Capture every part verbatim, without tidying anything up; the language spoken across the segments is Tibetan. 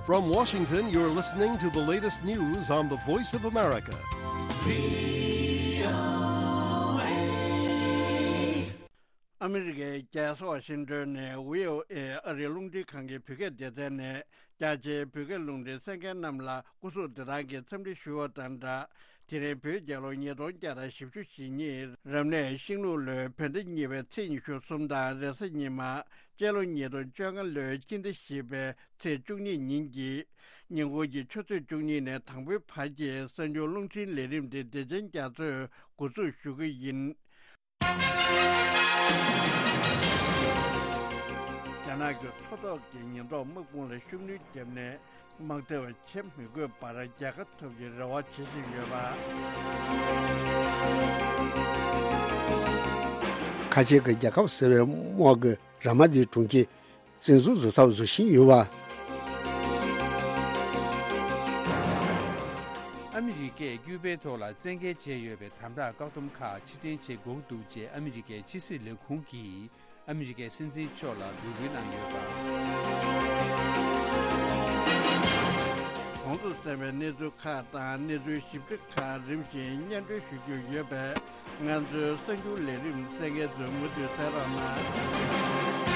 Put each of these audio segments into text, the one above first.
From Washington, you're listening to the latest news on the Voice of America. ཨ་མི་རི་ཀའི་རྒྱལ་ས་ཝ་ཤིང་ཏོན་ནས་བྷི་ཨོ་ཨེ་ཨ་རིའི་རླུང་འཕྲིན་ཁང་གི་བོད་སྐད་སྡེ་ཚན་ནས། རྒྱ་ཆེའི་བོད་སྐད་རླུང་འཕྲིན་གསན་མཁན་རྣམས་ལ་སྐུ་གཟུགས་བདེ་ཐང་གི་འཚམས་འདྲི་ཞུ་བ་དང་སྦྲགས། དེ་རིང་བོད་རྒྱལ་ལོ་ཉིས་སྟོང་བརྒྱ་དང་བཞི་བཅུ་ཞེ་གཉིས། རབ་གནས་ཤིང་ལུག་ལོའི་བོད་ཟླ་གཉིས་པའི་ཚེས་ཉི་ཤུ་གསུམ་དང་རེས་གཟའ་ཉི་མ། སྤྱི་ལོ་ཉིས་སྟོང་བཅོ་ལྔ་ལོའི་སྤྱི་ཟླ་བཞི་པའི་ཚེས་བཅུ་གཉིས་ཉིན་གྱི་ཉིན་གུང་གི་ཆུ་ཚོད་བཅུ་གཉིས་ནས་དང་པོའི་བར་གྱི་གསར་འགྱུར་རླུང་འཕྲིན་ལས་རིམ་དེ་བདེ་ཆེན་རྒྱ་མཚོས་འགོ་འཛུགས་ཞུ་གི་ཡིན། རྒྱ་ནག་གི་མཚོ་ཐོག་གི་ཉེན་རྟོག་དམག་དཔུང་ལ་ཤུགས་སྣོན་བརྒྱབ་ནས། དམག་འཐབ་བྱེད་མི་དགོས་པར་རྒྱལ་ཁ་ཐོབ་རྒྱུའི་རེ་བ་བྱེད་བཞིན་ཡོད་པ། ཁ་ཆེ་གི་རྒྱལ་ཁབ་ཟེར་བའི་དམག་གི་ར་མ་དེའི་གྲོང་ཁྱེར་བཙན་འཛུལ་བཟོ་ཐབས་བཟོ་བཞིན་ཡོད་པ། ཨ་མི་རི་ཀས་ཀྱུ་པའི་ཐོག་ལ་བཙན་འགེལ་བྱས་ཡོད་པའི་དམ་དྲག་བཀག་སྡོམ་ཁག་ཕྱིར་འཐེན་བྱེད་དགོས་འདུག་ཅེས་ཨ་མི་རི་ཀའི་ཕྱི་སྲིད་ལས་ཁུངས་ཀྱིས་ཨ་མི་རི་ཀའི་སྲིད་འཛིན་མཆོག་ལ་འབོད་སྐུལ་གནང་ཡོད་པ། གོང་དུ་གསན་པའི་གནས་ཚུལ་ཁག་དང་གནས་ཚུལ་ཞིབ་ཕྲ་ཁག་རིམ་བཞིན་སྙན་སྒྲོན་ཞུ་རྒྱུ་ཡོད་པས། ང་ཚོའི་གསར་འགྱུར་ལས་རིམ་གསན་མཁན་ཚོས་མུ་མཐུད་གསན་རོགས་གནང་།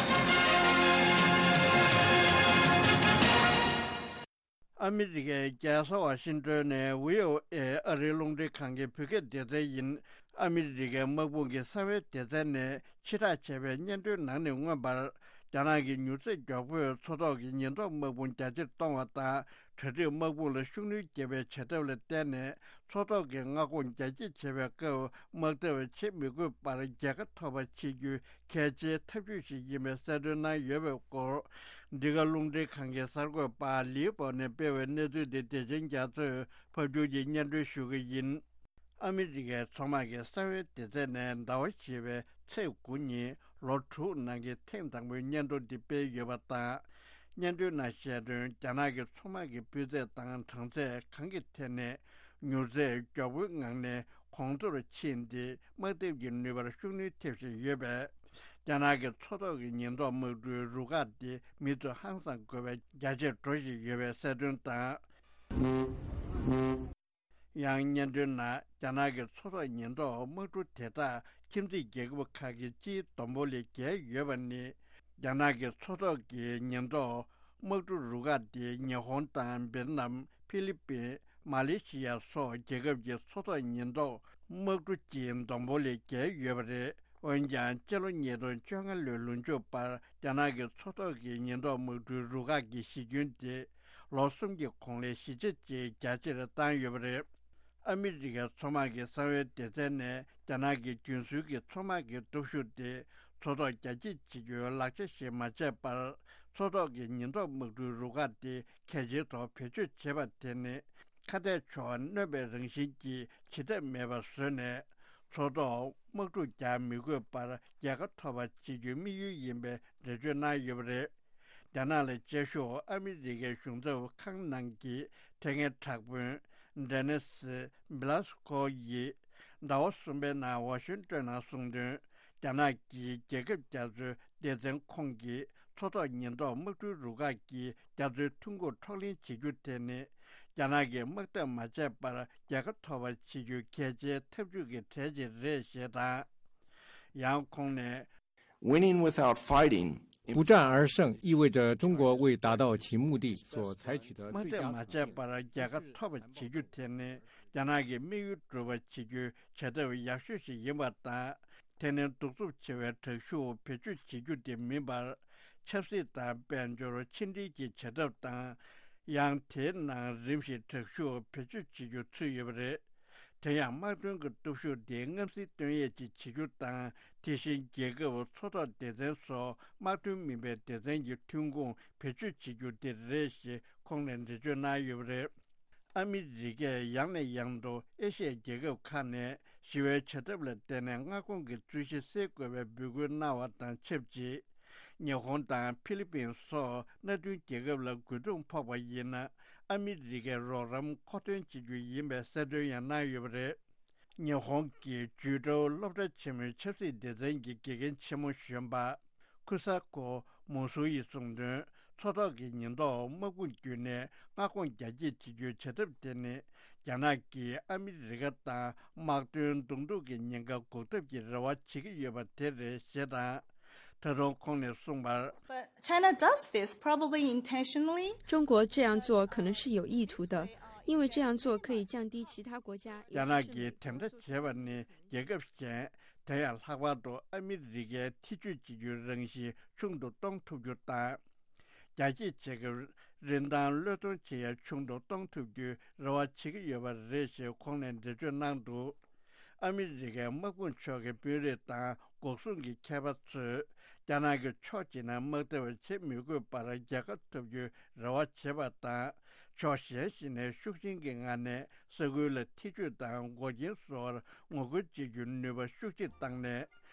ཨ་མི་རི་ཀའི་རྒྱལ་ས་ཝ་ཤིང་ཏོན་ནས་བྷི་ཨོ་ཨེ་ཨ་རིའི་རླུང་འཕྲིན་ཁང་གི་བོད་སྐད་སྡེ་ཚན་ཡིན། ཨ་མི་རི་ཀའི་དམག་དཔུང་གི་གསང་བའི་སྡེ་ཚན་ནས་ཕྱིར་བསྒྲགས་བྱས་པའི་སྙན་སྒྲོན་ནང་ནས་མངོན་པར། རྒྱ་ནག་གི་མྱུར་ཚད་མགྱོགས་པོས་མཚོ་ཐོག་གི་ཉེན་རྟོག་དམག་དཔུང་རྒྱ་ཆེར་གཏོང་བ་དང་། གྲ་སྒྲིག་དམག་དཔུང་ལ་ཤུགས་སྣོན་བརྒྱབ་པའི་བྱ་ཐབས་ལ་བརྟེན་ནས། མཚོ་ཐོག་གི་མངའ་ཁོངས་རྒྱ་སྐྱེད་བྱེད་པའི་སྐབས་དམག་འཐབ་བྱེད་མི་དགོས་པར་རྒྱལ་ཁ་ཐོབ་པ་བྱེད་རྒྱུའི་གལ་ཆེའི་ཐབས་ཇུས་ཤིག་ཡིན་པའི་གསལ་སྟོན་གནང་ཡོད་པའི་སྐོར། འདི་ག་རླུང་འཕྲིན་ཁང་གི་གསར་འགོད་པ་ལིའུ་པོ་ནས་སྤེལ་བའི་གནས་ཚུལ་འདི་བདེ་ཆེན་རྒྱ་མཚོས་ཕབ་སྒྱུར་གྱིས་སྙན་སྒྲོན་ཞུ་གི་ཡིན། ཨ་མི་རི་ཀའི་མཚོ་དམག་གི་གསང་བའི་སྡེ་ཚན་ནས་ཟླ་བ་བཞི་པའི་ཚེས་དགུ་ཉིན་ལོ་དྲུག་ནང་གི་ཐེངས་དང་པོའི་སྙན་སྒྲོན་འདི་སྤེལ་ཡོད་པ་དང་། སྙན་སྒྲོན་ནང་བཤད་དོན། རྒྱ་ནག་གི་མཚོ་དམག་གི་སྤུས་ཚད་དང་གྲངས་ཚད་གང་གི་ཐད་ནས་མྱུར་ཚད་མགྱོགས་པོའི་ངང་ནས་གོང་མཐོར་ཕྱིན་ཏེ། དམག་འཐབ་ཀྱི་ནུས་པར་ཤུགས་སྣོན་ཐེབས་བཞིན་ཡོད་པས། རྒྱ་ནག་གི་མཚོ་ཐོག་གི་ཉེན་རྟོག་དམག་གྲུའི་རུ་ཁག་དེ་མུ་མཐུད་ཧང་སང་དགོས་པའི་རྒྱ་ཆེར་འགྲོ་བཞིན་ཡོད་པའི་གསལ་སྟོན་དང་། ཡང་སྙན་སྒྲོན་ནང་། རྒྱ་ནག་གི་མཚོ་ཐོག་ཉེན་རྟོག་དམག་གྲུ་དེ་དག་ཁྱིམ་མཚེས་རྒྱལ་ཁབ་ཁག་གི་སྤྱིའི་བསྡོམས་པོ་ལས་བརྒལ་ཡོད་པ་ནི། རྒྱ་ནག་གི་མཚོ་ཐོག་གི་ཉེན་རྟོག་དམག་གྲུ་རུ་ཁག་དེ་ཉི་ཧོང་དང་བེད་ནམ། ཧྥི་ལི་པིན། མ་ལེ་ཤི་ཡ་སོགས་རྒྱལ་ཁབ་ཀྱི་མཚོ་ཐོག་ཉེན་རྟོག་དམག་གྲུ་སྤྱིའི་བསྡོམས་པོ་ལས་བརྒལ་ཡོད་པ་རེད། འོན་ཀྱང་། སྤྱི་ལོ་ཉིས་སྟོང་བཅོ་ལྔ་ལོའི་ལོ་མཇུག་བར་རྒྱ་ནག་གི་མཚོ་ཐོག་གི་ཉེན་རྟོག་དམག་གྲུའི་རུ་ཁག་གི་གཞི་ཁྱོན་དེ་ལོ་གསུམ་གྱི་གོང་ལས་བཞི་ཆ་གཅིག་རྒྱ་ཆེར་བཏང་ཡོད་པ་རེད། ཨ་མི་རི་ཀའི་མཚོ་དམག་གི་གསང་བའི་སྡེ་ཚན་ནས། རྒྱ་ནག་གི་རྒྱུན་སྲོལ་གྱི་མཚོ་དམག་གི་སྟོབས་ཤུགས་དེ་མཚོ་ཐོག་རྒྱ་སྐྱེད་བྱེད་རྒྱུའི་ལག་ཆ་ཞིག་མ་བྱས་པར། མཚོ་ཐོག་གི་ཉེན་རྟོག་དམག་གྲུའི་རུ་ཁག་དེ་གལ་ཆེའི་ཐོག་བེད་སྤྱོད་བྱེད་པ་དེ་ནི། ཁ་གཏད་ཕྱོགས་གནོན་པའི་རང་བཞིན་གྱིས་བྱེད་ཐབས་མེད་པ་བཟོས་ནས། མཚོ་ཐོག་དམག་འཁྲུག་རྒྱག་མི་དགོས་པར་རྒྱལ་ཁ་ཐོབ་པ་བྱེད་རྒྱུའི་དམིགས་ཡུལ་ཡིན་པའི་འགྲེལ་བརྗོད་གནང་ཡོད་པ་རེད། རྒྱ་ནག་ལ་དཔྱད་ཞུགས་ཨ་མི་རི་ཀའི་གཞུང་ཚབ་ཁང་ནང་གི་དེ་སྔའི་དྲག་དཔོན་ཌེ་ནི་སི་བྷི་ལ་སི་ཀོ་ཡིས་ཟླ་བ་གསུམ་པའི་ནང་ཝ་ཤིང་ཏོན་ནང་གསུངས་དོན། རྒྱ་ནག་གིས་རྒྱལ་ཁབ་རྒྱ་མཚོའི་སྡེ་ཚན་ཁོངས་ཀྱི་མཚོ་ཐོག་ཉེན་རྟོག་དམག་གྲུའི་རུ་ཁག་གིས་རྒྱ་མཚོའི་ཐོན་ཁུངས་འཕྲོག་ལེན་བྱེད་རྒྱུ་དེ་ནི། རྒྱ་ནག་གིས་དམག་འཐབ་མ་བྱས་པར་རྒྱལ་ཁ་ཐོབ་པ་བྱེད་རྒྱུའི་གལ་ཆེའི་ཐབས་ཇུས་ཀྱི་གྲས་ཤིག་རེད་ཞེས་དང་། ཡང་ཁོང་ནས། Winning without fighting. 不战而胜意味着中国为达到其目的所采取的最佳方面。དམག་འཐབ་མ་བྱས་པར་རྒྱལ་ཁ་ཐོབ་པ་བྱེད་རྒྱུ་དེ་ནི་རྒྱ་ནག་གི་དམིགས་ཡུལ་འགྲུབ་པ་བྱེད་རྒྱུའི་བྱ་ཐབས་ཡག་ཤོས་ཤིག་ཡིན་པ་དང་། དེ་ནི་གདུག་རྩུབ་ཆེ་བའི་དྲག་ཤུགས་བེད་སྤྱོད་བྱེད་རྒྱུ་དེ་མིན་པར། ཆབ་སྲིད་དང་དཔལ་འབྱོར་ཕྱི་འབྲེལ་གྱི་བྱ་ཐབས་དང་། ཡང་དེའི་ནང་རིམ་བཞིན་དྲག་ཤུགས་བེད་སྤྱོད་བྱེད་རྒྱུ་ཚུད་ཡོད་པ་རེད། དེ་ཡང་དམག་དོན་གྱི་སྟོབས་ཤུགས་དེ་མངའ་སྲིད་སྟོན་ཡས་ཀྱི་བྱེད་རྒྱུ་དང་། དེ་བཞིན་རྒྱལ་ཁབ་མཚོ་ཐོག་སྡེ་ཚན་སོགས་དམག་དོན་མིན་པའི་སྡེ་ཚན་གྱི་ཐོན་ཁུངས་བེད་སྤྱོད་བྱེད་རྒྱུ་དེ་རེད་ཞེས་ཁོང་ནས་འགྲེལ་བརྗོད་གནང་ཡོད་པ་རེད། ཨ་མི་རི་ཀས་ཡང་ནས་ཡང་དུ་ཨེ་ཤི་ཡའི་རྒྱལ་ཁབ་ཁག་ནས་ཞི་བའི་བྱ་ཐབས་ལ་བརྟེན་ནས་མངའ་ཁོངས་ཀྱི་རྩོད་གཞི་སེལ་དགོས་པའི་འབོད་སྐུལ་གནང་བ་དང་ཆབས་ཅིག་ཉི་ཧོང་དང་ཧྥི་ལི་པིན་སོགས་མནའ་མཐུན་རྒྱལ་ཁབ་ལ་རྒོལ་རྡུང་ཕོག་པ་ཡིན་ན། ཨ་མི་རི་ཀའི་རོགས་རམ་མཁོ་འདོན་བྱེད་རྒྱུ་ཡིན་པའི་གསལ་སྟོན་ཡང་གནང་ཡོད་པ་རེད། ཉི་ཧོང་གི་ཇུའུ་ཀྲོའུ་སློབ་གྲྭ་ཆེན་མོའི་ཆབ་སྲིད་སྡེ་ཚན་གྱི་དགེ་རྒན་ཆེན་མོ་གཞོན་པ། ཁུ་ས་ཀོ་མུ་སུ་ཡིས་གསུངས་དོན། མཚོ་ཐོག་གི་ཉེན་རྟོག་དམག་དཔུང་བརྒྱུད་ནས་མངའ་ཁོངས་རྒྱ་སྐྱེད་བྱེད་རྒྱུའི་བྱ་ཐབས་དེ་ནི། རྒྱ་ནག་གིས་ཨ་མི་རི་ཀ་དང་དམག་དོན་གདོང་ཐུག་གི་ཉེན་ཁ་འགོག་ཐབས་ཀྱི་རེ་བ་བྱེད་ཀྱི་ཡོད་པ་དེ་རེད་ཞེས་དང་། ད་དུང་ཁོང་ནས་གསུངས་པར། But China does this probably intentionally. 中国这样做可能是有意图的，因为这样做可以降低其他国家。 རྒྱ་ནག་གིས་དེ་འདྲ་བྱས་པ་ནི་རྒྱལ་ཁབ་གཞན། དེ་ཡང་ལྷག་པར་དུ་ཨ་མི་རི་ཀའི་ཐེ་བྱུས་བྱེད་རྒྱུའི་རང་བཞིན་ཆུང་དུ་གཏོང་ཐུབ་རྒྱུ་དང་། རྒྱ་སྐྱེད་བྱེད་སྐབས་རིན་ཐང་བློས་གཏོང་བྱེད་ཡ་ཆུང་དུ་གཏོང་ཐུབ་རྒྱུའི་རེ་བ་བྱེད་ཀྱི་ཡོད་པ་རེད་ཞེས་ཁོང་ནས་འགྲེལ་བརྗོད་གནང་འདུག་ཨ་མི་རི་ཀའི་དམག་དཔུང་མཆོག་གི་དཔོན་རིགས་དང་འགོག་སྲུང་གི་མཁས་པ་ཚོས་རྒྱ་ནག་གི་ཕྱོགས་གཅིག་ནས་དམག་འཐབ་བྱེད་མི་དགོས་པར་རྒྱལ་ཁ་ཐོབ་རྒྱུའི་རེ་བ་བྱེད་པ་དང་། ཕྱོགས་གཞན་ཞིག་ནས་ཤུགས་ཆེན་གྱི་ངང་ནས་ས་ཁུལ་ལ་ཐེ་བྱུས་དང་འགོག་རྐྱེན་བཟོ་བར་ངོ་རྒོལ་བྱེད་རྒྱུའི་ནུས་པ་ཤུགས་ཆེ་བཏང་ནས།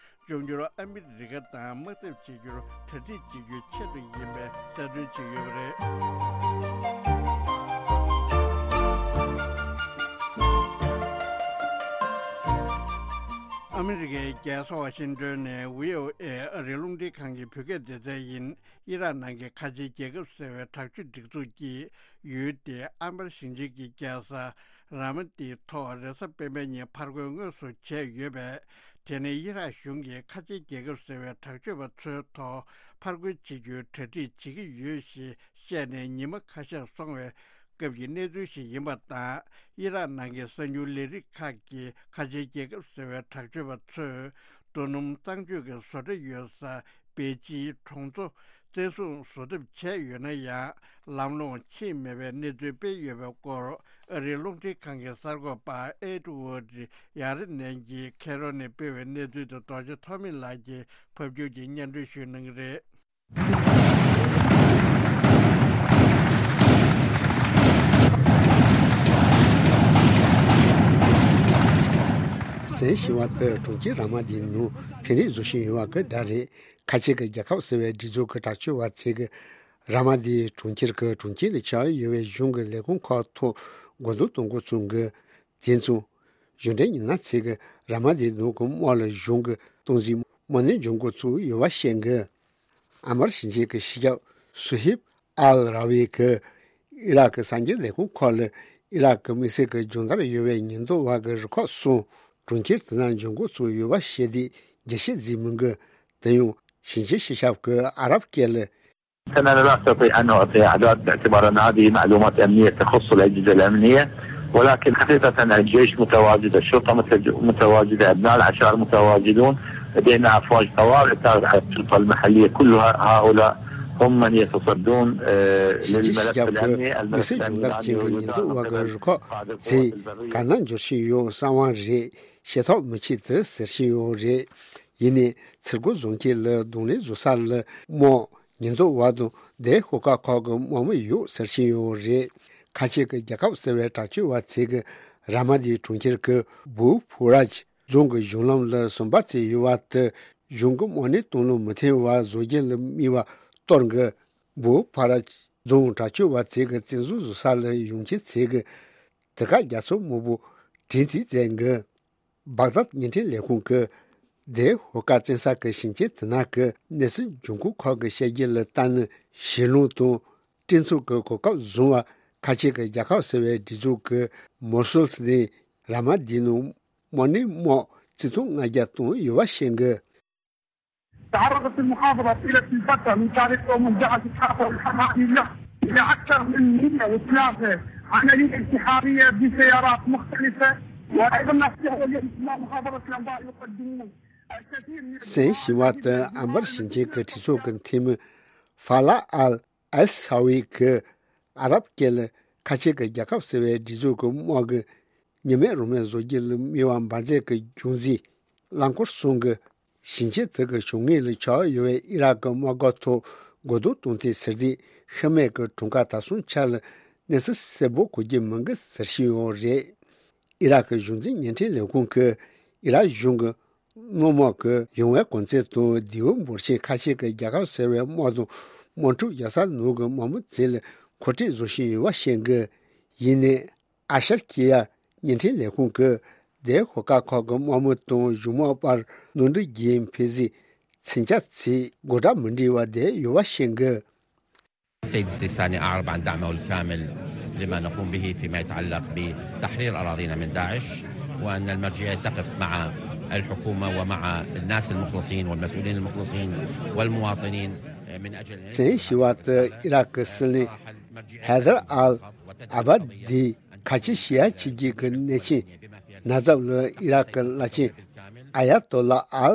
འབྱུང་འགྱུར་ཨ་མི་རི་ཀ་དང་དམག་འཐབ་བྱེད་རྒྱུར་གྲ་སྒྲིག་བྱེད་རྒྱུའི་ཆེད་དུ་ཡིན་པའི་གསལ་སྟོན་བྱས་ཡོད་པ་རེད། ཨ་མི་རི་ཀའི་རྒྱལ་ས་ཝ་ཤིང་ཏོན་ནས་བྷི་ཨོ་ཨེ་ཨ་རིའི་རླུང་འཕྲིན་ཁང་གི་བོད་སྐད་སྡེ་ཚན་ཡིན། ཨི་རག་ནང་གི་ཁ་ཆེའི་རྒྱལ་ཁབ་ཟེར་བའི་དྲག་སྤྱོད་སྒྲིག་འཛུགས་ཀྱིས་ཡུལ་དེའི་ཨན་བར་ཞིང་ཆེན་གྱི་རྒྱལ་ས་ར་མ་ཏིའི་ཐོག་རེས་གཟའ་སྤེན་པའི་ཉིན་ཕར་རྒོལ་དངོས་སུ་བྱས་ཡོད་པས། དེ་ནི་ཨི་རག་གཞུང་གིས་ཁ་ཆེའི་རྒྱལ་ཁབ་ཟེར་བའི་དྲག་སྤྱོད་པ་ཚོའི་ཐོག་ཕར་རྒོལ་བྱེད་རྒྱུའི་གྲ་སྒྲིག་བྱེད་ཀྱི་ཡོད་ཞེས་བཤད་ནས་ཉི་མ་ཁ་ཤས་སོང་བའི་སྐབས་ཀྱི་གནས་ཚུལ་ཞིག་ཡིན་པ་དང་། ཨི་རག་ནང་གི་གསར་འགྱུར་ལས་རིགས་ཁག་གིས་ཁ་ཆེའི་རྒྱལ་ཁབ་ཟེར་བའི་དྲག་སྤྱོད་པ་ཚོས་རྡོ་སྣུམ་གཙང་སྤྱོད་ཀྱི་བཟོ་གྲྭ་ཡོད་ས་པེ་ཅིན་གྲོང་ཚོ་བཙན་བཟུང་བཟོ་ཐབས་བྱས་ཡོད་ན་ཡང་། ལམ་ལྷོང་ཕྱིན་མེད་པའི་གནས་ཚུལ་སྤེལ་ཡོད་པའི་སྐོར་ཨ་རིའི་རླུང་འཕྲིན་ཁང་གི་གསར་འགོད་པ་ཨེ་ཏུ་ཝུ་ཌི་ཡ་རེ་ནན་གྱིས་ཁེ་རོ་ནས་སྤེལ་བའི་གནས་ཚུལ་དེ་རྡོ་རྗེ་ཐོགས་མེད་ལགས་ཀྱིས་ཕབ་སྒྱུར་གྱིས་སྙན་སྒྲོན་ཞུ་གནང་གི་རེད། གསན་བཞིན་པ་དེ་གྲོང་ཁྱེར་ར་མ་ཏིའི་ནང་ཕན་རེས་བཟོ་བཞིན་ཡོད་པ་གི་སྒྲ་རེད། ཁ་ཆེ་གི་རྒྱལ་ཁབ་ཟེར་བའི་སྒྲིག་འཛུགས་ཀྱི་དྲག་སྤྱོད་པ་ཚོས་ཀྱི་ར་མ་ཏིའི་གྲོང་ཁྱེར་གྱི་གྲོང་ཁྱེར་ལ་ཆགས་ཡོད་པའི་གཞུང་གི་ལས་ཁུངས་ཁག་ཐོག་རྒོལ་རྡུང་གཏོང་འགོ་ཚུགས་གི། དེ་མཚུངས། གཞུང་འབྲེལ་ཉི་ན་ཚིག་གི་ར་མ་ཏིའི་ནང་གི་དམག་ལ་གཞུང་གི་གཏོང་འཛིན་དམག་སྣེ་འཇོག་འགོ་ཚུགས་ཡོད་པ་བཤད་གི། ཨན་བར་ཞིང་ཆེན་གྱི་སྤྱི་ཁྱབ་སུ་ཧིབ་ཨལ་ར་ཝི་གིས་ཨི་རག་གི་གསར་འགྱུར་ལས་ཁུངས་ཁག་ལ་ཨི་རག་གི་དམིགས་བསལ་གྱི་སྦྱོང་བརྡར་ཡོད་པའི་ཉེན་རྟོག་པ་གི་རུ་ཁག་གསུམ་གྲོང་ཁྱེར་དེ་ན་འཇོག་འགོ་ཚུགས་ཡོད་པ་བཤད་དེ་རྒྱས་བཤད་མཛད་མི་འགི། དེ་ཡང་ཞིང་ཆེན་སྤྱི་ཁྱབ་ཀྱིས་ཨ་རབ་སྐད་ལ། أنا لا أستطيع أن أعطي أعداد باعتبار أن هذه معلومات أمنية تخص الأجهزة الأمنية، ولكن حقيقة الجيش متواجد، الشرطة متج- متواجدة، أبناء العشائر متواجدون، لدينا أفواج طوارئ تابعة للشرطة المحلية، كل هؤلاء هم من يتصدون آه، ཞིང་ཆེན་སྤྱི་للملف ཁྱབ་ཀྱི་الأمني، الملف དམིགས་བསལ་སྦྱོང་الأمني བརྡར་ཅན་གྱི་ཉེན་རྟོག་པ་གི་རུ་ཁག་ཚོས་ག་ན་འབྱོར་བཞིན་ཡོད་གསང་བ་རེད། ཤེས་ཐབས་མི་བྱེད་དེ་ཟེར་བཞིན་ཡོད་རེད། ཡིན་ནའི་ཚུར་རྒོལ་བཟོ་མཁན་ལ་གདོང་ལེན་བཟོ་ས་ལ་དམག་ཉེན་རྟོག་པ་དང་དེའི་ཤོག་ཁག་ཁག་གི་དམག་མི་ཡོད་ཟེར་བཞིན་ཡོད་རེད། ཁ་ཆེ་གི་རྒྱལ་ཁབ་ཟེར་བའི་དྲག་སྤྱོད་པ་ཚོས་གི་ར་མ་ཏིའི་གྲོང་ཁྱེར་གྱི་བུ་ཕུ་ར་ཇི་རྫོང་གི་གཞུང་ལམ་ལ་ཟམ་པ་བཙུགས་ཡོད་པ་དེ་གཞུང་གི་དམག་སྣེ་གཏོང་ལུགས་མི་མཐུན་པ་བཟོ་རྒྱུ་ལ་དམིགས་པ་གཏོར་གི། བུ་ཕུ་ར་ཇི་རྫོང་དྲག་སྤྱོད་པ་ཚོས་གི་བཙན་བཟུང་བཟོ་ས་ལ་ཡོང་མཁན་ཚོས་གི་དེ་ག་རྒྱ་མཚོ་སྨུག་པོ་དྲན་རྩིས་བཙལ་གི། བག་དྷད་བརྙན་འཕྲིན་ལས་ཁུངས་ཀྱིས་དེའི་ཤོག་ཁག་བཙན་ས་ཀྱི་ཞིང་ཆེན་དེ་ན་གི་གནས་ཚུལ་འབྱུང་ཁུངས་ཁག་གི་བཤད་རྒྱུ་ལ་ལྟ་ན། ཞི་ལུང་དང་སྤྲིན་ཚོགས་ཀྱི་གོ་སྐབས་བཟུང་བ་ཁ་ཆེ་གི་རྒྱལ་ཁབ་ཟེར་བའི་སྒྲིག་འཛུགས་ཀྱི་མོ་སུལ་ནས་ར་མ་ཏིའི་ནང་དམག་སྣེ་དམག་བརྩི་མཐོང་ལྔ་བརྒྱ་བཏང་ཡོད་པ་བཤད་གི། تعرضت المحافظة طيلة الفترة من قبل مجاعة الحافة الحمادي له إلى أكثر من مية وثلاثة عملية انتحارية بسيارات مختلفة، وأيضا نستطيع اليوم في محافظة الأنبار يقدمون الكثير من གསན་བཞིན་པ་དེ་ཨན་བར་ཞིང་ཆེན་གྱི་གྲོས་ཚོགས་ཀྱི་འཐུས་མི་ཧྥ་ལ་ཨལ་ཨལ་ས་ཝི་གིས་ཨ་རབ་སྐད་ལ་ཁ་ཆེ་གི་རྒྱལ་ཁབ་ཟེར་བའི་སྒྲིག་འཛུགས་ཀྱི་དམག་གི་ཉི་མེད་རང་མེད་བཟོ་རྒྱུ་ལ་དམིགས་པ་འབད་མཛད་ཀྱི་རྒྱུ་མཚན་རླངས་འཁོར་གསུམ་གྱི་ཞིང་ཆེན་དེ་གི་བྱུང་ངེས་ལ་ཆགས་ཡོད་པའི་ཨི་རག་གི་དམག་སྒར་ཐོག་རྒོལ་རྡུང་གཏོང་ཐེངས་ཟེར་དུས་ཤི་རྨས་ཀྱི་གྲངས་ཀ་ད་སོང་ཆ་ལ་གནས་ཚུལ་གསལ་པོ་གོ་རྒྱུ་མིན་གི་ཟེར་བཞིན་ཡོད་རེད། ཨི་རག་གི་གཞུང་འཛིན་བརྙན་འཕྲིན་ལས་ཁུངས་ཀྱིས་ཨི་རག་གཞུང་གི་དམག་དམག་གི་ཡོང་བའི་གོང་ཚད་དང་དེའུ་འབོར་ཆེན་ཁ་ཤས་ཀྱི་རྒྱལ་ཁབ་ཟེར་བའི་དམག་དང་དམག་འཁྲུག་རྒྱག་ས་ནང་གི་དམག་མི་ཚོ་ལ་མཁོ་སྤྲོད་བཟོ་བཞིན་ཡོད་པ་བཤད་གི། ཡིན་ནའི་ཨ་ཤར་ཁི་ཡ་བརྙན་འཕྲིན་ལས་ཁུངས་ཀྱིས་དེའི་ཤོག་ཁག་ཁག་གི་དམག་མི་དང་གཞུང་དམག་བར་ནོར་འཁྲུལ་གྱི་འཕེལ་གཟིགས་མཚོན་ཆ་ཚོས་དགོད་སྒྲ་མི་འདྲ་བ་བསྡད་ཡོད་པ་བཤད་གི། السيد السيستاني أعرب عن دعمه الكامل لما نقوم به فيما يتعلق بتحرير أراضينا من داعش، وأن المرجعية تقف مع الحكومة ومع الناس المخلصين والمسؤولين المخلصين والمواطنين من أجل أن ཚན་ཞི་བ་དུ་ཨི་རག་གི་སྲིད་བློན་ཧེ་དར་ཨལ་ཨ་བ་དི་ཁ་ཆེ་ཤི་ཡ་ཆི་གི་གི་གནས་ཆེན་ན་ཛབ་ལ་ཨི་རག་གི་བླ་ཆེན་ཨ་ཡ་ཏོ་ལ་ཨལ་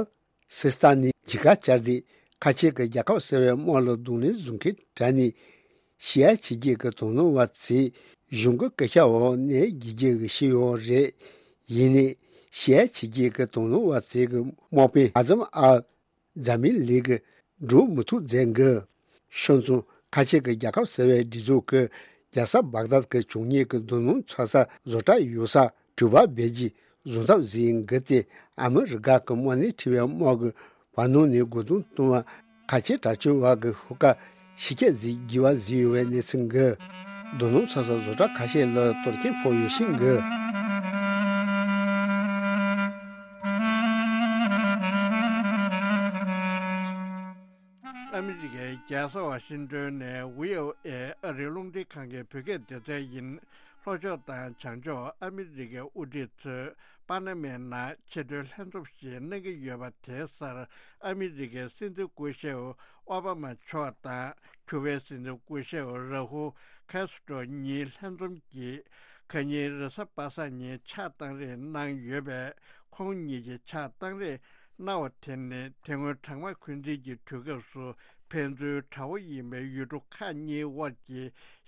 སི་སི་ཏཱ་ནི་ཇི་ཀ་ཅར་དེ་ཁ་ཆེ་གི་རྒྱལ་ཁབ་ཟེར་བའི་དམག་ལ་གདོང་ལེན་བཟུང་མཁན་དྲ་ནས་ཤི་ཡ་ཆི་གི་གི་དོ་སྣང་བ་ཚེ་གཞུང་གི་སྐད་ཆ་འོག་ནས་རྒྱལ་རྒྱལ་གི་ཤི་ཡོད་རེད། ཡིན་ནས་ཤི་ཡ་ཆི་གི་གི་དོ་སྣང་བ་ཚེ་གི་དམག་དཔོན་ཨ་ཛམ་ཨལ་ཛ་མི་ལི་གི་འགྲོ་མི་ཐུབ་མཛད་གི། ཤོད་ཙང་ཁ་ཆེ་གི་རྒྱལ་ཁབ་ཟེར་བའི་སྒྲིག་འཛུགས་ཀྱི་རྒྱལ་ས་བག་དཱད་ཀྱི་བྱུང་ཉེས་ཀྱི་རྡོ་སྣུམ་ཚོད་ས་བཟོ་གྲྭ་ཡོད་ས་དྲུག་པ་བེ་ཇི་བཟོ་ཐབས་ཟིན་གི་སྟེ། ཨ་མི་རི་ཀ་གི་དམག་སྣེ་ཁྲི་བའི་དམག་གི་བར་སྣང་ནས་རྒོལ་རྡུང་གཏོང་བ་ཁ་ཆེ་དྲག་སྤྱོད་བ་གི་ཤོག་ཁ་ཤི་ཁྱད་ཟིག་བགྱི་བ་ཟིག་ཡོད་པའི་གནས་ཚུལ་གི། རྡོ་སྣུམ་ཚོད་ས་བཟོ་གྲྭ་ཁ་ཤས་ལ་གཏོར་སྐྱོན་ཕོག་ཡོད་ཤིང་གི། ཨ་མི་རི་ཀའི་རྒྱལ་ས་ཝ་ཤིང་ཏོན་ནས་ཝི་ཨོ་ཨེ་ཨ་རིའི་རླུང་འཕྲིན་ཁང་གི་བོད་སྐད་སྡེ་ཚན་ཡིན། ལྷོ་ཕྱོགས་དང་བྱང་ཕྱོགས་ཨ་མི་རི་ཀའི་དབུ་ཁྲིད་ཚོས་པ་ན་མའི་ནང་ཆེས་མཐོའི་ལྷན་འཛོམས་ཤིག་གནང་གི་ཡོད་པ་དེའི་སར་ཨ་མི་རི་ཀའི་སྲིད་འཛིན་སྐུ་ཞབས་ཨོ་བྷ་མ་མཆོག་དང་ཁྱུ་པའི་སྲིད་འཛིན་སྐུ་ཞབས་ར་ཧུ་ཁེ་སི་ཏྲོ་གཉིས་ལྷན་འཛོམས་ཀྱིས་ཁ་ཉིན་རེས་གཟའ་པ་སངས་ཉིན་ཕྱག་བཏང་རེས་གནང་ཡོད་པས། ཁོང་གཉིས་ཀྱིས་ཕྱག་བཏང་རེས་གནང་བ་དེ་ནི་དེ་སྔོན་གྲང་དམག་འཁོན་འཛིན་གྱི་དུས་སྐབས་སུ་ཕན་ཚུན་དགྲ་བོ་ཡིན་པའི་ཡུལ་གྲུ་ཁག་གཉིས་དབར་གྱི་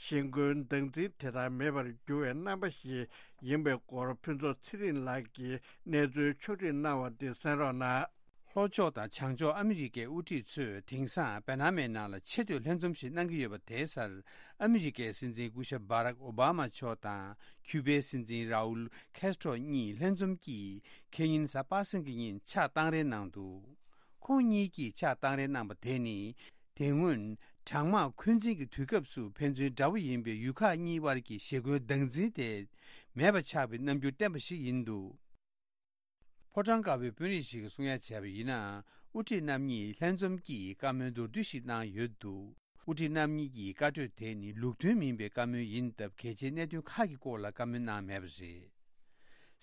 ཞི་རྒོལ་སྡང་འཛིན་དེ་དག་མེད་པར་གྱུར་བའི་རྣམ་པ་ཞིག་ཡིན་པའི་སྐོར་ཕུན་ཚོགས་ཚེ་རིང་ལགས་ཀྱིས་གནས་ཚུལ་ཕྱོགས་སྒྲིག་གནང་བ་དེ་གསན་རོགས་གནང་། ལྷོ་ཕྱོགས་དང་བྱང་ཕྱོགས་ཨ་མི་རི་ཀའི་དབུ་ཁྲིད་ཚོས་དེང་སང་པ་ན་མའི་ནང་ལ་ཆེས་མཐོའི་ལྷན་འཛོམས་ཤིག་གནང་གི་ཡོད་པ་དེའི་སར་ཨ་མི་རི་ཀའི་སྲིད་འཛིན་སྐུ་ཞབས་བྷ་རག་ཨོ་བྷ་མ་མཆོག་དང་ཁྱུ་པའི་སྲིད་འཛིན་རའུལ་ཁེ་སི་ཏྲོ་གཉིས་ལྷན་འཛོམས་ཀྱིས་ཁེ་ཉིན་གཟའ་པ་སངས་ཀྱི་ཉིན་ཕྱག་བཏང་རེས་གནང་འདུག་ཁོང་གཉིས་ཀྱིས་ཕྱག་བཏང་རེས་གནང་པ་དེ་ནི་དེ་སྔོན་གྲང་དམག་འཁོན་འཛིན་གྱི་དུས་སྐབས་སུ་ཕན་ཚུན་དགྲ་བོ་ཡིན་པའི་ཡུལ་ཁག་གཉིས་དབར་གྱི་ཞི་རྒོལ་སྡང་འཛིན་དེ་མེད་པ་ཆགས་པའི་རྣམ་འགྱུར་བསྟན་པ་ཞིག་ཡིན་འདུག་ཕོ་བྲང་དཀར་པོའི་དཔོན་རིགས་ཤིག་གིས་གསུང་ཡ་བྱས་པ་ཡིན་ན། དབུ་ཁྲིད་རྣམ་གཉིས་ལྷན་འཛོམས་ཀྱིས་བཀའ་མོལ་མདོར་བསྡུས་ཤིག་གནང་ཡོད་འདུག་དབུ་ཁྲིད་རྣམ་གཉིས་ཀྱི་བཀའ་གྲོས་དེ་ནི་ལུགས་མཐུན་མིན་པའི་བཀའ་མོལ་ཡིན་སྟབས། གལ་ཆེའི་གནད་དོན་ཁག་གི་སྐོར་ལ་བཀའ་མོལ་གནང་མེད་པ་རེད།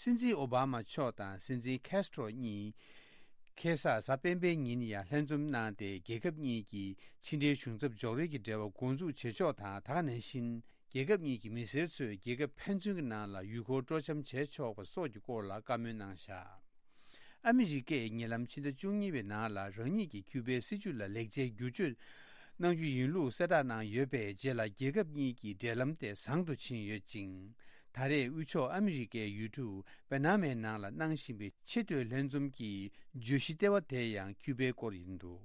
སྲིད་འཛིན་ཨོ་བྷ་མ་མཆོག་དང་སྲིད་འཛིན་ཁེ་སི་ཏྲོ་གཉིས་ཁ་སང་གཟའ་སྤེན་པའི་ཉིན་ཡང་ལྷན་འཛོམས་གནང་སྟེ། རྒྱལ་ཁབ་གཉིས་ཀྱི་ཕྱི་འབྲེལ་གཞུང་ཚབ་འཇོག་རེས་ཀྱི་འབྲེལ་བ་འགོ་འཛུགས་བྱེད་ཕྱོགས་དང་། ད་ག་ནང་བཞིན། རྒྱལ་ཁབ་གཉིས་ཀྱི་མི་སེར་ཚོས་རྒྱལ་ཁབ་ཕན་ཚུན་གྱི་ནང་ལ་ཡུལ་སྐོར་སྤྲོ་འཆམ་བྱས་ཆོག་པ་སོགས་ཀྱི་སྐོར་ལ་བཀའ་མོལ་གནང་བཞག་ཨ་མི་རི་ཀས་ཉེ་ལམ་ཕྱི་ཟླ་བཅུ་གཉིས་པའི་ནང་ལ་རང་ཉིད་ཀྱི་ཁྱུ་པའི་སྲིད་བྱུས་ལ་ལེགས་ཆའི་བསྒྱུར་བཅོས་གནང་རྒྱུ་ཡིན་ལུགས་གསལ་བསྒྲགས་གནང་ཡོད་པའི་རྗེས་ལ། རྒྱལ་ཁབ་གཉིས་ཀྱི་འབྲེལ་ལམ་དེ་བཟང་དུ་ཕྱིན་ཡོད་ཅིང་། ད་རེས་དབུས་ཕྱོགས་ཨ་མི་རི་ཀའི་ཡུལ་གྲུ་པ་ན་མའི་ནང་ལ་གནང་བཞིན་པའི་ཆེས་མཐོའི་ལྷན་འཛོམས་ཀྱི་བརྗོད་གཞི་ལྟེ་བ་དེ་ཡང་ཁྱུ་པའི་སྐོར་ཡིན་འདུག་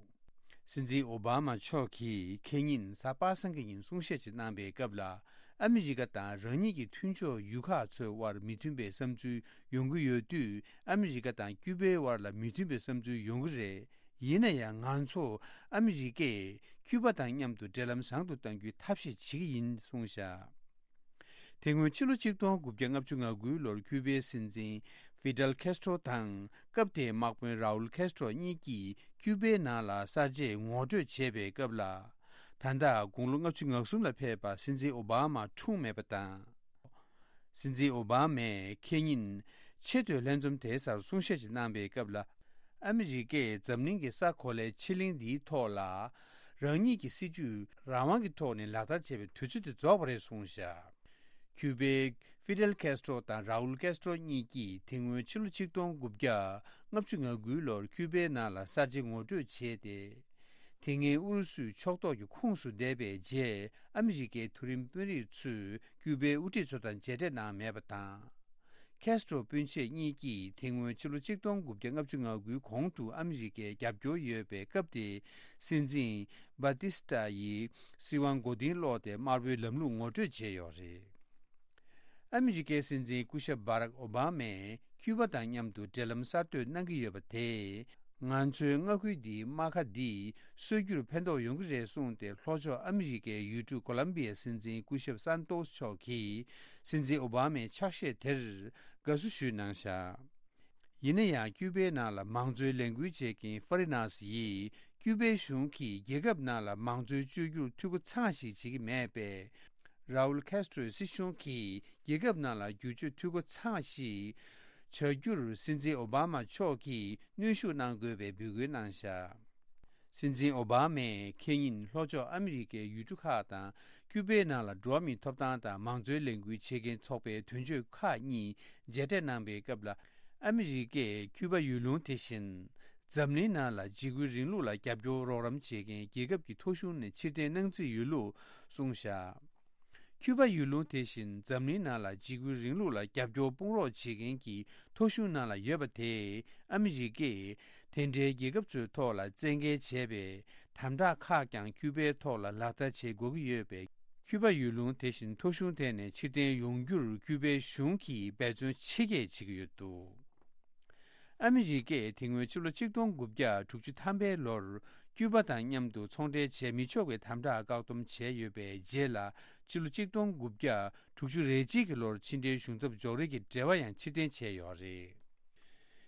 སྲིད་འཛིན་ཨོ་བྷ་མ་མཆོག་གིས་ཁེ་ཉིན་གཟའ་པ་སངས་ཀྱི་ཉིན་གསུང་བཤད་ཅིག་གནང་པའི་སྐབས་ལ། ཨ་མི་རི་ཀ་དང་རང་ཉིད་ཀྱི་མཐུན་ཕྱོགས་ཡུལ་ཁག་ཚོའི་དབར་མི་མཐུན་པའི་བསམ་ཚུལ་ཡོང་གི་ཡོད་དུས། ཨ་མི་རི་ཀ་དང་ཀྱུ་པའི་དབར་ལ་མི་མཐུན་པའི་བསམ་ཚུལ་ཡོང་གི་རེད། ཡིན་ན་ཡང་། ང་ཚོ་ཨ་མི་རི་ཀས་ཀྱུ་པ་དང་མཉམ་དུ་འབྲེལ་ལམ་བཟང་དུ་གཏང་རྒྱུའི་ཐབས་ཤེས་བྱེད་ཀྱི་ཡིན་གསུངས་བཞག་དེ་སྔོན་ཕྱི་ལོ་ཆིག་སྟོང་དགུ་བརྒྱ་ལྔ་བཅུ་ང་དགུའི་ལོར་ཁྱུ་པའི་སྲིད་འཛིན་ཧྥི་ཌེལ་ཁེ་སི་ཏྲོ་དང་། སྐབས་དེའི་དམག་དཔོན་རའུལ་ཁེ་སི་ཏྲོ་གཉིས་ཀྱིས་ཁྱུ་པའི་ནང་ལ་གསར་བརྗེའི་ངོ་སྤྲོད་བྱས་པའི་སྐབས་ལ། ད་ལྟ་དགུང་ལོ་ལྔ་བཅུ་ང་གསུམ་ལ་ཕེབས་པ་སྲིད་འཛིན་ཨོ་བྷ་མ་འཁྲུངས་མེད་པ་དང་། སྲིད་འཛིན་ཨོ་བྷ་མས་ཁེ་ཉིན་ཆེས་མཐོའི་ལྷན་འཛོམས་དེའི་སར་གསུང་བཤད་ཅིག་གནང་པའི་སྐབས་ལ། ཨ་མི་རི་ཀས་འཛམ་གླིང་གི་ས་གོ་ལའི་ཕྱེད་གླིང་འདིའི་ཐོག་ལ། རང་ཉིད་ཀྱི་སྲིད་ཇུས་རང་དབང་གི་ཐོག་ནས་ལག་བསྟར་བྱེད་པའི་དུས་ཚོད་དེ་རྫོགས་པ་རེད་གསུངས་བཞག་ཁྱུ་པའི་ཧྥི་ཌེལ་ཁེ་སི་ཏྲོ་དང་རའུལ་ཁེ་སི་ཏྲོ་གཉིས་ཀྱིས་དེ་སྔོན་ཕྱི་ལོ་ཆིག་སྟོང་དགུ་བརྒྱ་ལྔ་བཅུ་ང་དགུའི་ལོར་ཁྱུ་པའི་ནང་ལ་གསར་བརྗེ་ངོ་སྤྲོད་བྱས་ཏེ། དེ་སྔའི་ཨུ་རུ་སུའི་ཕྱོགས་གཏོགས་ཀྱི་ཁོངས་སུ་བསྡད་པའི་རྗེས། ཨ་མི་རི་ཀའི་མཐོ་རིམ་དཔོན་རིགས་ཚོས་ཀྱུ་པའི་དབུ་ཁྲིད་ཚོ་དང་མཇལ་འཕྲད་གནང་མེད་པ་དང་། ཁེ་སི་ཏྲོ་སྤུན་མཆེད་གཉིས་ཀྱིས་དེ་སྔོན་ཕྱི་ལོ་ཆིག་སྟོང་དགུ་བརྒྱ་ལྔ་བཅུ་ང་དགུའི་གོང་དུ་ཨ་མི་རི་ཀའི་རྒྱབ་སྐྱོར་ཡོད་པའི་སྐབས་དེའི་སྲིད་འཛིན་བྷ་ཏི་སི་ཏཱ་ཡི་སྲིད་དབང་མགོ་རྟིང་སློག་སྟེ། དམར་པོའི་ལམ་ལུགས་ངོ་སྤྲོད་བྱས་ཡོད་རེད། ཨ་མི་རི་ཀའི་སྲིད་འཛིན་སྐུ་ཞབས་བྷ་རག་ཨོ་བྷ་མས་ཁྱུ་པ་དང་མཉམ་དུ་འབྲེལ་ལམ་གསར་གཏོད་གནང་གི་ཡོད་པ་དེས། ང་ཚོའི་མངའ་ཁུལ་འདིའི་རྨ་ཁ་འདི་སོས་རྒྱུར་ཕན་ཐོགས་ཡོང་གི་རེད་གསུངས་ཏེ། ལྷོ་ཕྱོགས་ཨ་མི་རི་ཀའི་ཡུལ་གྲུ་ཀོ་ལམ་བི་ཡའི་སྲིད་འཛིན་སྐུ་ཞབས་སན་ཏོས་མཆོག་གིས་སྲིད་འཛིན་ཨོ་བྷ་མའི་ཕྱག་བཞེས་དེར་དགའ་བསུ་ཞུས་གནང་བཞག་ཡིན་ན་ཡང་ཀྱུ་པའི་ནང་ལ་མང་གཙོའི་ལས་འགུལ་བྱེད་མཁན་ཧྥ་རི་ནཱས་ཡིས་ཀྱུ་པའི་གཞུང་གིས་རྒྱལ་ཁབ་ནང་ལ་མང་གཙོའི་བཅོས་བསྒྱུར་འཐུས་སྒོ་ཚང་ཞིག་བྱེད་ཀྱི་མེད་པས། རའུལ་ཁེ་སི་ཏྲོའི་སྲིད་གཞུང་གིས་རྒྱལ་ཁབ་ནང་ལ་བསྒྱུར་བཅོས་འཐུས་སྒོ་ཚང་ཞིག་བྱ་རྒྱུར་སྲིད་འཛིན་ཨོ་བྷ་མ་མཆོག་གིས་གནོན་ཤུགས་གནང་དགོས་པའི་འབོད་སྐུལ་གནང་བཞག་སྲིད་འཛིན་ཨོ་བྷ་མས་ཁེ་ཉིན་ལྷོ་ཕྱོགས་ཨ་མི་རི་ཀའི་ཡུལ་གྲུ་ཁག་དང་ཀྱུ་པའི་ནང་ལ་འགྲོ་བ་མིའི་ཐོབ་ཐང་དང་མང་གཙོའི་ལས་འགུལ་བྱེད་མཁན་ཚོགས་པའི་དོན་གཅོད་ཁག་གཉིས་མཇལ་འཕྲད་གནང་པའི་སྐབས་ལ། ཨ་མི་རི་ཀས་ཀྱུ་པ་ཡུལ་ལུང་དེ་བཞིན་འཛམ་གླིང་ནང་ལ་འཇིགས་སྐུལ་རིང་ལུགས་ལ་རྒྱབ་སྐྱོར་རོགས་རམ་བྱེད་མཁན་རྒྱལ་ཁབ་ཀྱི་ཐོ་གཞུང་ནས་ཕྱིར་འཐེན་གནང་རྩིས་ཡོད་ལུགས་གསུངས་བཞག་ཀྱུ་པ་ཡུལ་ལུང་དེ་བཞིན་འཛམ་གླིང་ནང་ལ་འཇིགས་སྐུལ་རིང་ལུགས་ལ་རྒྱབ་སྐྱོར་དཔུང་རོགས་བྱེད་མཁན་གྱི་ཐོ་གཞུང་ནང་ལ་ཡོད་པ་དེས་ཨ་མི་རི་ཀས་དེ་འདྲའི་རྒྱལ་ཁབ་ཚོའི་ཐོག་ལ་བཙན་འགེལ་བྱས་པའི་དམ་དྲག་ཁག་ཀྱང་ཀྱུ་པའི་ཐོག་ལ་ལག་བསྟར་བྱེད་དགོས་ཀྱི་ཡོད་པས། ཀྱུ་པ་ཡུལ་ལུང་དེ་བཞིན་ཐོ་གཞུང་དེ་ནས་ཕྱིར་འཐེན་ཡོང་རྒྱུར་ཀྱུ་པའི་གཞུང་གིས་འབད་བརྩོན་ཆེ་བསྐྱེད་བྱེད་ཀྱི་ཡོད་འདུག་ཨ་མི་རི་ཀས་དེ་སྔོན་ཕྱི་ལོ་ཆིག་སྟོང་དགུ་བརྒྱ་དྲུག་ཅུ་ཐམ་པའི་ལོར་ཀྱུ་པ་དང་མཉམ་དུ་ཚོང་འབྲེལ་བྱས་མི་ཆོག་པའི་དམ་དྲག་བཀག་སྡོམ་བྱས་ཡོད་པའི་རྗེས་ལ། ཕྱི་ལོ་ཆིག་སྟོང་དགུ་བརྒྱ་དྲུག་ཅུ་རེ་གཅིག་གི་ལོར་ཕྱི་འབྲེལ་གཞུང་ཚབ་འཇོག་རེས་ཀྱི་འབྲེལ་བ་ཡང་ཕྱིར་འཐེན་བྱས་ཡོད་རེད།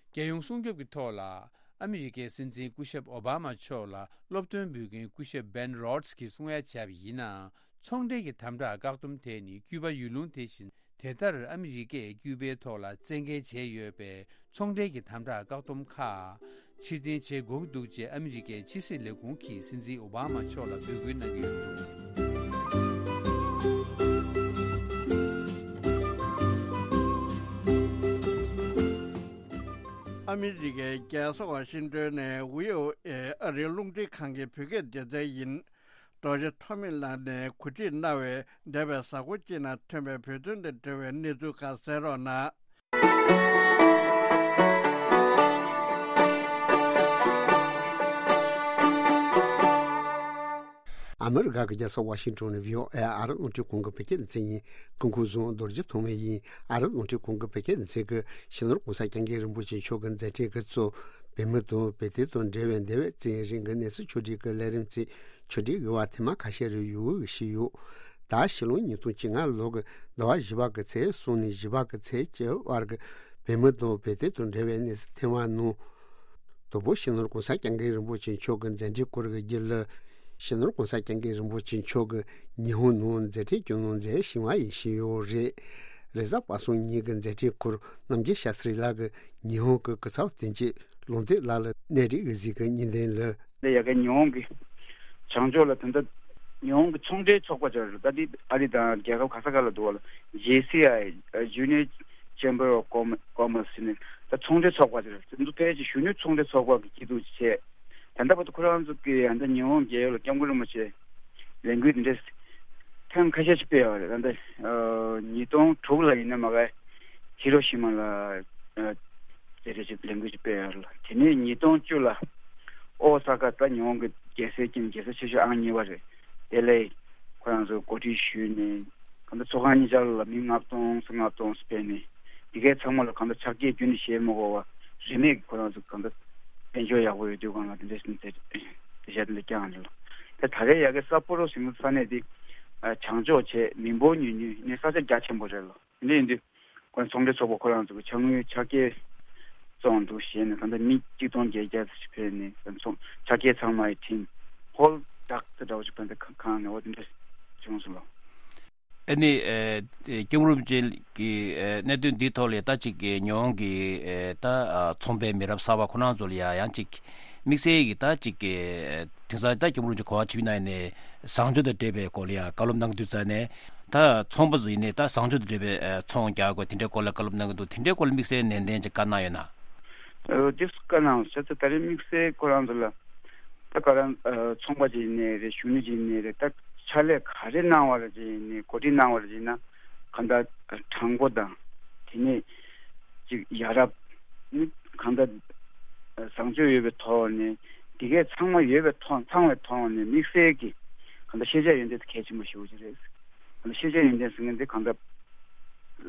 རྒྱལ་ཡོངས་སྲུང་སྐྱོབ་ཀྱི་ཐོག་ལ་ཨ་མི་རི་ཀའི་སྲིད་འཛིན་སྐུ་ཞབས་ཨོ་བྷ་མ་མཆོག་ལ་སློབ་སྟོན་འབུལ་མཁན་སྐུ་ཞབས་བྷེན་རོ་ཌི་སི་གིས་གསུང་ཡ་བྱས་པ་ཡིན་ན། ཚོང་འབྲེལ་གྱི་དམ་དྲག་བཀག་སྡོམ་དེ་ནི་ཀྱུ་པ་ཡུལ་ལུང་དེ་བཞིན་དེ་ལྟར་ཨ་མི་རི་ཀས་ཀྱུ་པའི་ཐོག་ལ་བཙན་འགེལ་བྱས་ཡོད་པས། ཚོང་འབྲེལ་གྱི་དམ་དྲག་བཀག་སྡོམ་ཁག་ཕྱིར་འཐེན་བྱེད་དགོས་ཀྱི་འདུག་ཅེས་ཨ་མི་རི་ཀའི་ཕྱི་སྲིད་ལས་ཁུངས་ཀྱིས་སྲིད་འཛིན་ཨོ་བྷ་མ་མཆོག་ལ་འབོད་སྐུལ་གནང་གི་ཡོད་འདུག་ཨ་མི་རི་ཀའི་རྒྱལ་ས་ཝ་ཤིང་ཏོན་ནས་བྷི་ཨོ་ཨེ་ཨ་རིའི་རླུང་འཕྲིན་ཁང་གི་བོད་སྐད་སྡེ་ཚན་ཡིན། རྡོ་རྗེ་ཐོགས་མེད་ལགས་ནས་གོ་སྒྲིག་གནང་བའི་འདས་པའི་གཟའ་འཁོར་གཅིག་ནང་ཐོན་པའི་བོད་དོན་དང་འབྲེལ་བའི་གནས་ཚུལ་ཁག་གསན་རོགས་གནང་། ཨ་མི་རི་ཀ་གི་རྒྱལ་ས་ཝ་ཤིང་ཏོན་ནས་བྷི་ཨོ་ཨེ་ཨ་རི་རླུང་འཕྲིན་ཁང་གི་བོད་སྐད་སྡེ་ཚན་ཡིན། སྐུ་ཁམས་བཟང་། རྡོ་རྗེ་ཐོགས་མེད་ཡིན། ཨ་རི་རླུང་འཕྲིན་ཁང་གི་བོད་སྐད་སྡེ་ཚན་གྱིས་སྤྱི་ནོར་གོང་ས་སྐྱབས་མགོན་རིན་པོ་ཆེ་མཆོག་གི་མཛད་འཕྲིན་འགོ་གཙོ། བོད་མི་དང་བོད་དོན་དང་འབྲེལ་བའི་འདས་པའི་ཚེ་རིང་གི་གནས་ཚུལ་ཕྱོགས་སྒྲིག་གི་ལས་རིམ་ཚིག་ཕྱོགས་སྒྲིག་གི་བར་ཐེངས་མ་ཁ་ཤས་རེ་ཡོང་གི་ཞུས་ཡོད། ད་ཕྱི་ལོ་ཉིས་སྟོང་བཅོ་ལྔ་ལོ་གི་ཟླ་བ་བཞི་པ་གི་ཚེས་གསུམ་ནས་བཞི་པ་གི་ཚེས་བཅུ་བར་གི་བོད་མི་དང་བོད་དོན་དང་འབྲེལ་བའི་གནས་ཚུལ་ཐེངས་མ་ནང་། དང་པོ་སྤྱི་ནོར་གོང་ས་སྐྱབས་མགོན་རིན་པོ་ཆེ་མཆོག་གི་མཛད་འཕྲིན་སྐོར་གྱི་རྒྱུན་ལས། སྤྱི་ནོར་གོང་ས་སྐྱབས་མགོན་རིན་པོ་ཆེ་མཆོག་གིས་ཉི་ཧོང་ནང་མཛད་འཕྲིན་སྐྱོང་གནང་མཛད་བཞིན་པ་ཡིན་ཞུས་ཡོད་རེད། རེས་གཟའ་པ་སངས་ཉིན་གྱི་མཛད་འཕྲིན་སྐོར་རྣམ་རྒྱལ་ཤཱ་སྟྲི་ལགས་ཀྱིས་ཉི་ཧོང་གི་སྐུ་ཚབ་དོན་གཅོད་ལུང་བསྟན་ལགས་ལ་གནས་རིགས་གཟིགས་ཀྱི་གཉིས་ལྡན་ལ། འདི་ཡ་གི་ཉི་ཧོང་གི་བྱང་ཕྱོགས་ལ་ད་ལྟ་ཉི་ཧོང་གི་ཚོང་འབྲེལ་ཚོགས་པ་ཅིག་རེད། ད་འདི་ཨ་རི་དང་རྒྱལ་ཁབ་ག་ས་ག་ལ་འདུག་བ་ལ། ཇེ་སི་ཨའི། Junior Chamber of Commerce ཟེར་ནས་ད་ཚོང་འབྲེལ་ཚོགས་པ་ཅིག་རེད། འདི་ཕལ་ཆེར་གཞོན་ནུ་ཚོང་འབྲེལ་ཚོགས་པ་གི་སྐྱིད་སྡུག་ཅིག་བྱས། ད་ལྟ་བར་དུ་ཁོ་རང་ཚོ་གིས་ད་ལྟ་ཉི་ཧོང་རྒྱལ་ཡོངས་ལ་སྐྱབས་མགོན་རིན་པོ་ཆེ་ལས་འགུལ་འདི་འདྲས་ཐེངས་ཁ་ཤས་ཤིག་སྤེལ་ཡོད་རེད། ད་ལྟ་ཉིས་སྟོང་དྲུག་ལ་ཡིན་ན་མ་ག་ཧི་རོ་ཤི་མ་ལ་ཨ་དེ་འདྲས་ཅིག་ལས་འགུལ་ཅིག་སྤེལ་ཡོད་རེད་ལ། དེ་ནས་ཉིས་སྟོང་བཅུ་ལ་ཨོ་ས་ཀ་ད་ཉི་ཧོང་གི་རྒྱལ་སའི་རྐྱེན་རྒྱལ་ས་ཆེ་ཤོས་ཨང་གཉིས་པ་རེད། དེ་ལས་ཁོ་རང་ཚོ་གོ་སྒྲིག་ཞུས་ནས་གང་ལྟར་ཚོགས་ཁང་གཉིས་ཆར་ལ་མི་ལྔ་སྟོང་ཙམ་ལྔ་སྟོང་ཙམ་ཕེབས་ནས་འདི་གའི་ཚང་མ་ལ་གང་ལྟར་ཕྱག་འཁྱེར་རྒྱུན་དུ་བཞེས་མི་དགོས་པ་རིན་མེད་ཀྱི་ཁོ་རང་ཚོ་གང་ལྟར་དཔལ་འབྱོར་ཡག་པོ་ཡོད་དུས་གང་ལ་དེ་འདྲ་ཞིག་དེ་དེ་ཤ་དེ་འདྲ་བསྐྱངས་རེད་ལ། དེ་ད་རེས་ཡ་གི་སཱ་པོ་རོ་ཟེར་ས་གནས་དེ་བྱང་ཕྱོགས་བྱས་མི་འབོར་ཉུང་ཉུང་ནས་ས་ཆ་རྒྱ་ཆེན་པོ་རེད་ལ། དེ་འདྲ་ཡིན་དུས་ཁོ་ཚོང་འབྲེལ་ཚོགས་པ་ཁོ་རང་ཚོ་གི་ཕྱག་དངུལ་ཕྱག་འཁྱེར་བཙོང་འདུག་ཞེས་ནས་ད་ལྟ་མི་གཅིག་སྟོང་བརྒྱད་བརྒྱ་ཙམ་ཞིག་ཕེབས་ནས་ཚོང་ཕྱག་འཁྱེར་ཚང་མ་ཡི་འཕྲིན་ཧོལ་ཌག་ཙི་འདྲ་བོ་ཞིག་ཕན་ཚུན་ཁང་ནས་འོ་དེ་འདྲ་བྱུང་སོང་ལོ། ཨ་ནི་ཨེ་སྐྱབས་མགོན་རིན་པོ་ཆེ་གི་ཨེ་གནད་དོན་འདིའི་ཐོག་ལ་ད་ཅིག་གི་ཉི་ཧོང་གི་ཨེ་ད་ཨ་ཚོང་པའི་མི་རབས་གསར་པ་ཁོ་རང་ཚོ་ལ་ཡ་ཡང་ཅིག་དམིགས་བསལ་གྱི་ད་ཅིག་གི་ཨེ་དེང་སང་ད་སྐྱབས་མགོན་རིན་པོ་ཆེ་གོ་བ་ཞུས་གནང་ནས་བཟང་སྤྱོད་དང་འབྲེལ་བའི་སྐོར་ལ་ཡང་བཀའ་སློབ་གནང་དུས་ཙ་ནས་ད་ཚོང་པ་ཚོ་ཡིན་ནའི་ད་བཟང་སྤྱོད་དང་འབྲེལ་བའི་ཨེ་ཚོང་རྒྱག་དགོས་དེ་འདྲའི་སྐོར་ལ་བཀའ་སློབ་གནང་གི་འདུག་དེ་འདྲའི་སྐོར་ལ་དམིགས་བསལ་ནན་ཏན་ཅིག་བཀའ་གནང་ཡོད་ན། ཨོ་དེ་བཀའ་གནང་བྱས་ཙང་ད་རེས་དམིགས་བསལ་ཁོ་རང་ཚོ་ལ་ད་ག་རང་ཨ་ཚོང་པ་ཅིག་ཡིན་ནའི་རེད། གཞོན་ནུ་ཅིག་ཡིན་ནའི་རེད། ད་ཕྱག་ལས་ག་རེ་གནང་བ་ལ་ཅིག་ཡིན་ནའི་གོ་སྒྲིག་གནང་བ་ལ་ཅིག་ཡིན་ན་གང་ལྟར་དྲང་པོ་དང་དེ་ནས་ཅིག་ཡ་རབས་ནི་གང་ལྟར་བཟང་སྤྱོད་ཡོད་པའི་ཐོག་ནས་འདི་གས་ཚང་མ་ཡོད་པའི་ཐོག་ཚང་བའི་ཐོག་ནས་དམིགས་བསལ་གྱི་གང་ལྟར་ཤེས་བྱ་ཡོན་ཏན་དེ་གལ་ཆེན་པོ་ཞེ་པོ་ཅིག་རེད། ཤེས་བྱ་ཡོན་ཏན་ཟེར་མཁན་འདི་གང་ལྟར་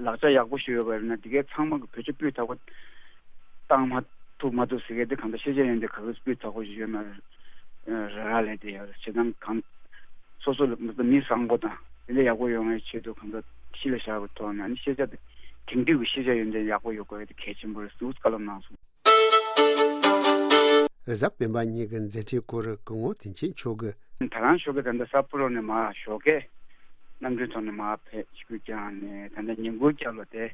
ལག་ཆ་ཡག་པོ་ཞིག་ཡོད་པ་ཡིན་ན་འདི་གའི་ཚང་མ་གི་བེད་སྤྱོད་སྤུས་དག་པོ་བཏང་མ་ཐུབ་མ་ཐུབ་ཟེར་མཁན་འདི་གང་ལྟར་ཤེས་བྱ་ཡོན་ཏན་ག་གི་སྤུས་དག་པོ་ཞིག་ཡོད་ན་ར་ར་ལས་དེ་ཡོད་རེད། བྱེད་སྟངས་གང་སོ་སོ་ལ་མི་བཟང་པོ་དང་དེ་འདྲ་ཡག་པོ་ཡོང་བའི་ཆེད་དུ་གང་ལྟར་གཞི་ལ་བཞག་པའི་ཐོག་ནས་ཨ་ནི་ཤེས་བྱ་དེ་ དེང་དུས་ཀྱི་ཤེས་བྱ་ཡོན་ཏན་ཡག་པོ་ཡོད་དགོས་ཡ་དེ་གལ་ཆེན་པོ་རེད་ཟེར་བཀའ་སློབ་གནང་སོང་། རེས་གཟའ་སྤེན་པ་ཉིན་གྱི་མཛད་འཕྲིན་སྐོར་སྐུ་ངོ་བསྟན་ཆེན་མཆོག་གིས། ད་རང་ཞོགས་ཀས་ད་ལྟ་ས་ཕོ་རོ་ནས་མར་ཞོགས་ཀས་གནམ་གྲུའི་ཐོག་ནས་མར་ཕེབས་ཆིབས་བསྒྱུར་བསྐྱངས་ནས། ད་ལྟ་ཉིན་གུང་སྐབས་ལ་དེ་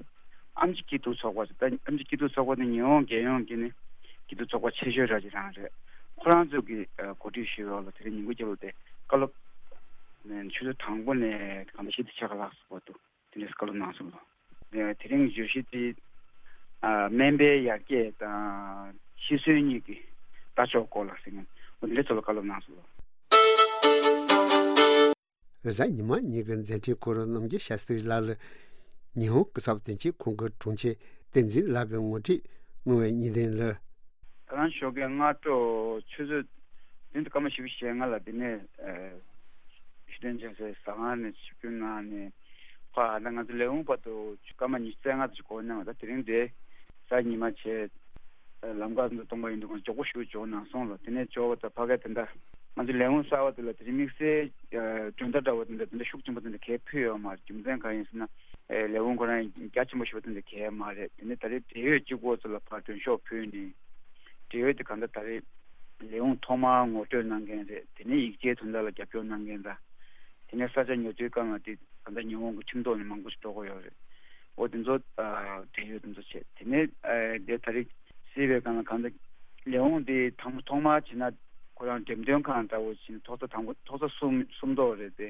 ཨེམ་ཆི་སྐྱིད་སྡུག་ཚོགས་པ་ཟེར། ད་ཨེམ་ཆི་སྐྱིད་སྡུག་ཚོགས་པ་དེ་ཉི་ཧོང་རྒྱལ་ཡོངས་ཀྱི་ནི་སྐྱིད་སྡུག་ཚོགས་པ་ཆེ་ཤོས་ར་ཅིག་རང་རེད། ཁོ་རང་ཚོ་གིས་ཨ་གོ་སྒྲིག་ཞུས་པ་ལ་དེ་རིང་ཉིན་གུང་སྐབས་ལ་དེ་བཀའ་སློབ་ནས་ཆུ་ཚོད་དང་པོ་ནས་གང་ལྟར་ཕྱེད་དེ་ཕྱེད་ཀ་ལྷག་ཙམ་བར་དུ་དེ་འདྲའི་བཀའ་སློབ་གནང་སོང་ལ། དེ་རིང་བརྗོད་གཞི་དེ་ཨ་སྨན་པའི་ཡར་རྒྱས་དང་ཤི་གསོན་གཉིས་ཀྱི་ལྟ་ཕྱོགས་སྐོར་ལ་ཟེར་མཁན་འོ་དེ་འདྲའི་ཐོག་ལ་བཀའ་སློབ་གནང་སོང་ལ། རེས་གཟའ་ཉི་མ་ཉིན་གྱི་མཛད་འཕྲིན་སྐོར་རྣམ་རྒྱལ་ཤཱ་སྟྲི་ལགས་ལ་ཉི་ཧོང་སྐུ་ཚབ་དོན་གཅོད་ཁང་གི་དྲུང་ཆེ་བསྟན་འཛིན་ལགས་ཀྱིས་ངོ་སྤྲོད་གནང་བའི་བརྙན་ཐུང་ལ། ད་རང་ཞོགས་ཀས་སྔ་དྲོ་ཆུ་ཚོད་བདུན་དང་སྐར་མ་བཞི་བཅུ་ཞེ་ལྔ་ལ་འདི་ནས་ཨ་ཤུ་ཏན་ཅན་སའི་ཟ་ཁང་ནས་ཆིབས་བསྒྱུར་གནང་ནས། ཁོ་ཨ་ད་ང་ཚོ་ལས་ཁུངས་བར་དུ་སྐར་མ་ཉི་ཤུ་རྩ་ལྔ་ཙམ་འགོར་གནང་བ། ད་དེ་རིང་དེ་གཟའ་ཉི་མ་བྱས། ལམ་ཁ་ཚོ་སྟོང་པ་ཡིན་དུས་ཁོང་མགྱོགས་པོ་ཞིག་འབྱོར་གནང་སོང་ལ། དེ་ནས་འབྱོར་བ་དང་ཕ་གིར་དེ་འདྲ་ང་ཚོའི་ལས་ཁུངས་གསར་པ་དེ་ལ་དེ་རིང་དམིགས་བསལ་མགྲོན་བརྡ་འདྲ་བོ་དེ་འདྲ་དེ་འདྲ་ཤུགས་ཆེན་པོ་དེ་འདྲ་གས་ཕུལ་ཡོད་མ་རེད། རྒྱུ་མཚན་གང་ཡིན་ཟེར་ན། ལས་ཁུངས་ཁོ་རང་རྒྱ་ཆེན་པོ་ཞིག་པ་དེ་འདྲ་གས་མ་རེད། དེ་ནས་ད་རེས་འབྲེལ་ཡོད་གཅིག་པོ་ཚོ་ལ་ཕར་མགྲོན་ཤོག་ཕུལ་ནས། འབྲེལ་ཡོད་དེ་གང་ལྟར་ད་རེས་ལས་ཁུངས་ཐོག་མར་ངོ་སྤྲོད་གནང་མཁན་རེད། དེ་ནས་ཡིག་ཆའི་དོན་དག་ལ་རྒྱབ་སྐྱོར་གནང་མཁན་དང་། དེ་ནས་ས་ཆ་ཉོ་སྒྲུབ་སྒང་ལ་དེ་གང་ལྟར་ཉི་ཧོང་གི་ཁྲིམས་ཐོག་ནས་མང་པོ་ཞིག་འགྲོ་དགོས་ཡོད་རེད། འོ་དེ་ཚོ་ཨ་འབྲེལ་ཡོད་དེ་ཚོ་བྱས། དེ་ནས་ཨ་དེ་ད་རེས་སྲིད་པའི་སྒང་ལ་གང་ལྟར་ལས་ཁུངས་དེ་ཐོག་ཐོག་མར་བྱས་ན་ཁོ་རང་འགྲེམས་སྟོན་ཁང་འདྲ་བོ་བྱས་ན་ཐོག་ས་དང་པོ་ཐོག་ས་གསུམ་གསུམ་ཐོག་རེད་དེ།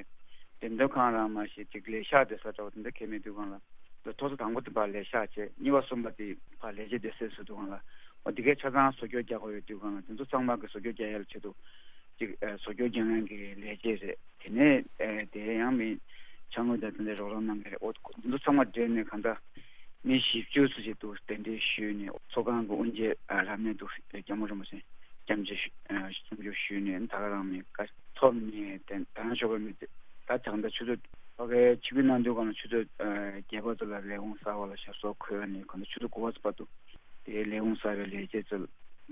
འགྲེམས་སྟོན་ཁང་རང་མ་ཞིག་ཅིག་ལས་ཤག་བསྡད་ས་འདྲ་བོ་དེ་འདྲ་གས་མེད་དུས་སྒང་ལ། ཐོག་ས་དང་པོ་དེ་ཕར་ལས་ཤག་བྱས། གཉིས་པ་གསུམ་པ་དེ་ཕར་ལས་བྱེད་སྡེ་ཚན་བཟོ་དུས་སྒང་ལ། འོ་དེ་གའི་ཆ་ཚང་བཟོ་བཅོས་རྒྱག་དགོས་ཡོད་དུས་སྒང་ལ། དེ་ཚོ་ཚང་མ་གི་བཟོ་བཅོས་རྒྱག་ཡ་ལ་ཆེད་དུ་ཅིག་ཨ་བཟོ་བཅོས་རྒྱག་མཁན་གྱི་ལས་བྱེད་རེད། དེ་ནས་ཨ་དེ་ཡང་མི་ཕྱག་དངུལ་དང་དེ་འདྲ་རོགས་རམ་གནང་མཁན་རེད། འོ་དེ་ཚོ་ཚང་མ་སྦྲེལ་ནས་གང་ལྟར་མི་བཞི་བཅུ་ཙམ་ཞིག་འདུག་གདན་འདྲེན་ཞུས་ནས། ཚོགས་ཁང་གི་དབུ་འབྱེད་ཨ་རབ་གནས་འདུག་སྐྱབས་མགོན་རིན་པོ་ཆེ་སྐྱབས་མཆོད་ཞུ་ཨ་སྐྱབས་མཆོད་ཞུས་ནས། ད་ག་རང་མི་བཀའ་ཐོབ་ནས་དེ་ད་རང་ཞོགས་པ་མི་ད་ད་ལྟ་ཆུ་ཚོད་ཕ་གིར་ཆིབས་བསྒྱུར་གནང་དུས་སྒང་ལ་ཆུ་ཚོད་ཨ་བརྒྱད་པ་ཙམ་ལ་ལས་ཁུངས་གསར་པ་ལ་ཞབས་སོར་འཁོད་ནས་གང་ལྟར་ཆུ་ཚོད་དགུ་པ་ཙམ་བར་དུ་དེའི་ལས་ཁུངས་གསར་པའི་ལས་བྱེད་ཚོ་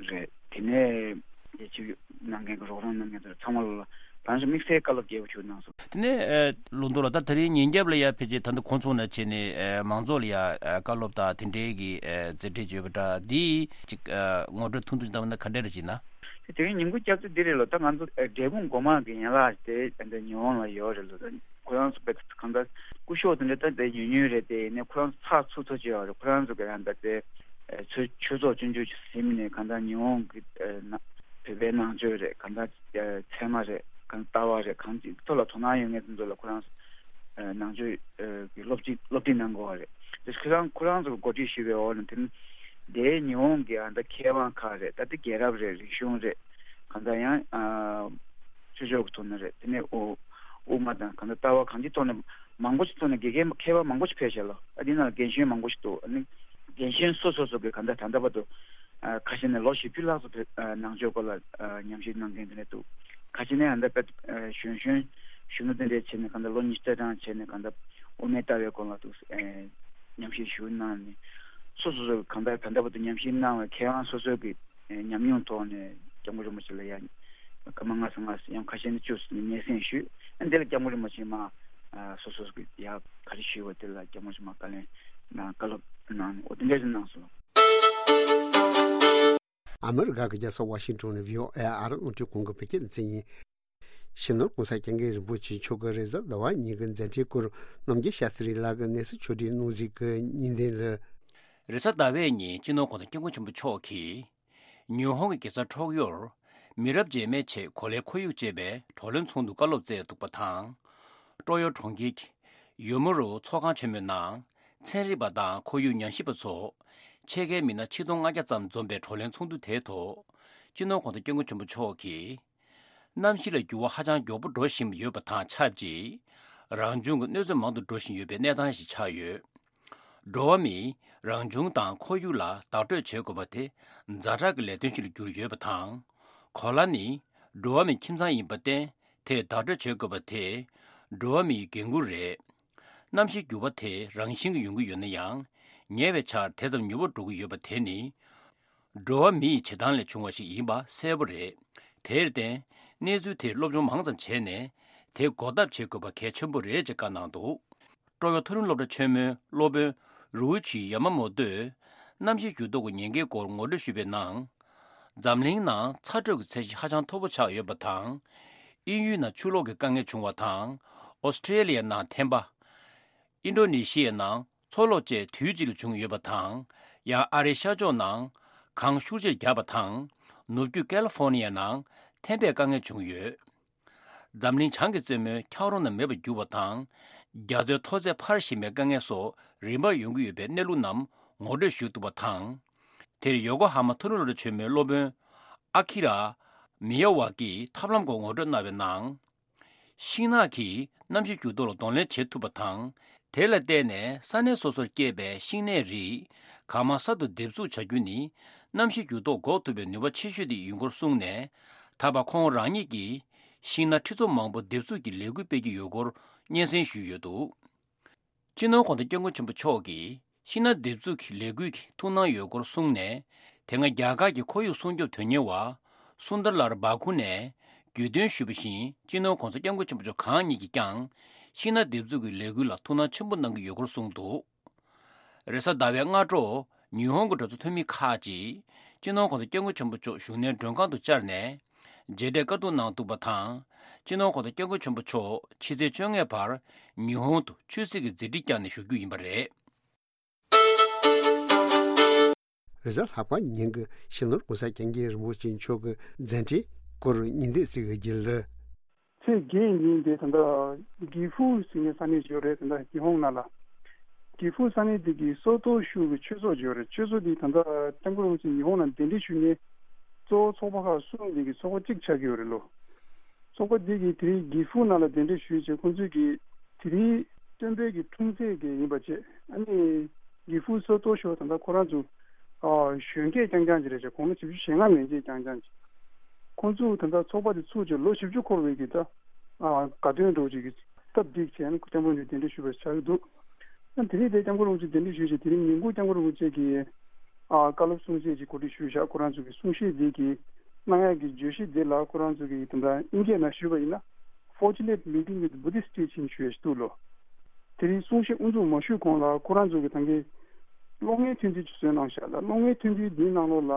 རེད། དེ་ནས་ཆིབས་བསྒྱུར་གནང་མཁན་གྱི་རོགས་རམ་གནང་མཁན་ཚོ་ཚང་མ་ལ་ད་རང་ཞོགས་དམིགས་བསལ་བཀའ་སློབ་རྒྱས་པོ་ཞིག་གནང་སོང་། དེ་ནས་ཨ་ལོ་འདུག་ལ། ད་དེ་རིང་ཉིན་རྒྱབ་ལ་ཡ་ཕལ་ཆེར་ད་ལྟ་གོ་མཚོན་ན་བྱས་ནས་ཨ་མང་ཚོགས་ལ་ཡ་ཨ་བཀའ་སློབ་དང་དེ་འབྲེལ་གྱི་ཨ་མཛད་འཕྲིན་བརྗོད་པ་འདྲ་འདི་ཅིག་ཨ་ངོ་སྤྲོད་ཐུང་ཐུང་ཞིག་བཏང་བ་ན་ག་འདྲ་རེད་ཅེ་ན། དེ་རིང་ཉིན་གུང་སྐབས་སུ་འདི་རེད་ལོ། ད་ང་ཚོ་ཨ་འབྲས་སྤུངས་སྒོ་མང་གི་ཡན་ལག་དེ་ད་ལྟ་ཉི་ཧོང་ལ་ཡོད་རེད་ལོ། ད་ཁོ་རང་ཚོ་དཔེ་གང་ལྟར་སྐུ་ཞབས་དེ་འདྲ་ད་དཔེ་ཉུང་ཉུང་རེད། དེ་ཡིན་ནའི་ཁོ་རང་ཚོ་ཚགས་ཚུད་ཚུད་ཅིག་ཡོད་རེད། ཁོ་རང་ཚོ་གི་ཡང་ད་དཔེ་ཨ་ཆོས་ཆོས་ཚོགས་ཆུང་ཆུང་ཞིག་ཟིན་ནས་གང་ལྟར་ཉི་ཧོང་གི་ཨ་ན་བོད་པའི་ནང་ཆོས་རེད། གང་ལྟར་ཨ་ཚད་མ་རེད། གང་ལྟར་ལྟ་བ་རེད། གང་ཅིའི་ཐོག་ལ་དོ་སྣང་ཡོད་མཁན་དེ་ཚོ་ལ་ཁོ་རང་ཚོ་ཨ་ནང་ཆོས་ཨ་གི་སློབ་ཁྲིད་སློབ་ཁྲིད་གནང་དགོས་པ་རེད། དེ་ཁོ་རང་ཁོ་རང་ཚོ་གི་འགོ་ཁྲིད་ཞུས་པའི་འོག་ནས་དེ་ནི་དེའི་ཉི་ཧོང་གི་ཨ་ད་མཁས་དབང་ཁག་རེད། ད་དེ་རྒྱལ་རབས་རེད། རིག་གཞུང་རེད། གང་ལྟར་ཡང་ཨ་ཆོས་ཕྱོགས་ཀྱི་ཐོག་ནས་རེད། དེ་ནས་དབུ་དབུ་མ་དང་གང་ལྟར་ལྟ་བ་གང་ཅིའི་ཐོག་ནས་མང་པོ་ཞིག་ཐོག་ནས་དགེ་རྒན་མཁས་པ་མང་པོ་ཞིག་ཕེབས་ཤག་ལོ། ཨ་དེ་ནང་ལ་རྒན་གཞོན་མང་པོ་ཞིག་འདུག་ཨ་ནི་རྒན་གཞོན་སོ་སོ་སོ་གི་གང་ལྟར་ད་ལྟ་བར་དུ་ཨ་ཁ་ཤས་ནས་ལོ་བཞི་བཅུ་ལྷག་ཙམ་བོད་ཨ་ནང་ཆོས་སྐོར་ལ་ཨ་ཉམས་ཞིབ་གནང་མཁན་དེ་འདྲ་འདུག་ཁ་ཤས་ནས་ཨ་ད་དཔེ་ཨ་གཞོན་གཞོན་གཞོན་ནུ་དེ་འདྲས་བྱས་ནས་གང་ལྟར་ལོ་ཉི་ཤུ་རྩ་གྲངས་བྱས་ནས་གང་ལྟར་དབུ་མའི་ལྟ་བའི་སྐོར་ལ་འདུག་ཨ་ཉམས་ཞིབ་ཞུ་གནང་ནས། སོ་སོ་སོ་གང་ལྟར་ད་ལྟ་བར་དུ་ཉམས་ཞིབ་གནང་བའི་མཁས་དབང་སོ་སོའི་གི་ཉམས་མྱོང་ཐོག་ནས་སྐྱབས་མགོན་རིན་པོ་ཆེ་ལ་ཡང་སྐར་མ་ལྔ་ཙམ་ལྔ་ཙམ་ཡང་ཁ་ཤས་ནས་བཅུ་ཙམ་སྙན་སེང་ཞུས། ཨ་འདི་ལ་སྐྱབས་མགོན་རིན་པོ་ཆེ་མ་ཨ་སོ་སོ་གི་ཡ་ག་རེ་ཞུས་པ་དེ་ལ་སྐྱབས་མགོན་རིན་པོ་ཆེ་མ་བཀའ་ལན་གནང་བཀའ་སློབ་གནང་ནས་འོ་དེ་འདྲ་ཞིག་གནང་སོང་། ཨ་མི་རི་ཀ་གི་རྒྱལ་ས་ཝ་ཤིང་ཊོན་ནས་བྷི་ཨོ་ཨེ་ཨ་རི་རླུང་འཕྲིན་ཁང་གི་བོད་སྐད་སྡེ་ཚན་ཡིན། སྤྱི་ནོར་༸གོང་ས་༸སྐྱབས་མགོན་རིན་པོ་ཆེ་མཆོག་གི་རེས་གཟའ་ཟླ་བ་ཉིན་གྱི་མཛད་འཕྲིན་སྐོར་རྣམ་རྒྱལ་ཤཱ་སྟྲི་ལགས་ཀྱིས་གནས་ཚུལ་ཕྱོགས་སྒྲིག་གནང་གཟིགས་ཀྱི་བརྙན་ལྡན་ལ། རེས་གཟའ་ཟླ་བའི་ཉིན་སྤྱི་ནོར་༸གོང་ས་༸སྐྱབས་མགོན་ཆེན་པོ་མཆོག་གིས་ཉི་ཧོང་གི་རྒྱལ་ས་ཁྲོག་ཡོར་མི་རབས་རྗེས་མའི་ཆེད་གོ་ལའི་ཁོར་ཡུག་ཅེས་པའི་བགྲོ་གླེང་ཚོགས་འདུ་བཀའ་སློབ་སྩལ་འདུག་པ་དང་། ཀྲོ་ཡོ་གྲོང་ཁྱེར་གྱི་ཡོ་མུ་རུ་ཚོགས་ཁང་ཆེན་མོའི་ནང་ཚན་རིག་པ་དང་ཁོར་ཡུག་ཉམས་ཞིབ་པ་ཚོ་ཕྱེད་ཀའི་མི་སྣ་ཆིག་སྟོང་ལྔ་བརྒྱ་ཙམ་འཛོམས་པའི་བགྲོ་གླེང་ཚོགས་འདུ་དེའི་ཐོག་སྤྱི་ནོར་༸གོང་ས་༸སྐྱབས་མགོན་ཆེན་པོ་མཆོག་གིས། གནམ་གཤིས་ལ་འགྱུར་བ་ཧ་ཅང་མགྱོགས་པོ་འགྲོ་བཞིན་ཡོད་པ་དང་ཆབས་ཅིག་རང་བྱུང་གི་གནོད་འཚེ་མང་དུ་འགྲོ་བཞིན་ཡོད་པའི་གནས་སྟངས་ཤིག་ཆགས་ཡོད། འགྲོ་བ་མིས་རང་བྱུང་དང་ཁོར་ཡུག་ལ་བདག་སྤྲོད་བྱེད་དགོས་པ་དེ་ཛ་དྲག་གི་ལས་དོན་ཞིག་ལ་གྱུར་ཡོད་པ་དང་། གོ་ལ་ནི་འགྲོ་བ་མིའི་ཁྱིམ་ཚང་ཡིན་པར་བརྟེན་དེས་བདག་སྤྲོད་བྱེད་དགོས་པ་དེ་འགྲོ་བ་མིའི་འགན་ཁུར་རེད། གནམ་གཤིས་འགྱུར་བ་དེ་རང་བཞིན་གྱིས་ཡོང་གི་ཡོད་ན་ཡང་། ཉེ་བའི་ཆར་དེ་ཙམ་མྱུར་པོ་འགྲོ་གི་ཡོད་པ་དེ་ནི། འགྲོ་བ་མིའི་བྱེད་སྟངས་ལས་བྱུང་བ་ཞིག་ཡིན་པ་གསལ་པོ་རེད། དེར་བརྟེན། གནས་ཚུལ་དེར་སློབ་སྦྱོང་མང་ཙམ་བྱས་ནས་དེ་འགོག་ཐབས་བྱེད་དགོས་པ་གལ་ཆེན་པོ་རེད་ཅེས་བཀའ་གནང་འདུག་ཀྲོ་ཡོ་མཐོ་རིམ་སློབ་གྲྭ་ཆེན་མོའི་སློབ་དཔོན་ རུའུ་ཆི་ཡ་མ་མོ་ཏོས་གནམ་གཤིས་འགྱུར་ལྡོག་གི་ཉེན་ཁའི་སྐོར་ངོ་སྤྲོད་ཞུས་པའི་ནང་། འཛམ་གླིང་ནང་ཚ་དྲོད་ཀྱི་ཚད་གཞི་ཧ་ཅང་མཐོ་པོ་ཆགས་ཡོད་པ་དང་། དབྱིན་ཡུལ་ནང་ཆུ་ལོག་གི་དཀའ་ངལ་བྱུང་བ་དང་། ཨོ་སི་ཀྲེ་ལི་ཡའི་ནང་ཐན་པ། ཨིན་ཌོ་ནེ་ཤི་ཡའི་ནང་མཚོ་ལོག་བཅས་དུས་གཅིག་ལ་བྱུང་ཡོད་པ་དང་། ཡང་ཨ་རིའི་ཤར་ཕྱོགས་ནང་གངས་ཤུགས་ཆེར་རྒྱག་པ་དང་། ནུབ་རྒྱུད་ཀ་ལི་ཧྥོ་ནི་ཡའི་ནང་ཐན་པའི་དཀའ་ངལ་བྱུང་ཡོད། འཛམ་གླིང་བྱང་གི་རྩེ་མོའི་འཁྱགས་རོམ་རྣམས་མེད་པར་གྱུར་བ་དང་། རྒྱ་མཚོའི་མཐོ་ཚད་འཕར་བཞིན་པའི་དཀའ་ངལ་སོགས་རིམ་པར་ཡོང་གི་ཡོད་པའི་གནས་ལུགས་རྣམས་ངོ་སྤྲོད་ཞུས་འདུག་པ་དང་། དེར་ཡོ་ཀོ་ཧ་མ་མཐོ་རིམ་སློབ་གྲྭ་ཆེན་མོའི་སློབ་དཔོན་ཨ་ཁི་ར་མི་ཡ་ཝ་ཀིས་ཐབས་ལམ་སྐོར་ངོ་སྤྲོད་གནང་བའི་ནང་། ཤིང་ནགས་ཀྱིས་གནམ་གཤིས་འགྱུར་ལྡོག་ལ་གདོང་ལེན་བྱེད་ཐུབ་པ་དང་། དེ་ལ་བརྟེན་ནས་ས་གནས་སོ་སོར་སྐྱེས་པའི་ཤིང་ནགས་རིགས་གང་མང་གསར་དུ་འདེབས་འཛུགས་བྱ་རྒྱུ་ནི། གནམ་གཤིས་འགྱུར་ལྡོག་འགོག་ཐུབ་པའི་ནུས་པ་ཆེ་ཤོས་དེ་ཡིན་སྐོར་གསུངས་ནས། ད་བར་ཁོང་རང་ཉིད་ཀྱིས་ཤིང་ནགས་ཁྲི་ཚོ་མང་པོ་འདེབས་འཛུགས་ཀྱི་ལས་འགུལ་སྤེལ་གྱི་ཡོད་སྐོར་སྙན་སེང་ཞུས་ཡོད་འདུག། སྤྱི་ནོར་༧གོང་ས་༧སྐྱབས་མགོན་ཆེན་པོ་མཆོག་གིས་ཤིང་ནགས་འདེབས་འཛུགས་ཀྱི་ལས་འགུལ་གྱི་ཐུགས་སྣང་ཡོད་སྐོར་གསུངས་ནས། དེ་སྔ་རྒྱ་གར་གྱི་ཁོར་ཡུག་སྲུང་སྐྱོབ་དོན་གཉེར་བ་སུན་དར་ལལ་བྷ་ཁུ་ནས་བརྗོད་དོན་ཞུས་པ་བཞིན། སྤྱི་ནོར་༧གོང་ས་༧སྐྱབས་མགོན་ཆེན་པོ་མཆོག་གང་ཉིད་ཀྱིས་ཀྱང་ཤིང་ནགས་འདེབས་འཛུགས་ཀྱི་ལས་འགུལ་ལ་ཐུགས་སྣང་ཆེན་པོ་གནང་གི་ཡོད་སྐོར་གསུངས་འདུག། རེས་གཟའ་ཟླ་བའི་སྔ་དྲོ་ཉི་ཧོང་གི་གྲོས་ཚོགས་འཐུས་མི་ཁག་ཅིག་སྤྱི་ནོར་༧གོང་ས་༧སྐྱབས་མགོན་ཆེན་པོ་མཆོག་བཞུགས་གནས་མགྲོན་ཁང་དུ་བཅར་ནས་མཇལ་འཕྲད་བཀའ་བསྡུར་གནང་འདུག་པ་དང་། སྤྱི་ནོར་༧གོང་ས་༧སྐྱབས་མགོན་ཆེན་པོ་མཆོག་ཕྱི་ཚེས་བཅོ་ལྔ་བར་ཉི་ཧོང་དུ་ཆོས་སྲིད་ཀྱི་མཛད་འཕྲིན་བསྐྱངས་ནས་བཞུགས་རྒྱུ་ཡིན་པ་རེད། རེས་གཟའ་ལྷག་པ་ཉིན་གྱི་སྤྱི་ནོར་༧གོང་ས་༧སྐྱབས་མགོན་རིན་པོ་ཆེ་མཆོག་གི་མཛད་འཕྲིན་སྐོར་ཉིན་ལྟས་ཚིག་གི་རྒྱུན་ལ། ཚེས་བརྒྱད་ཉིན་དེ་ད་ལྟ་གི་ཧྥུ་ཟེར་མཁན་ས་གནས་ཅིག་ཡོད་རེད། ད་ལྟ་ཉི་ཧོང་ནང་ལ་གི་ཧྥུ་ས་གནས་དེ་གི་སོ་ཏོ་ཤུ་གི་ཆོས་ཚོགས་ཅིག་ཡོད་རེད། ཆོས་ཚོགས་དེ་ད་ལྟ་སྐྱབས་མགོན་རིན་པོ་ཆེ་ཉི་ཧོང་ལ་གདན་འདྲེན་ཞུ་མཁན་གཙོ་བོ་ཚོགས་པ་ཁག་གསུམ་དེ་གི་ཚོགས་པ་གཅིག་ཆགས་ཀྱི་ཡོད་རེད་ལོ། ཚོགས་པ་འདི་གིས་དེ་རིང་གི་ཧྥུ་ནང་ལ་གདན་འདྲེན་ཞུས་བྱས། ཁོང་ཚོས་ཀྱིས་དེ་རིང་སྟོན་པའི་གི་འཁྲུངས་ཚེས་ཀྱི་ཡིན་པ་བྱས། ཨ་ནི་གི་ཧྥུ་སོ་ཏོ་ཤོ་ད་ལྟ་ཁོ་རང་ཚོ་ཨ་གཞོན་སྐྱེས་རྐྱང་རྐྱང་ཅིག་རེད་བྱས། དགུང་ལོ་བཞི་བཅུ་ཞེ་ལྔ་མན་ཆད་རྐྱང་རྐྱང་ཅིག། ཁོང་ཚོས་ད་ལྟ་ཚོགས་པ་དེ་ཚུགས་བྱས་ལོ་བཞི་བཅུ་འཁོར་བའི་གི་ད་ཨ་དགའ་སྟོན་འདྲ་བོ་ཅིག་གི་སྟབས་བདེ་བྱས་ནས་སྐྱབས་མགོན་མཆོག་གདན་འདྲེན་ཞུས་པ་ཆགས་ཀྱི་འདུག། ཨ་དེ་རིང་དེ་སྐྱབས་མགོན་རིན་པོ་ཆེ་གདན་འདྲེན་ཞུས་བྱས། དེ་རིང་ཉིན་གུང་སྐྱབས་མགོན་རིན་པོ་ཆེ་གིས་ཨ་བཀའ་སློབ་གསུང་བཤད་ཅིག་གོ་སྒྲིག་ཞུས་བཞག། ཁོ་རང་ཚོ་གི་གསུང་བཤད་འདི་གི་གནང་ཡག་གི་བརྗོད་གཞི་འདི་ལ་ཁོ་རང་ཚོ་གི་དེ་འདྲ་དབྱིན་སྐད་ནང་ཞུས་པ་ཡིན་ན། Fortunate meeting with Buddhist teaching ཞུ་ཡ་ཞིག་འདུག་ལོ། དེ་རིང་གསུང་བཤད་དབུ་འཛུགས་མ་ཞུས་གོང་ལ་ཁོ་རང་ཚོ་གི་ད་གིན་གློག་བརྙན་ཐུང་ཐུང་ཅིག་བཟོས་གནང་བཞག་ལ། གློག་བརྙན་ཐུང་ཐུང་འདིའི་ནང་ལོགས་ལ་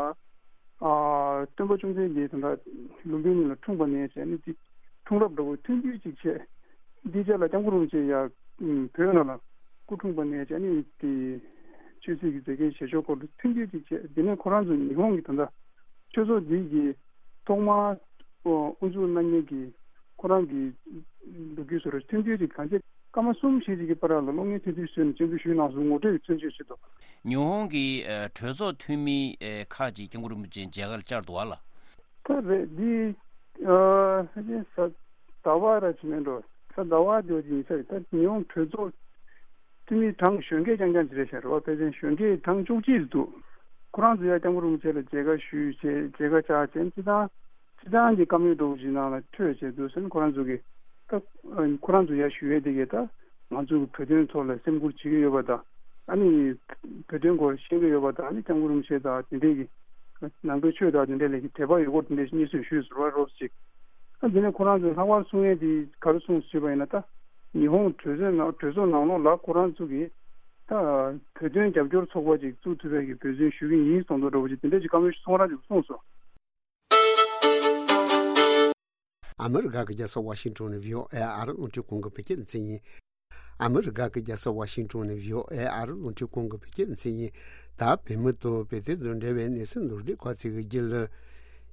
ཨ་སྟོན་པ་བཅོམ་ལྡན་འདས་དེ་འདྲ་ལུམ་བི་ནི་ལ་འཁྲུངས་པ་ནས་བྱས་ནས་དེ་འཁྲུངས་རབས་འདྲ་བོ་ཐུང་ཐུང་ཅིག་བྱས། འདི་རྗེས་ལ་སྐྱབས་མགོན་རིན་པོ་ཆེ་ཡར་བོད་ནང་ལ་སྐུ་འཁྲུངས་པ་ནས་བྱས་ནས་དེ་ཆོས་སྲིད་ཀྱི་མཛད་འགན་བཞེས་ཕྱོགས་སྐོར་དུ་ཐུང་ཐུང་ཅིག་བྱས། དེ་ནས་ཁོ་རང་ཚོ་ཉི་ཧོང་གི་ད་ལྟ་ཆོས་ཚོགས་འདི་གི་ཐོག་མར་དབུ་འཛུགས་གནང་མཁན་གྱི་ཁོ་རང་གི་ལོ་རྒྱུས་བཟོ་འདྲ་ཐུང་ཐུང་ཅིག་གང་ཅི་སྐར་མ་གསུམ་བཞི་ཅིག་གི་བར་ལ་གློག་བརྙན་ཐུང་ཐུང་བཟོས་ནས་སྤྱན་འབུལ་ཞུས་གནང་སོང་། ངོ་སྤྲོད་ཀྱི་མཚོན་བྱེད་ཆེད་དུ། ཉི་ཧོང་གི་ཨ་གྲོས་ཚོགས་འཐུས་མི་ཨ་ཁག་ཅིག་སྐྱབས་མགོན་རིན་པོ་ཆེ་མཇལ་ཁར་བཅར་འདུག་བ་ལ། ད་རེད། འདི་ཨ་ཕལ་ཆེར་གཟའ་ཟླ་བ་ར་ཅིག་མིན་འགྲོ། གཟའ་ཟླ་བ་དེ་ཅིག་ཡིན་ས་རེད། ད་ཉི་ཧོང་གྲོས་ཚོགས་འཐུས་མི་གྲངས་གཞོན་སྐྱེས་རྐྱང་རྐྱང་ཅིག་རེད་ཤག་རེད་བ། ཕལ་ཆེར་གཞོན་སྐྱེས་གྲངས་བཅུ་གཅིག་འདུག། ཁོ་རང་ཚོ་ཡར་སྐྱབས་མགོན་རིན་པོ་ཆེ་ལ་མཇལ་ཁ་ཞུས་བྱས་མཇལ་ཁ་བཅར་བྱས། སྤྱི་བཏང་སྤྱི་བཏང་གི་བཀའ་མོལ་འདྲ་བོ་ཞིག་ནང་ལ་ཐོས་བྱས་འདུག་ཟེར་ནས་ཁོ་རང་ཚོ་གིས་ད་ཁོ་རང་ཚོ་ཡར་ཞུ་ཡས་དེ་གས་ད་ང་ཚོ་གི་བོད་དོན་ཐོག་ལ་སེམས་ཁུར་བྱེད་ཀྱི་ཡོད་པ་དང་། ཨ་ནི་བོད་དོན་སྐོར་ཤེས་ཀྱི་ཡོད་པ་དང་། ཨ་ནི་སྐྱབས་མགོན་རིན་པོ་ཆེ་དང་དེ་འདྲས་ཀྱི་ནང་པའི་ཆོས་དང་དེ་འདྲས་ལ་གི་དད་པ་ཡོད་སྐོར་དེ་འདྲས་ཞིག་སྙན་སེང་ཞུས་ཟེར་བ་རོབ་ཅིག། ཨ་དེ་ནས་ཁོ་རང་ཚོས་ལྷག་པར་གསུང་ཡས་དེ་ག་རེ་གསུངས་ཟེར་བ་ཡིན་ན། ད་ཉི་ཧོང་གྲོས་ཚོགས་ནང་གྲོས་ཚོགས་ནང་ལོགས་ལ་ཁོ་རང་ཚོ་གིས་ད་བོད་དོན་རྒྱབ་སྐྱོར་ཚོགས་པ་ཅིག་བཙུགས་ཐུབ་པའི་གི་འབད་བརྩོན་ཞུ་གི་ཡིན་གསུངས་འདུག་འདྲ་བོ་ཅིག་དེ་འདྲ་ཅིག་བཀའ་མོལ་ཞིག་ཁོང་རང་ཚོས་གསུངས་སོང་། ཨ་མི་རི་ཀ་གི་རྒྱལ་ས་ཝ་ཤིང་ཊོན་ནས་བྷི་ཨོ་ཨེ་ཨ་རི་རླུང་འཕྲིན་ཁང་གི་བོད་སྐད་སྡེ་ཚན་ཡིན། ཨ་མི་རི་ཀ་གི་རྒྱལ་ས་ཝ་ཤིང་ཊོན་ནས་བྷི་ཨོ་ཨེ་ཨ་རི་རླུང་འཕྲིན་ཁང་གི་བོད་སྐད་སྡེ་ཚན་ཡིན། ད་བོད་མི་དང་བོད་དོན་དང་འབྲེལ་བའི་གནས་ཚུལ་མདོར་བསྡུས་སྐོར་ཅིག་གི་རྒྱུན་ལ།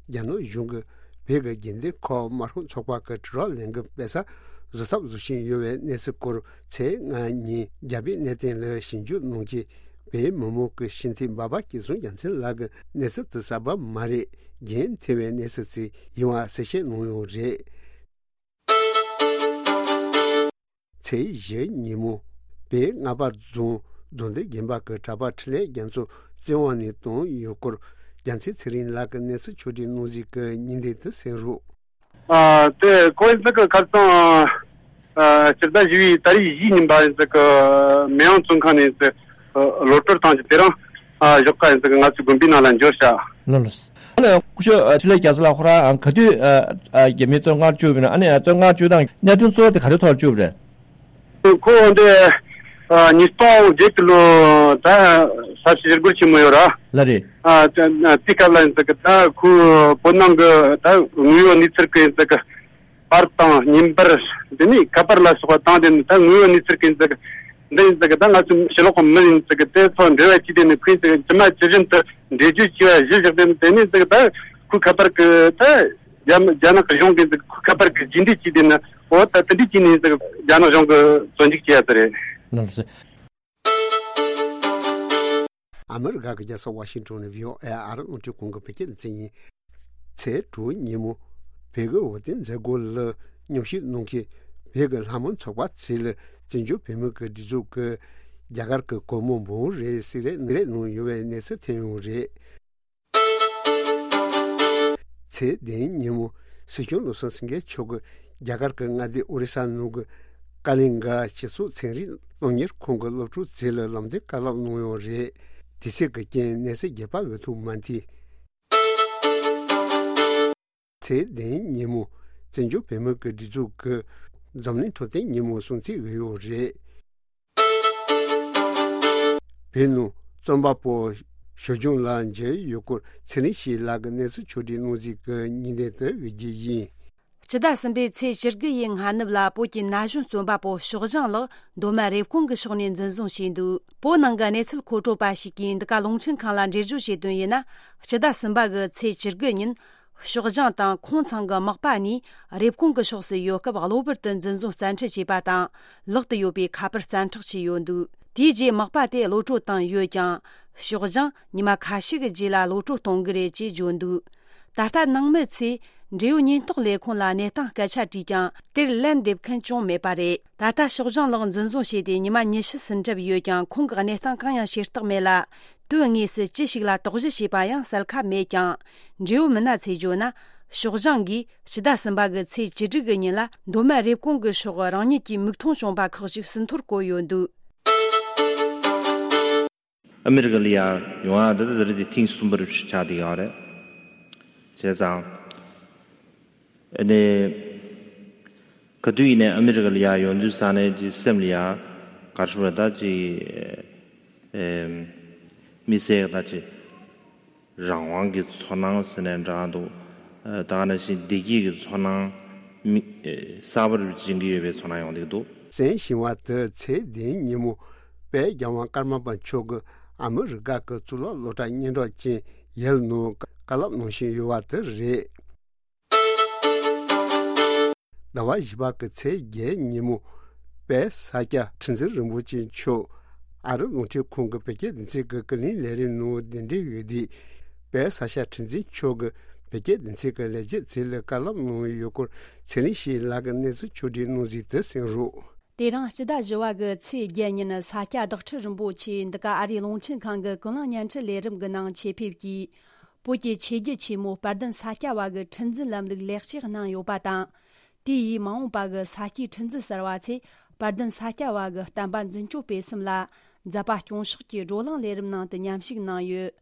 རྒྱ་ནག་གཞུང་གིས་བོད་ཀྱི་དགེ་ལྡན་ཁག་དམར་ཤོག་ཚོགས་པ་གི་དྲིལ་བསྒྲགས་ལས་འགུལ་སྤེལ་ས་བཟོ་ཐབས་བཟོ་བཞིན་ཡོད་པའི་གནས་ཚུལ་སྐོར་ཚེས་ལྔ་ཉིན་རྒྱ་བོད་གནས་བརྟན་ལ་ཞིབ་འཇུག་གནང་རྗེས། བོད་མི་མང་གི་སྤྱི་འཐུས་འབའ་པ་སྐལ་བཟང་རྒྱལ་མཚན་ལགས་ཀྱིས་གནས་ཚུལ་དེ་གསར་པ་མ་རེད། འགན་འཁྱེར་བའི་གནས་ཚུལ་ཅིག་ཡིན་པ་གསལ་བཤད་གནང་ཡོད་རེད། ཚེས་བཞི་ཉིན་མོ་བོད་རྔ་པ་རྫོང་རྡོ་འདི་དགོན་པ་གི་གྲྭ་པ་འཕྲིན་ལས་རྒྱ་མཚོ་བཙན་དབང་ནས་བཏང་ཡོད་སྐོར། རྒྱལ་མཚན་ཚེ་རིང་ལགས་ཀྱིས་གནས་ཚུལ་ཕྱོགས་སྒྲིག་གནང་གཟིགས་ཀྱི་ཉིན་དེ་དུ་གསན་རོགས། ཨ་དེ་ཁོ་ཡིན་ཙི་གི་ཁ་སང་ཨ་སྤྱི་ཟླ་བཞི་བའི་ཏ་རིག་བཞི་ཉིན་པ་ཡིན་ཙི་གི་མེ་ཡང་བཙོན་ཁང་ནས་ཡིན་ཙི་གློད་གྲོལ་བཏང་རྗེས་དེ་རིང་ཨ་ཞོགས་ཀ་ཡིན་ཙི་གི་ང་ཚོའི་དགོན་པའི་ནང་ལ་འབྱོར་ཤག། ལགས་ལགས། ཨ་ནི་སྐུ་ཞབས་ཨ་འཕྲིན་ལས་རྒྱ་མཚོ་ལགས་ཁོ་རང་ཨ་ག་དུས་ཨ་ཨ་རྒྱ་མིའི་བཙོན་ཁང་བཅུག་པ་ཡིན་ན། ཨ་ནི་ཨ་བཙོན་ཁང་བཅུག་སྟངས་གནད་དོན་གཙོ་བོ་དེ་ག་རེ་ཐོག་ལ་བཅུག་པ་རེད། ཁོ་འདི་ ཨ། ཉིས་སྟོང་བརྒྱད་ཀྱི་ལོ་ད་ས་བྱི་ཞི་རྒོལ་ཆེན་མོ་ཡོད་ར། ལ་རེད། ཨ། དེ་དེའི་སྐབས་ལ་ཡིན་ཙང་གི་ད་ཁོའི་བོད་ནང་གི་ད་དངོས་ཡོད་གནས་ཚུལ་གི་ཡིན་ཙང་གི་པར་དང་བརྙན་པར། དེ་ནས་ཁ་པར་ལ་སོགས་པ་དང་། དེ་ནས་ད་དངོས་ཡོད་གནས་ཚུལ་གི་ཡིན་ཙང་གི་འདི་ཡིན་ཙང་གི་ད་ང་ཚོ་ཕྱི་ལོགས་གི་མི་ཡིན་ཙང་གི་དེ་ཚོ་འབྲེལ་བ་བྱས། དེ་ནས་ཁོས་ཡིན་ཙང་གི་ཇི་མ་ཇི་བཞིན་དུ་འགྲེལ་བརྗོད་བྱས་པ་གཞི་བཞག། དེ་ནས་དེ་ནས་ཙང་གི་ད་ཁོའི་ཁ་པར་གི་ད་རྒྱ་རྒྱ་ནག་གི་གཞུང་གི་ཁ་པར་གི་རྒྱུད་འདྲེས་བྱས། དེ་ནས་འོ་ད་དེ་འདྲས་བྱས་ནས་ཙང་གི་རྒྱ་ནག་གཞུང་གི་བཙོན་འཇུག་བྱས་ཡ་དེ་རེད། ལགས་སོ། ཨ་མི་རི་ཀ་གི་རྒྱལ་ས་ཝ་ཤིང་ཏོན་ནས་བྷི་ཨོ་ཨེ་ཨ་རི་རླུང་འཕྲིན་ཁང་གི་བོད་སྐད་སྡེ་ཚན་ཡིན། ཚེས་དྲུག་ཉིན་མོ། བོད་ཀྱི་འོས་བསྡུ་མཛད་སྒོ་ལ་མཉམ་ཞུགས་གནང་མཁན་བོད་ཀྱི་ལྷ་མོ་ཚོགས་པ་ཚོ་ལ་བཙན་བྱོལ་བོད་མི་གི་སྒྲིག་འཛུགས་ཀྱིས་རྒྱ་གར་གྱི་སྒོར་མོ་འབུམ་རེ་གསེར་རས་ནག་རས་གནང་ཡོད་པའི་གནས་ཚུལ་ཐོན་ཡོད་རེད། ཚེས་བདུན་ཉིན་མོ། སྲིད་སྐྱོང་བློ་བཟང་སེང་གེ་མཆོག་གིས་རྒྱ་གར་གྱི་མངའ་སྡེ་ཨོ་རི་ས་ནང་གི་ཀ་ལིང་ག་སྤྱི་ཚོགས་ཚན་རིག་སློབ་གཉེར་ཁང་གི་སློབ་ཕྲུག་ཚོ་ལ་ལམ་སྟོན་བཀའ་སློབ་གནང་ཡོད་རེད། དུས་ཚོད་ཀྱི་རྐྱེན་གནས་ཚུལ་རྒྱས་པ་འོས་ཐུབ་མ་ཐུབ། ཚེས་བདུན་ཉིན་མོ། བཙན་བྱོལ་བོད་མི་གི་སྒྲིག་འཛུགས་ཀྱིས་འཛམ་གླིང་འཕྲོད་བསྟེན་ཉིན་མོ་སྲུང་བརྩི་ཡོད་རེད། བོད་ནང་རྩོམ་པ་པོ་ཞོལ་ལྗང་ལགས་མཇལ་ཡོད་སྐོར་ཚེ་རིང་སྐྱིད་ལགས་ཀྱིས་གནས་ཚུལ་ཕྱོགས་བསྒྲིགས་གནང་གཟིགས་ཀྱི་སྙིང་དོན་དུ་འབུལ་རྒྱུ་ཡིན། སྤྱི་ཟླ་གསུམ་པའི་ཚེས་བཅུ་དགུ་ཡི་སྔ་ནུབ་ལ་བོད་ཀྱི་ན་གཞོན་རྩོམ་པ་པོ་ཞོགས་ལྗང་ལགས་མདོ་སྨད་རེབ་གོང་གི་ཕྱོགས་ནས་འཛིན་བཟུང་བྱས་འདུག་བོད་ནང་གི་གནས་ཚུལ་མཁོ་སྤྲོད་པ་ཞིག་གིས་འདི་ག་རླུང་འཕྲིན་ཁང་ལ་འགྲེལ་བརྗོད་བྱས་དོན་ཡིན་ན། སྤྱི་ཟླ་གསུམ་པ་གི་ཚེས་བཅུ་དགུ་ཉིན། ཞོགས་ལྗང་དང་ཁོང་ཚང་གི་མག་པ་གཉིས་རེབ་གོང་གི་ཕྱོགས་སུ་ཡོད་སྐབས་གློ་བུར་དུ་འཛིན་བཟུང་བཙན་ཁྲིད་བྱས་པ་དང་། ལག་ཏུ་ཡོད་པའི་ཁ་པར་བཙན་འཕྲོག་བྱས་ཡོད་འདུག་དེའི་རྗེས་མག་པ་དེ་གློད་བཀྲོལ་བཏང་ཡོད་ཀྱང་། ཞོགས་ལྗང་ཉི་མ་ཁ་ཤས་ཀྱི་རྗེས་ལ་གློད་བཀྲོལ་གཏོང་གི་རེད་ཅེས་བརྗོད་འདུག་ད་ལྟ་ནང་མི་ཚོས་འབྲེལ་ཡོད་ཉེན་རྟོག་ལས་ཁུངས་ལ་གནས་སྟངས་སྐད་ཆ་དྲིས་ཀྱང་། དེར་ལན་འདེབས་མཁན་ཅུང་མེད་པ་རེད། ད་ལྟ་ཞོགས་ལྗང་ལགས་འཛིན་བཟུང་བྱས་ཏེ་ཉི་མ་ཉི་ཤུ་ཟིན་གྲབས་ཡོད་ཀྱང་། ཁོང་གི་གནས་སྟངས་གང་ཡང་ཤེས་རྟོགས་མེད་ལ། དོན་དངོས་སུ་ཅི་ཞིག་ལ་དོགས་གཞི་བྱས་པ་ཡང་གསལ་ཁ་མེད་ཀྱང་། འབྲེལ་ཡོད་མི་སྣ་ཚོས་བརྗོད་ན། ཞོགས་ལྗང་གིས་སྤྱི་ཟླ་གསུམ་པ་གི་ཚེས་བཅུ་དྲུག་གི་ཉིན་ལ་མདོ་སྨད་རེབ་གོང་གི་ཕྱོགས་རང་ཉིད་ཀྱི་མིག་མཐོང་བྱུང་བ་ཁག་ཅིག་ཟིན་ཐོར་བཀོད་ཡོད་འདུག་ཨ་མི་རི་ཀ་ལ་ཡར་ཡོང་ཡག་འདི་ད་རེས་དེ་ཐེངས་གསུམ་པ་རེད་ཆགས་བསྡད་ཡོད་རེད། བྱས་ཙང་། ཨ་ནི། ག་དུས་ཡིན་ནའི་ཨ་མི་རི་ཀ་ལ་ཡར་ཡོང་དུས་ཙ་ནས་ཀྱི་སེམས་ལ་ཡ། ག་རེ་ཞུ་དགོས་རེད། ད་ཅི། ཨེམ། མི་སེར་ད་ཅི། རང་དབང་གི་ཚོར་སྣང་ཟེར་ནའི་འདྲ་འདུག་ཨ། ད་ག་ནང་བཞིན་བདེ་སྐྱིད་ཀྱི་ཚོར་སྣང་། མི། ཨེ། གསར་པ་རུ་སྦྱིན་གྱི་ཡོད་པའི་ཚོར་སྣང་ཡོང་བསྡད་འདུག་གསན་བཞིན་པ་དེ་ཚེས་བདུན་ཉིན་མོ། དཔལ་རྒྱལ་དབང་ཀརྨ་པ་མཆོག་གིས་ཨ་མི་རི་ཀ་གི་གཙུག་ལག་སློབ་གྲྭ་སྙན་གྲགས་ཅན་ཡེལ་ནང་བཀའ་སློབ་གནང་བཞིན་ཡོད་པ་དེ་རེད། ཟླ་བ་བཞི་པ་གི་ཚེས་བརྒྱད་ཉིན་མོ། དཔལ་ས་སྐྱ་ཁྲི་འཛིན་རིན་པོ་ཆེ་མཆོག་ཨ་རི་རླུང་འཕྲིན་ཁང་གི་བོད་སྐད་སྡེ་ཚན་གྱི་ཀུན་གླེང་ལས་རིམ་ནང་གདན་འདྲེན་ཡོད་དུས། དཔལ་ས་སྐྱ་ཁྲི་འཛིན་མཆོག་གིས་བོད་སྐད་སྡེ་ཚན་གྱི་ལས་བྱེད་ཚོ་ལ་བཀའ་སློབ་གནང་ཡོད་སྐོར་ཚེ་རིང་སྐྱིད་ལགས་ཀྱིས་གནས་ཚུལ་ཕྱོགས་བསྒྲིགས་གནང་གཟིགས་དེ་གསན་རོགས། དེ་རིང་སྤྱི་ཟླ་བཞི་བ་གི་ཚེས་བརྒྱད་ཉིན་ས་སྐྱ་བདག་ཁྲི་རིན་པོ་ཆེ་འདི་ག་ཨ་རིའི་རླུང་འཕྲིན་ཁང་གི་ཀུན་གླེང་བརྙན་འཕྲིན་ལས་རིམ་གྱི་ནང་ཆེད་ཕེབས་ཀྱིས། བོད་ཀྱི་ཆོས་བརྒྱུད་ཆེན་མོ་དཔལ་ལྡན་ས་སྐྱ་བ་གི་ཁྲི་འཛིན་ལམ་ལུགས་ལེགས་བཅོས་གནང་ཡོད་པ་དང་། དེ་ཡིས་མ་འོངས་པ་གི་ས་སྐྱའི་ཁྲི་འཛིན་གསར་བ་ཚོས་དཔལ་ལྡན་ས་སྐྱ་བ་གི་བསྟན་པ་འཛིན་སྐྱོང་སྤེལ་གསུམ་ལ་མཛད་པ་སྐྱོང་ཕྱོགས་ཀྱི་བགྲོ་གླེང་ལས་རིམ་ནང་དུ་མཉམ་ཞུགས་གནང་ཡོད།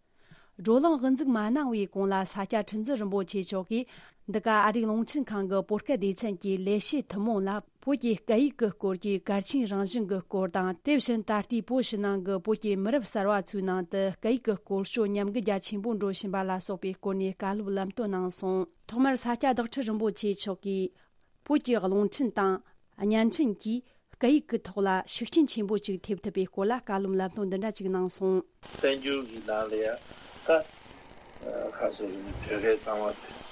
བགྲོ་གླེང་དབུ་འཛུགས་མ་གནང་བའི་གོང་ལ་ས་སྐྱ་ཁྲི་འཛིན་རིན་པོ་ཆེ་མཆོག་གིས་འདི་ག་ཨ་རིའི་རླུང་འཕྲིན་ཁང་གི་བོད་སྐད་སྡེ་ཚན་གྱི་ལས་བྱེད་ཐུན་མོང་ལ། བོད་ཀྱི་སྐད་ཡིག་གི་སྐོར་གྱི་གལ་ཆེན་རང་བཞིན་གྱི་སྐོར་དང་། དེ་བཞིན་ད་ལྟའི་བོད་ཕྱི་ནང་གི་བོད་ཀྱི་མི་རབས་གསར་བ་ཚོའི་ནང་དུ་སྐད་ཡིག་གི་སྐོར་སྐྱོད་ཉམས་རྒུད་རྒྱ་ཆེན་པོ་འགྲོ་བཞིན་པ་ལ་སོགས་པའི་སྐོར་ནས་བཀའ་སློབ་ལམ་སྟོན་གནང་སོང་། ཐོག་མར་ས་སྐྱ་བདག་ཁྲི་རིན་པོ་ཆེ་མཆོག་གིས། བོད་ཀྱི་རླུང་འཕྲིན་དང་བརྙན་འཕྲིན་གྱིས་སྐད་ཡིག་གི་ཐོག་ལ་ཤུགས་རྐྱེན་ཆེན་པོ་ཅིག་ཐེབས་ཐུབ་པའི་སྐོར་ལ་བཀའ་སློབ་ལམ་སྟོན་འདི་འདྲ་ཅིག་གནང་སོང་། གསར་འགྱུར་གྱི་ནང་ལ་ཡང་ད། ཁ་སོ་རེ་ནི་བོད་སྐད་གཙང་མ་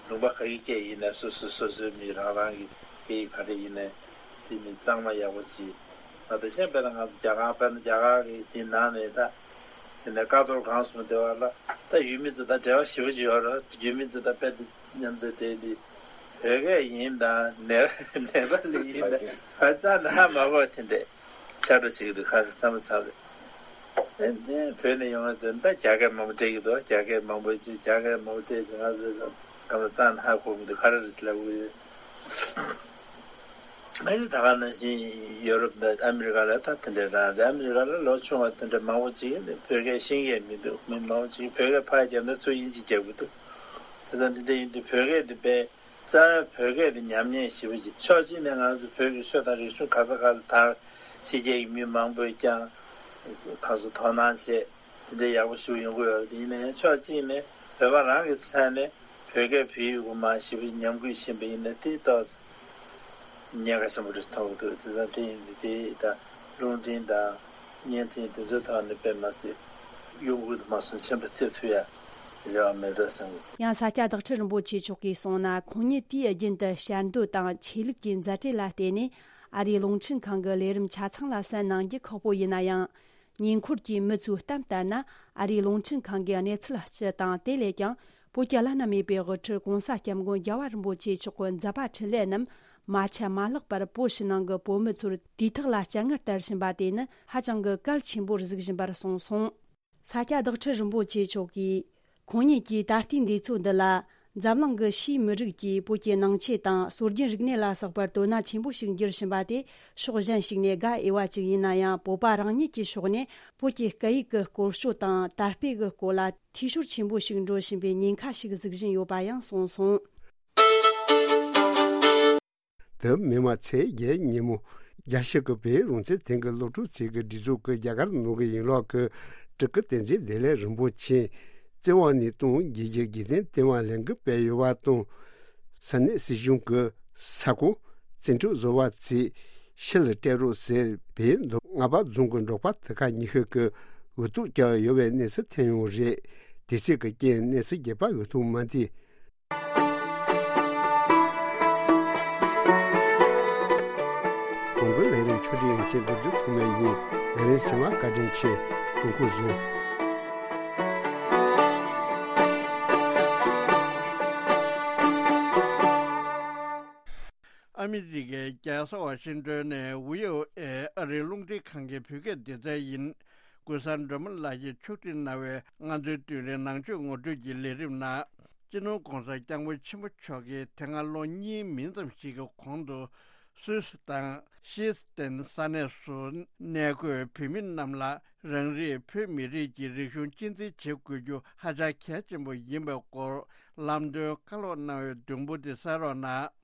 ལུང་པ་ག་གི་སྐད་ཡིན་ན་སོ་སོ་སོ་སོའི་མི་རང་རང་གི་སྐད་ཡིག་ག་རེ་ཡིན་ནའི་དེ་ནི་གཙང་མ་ཡག་པོ་ཅིག་ང་དང་གཞན་དཔེར་ན་ང་ཚོ་རྒྱ་གར་དཔེར་ན་རྒྱ་གར་གི་དེ་ནང་ནས་ད་དེ་ནས་ཀ་ཐོག་གང་སོང་དེ་བ་ལ་ད་ཡུལ་མི་ཚོ་ད་འབྲེལ་བ་ཞེ་པོ་ཅིག་ཡོད་རེད། ཡུལ་མི་ཚོ་ད་དཔེ་དེ་མཉམ་དུ་དེ་དེ་བོད་སྐད་ཡིན་དང་ནེ་ནེ་པ་ལི་ཡིན་དང་ཧ་ཅང་ད་ཧ་མ་གོ་དེ་འདྲས། ཤ་སྒྲོ་བྱེད་ཀྱི་འདུག་ཁ་ཤས་ཚང་མ་ཚར་རེད། ཨེ་ནས་བོད་ནས་ཡོང་བ་ཚོས་ད་རྒྱ་སྐད་མང་པོ་སྤྲད་ཀྱི་འདུག་རྒྱ་སྐད་མང་པོ་བརྗོད། རྒྱ་སྐད་མང་པོ་སྤྲད་ཚེ་ང་ཚོས་ཀ་མ་རྩ་ནས་ཧ་གོ་གི་འདུག་ག་རེ་རེད་ལབ་གི་ཡོད། ཨ་ནི་ད་ག་ནང་བཞིན་ཡོ་རོབ་དང་ཨ་མི་རི་ཀ་ལ་ད་དེ་འདྲའི་རང་རེད། ཨ་མི་རི་ཀ་ལ་ལོ་ཆུང་བ་དེ་འདྲ་མང་པོ་ཅིག་ནི་བོད་སྐད་ཤེས་ཀྱི་མི་འདུག་མི་མང་པོ་ཅིག་བོད་སྐད་ཕར་བརྒྱབ་ན་ཚུར་དབྱིན་ཇི་རྒྱབ་གི་འདུག་བྱས་ཙང་འདི་འདྲ་ཡིན་དུས་བོད་སྐད་འདི་དཔེ། རྩ་བའི་བོད་སྐད་དེ་ཉམས་ཉེས་ཞེ་པོ་ཅིག་ཕྱོགས་གཅིག་ནས་ང་ཚོ་བོད་ཀྱི་ཆོས་དང་རིག་གཞུང་ག་ས་ག་ལ་དར། ཕྱི་རྒྱལ་གྱི་མི་མང་པོས་ཀྱང་ཁ་སོ་དོ་སྣང་བྱས་དེ་འདྲའི་ཡག་པོ་ཞིག་ཡོང་གི་ཡོད་པ་དེ་ཡིན་ན་ཡང་ཕྱོགས་གཅིག་ནས་བོད་པ་རང་གི་ཚད་ནས་བོད་སྐད་བོད་ཡིག་གི་མ་ཞེ་པོ་ཉམས་རྒུད་ཕྱིན་པ་ཡིན་ན་དེ་ཏོག་ཙམ་ཉེན་ཁ་ཆེན་པོ་རེད་མཐོང་གི་འདུག་དེ་ཙང་དེ་ཡིན་དུས་དེ་ད་རླུང་འཕྲིན་དང་བརྙན་འཕྲིན་དེ་ཚོའི་ཐོག་ནས་དཔེ་མ་སྲིད་གཡོ་འགུལ་དུ་མ་སོང་ཆེན་པོ་ཐེབས་ཐུབ་ཡ་རེ་བ་མེད་འགྲོ་བསམ་གི། ཡང་ས་སྐྱ་བདག་ཁྲི་རིན་པོ་ཆེ་མཆོག་གིས་གསུངས་ན། ཁོང་ཉིད་དུས་རྒྱུན་དུ་ཞལ་འདོན་དང་ཆོས་ལུགས་ཀྱི་མཛད་བྲེལ་ལ་བརྟེན་ནས་ཨ་རིའི་རླུང་འཕྲིན་ཁང་གི་ལས་རིམ་ཆ་ཚང་ལ་གསན་གནང་རྒྱུ་ཁག་པོ་ཡིན་ན་ཡང་། ཉེ་འཁོར་གྱི་མི་ཚོའི་གཏམ་ལྟར་ན། ཨ་རིའི་རླུང་འཕྲིན་ཁང་གི་གནས་ཚུལ་སྤྱི་དང་དེ་ལས་ཀྱང་བོད་ཀྱི་བླ་ན་མེད་པའི་དབུ་ཁྲིད་༸གོང་ས་༸སྐྱབས་མགོན་རྒྱལ་བ་རིན་པོ་ཆེ་མཆོག་གི་མཛད་པ་འཕྲིན་ལས་རྣམས་མ་ཆད་མ་ལྷག་པར་བོད་ཕྱི་ནང་གི་བོད་མི་ཚོར་དུས་ཐོག་ལ་སྤྱན་སྔར་དར་བཞིན་པ་དེ་ནི་ཧ་ཅང་གི་གལ་ཆེན་པོར་གཟིགས་བཞིན་པར་གསུངས་སོང་། ས་སྐྱ་བདག་ཁྲི་རིན་པོ་ཆེ་མཆོག་གིས། ཁོང་ཉིད་ཀྱིས་ད་ལྟའི་འདས་ཚོད་འདི་ལ། འཛམ་གླིང་གི་ཕྱིའི་མི་རིགས་ཀྱིས་བོད་ཀྱི་ནང་ཆོས་དང་སྲོལ་རྒྱུན་རིག་གནས་ལ་སོགས་པར་དོ་སྣང་ཆེན་པོ་ཞིག་འགྱུར་བཞིན་པ་དེ་ཕྱོགས་གཞན་ཞིག་ནས་དགའ་འོས་པ་ཅིག་ཡིན་ན་ཡང་། བོད་པ་རང་ཉིད་ཀྱི་ཕྱོགས་ནས་བོད་ཀྱི་སྐད་ཡིག་གི་སྐོར་སྐྱོད་དང་དར་སྤེལ་གྱི་སྐོར་ལ་འཐུས་ཤོར་ཆེན་པོ་ཞིག་འགྲོ་བཞིན་པའི་ཉེན་ཁ་ཞིག་གཟིགས་བཞིན་ཡོད་པ་ཡང་གསུངས་སོང་། དེ་མིན་མ་ཚེས་བརྒྱད་ཉིན་མོ། རྒྱལ་སྤྱི་གི་བོད་རང་བཙན་ཐེངས་ཀྱི་སློབ་ཕྲུག་ཚོས་ཀྱི་སྒྲིག་འཛུགས་ཀྱི་རྒྱ་གར་ནང་གི་ཡན་ལག་གི་སྤྲུལ་སྐུ་བསྟན་འཛིན་བདེ་ལེགས་རིན་པོ་ཆེ་བཙོན་འོག་ནས་གཏོང་རྒྱུའི་དགེ་ལྡན་བསྟེན་པ་ལས་འགུལ་སྤེལ་ཡོད་པ་དང་། ས་གནས་སྲིད་གཞུང་གི་ས་ཁོངས་བཙན་འཕྲོག་བཟོ་བ་ཚོས་ཕྱིར་སྤྲད་རོགས་ཟེར་བོད་མདོ་སྔགས་པ་རྫོང་གི་འབྲོག་པ་དེ་ག་ཉི་ཤུ་གིས་འུ་ཐུག་བརྒྱབ་ཡོད་པའི་གནས་ཚུལ་ཐོན་ཡོད་རེད། དེ་ཚོའི་རྐྱེན་གནས་ཚུལ་རྒྱས་པ་འུ་ཐུག་མ་འདི། གོང་གི་ལས་རིམ་ཆུ་ཚོད་ཡན་ཆད་འདིར་འཛུགས་ཐུབ་མེད་ཡིན། ལས་རིམ་གསན་པར་བཀའ་དྲིན་ཆེ། ཐུགས་ཁུར་བཟུང་། ཨ་མི་རི་ཀའི་རྒྱལ་ས་ཝ་ཤིང་ཏོན་ནས་བྷི་ཨོ་ཨེ་ཨ་རིའི་རླུང་འཕྲིན་ཁང་གི་བོད་སྐད་སྡེ་ཚན་ཡིན། གུས་བཟང་སྒྲོལ་མ་ལགས་ཀྱིས་ཕྱོགས་སྒྲིག་གནང་བའི་ང་ཚོའི་དུས་རིང་ནང་ཆོས་ངོ་སྤྲོད་ཀྱི་ལས་རིམ་ནང་། སྤྱི་ནོར་༸གོང་ས་༸སྐྱབས་མགོན་ཆེན་པོ་མཆོག་གིས་དེ་སྔ་ལོ་གཉིས་མིན་ཙམ་ཞིག་གི་གོང་དུ། སུད་སི་དང་ཤེས་ཏན་ས་གནས་སུ་གནས་འཁོད་བོད་མི་རྣམས་ལ་རང་རེའི་བོད་མི་རིགས་ཀྱི་རིག་གཞུང་གཅེས་འཛིན་བྱེད་དགོས་རྒྱུ་ཧ་ཅང་གལ་ཆེན་པོ་ཡིན་པའི་སྐོར་ལམ་སྟོན་བཀའ་སློབ་གནང་བའི་བདུན་པོ་དེ་གསན་རོགས་གནང་།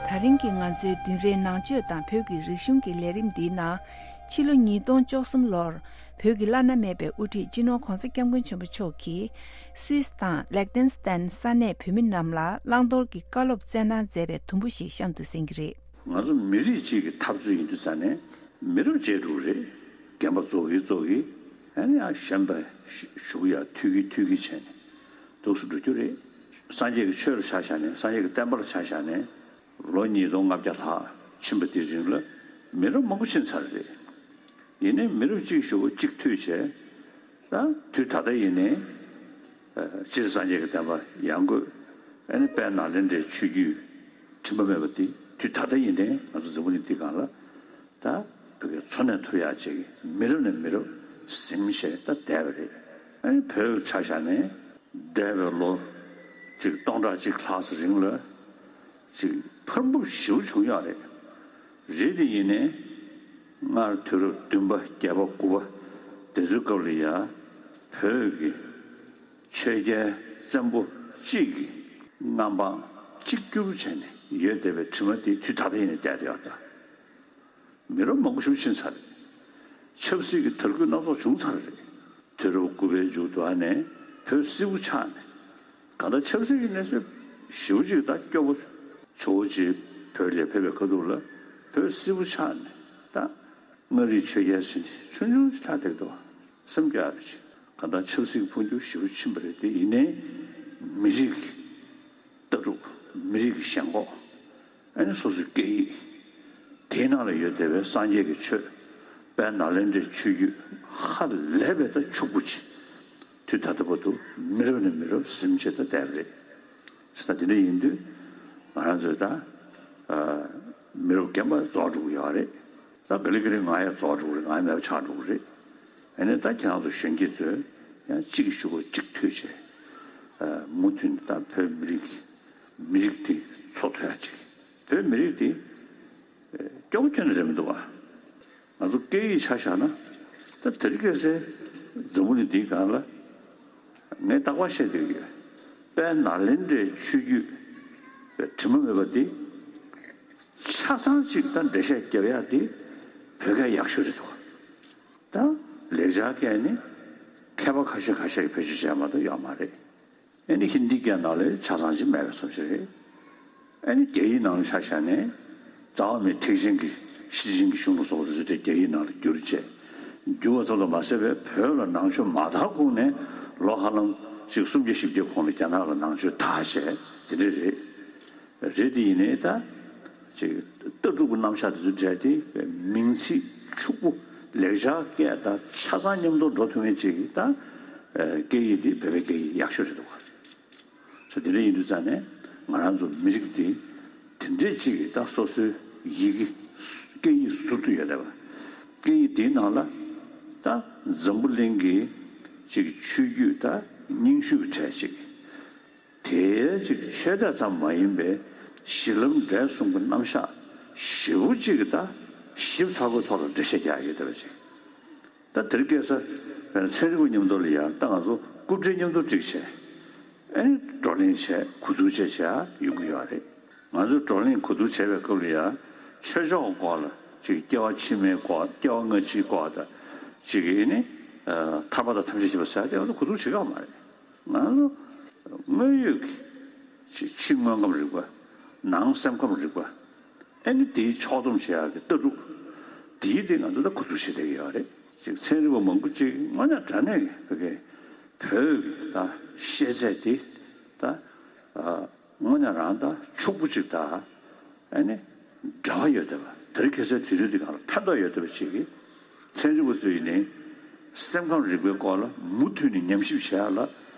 ད་རིང་གི་ང་ཚོའི་བདུན་རེའི་ནང་ཆོས་དང་བོད་ཀྱི་རིག་གཞུང་གི་ལས་རིམ་འདིའི་ནང་། ཕྱི་ལོ་ཉིས་སྟོང་བཅུ་གསུམ་ལོར་བོད་ཀྱི་བླ་ན་མེད་པའི་དབུ་ཁྲིད་སྤྱི་ནོར་༸གོང་ས་༸སྐྱབས་མགོན་ཆེན་པོ་མཆོག་གིས་སུད་སི་དང་ལེག་ཏེན་སི་ཏན་ས་གནས་བོད་མི་རྣམས་ལ་བླང་དོར་གྱི་བཀའ་སློབ་སྩལ་གནང་མཛད་པའི་དུམ་བུ་ཞིག་གཤམ་དུ་གསན་གྱི་རེད། ང་ཚོ་མི་རིགས་གཅིག་གི་འཐབ་རྩོད་ཡིན་དུས་ཙང་ནས་མི་རབས་བརྗེ་འགྲོ་གི་རེད། རྒན་པ་ཚོ་གིས་ཚོ་གིས་ཨ་ནི་ཡང་གཞོན་པ་ཞུ་གི་ཡ་ཐུག་གི་ཐུག་གི་བྱས་ནས་འདུག་སེ་འགྲོ་རྒྱུ་རེད། སངས་རྒྱས་ཀྱི་ཆོས་ལ་ཆ་བཞག་ནས་སངས་རྒྱས་ཀྱི་བསྟན་པ་ལ་ཆ་བཞག་ནས། ལོ་ཉིས་སྟོང་ལྔ་བརྒྱ་ལྷག་ཕྱིན་པ་དེའི་རིང་ལ་མི་རབས་མང་པོ་ཕྱིན་ཚར་རེད། ཡིན་ནའི་མི་རབས་གཅིག་ཞུ་བ་གཅིག་མཐུད་བྱས། ད་དུས་ད་ལྟ་ཡིན་ནའི་སྤྱིར་སངས་རྒྱས་ཀྱི་བསྟན་པ་ཡར་འགོས། ཨ་ནི་དཔལ་ནཱ་ལེནྡྲའི་ཆོས་བརྒྱུད་དྲི་མ་མེད་པ་དེ་དུས་ད་ལྟ་ཡིན་ནའི་ང་ཚོ་འཛམ་བུ་གླིང་འདི་སྒང་ལ་ད་བོད་སྐད་འཚོ་གནས་ཐུབ་ཡག་ཅིག་མི་རབས་ནས་མི་རབས་ཟིན་བྱས་ད་བསྡད་པ་རེད། ཨ་ནི་བོད་ཆ་བཞག་ནས་འདས་པའི་ལོ་གཅིག་སྟོང་ཕྲག་གཅིག་ལྷག་ཙམ་རིང་ལ། ཅིག་འཕར་འབུབ་ཞེ་པོ་བྱུང་ཡོད་རེད། རེད་དེ་ཡིན་ནའི་སྔར་དུས་རབས་བདུན་པ་བརྒྱད་པ་དགུ་པ་དེ་ཚོའི་སྐབས་ལ་ཡ་བོད་ཀྱི་ཆོས་རྒྱལ་བཙན་པོ་གཅིག་གི་མངའ་འབངས་གཅིག་གྱུར་བྱས་ནས་ཡོད་བསྡད་པའི་དྲི་མ་དེ་དུས་ད་ལྟ་ཡིན་ནའི་བསྡད་ཡོད་རེད། མི་རབས་མང་པོ་ཞིག་ཕྱིན་ཚར་རེད། ཆབ་སྲིད་ཀྱི་དར་རྒུད་སྣ་ཚོགས་བྱུང་ཚར་རེད། དུས་རབས་དགུ་པའི་མཇུག་ཏུ་ཨ་ནས་བོད་སིལ་བུ་ཆགས་ནས། གང་ལྟར་ཆབ་སྲིད་ཀྱི་གནས་ཚུལ་ཞེ་པོ་ཅིག་ད་སྐྱོ་པོ་ཇོ་བོ་རྗེ་བོད་ལ་ཕེབས་པའི་ཁ་ཐུག་ལ་བོད་སིལ་བུ་ཆགས་ནས་ད་མངའ་རིས་ཆོས་རྒྱལ་ཟེར་ནས་ཆུང་ཆུང་ཅིག་ལྷག་བསྡད་འདུག་སེམས་སྐྱོ་ཡ་རེད་ཅིག་གང་ལྟར་ཆབ་སྲིད་ཀྱི་འཕོ་འགྱུར་ཞེ་པོ་ཕྱིན་པ་རེད་དེ། ཡིན་ནའི་མི་རིགས་ཀྱི་ལྟ་གྲུབ། མི་རིགས་ཀྱི་ཞེན་ཁོག་ཨ་ནི་སོ་སོའི་སྐད་ཡིག་དེའི་ནང་ལ་ཡོད་བསྡད་པའི་སངས་རྒྱས་ཀྱི་ཆོས། དཔལ་ནཱ་ལེནྡྲའི་ཆོས་བརྒྱུད་ཧ་ལས་པའི་ད་ཕྱུག་པོ་ཅིག་དུས་ད་ལྟ་བར་དུ་མི་རབས་ནས་མི་རབས་ཟིན་བྱས་ད་བསྡད་པ་རེད། ད་དེ་འདྲ་ཡིན་དུས་ང་རང་ཚོས་ད་མི་རབས་རྒན་པ་རྫོགས་འགྲོ་གི་ཡོད་རེད། ད་ག་ལེ་ག་ལེ་ང་ཡང་རྫོགས་འགྲོ་གི་རེད། ང་ཡང་མེད་པ་ཆགས་འགྲོ་གི་རེད། ཨ་ནི་ད་ཁྱེད་རང་ཚོ་གཞོན་སྐྱེས་ཚོས་ཡང་གཅིག་གི་གཞུག་གུ་གཅིག་མཐུད་བྱས། མུ་མཐུད་ནས་ད་བོད་མི་རིགས་མི་རིགས་དེ་འཚོ་ཐུབ་ཡ་ཅིག་བོད་མི་རིགས་དེ་སྐྱོ་པོ་ཁྱོན་ནས་རེད་མི་འདུག་བ། ང་ཚོ་སྐད་ཡིག་ཆ་བཞག་ན་ད་དེ་རིང་ཁ་སང་འཛམ་བུ་གླིང་འདིའི་སྒང་ལ་ངས་རྟག་པར་བཤད་བསྡད་ཀྱི་ཡོད། དཔལ་ནཱ་ལེནྡྲའི་ཆོས་བརྒྱུད་དྲི་མ་མེད་པ་འདི། ཆ་ཚང་གཅིག་ད་འགྲེལ་བཤད་རྒྱབ་ཡག་དེ་ བོད་སྐད་ཡག་ཤོས་རེད་འདུག་ད་ལེགས་སྦྱར་སྐད་ནི་མཁས་པ་ཁ་ཤས་ཁ་ཤས་ཀྱིས་བེད་སྤྱོད་བྱས་མ་གཏོགས་ཡོད་མ་རེད། ཨེ་ནི་ཧིན་དིའི་སྐད་ནང་ལ་ཆ་ཚང་ཅིག་མེད་པའི་བཟོ་ཅིག་རེད། ཨེ་ནི་རྒྱ་ཡིག་ནང་ལ་ཆ་བཞག་ནས་རྩ་བ་མེད་ཐེག་ཆེན་གྱི་ཤེར་ཕྱིན་གྱི་གཞུང་ལུགས་སོགས་དེ་ཚོ་རྒྱ་ཡིག་ནང་ལ་བསྒྱུར་བྱས། བསྒྱུར་བ་ཙམ་དུ་མ་ཟད་པའི་བོད་ལ་ནང་ཆོས་མ་དར་གོང་ནས་ལོ་ཧ་ལམ་ཅིག་སུམ་བརྒྱ་བཞི་བརྒྱ་གོང་ལ་རྒྱ་ནག་ལ་ནང་ཆོས་དར་བྱས་དེ་འདྲ་རེད། རེད་དེ་ཡིན་ནའི་ད་ཅིག་ལྟ་གྲུབ་ཀྱི་རྣམ་གཞག་དེ་ཚོ་འདྲ་དེ་མིང་ཚིག་ཕྱུག་པོ་ལེགས་སྦྱར་སྐད་དང་ཆ་ཚང་མཉམ་དུ་འགྲོ་ཐུབ་མཁན་ཅིག་གི་ད་སྐད་ཡིག་དེ་བོད་པའི་སྐད་ཡིག་ཡག་ཤོས་རེད་འདུག་ག་ས་དེ་འདྲ་ཡིན་དུས་ཙང་ནས་ང་རང་ཚོ་མི་རིགས་དེ་དེ་འདྲས་ཅིག་གི་ད་སོ་སོའི་ཡི་གེ་སྐད་ཡིག་ཟུར་དུ་ཡོད་བསྡད་པ། སྐད་ཡིག་དེའི་ནང་ལ་ད་འཛམ་བུ་གླིང་གི་ཅིག་ཆོས་བརྒྱུད་ད་རྙིང་ཤོས་ཀྱི་གྲས་ཅིག་དེའི་ཅིག་ཆོས་དད་ཙམ་མ་ཡིན་པའི་གཞི་ལམ་འབྲས་གསུམ་གྱི་རྣམ་གཞག་ཞེ་པོ་ཅིག་གི་ད་ཞིབ་ཚགས་པོའི་ཐོག་ལ་འགྲེལ་བཤད་རྒྱག་ཡོད་བསྡད་པ་ཅིག་ད་དེར་སྐད་ས་བན་ཚན་རིག་པ་མཉམ་དུ་ལ་ཡང་ད་ང་ཚོ་རྐུབ་འདྲེ་མཉམ་དུ་བསྒྲིགས་བྱས། ཨེ་ནི་བགྲོ་གླེང་བྱས་གོ་བསྡུར་བྱས་བྱས་ཡོང་གི་ཡོད་རེད། ང་ཚོས་བགྲོ་གླེང་གོ་བསྡུར་བྱས་པའི་སྐབས་ལ་ཡང་ཆོས་ཕྱོགས་སྐོར་ལ་ཅིག་སྐྱེ་བ་ཕྱི་མའི་སྐོར་སྐྱེ་བ་སྔ་ཕྱིའི་སྐོར་དང་ཅིག་ཨེ་ནི་ཐར་པ་དང་ཐམས་ཅད་མཁྱེན་པ་ཟེར་ཏེ་ང་ཚོ་གོ་བསྡུར་བྱེད་ཀྱི་ཡོད་མ་རེད། ང་ཚོ་དངོས་ཡོད་ཀྱི་ཕྱི་དངོས་ཁམས་རིག་པ། ནང་སེམས་ཁམས་རིག་པ། ཨེ་ནི་དེའི་ཕྱོགས་བསྡོམས་བྱེད་ཡག་གི་ལྟ་གྲུབ། དེའི་སྟེང་ང་ཚོ་ད་གོ་བསྡུར་བྱེད་བསྡད་ཀྱི་ཡོད་རེད། ཅིག་ཚན་རིག་པ་མང་པོ་ཅིག་དངོས་གནས་དྲང་གནས་ཀྱི་བོད་ཀྱི་བོད་ཀྱི་ད་ཤེས་ཚད་དེ་ད་དངོས་གནས་རང་ད་ཕྱུག་པོ་ཅིག་ད་ཨེ་ནི་འབྲེལ་བ་ཡོད་བསྡད་པ། དེ་རིང་ཁ་སང་དུས་ཚོད་འདི་གང་ལ་ཕན་ཐོགས་ཡོད་བསྡད་པ་ཅིག་གིས་ཚན་རིག་པ་ཚོ་ཡིན་ནའི་སེམས་ཁམས་རིག་པའི་སྐོར་ལ་མུ་མཐུད་ནས་ཉམས་ཞིབ་བྱེད་ཡག་ལ་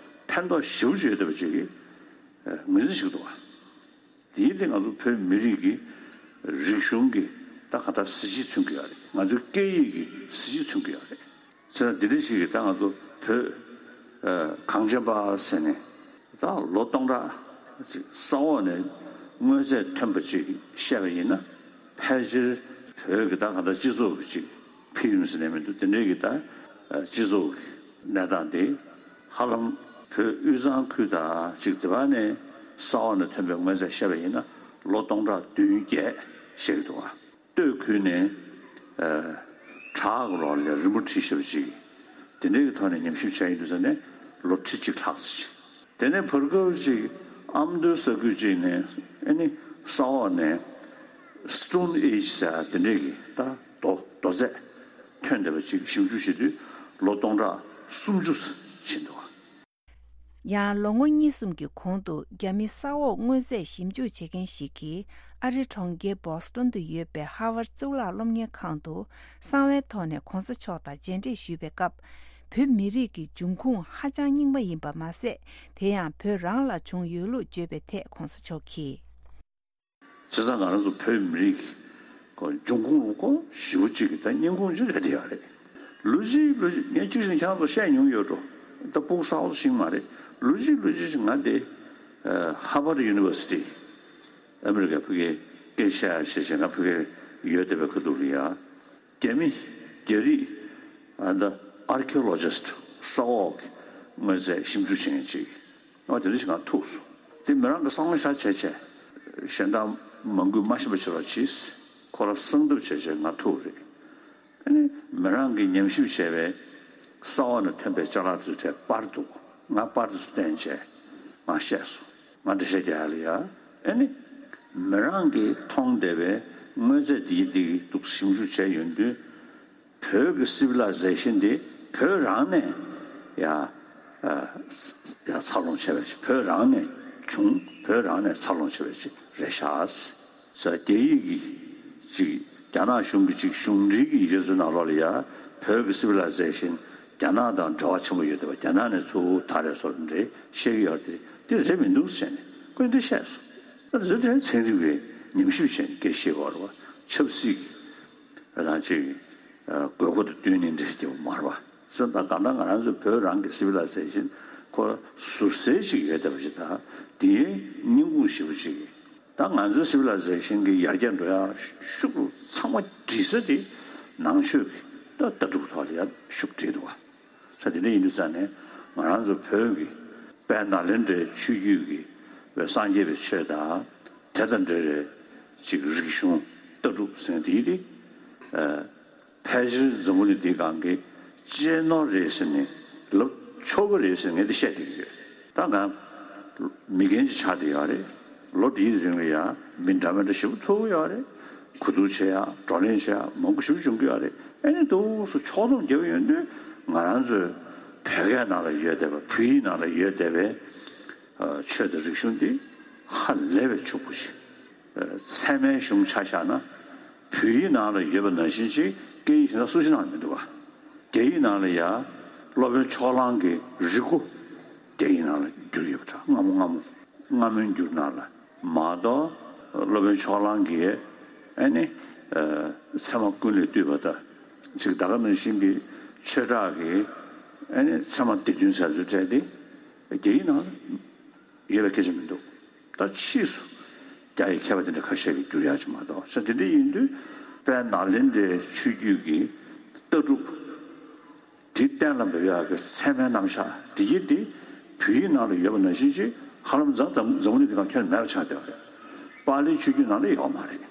ཕན་ཐོགས་ཞེ་པོ་ཅིག་ཡོད་བསྡད་པ་ཅིག་གིས་ངོས་འཛིན་བྱེད་ཀྱི་འདུག་བ། དེའི་སྟེང་ང་ཚོ་བོད་མི་རིགས་ཀྱི་རིག་གཞུང་གི་ད་ག་ད་གཟི་བརྗིད་མཚོན་གྱི་ཡོད་རེད། ང་ཚོའི་སྐད་ཡིག་གི་གཟི་བརྗིད་མཚོན་གྱི་ཡོད་རེད། བྱས་ཙང་འདི་འདྲ་ཞིག་གིས་ད་ང་ཚོ་བོད་གངས་ཅན་པ་ཟེར་ནས་ད་ལོ་སྟོང་ཕྲག་ཅིག་ས་འོག་ནས་མངོན་ཚད་ཐོན་པ་ཅིག་བཤད་པ་ཡིན་ན་ཕལ་ཆེར་བོད་ཀྱི་ད་ག་ད་སྤྱི་ཚོགས་ཀྱི་ཅིག་འཕེལ་རིམ་ཟེར་ནས་མི་འདུག་དེ་འདྲའི་གི་ད་སྤྱི་ཚོགས་ཀྱི་གནས་སྟངས་དེ་ཧ་ལམ་བོད་དབུས་གཙང་ཁུལ་དང་ཅིག་དེ་བ་ནས་ས་འོག་ནས་ཐོན་པའི་མངོན་ཚད་བཤད་པ་ཡིན་ན་ལོ་སྟོང་ཕྲག་བདུན་བརྒྱད་བཤད་ཀྱི་འདུག་བ། སྟོད་ཁུལ་ནས་བྲག་གི་རོང་ལ་རིན་པོ་ཁྲི་ཞེ་པོ་ཅིག་དེ་འདྲའི་གི་ཐོག་ནས་ཉམས་ཞིབ་བྱས་ཡིན་དུས་ཙང་ནས་ལོ་ཁྲི་གཅིག་ལྷག་ཙམ་ཅིག་དེ་ནས་བར་སྐབས་ཅིག་ཨ་མདོའི་ས་ཁུལ་ཅིག་ནས་ཨ་ནི་ས་འོག་ནས་Stone Age་ཟེར་དེ་འདྲའི་གི་ད་རྡོ་རྡོ་རྫས་ཐོན་བསྡད་པ་ཅིག་ཞིབ་འཇུག་བྱེད་དུས་ལོ་སྟོང་ཕྲག་སུམ་ཅུ་ཕྱིན་འདུག་ཡང་ལོ་ངོ་གཉིས་གསུམ་གྱི་གོང་དུ་རྒྱ་མི་ས་འོག་དངོས་རྫས་ཞིབ་འཇུག་བྱེད་མཁན་ཞིག་གིས་ཨ་རིའི་གྲོང་ཁྱེར་བོ་སི་ཊོན་དུ་ཡོད་པའི་ཧར་ཝརཌ་གཙུག་ལག་སློབ་གཉེར་ཁང་དུ་གསང་བའི་ཐོག་ནས་གོང་ས་མཆོག་དང་མཇལ་འཕྲད་ཞུས་པའི་སྐབས། བོད་མི་རིགས་ཀྱི་འབྱུང་ཁུངས་ཧ་ཅང་རྙིང་པ་ཡིན་པ་མ་ཟད། དེ་ཡང་བོད་རང་ལ་བྱུང་ཡོད་ལུགས་བརྗོད་པའི་ཐད་གོང་ས་མཆོག་གིས། བྱས་ཙང་ང་རང་ཚོ་བོད་མི་རིགས་ཀྱི་འབྱུང་ཁུངས་ལ་ཀོ་ཞེ་པོ་ཅིག་གི་ད་སྙིང་ཁུངས་ཅིག་རེད་དེ་ཡོད་རེད། ལོ་གཅིག་ལོ་གཅིག་ངས་གཅིག་བཞིན་ཁྱེད་རང་ཚོ་བཤད་མྱོང་ཡོད་འགྲོ། ད་སྤུ་གུ་གསར་པ་ཞིག་མ་རེད། ལོ་གཅིག་ལོ་གཅིག་ཅིག་ང་དེ་Harvard University་ཨ་མི་རི་ཀའི་ཕ་གིའི་སྐད་ཆ་བཤད་བྱས་ང་ཕ་གིར་ཡོད་བསྡད་པའི་ཁ་ཐུག་ལ་ཡ། རྒྱ་མི་རྒྱ་རིགས་ཨ་ད་archaeologist་ས་འོག་གི་དངོས་རྫས་ཞིབ་འཇུག་བྱེད་མཁན་ཅིག་ཨ་དེ་འདྲ་ཞིག་ང་ཐུག་སོང་། དེ་མི་རང་གི་བསམ་བློ་བཞག་བྱས་བྱས་གཞན་དག་མང་པོས་མ་ཤེས་པ་བྱེད་རོགས་གྱིས། ཁོ་རང་གསང་ཐབས་བྱས་བྱས་ང་ཐུག་རེད། ཨ་ནི་མི་རང་གིས་ཉམས་ཞིབ་བྱས་པའི་ས་འོག་ནས་ཐོན་པའི་ཅ་ལག་དེ་ཚོ་གྲས་པར་འདུག་ང་པར་དེ་ཚོ་བསྟན་བྱས་ང་བཤད་སོང་། ང་འགྲེལ་བཤད་རྒྱག་ཡ་ལ་ཡ། ཨ་ནི་མི་རང་གིས་མཐོང་བསྡད་པའི་དངོས་རྫས་འདིའི་འདི་འདུག་ཞིབ་འཇུག་བྱས་ཡོང་དུས་བོད་ཀྱི་civilization་འདི་བོད་རང་ནས་ཡ་ཡ་འཚར་ལོངས་བྱས་པའི་ཅིག་བོད་རང་ནས་བྱུང་བོད་རང་ནས་འཚར་ལོངས་བྱས་པའི་ཅིག་རེད་ཤག་ས་རྒྱ་ཡིག་གི་ཅིག་རྒྱ་ནག་གཞུང་གི་ཅིག་གཞུང་འབྲེལ་གྱི་ཡིག་ཆ་ཚོའི་ནང་ལོགས་ལ་ཡ་བོད་ཀྱི་civilization་རྒྱ་ནག་དང་འབྲེལ་བ་ཆེན་པོ་ཡོད་བསྡད་པ། རྒྱ་ནག་ནས་གཙོ་བོ་ད་རེས་སོར་འདྲེ་བཤད་ཀྱི་ཡོད་དེ་དེ་རེད་མི་འདུག་ཟེར་ནས་ཁོས་འདི་བཤད་སོང་། ད་དེ་ཚོ་དེ་ཚན་རིག་པའི་ཉམས་ཞིབ་བྱས་ནས་སྐད་བཤད་དགོས་རེད་བ། ཆབ་སྲིད་ཀྱི་རང་ཅིག་དགོས་མཁོ་དང་བསྟུན་ནས་འདྲེ་བྱས་པ་མ་རེད་བ། ཟེར་ད་གང་ལྟར་ང་རང་ཚོ་བོད་རང་གི་civilization་ཁོ་ཟུར་གསལ་ཞིག་ཡོད་བསྡད་པ་ཞིག་དང་དེའི་སྙིང་ཁུངས་ཞེ་པོ་ཅིག་ད་ང་ཚོའི་civilization་གི་ཡར་རྒྱས་འགྲོ་ཡ་ཤུགས་ཚང་མ་སྒྲིལ་ས་དེ་ནང་ཆོས་ཀྱི་ད་ལྟ་གྲུབ་ཐོག་ལ་ཡ་ཤུགས་སྒྲིལ་འདུག་བ། ས་དེ་འདྲ་ཡིན་དུས་ཙང་ནས་ང་རང་ཚོ་བོད་ཀྱི་དཔལ་ནཱ་ལེནྡྲའི་ཆོས་བརྒྱུད་ཀྱི་བའི་སངས་རྒྱས་པའི་ཆོས་དང་དེ་དང་འབྲེལ་བའི་ཅིག་རིག་གཞུང་ལྟ་གྲུབ་ཟེར་དེ་དེ། ཕལ་ཆེར་འཛམ་བུ་གླིང་འདིའི་སྒང་གི་གཅེས་ནོར་རེད་ཟེར་ནས་ལབ་ཆོག་གི་རེད་ཟེར་ངས་འདི་བཤད་བསྡད་ཀྱི་ཡོད། ད་ང་མི་རྒན་ཅིག་ཆགས་བསྡད་ཡོད་རེད། ལོ་འདིའི་རིང་ལ་ཡང་མི་འདྲ་མི་འདྲ་ཞེ་པོ་ཐུག་གི་ཡོད་རེད། གོ་བསྡུར་བྱེད་ཡ་བགྲོ་གླེང་བྱེད་ཡ་མང་པོ་ཞེ་པོ་བྱུང་གི་ཡོད་རེད། ཨ་ནི་འདུག་སེ་ཕྱོགས་བསྡོམས་རྒྱབ་ཡོང་དུས་ང་རང་ཚོའི་བོད་སྐད་ནང་ལ་ཡོད་བསྡད་པ་བོད་ཡིག་ནང་ལ་ཡོད་བསྡད་པའི་ཆོས་དང་རིག་གཞུང་འདི་ཧ་ལས་པའི་ཕྱུག་པོ་ཞིག་ཚད་མའི་གཞུང་ཆ་བཞག་ན་བོད་ཡིག་ནང་ལ་ཡོད་པ་ནང་བཞིན་ཅིག་སྐད་ཡིག་གཞན་དག་སུ་ཞིག་ནང་ལ་མི་འདུག་ག་རྒྱ་ཡིག་ནང་ལ་ཡ་སློབ་དཔོན་ཕྱོགས་གླང་གི་རིག་སྒོ་རྒྱ་ཡིག་ནང་ལ་བསྒྱུར་ཡོད་པ་འདྲ། སྔ་མོ་སྔ་མོ་སྔ་མོའི་འགྱུར་ནང་ལ་མ་གཏོགས་སློབ་དཔོན་ཕྱོགས་གླང་གིས་ཨ་ནི་ཚད་མ་ཀུན་ལས་བཏུས་པ་དང་ཅིག་ད་ག་ནང་བཞིན་གྱི་ཆོས་གྲགས་ཀྱི་ཨ་ནི་ཚད་མ་སྡེ་བདུན་ཟེར་ཚུལ་སྤྲད་དེ་རྒྱ་ཡིག་ནང་ལ་ཡོད་པའི་སྐད་ཆ་མི་འདུག་ད་ཕྱིས་སུ་རྒྱ་ཡི་མཁས་པ་དེ་འདྲ་ཁ་ཤས་ཀྱིས་བསྒྱུར་ཡག་ཅིག་མ་གཏོགས་ས་དེ་འདྲ་ཡིན་དུས་དཔལ་ནཱ་ལེནྡྲའི་ཆོས་བརྒྱུད་ཀྱི་ལྟ་གྲུབ་དེ་གཏན་ལ་འབེབས་ཡག་གི་ཚད་མའི་རྣམ་གཞག་འདི་ཡིན་ཏེ་བོད་ཡིག་ནང་ལ་ཡོད་པ་ནང་བཞིན་ཅིག་ཧ་ལམ་འཛམ་འཛམ་འཛམ་བུ་གླིང་འདི་སྒང་ཁྱོན་ནས་མེད་པ་ཆགས་བསྡད་པ་རེད། པཱ་ལིའི་ཆོས་བརྒྱུད་ནང་ལ་ཡོད་མ་རེད།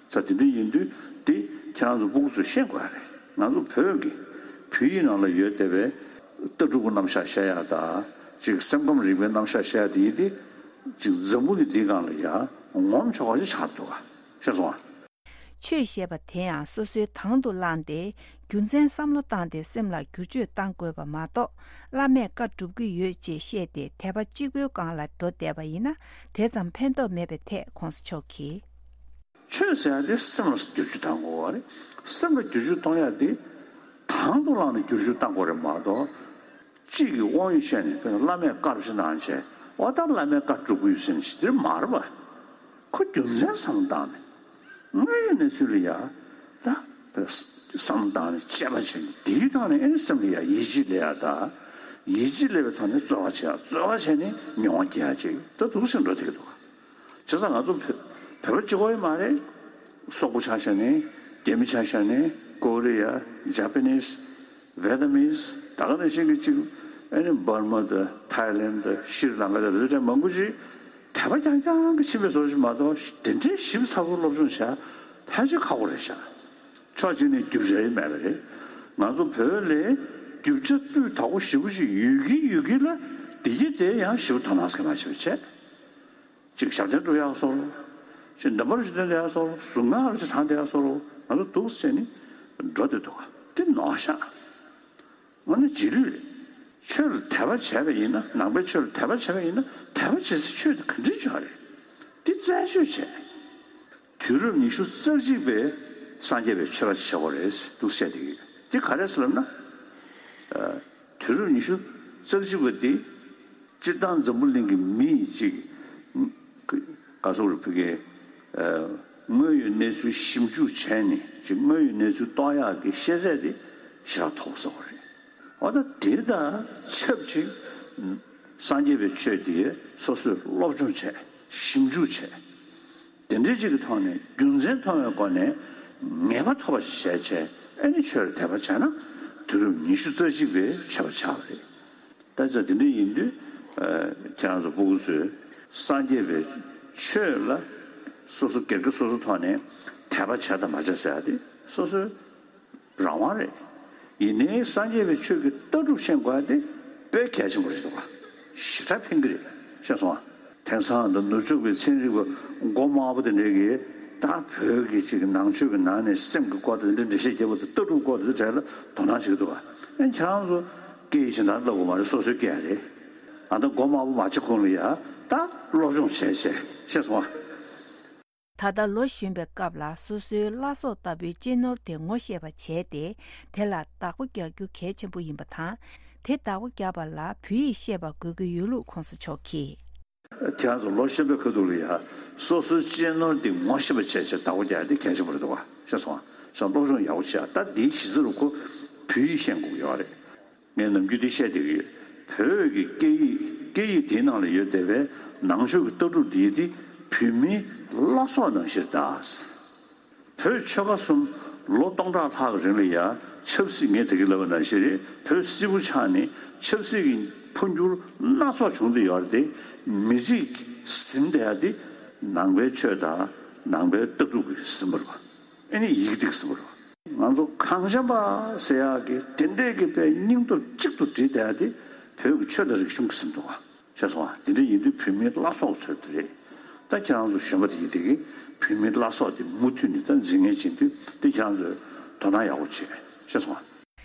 ས་དེ་འདྲ་ཡིན་དུས་དེ་ཁྱེད་རང་ཚོ་སྤུ་གུ་ཚོས་ཤེས་དགོས་རེད། ང་ཚོ་བོད་ཀྱི་བོད་ཡིག་ནང་ལ་ཡོད་བསྡད་པའི་ལྟ་གྲུབ་ཀྱི་རྣམ་གཞག་བཤད་ཡག་དང་ཅིག་སེམས་ཁམས་རིག་པའི་རྣམ་གཞག་བཤད་ཡག་དེ་ཡིན་ཏེ་ཅིག་འཛམ་བུ་གླིང་འདིའི་སྒང་ལ་ཡ་ངོམ་ཆོག་པ་ཞིག་ཆགས་འདུག་ག་ཤེས་སོང་ཨ། ཆོས་ཞེས་པ་དེ་ཡང་སོ་སོའི་དང་དུ་བླངས་ཏེ་རྒྱུ་མཚན་བསམ་བློ་བཏང་སྟེ་སེམས་ལ་བསྒྱུར་བཅོས་བཏང་དགོས་པ་མ་གཏོགས་བླ་མས་བཀའ་སྒྲུབ་ཀྱི་ཡོད་ཅེས་བཤད་དེ་དད་པ་གཅིག་པུའི་སྒང་ལ་འགྲོ་བསྡད་པ་ཡིན་ན་དེ་ཙམ་ཕན་ཐོགས་མེད་པའི་ཐད་གོང་ས་མཆོག་གིས། ཆོས་ཟེར་ཡག་དེ་སེམས་ལ་བསྒྱུར་བཅོས་བཏང་དགོས་པ་རེད། སེམས་ལ་བསྒྱུར་བཅོས་གཏོང་ཡག་དེ་དང་དུ་བླངས་ནས་བསྒྱུར་བཅོས་བཏང་དགོས་རེད་མ་གཏོགས། གཅིག་གིས་དབང་ཡོད་བཤད་ནས་དཔེར་ན་བླ་མས་བཀའ་བཞིན་གནང་བྱས་འོ་ད་བླ་མའི་བཀའ་སྒྲུབ་ཀྱི་ཡོད་ཟེར་ནས་ཞི་བདེར་མ་རེད་པ། ཁོ་རྒྱུ་མཚན་བསམ་བློ་བཏང་ནས་དངོས་ཡོད་གནས་ཚུལ་ལ་ཡ་ད་བསམ་བློ་བཏང་ནས་དཔྱད་པ་བྱས་ནས་དེའི་ཐོག་ནས་ཨེ་ནི་སེམས་ལ་ཡ་ཡིད་ཆེས་སླེབས་ཡ་ད་ཡིད་ཆེས་སླེབས་པའི་ཐོག་ནས་རྩོལ་བ་བྱེད་ཡ་རྩོལ་བ་བྱས་ནས་མྱོང་བ་སྐྱེ་ཡ་ཅིག་ད་འདུག་སེ་འགྲོ་བསྡད་ཀྱི་འདུག་བྱས་ཙང་ང་ཚོ་བོད་བོད་པ་གཅིག་པོ་ཡིན་མ་རེད། སོག་པོ་ཆ་བཞག་ནས་རྒྱ་མི་ཆ་བཞག་ནས་ཀོ་རི་ཡ་ཇ་པ་ནིས། ཝེ་ཏ་མིས། ད་ག་ནང་བཞིན་གྱི་གཅིག་ཨ་ནི་འབར་མ་དང་ཐའི་ལེན་དང་ཤྲི་ལང་ཀ་དང་རེ་རེ་མང་པོ་ཅིག་དད་པ་རྐྱང་རྐྱང་གི་ཕྱིན་པའི་བཟོ་ཞིག་མ་གཏོགས་དེ་འདྲའི་ཞིབ་ཚགས་པོ་སློབ་སྦྱོང་བྱ་ཕལ་ཆེར་ཁག་པོ་རེད་ཤག་ཕྱོགས་གཅིག་ནས་རྒྱུ་ཆ་ཡི་མེད་པ་རེད། ང་ཚོ་བོད་ལ་རྒྱུ་ཆ་སྤུས་དག་པོ་ཞེ་པོ་ཅིག་ཡོད་ཀྱི་ཡོད་ཀྱི་ལ་འདི་གྱི་དེ་ཡང་ཞེ་པོ་དོ་སྣང་སྐྱེ་མ་བྱེད་པ་བྱས། གཅིག་ཞབས་བརྟན་སྒྲུབ་ཡག་སོགས། གཅིག་འདམ་བར་ཞུ་དོན་དེ་ཡག་སོགས། གཟུགས་ངག་ལ་གཅིག་དྲང་དེ་ཡག་སོགས། ང་ཚོ་འདུག་སེ་བྱས་ནས་འགྲོ་བསྡད་འདུག་ག་དེ་ནོར་ཤག་དངོས་གནས་རྗེས་ལུས་རེད། ཆོས་ལ་དད་པ་བྱས་པ་ཡིན་ན་ནང་པའི་ཆོས་ལ་དད་པ་བྱས་པ་ཡིན་ན་དད་པ་བྱེད་སའི་ཆོས་དེ་ག་འདྲ་ཅིག་ཡོད་རེད། དེ་རྩད་གཅོད་བྱས། དུས་རབས་ཉི་ཤུ་རྩ་གཅིག་པའི་སངས་རྒྱས་པའི་ཆོས་པ་ཞིག་བྱེད་དགོས་རེད་འདུག་བཤད་དེ་ཡོད། དེ་ག་རེ་ཟེར་ལབ་ན། ཨ། དུས་རབས་ཉི་ཤུ་རྩ་གཅིག་པ་དེ་སྤྱིར་བཏང་འཛམ་བུ་གླིང་གི་མི་ཡིས་ཅིག་ག་སོག་རུ་ཕུ་གེ་ཨ། དངོས་ཡོད་གནས་ཚུལ་ཞིབ་འཇུག་བྱས་ནས་ཅིག་དངོས་ཡོད་གནས་ཚུལ་རྟོགས་ཡག་གི་ཤེས་ཚད་དེ་ཞེ་དྲག་མཐོ་པོ་ཟེར་དགོས་རེད། འོ་ད་དེ་དང་ཆབས་ཅིག་སངས་རྒྱས་པའི་ཆོས་དེ་སོ་སོས་སློབ་སྦྱོང་བྱས་ཞིབ་འཇུག་བྱས། དེ་འདྲའི་ཅིག་གི་ཐོག་ནས་རྒྱུ་མཚན་མཐོང་བའི་སྒོ་ནས་ངེས་པ་ཐོབ་པ་ཞིག་བྱས་བྱས་ཨ་ནི་ཆོས་ལ་དད་པ་བྱས་ན་དུས་རབས་ཉི་ཤུ་རྩ་གཅིག་པའི་ཆོས་པ་ཆགས་པ་རེད། ད་ཆ་དེ་འདྲ་ཡིན་དུས་ཨ། ཁྱེད་རང་ཚོ་སྤུ་གུ་ཚོས་སངས་རྒྱས་པའི་ཆོས་ལ་སོ་སོ་སྒེར་གྱི་སོ་སོ་ཐོག་ནས་དད་པ་བྱས་དང་མ་བྱས་ཟེར་ཡ་དེ་སོ་སོའི་རང་དབང་རེད། ཡིན་ནའི་སངས་རྒྱས་པའི་ཆོས་ཀྱི་ལྟ་གྲུབ་ཤེས་དགོས་ཡ་དེ་དཔེ་གལ་ཆེན་པོ་རེད་འདུག་ག་ཞེ་དྲག་ཕན་གྱི་རེད། ཤེས་སོང་ང་། དེང་སང་ད་ནུབ་ཕྱོགས་པའི་ཚན་རིག་པ་མགོ་དམར་པོ་དེ་འདྲས་ཀྱིས་ད་བོད་ཀྱི་ཅིག་ནང་ཆོས་ཀྱི་ནང་ནས་སེམས་ཀྱི་སྐོར་དང་དེ་འདྲ་འགྲེལ་བཤད་རྒྱབ་པ་དང་ལྟ་གྲུབ་སྐོར་དེ་ཚོ་གྲས་ལ་དོ་སྣང་བྱེད་ཀྱི་འདུག་ག་ཨེ་ཁྱེད་རང་ཚོ་སྐད་ཡིག་གཞན་དག་བསླབ་དགོས་མ་རེད། སོ་སོའི་སྐད་རེད། ཨ་ད་མགོ་དམར་པོ་མ་བྱེད་གོང་ལ་ཡ་ད་སློབ་སྦྱོང་བྱས་བྱས་ཤེས་སོང་ང་། ད་ལྟ་ལོ་གཞོན་པའི་སྐབས་ལ་སོ་སོའི་བླ་སྲོག་ལྟ་བུའི་གཅེས་ནོར་དེ་ངོ་ཤེས་པ་བྱས་ཏེ་དེ་ལ་བདག་པོ་རྒྱག་རྒྱུ་གལ་ཆེན་པོ་ཡིན་པ་དང་། དེ་བདག་པོ་རྒྱག་པ་ལ་བོད་ཡིག་ཤེས་པ་དགོས་ཀྱི་ཡོད་ལུགས་གོང་ས་མཆོག་གིས། ཁྱེད་རང་ཚོ་ལོ་གཞོན་པའི་ཁ་ཐུག་ལ་ཡ་སོ་སོའི་གཅེས་ནོར་འདི་ངོ་ཤེས་པ་བྱས་བྱས་བདག་པོ་རྒྱག་ཡ་འདི་གལ་ཆེན་པོ་རེད་འདུག་ག་ཤེས་སོང་ང་། སློབ་སྦྱོང་ཡག་པོ་བྱས། ད་འདིའི་གཞི་རྩ་རུ་ཁོ་བོད་ཡིག་ཤེས་དགོས་ཀྱི་ཡོད་རེད། ངས་ནམ་རྒྱུན་འདི་བཤད་བསྡད་ཀྱི་ཡོད། བོད་ཀྱི་སྐད་ཡིག་སྐད་ཡིག་འདིའི་ནང་ལ་ཡོད་བསྡད་པའི་ནང་ཆོས་ཀྱི་ལྟ་གྲུབ་འདི་འདི་བོད་མིའི་བླ་སྲོག་ནང་བཞིན་རེད་ད། བོད་ཆོལ་ཁ་གསུམ་ལོ་སྟོང་ཕྲག་ལྷག་རིང་ལ་ཡང་ཆབ་སྲིད་ངས་ད་གིན་ལབ་པ་ནང་བཞིན་རེད། བོད་སིལ་བུ་ཆགས་ནས་ཆབ་སྲིད་ཀྱི་འཕོ་འགྱུར་སྣ་ཚོགས་བྱུང་བསྡད་ཡོད་རེད་དེ། མི་རིགས་ཟིན་བསྡད་ཡ་དེ་ནང་པའི་ཆོས་དང་ནང་པའི་ལྟ་གྲུབ་ཀྱིས་ཟིན་པ་རེད་པ། ཨ་ནི་ཡི་གེ་དེ་གིས་ཟིན་པ་རེད་པ། ང་ཚོ་གངས་ཅན་པ་ཟེར་ཡག་གི་དེ་འདྲས་ཀྱི་དཔེ་སྙིང་སྟོབས་གཅིག་ཏུ་བསྒྲིལ་བསྡད་ཡག་དེ་བོད་ཀྱི་ཆོས་དང་རིག་གཞུང་གི་ཟིན་འདུག་བ། ཤེས་སོང་བ། དེ་འདྲ་ཡིན་དུས་བོད་མིའི་བླ་སྲོག་ཚོད་དེ་རེད། ད་ཁྱེད་རང་ཚོ་གཞོན་པ་དེ་ཡིན་དེ་གི་བོད་མིའི་བླ་སྲོག་དེ་མུ་མཐུད་ནས་ད་འཛིན་མཁན་བྱེད་དུས་དེ་ཁྱེད་རང་ཚོས་དོ་སྣང་ཡག་པོ་བྱེད། ཤེས་སོང་བ།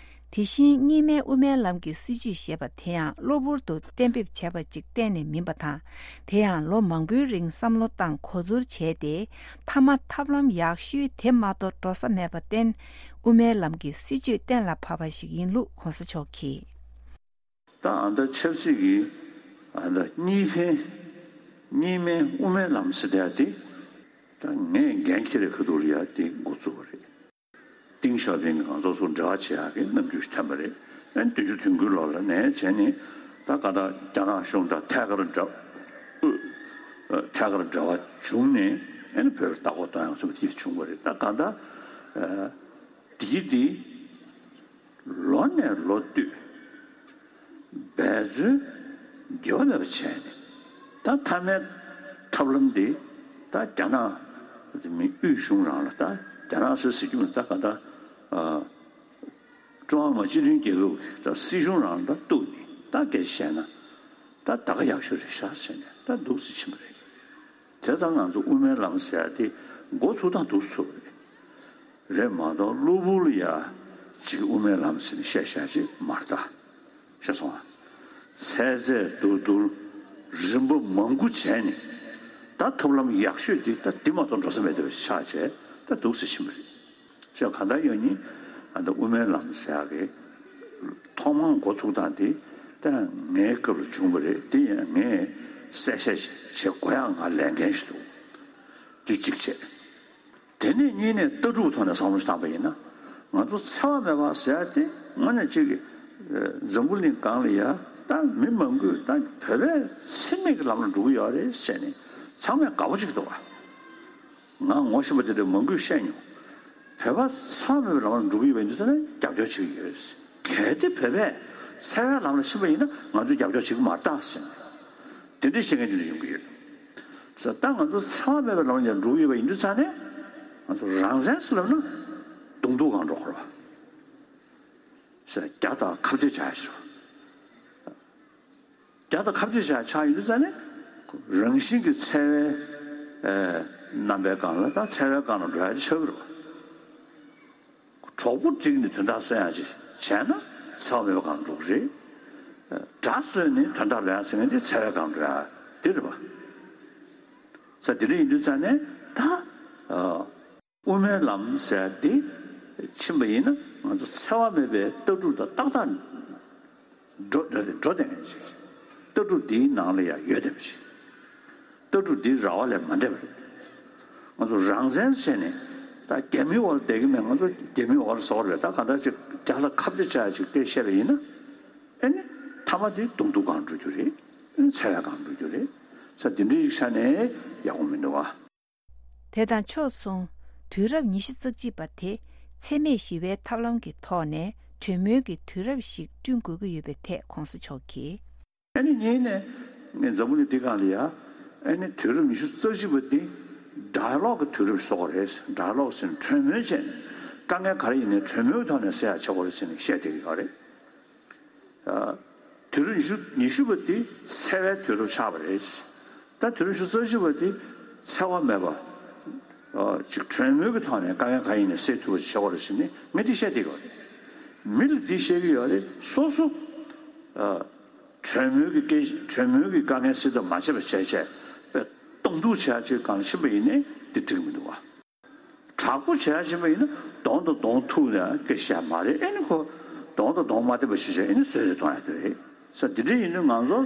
དེ་བཞིན་གཉིས་སྨན་དབུ་མའི་ལམ་གྱི་སྲིད་བྱུས་ཞེས་པ་དེ་ཡང་གློ་བུར་དུ་གཏན་འབེབས་བྱས་པ་ཅིག་གཏན་ནས་མིན་པ་དང་། དེ་ཡང་ལོ་མང་པོའི་རིང་བསམ་བློ་བཏང་གོ་བསྡུར་བྱས་ཏེ། མཐའ་མ་ཐབས་ལམ་ཡག་ཤོས་དེ་མ་གཏོགས་འགྲོ་ས་མེད་པར་བརྟེན། དབུ་མའི་ལམ་གྱི་སྲིད་བྱུས་གཏན་ལ་ཕབ་པ་ཞིག་ཡིན་ལུགས་གོང་ས་མཆོག་གིས། ད་ཨ་མདའ་ཆབ་སྲིད་ཀྱི་ཨ་མདའ་གཉིས་ཕན་གཉིས་སྨན་དབུ་མའི་ལམ་ཟེར་བསྡད་དེ། ད་ངས་འགན་འཁྱེར་བའི་ཁ་ཐུག་ལ་ཡ་དེ་འགོ་བཙུགས་པ་རེད། ཏིང་ཞའོ་ཕིང་གིས་ང་ཚོ་ཚོ་འབྲེལ་བ་བྱེད་ཡག་གི་རྣམ་འགྱུར་ཞིག་ཐོན་པ་རེད། ཨ་ནི་བདུན་ཅུ་དོན་དགུའི་ལོ་ལ་ནས་བྱས་ནས་ད་ག་ད་རྒྱ་ནག་གཞུང་དང་ཐད་ཀར་འབྲེལ་ཐད་ཀར་འབྲེལ་བ་བྱུང་ནས་ཨ་ནི་བོད་ལ་ལྟ་སྐོར་གཏོང་ཡག་བཟོ་འདྲ་ཅིག་བྱུང་བ་རེད། ད་ག་ད་དེའི་དེ་ལོ་ནས་ལོ་བསྟུད་འབད་བརྩོན་འགྱུར་བ་མེད་པ་བྱས་ནས་ད་མཐའ་མའི་ཐབས་ལམ་འདི་ད་རྒྱ་ནག་དབུས་གཞུང་རང་ལ་ད་རྒྱ་ནག་ཟེར་ཟེར་རྒྱུ་ད་ག་ད་ཀྲུང་ཧྭ་མི་དམངས་སྤྱི་མཐུན་རྒྱལ་ཁབ་ཀྱི་ད་སྲིད་གཞུང་རང་ལ་ད་གཏུགས་ནས་ད་སྐད་ཆ་བཤད་ན་ད་ད་ག་ཡག་ཤོས་རེད་ཤག་བྱས་ནས་ད་འདུག་སེ་ཕྱིན་པ་རེད། བྱས་ཙང་ང་ཚོ་དབུ་མའི་ལམ་ཟེར་ཡ་དེ་འགོ་ཚུགས་སྟངས་འདུག་སེ་ཚུགས་པ་རེད། རེད་མ་གཏོགས་གློ་བུར་ལ་ཡ་གཅིག་དབུ་མའི་ལམ་ཟེར་ནས་བཤད་བཤད་ཅིག་མ་རེད་ད། ཤེས་སོང་ཨ། ཚད་ཚད་བསྡུར་བསྡུར་རིམ་པ་མང་པོ་བྱས་ནས་ད་ཐབས་ལམ་ཡག་ཤོས་འདི་ད་འདི་མ་གཏོགས་འགྲོ་ས་མེད་པ་ཆགས་བྱས་ད་འདུག་སེ་ཕྱིན་པ་རེད། ཅེས་གང་ལྟར་ཡང་ནི་ཨ་ད་དབུ་མའི་ལམ་ཟེར་ཡག་གི་ཐོག་མར་འགོ་ཚུགས་སྟངས་འདི་ད་ངའི་སྐབས་ལ་བྱུང་བ་རེད། འདི་ཡང་ངས་གསལ་བཤད་བྱེད་དགོས་ཡག་ང་ལས་འགན་ཞིག་འདུག་འདི་གཅིག་བྱས། དེ་ནས་གཉིས་ནས་ལྟ་གྲུབ་ཐོག་ནས་བསམ་བློ་ཞིག་བཏང་པ་ཡིན་ན། ང་ཚོ་འཚེ་བ་མེད་པ་ཟེར་ཡ་དེ་དངོས་གནས་གཅིག་གི་འཛམ་བུ་གླིང་སྒང་ལ་ཡ་ད་མི་མང་པོས་ད་བོད་པས་འཚེ་མེད་ཀྱི་ལམ་ལ་འགྲོ་གི་ཡོད་རེད་ཟེར་ནས་ཚང་མས་དགའ་པོ་བྱེད་ཀྱི་འདུག་བ། ང་ངོ་ཤེས་པ་དེ་འདྲ་མང་པོས་བཤད་མྱོང་། བོད་པ་འཚེ་བ་མེད་པའི་ལམ་ལ་འགྲོ་གི་ཡོད་པ་ཡིན་དུས་ཙང་ནས་རྒྱབ་སྐྱོར་བྱེད་ཀྱི་ཡོད། གལ་ཏེ་བོད་པས་འཚེ་བའི་ལམ་ལ་ཕྱིན་པ་ཡིན་ན་ང་ཚོས་རྒྱབ་སྐྱོར་བྱེད་ཀྱི་མ་རེད་ད་ཟེར་ནས་དེ་འདྲའི་བཤད་མཁན་དེ་འདྲ་ཡོང་གི་ཡོད། ཙང་ད་ང་ཚོ་འཚེ་བ་མེད་པའི་ལམ་ལ་འགྲོ་གི་ཡོད་པ་ཡིན་དུས་ཙང་ནས་ང་ཚོ་རང་བཙན་ཟེར་ལབ་ན་གདོང་ཐུག་སྒང་འགྲོ་དགོས་རེད་བ། ཟེར་རྒྱ་དང་ཁ་གཏད་བྱ་ཡ་ཞིག་རེད་བ། རྒྱ་དང་ཁ་གཏད་བྱ་ཆགས་ཡོད་དུས་ཙང་ནས་རང་བཞིན་གྱི་འཚེ་བའི་ཨེ་རྣམ་པའི་སྒང་ལ་ད་འཚེ་བའི་སྒང་ལ་འགྲོ་ཡ་ཆགས་ཀྱི་རེད་བ། གྲོགས་པོ་བསྒྲིགས་ནས་དོན་དག་སོན་ཡ་ཅིག་བྱས་ན་འཚེ་བ་མེད་པའི་སྒང་ལ་འགྲོ་གི་རེད། དགྲ་སོན་ནས་དོན་དག་ལོན་ཡ་ཟེར་མཁན་དེ་འཚེ་བའི་སྒང་ལ་འགྲོ་ཡ་དེ་རེད་བ། ས་དེ་འདྲ་ཡིན་དུས་ཙང་ནས་ད་ཨ། དབུ་མའི་ལམ་ཟེར་ཡ་དེ་ཕྱིན་པ་ཡིན་ན་ང་ཚོ་འཚེ་བ་མེད་པའི་ལྟ་གྲུབ་དང་ཏག་ཏག་འགྲོ་འགྲོ་བསྡད་འགྲོ་བསྡད་མཁན་ཅིག་ལྟ་གྲུབ་འདིའི་ནང་ལ་ཡང་ཡོད་བསྡད་པ་ཅིག་ལྟ་གྲུབ་འདི་ར་བ་ལས་མ་འདས་པ་རེད། ང་ཚོ་རང་བཙན་བྱས་ནས་ད་རྒྱ་མིའི་འོག་ལ་བསྡད་ཀྱི་མེད། ང་ཚོ་རྒྱ་མིའི་འོག་ལ་ཟོག་རེད། ད་གང་ལྟར་ཅིག་རྒྱ་ལ་ཁ་གཏད་བྱ་ཡ་ཅིག་སྐད་བཤད་པ་ཡིན་ན་ཨེ་ནི་མཐའ་མ་དེ་གདོང་ཐུག་སྒང་འགྲོ་རྒྱུ་རེད། ཨེ་ནི་འཚེ་བའི་སྒང་འགྲོ་རྒྱུ་རེད། ས་འདི་འདྲའི་ཡིག་ཆ་ནས་ཡག་པོ་མི་འདུག་ཨ། དེ་དང་ཕྱོགས་མཚུངས། དུས་རབས་ཉི་ཤུ་རྩ་གཅིག་པ་དེ་འཚེ་མེད་ཞི་བའི་ཐབས་ལམ་གྱི་ཐོག་ནས་གྲོས་མོལ་གྱི་དུས་རབས་ཤིག་བསྐྲུན་དགོས་ཀྱི་ཡོད་པའི་ཐད་གོང་ས་མཆོག་གིས། ཨ་ནི་གཉིས་ནས་ངས་འཛམ་བུ་གླིང་འདི་སྒང་ལ་ཡ་ཨ་ནི་དུས་རབས་ཉི་ཤུ་རྩ་གཅིག་པ་འདི་ཌའི་ལོག་གི་དུས་རབས་ཟེར་དགོས་རེད། ཌའི་ལོག་ཟེར་ནས་གྲོས་མོལ་བྱས་ནས་དཀའ་ངལ་ག་རེ་ཡིན་ནའི་གྲོས་མོལ་ཐོག་ནས་སེལ་ཡ་བྱེད་དགོས་རེད་ཟེར་ནས་བཤད་བསྡད་ཀྱི་ཡོད་རེད། དུས་རབས་ཉི་ཤུ་ཉི་ཤུ་པ་འདི་འཚེ་བའི་དུས་རབས་ཆགས་པ་རེད། ད་དུས་རབས་ཉི་ཤུ་རྩ་གཅིག་པ་འདི་འཚེ་བ་མེད་པ། ཅིག་གྲོས་མོལ་གྱི་ཐོག་ནས་དཀའ་ངལ་གང་ཡིན་ནས་སེལ་ཐུབ་པ་ཞིག་བྱེད་དགོས་རེད་ཟེར་ནས་ངས་འདི་བཤད་བསྡད་ཀྱི་ཡོད་རེད། མི་ལ་འདི་བཤད་ཀྱི་ཡོད་རེད། སོ་སོ་གྲོས་མོལ་གྱི་སྐད་གྲོས་མོལ་གྱི་དཀའ་ངལ་སེལ་ཐབས་མ་བྱས་པ་བྱས་བྱས་པའི་གདོང་ཐུག་བྱེད་ཡ་ཅིག་སྒང་ལ་ཕྱིན་པ་ཡིན་ནའི་འདི་འགྲིག་མི་འདུག་བ། དྲག་པོ་བྱེད་ཡ་ཕྱིན་པ་ཡིན་ན་གདོང་དང་གདོང་ཐུག་ནས་སྐད་བཤད་མ་རེད། ཨེ་ནི་ཁོ་གདོང་དང་གདོང་མ་བསྟན་པ་ཞིག་བྱས་ཨེ་ནི་བཟོད་རེ་གཏོང་ཡ་དེ་རེད། ས་འདི་འདྲ་ཡིན་དུས་ང་ཚོ་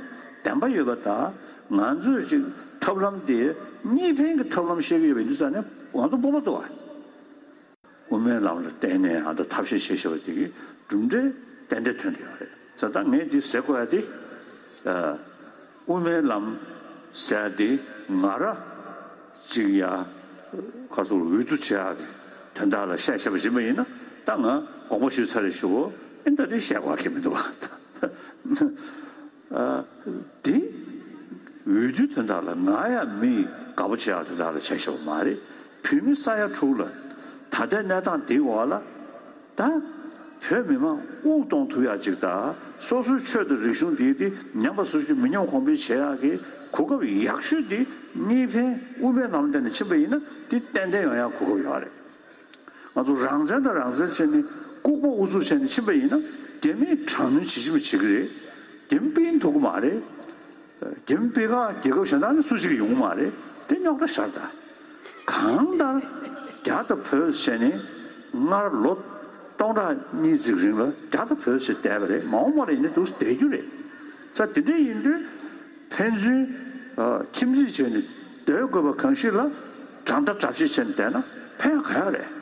བདེན་པ་ཡོད་པ་དང་ང་ཚོས་ཅིག་ཐབས་ལམ་དེ་གཉིས་ཕན་གྱི་ཐབས་ལམ་བཤད་ཀྱི་ཡོད་པ་ཡིན་དུས་ཙང་ནས་ང་ཚོ་སྤོབས་པ་འདུག་བ། དབུ་མའི་ལམ་ལ་བརྟེན་ནས་ཨ་ད་ཐབས་ཤེས་བྱེད་ཤེས་པ་དེ་གི་གྲུབ་འབྲས་ཏན་ཏན་ཐོན་གྱི་ཡོད་རེད། ས་ད་ངས་འདི་ཟེར་དགོས་ཡ་དེ། དབུ་མའི་ལམ་ཟེར་ཡ་དེ་ང་ར་ཅིག་ཡ་ཁ་སོར་འོས་བསྡུ་བྱེད་ཡ་གི་དོན་དག་ལ་བཤད་བཤད་པ་ཡིན་པ་ཡིན་ན་ད་ང་དགོངས་པ་ཞུས་ཚར་རེད་ཞུ་གོ་ཨེ་ད་དེ་བཤད་དགོས་ཡ་གི་མི་འདུག་བ། དེ་འོས་བསྡུའི་དོན་དག་ལ་ང་ཡང་མི་དགའ་པོ་བྱེད་ཡག་དོན་དག་ལ་བྱས་བཞག་པ་མ་རེད། བོད་མི་ས་ཡ་དྲུག་ལ་ད་ལྟའི་གནས་སྟངས་འདིའི་འོག་ལ་ ད་བོད་མི་མང་དབུགས་གཏོང་ཐུབ་ཡག་ཅིག་དང་། སོ་སོའི་ཆོས་དང་རིག་གཞུང་དེ་དེ་ཉམས་པ་སོར་ཆུད་མི་ཉམས་གོང་འཕེལ་བྱེད་ཡག་གི་གོ་སྐབས་ཡག་ཤོས་དེ་གཉིས་ཕན་དབུ་མའི་ལམ་བསྟན་ནས་ཕྱིན་པ་ཡིན་ན། དེ་ཏན་ཏན་ཡོང་ཡག་གོ་སྐབས་ཡོད་རེད། ང་ཚོ་རང་བཙན་དང་རང་བཙན་བྱས་ནས་ལྐུགས་པ་ཨུ་ཚུགས་བྱས་ནས་ཕྱིན་པ་ཡིན་ན། རྒྱ་མིས་དྲག་གནོན་ཇི་བྱེད་མི་བྱེད་ཀྱི་རེད། རྒྱ་མི་སྤེལ་ཐུབ་ཀྱི་མ་རེད། རྒྱ་མི་སྤེལ་ཁག་རྒྱལ་ཁབ་གཞན་དག་ནས་སུ་ཞིག་ཡོང་གི་མ་རེད། དེ་རྙོག་དྲ་ཤར་ཚར། གང་ལྟར་རྒྱ་དང་བོད་བྱས་ནས་སྔར་ལོ་སྟོང་ཕྲག་གཉིས་ཙམ་རིང་ལ་རྒྱ་དང་བོད་ཞེས་བསྡད་པ་རེད། མ་འོངས་པ་ལ་ཡིན་ན་འདུག་བསྡད་རྒྱུ་རེད། ས་དེ་འདྲ་ཡིན་དུས་ཕན་ཚུན་ཨ་ཁྱིམ་མཚེས་བྱས་ནས་སྡོད་དགོས་པ་གང་ཞིག་ལ་དགྲ་ཟླ་དགྲ་བྱེད་བྱས་ནས་བསྡད་ན་ཕན་ག་ཡག་རེད།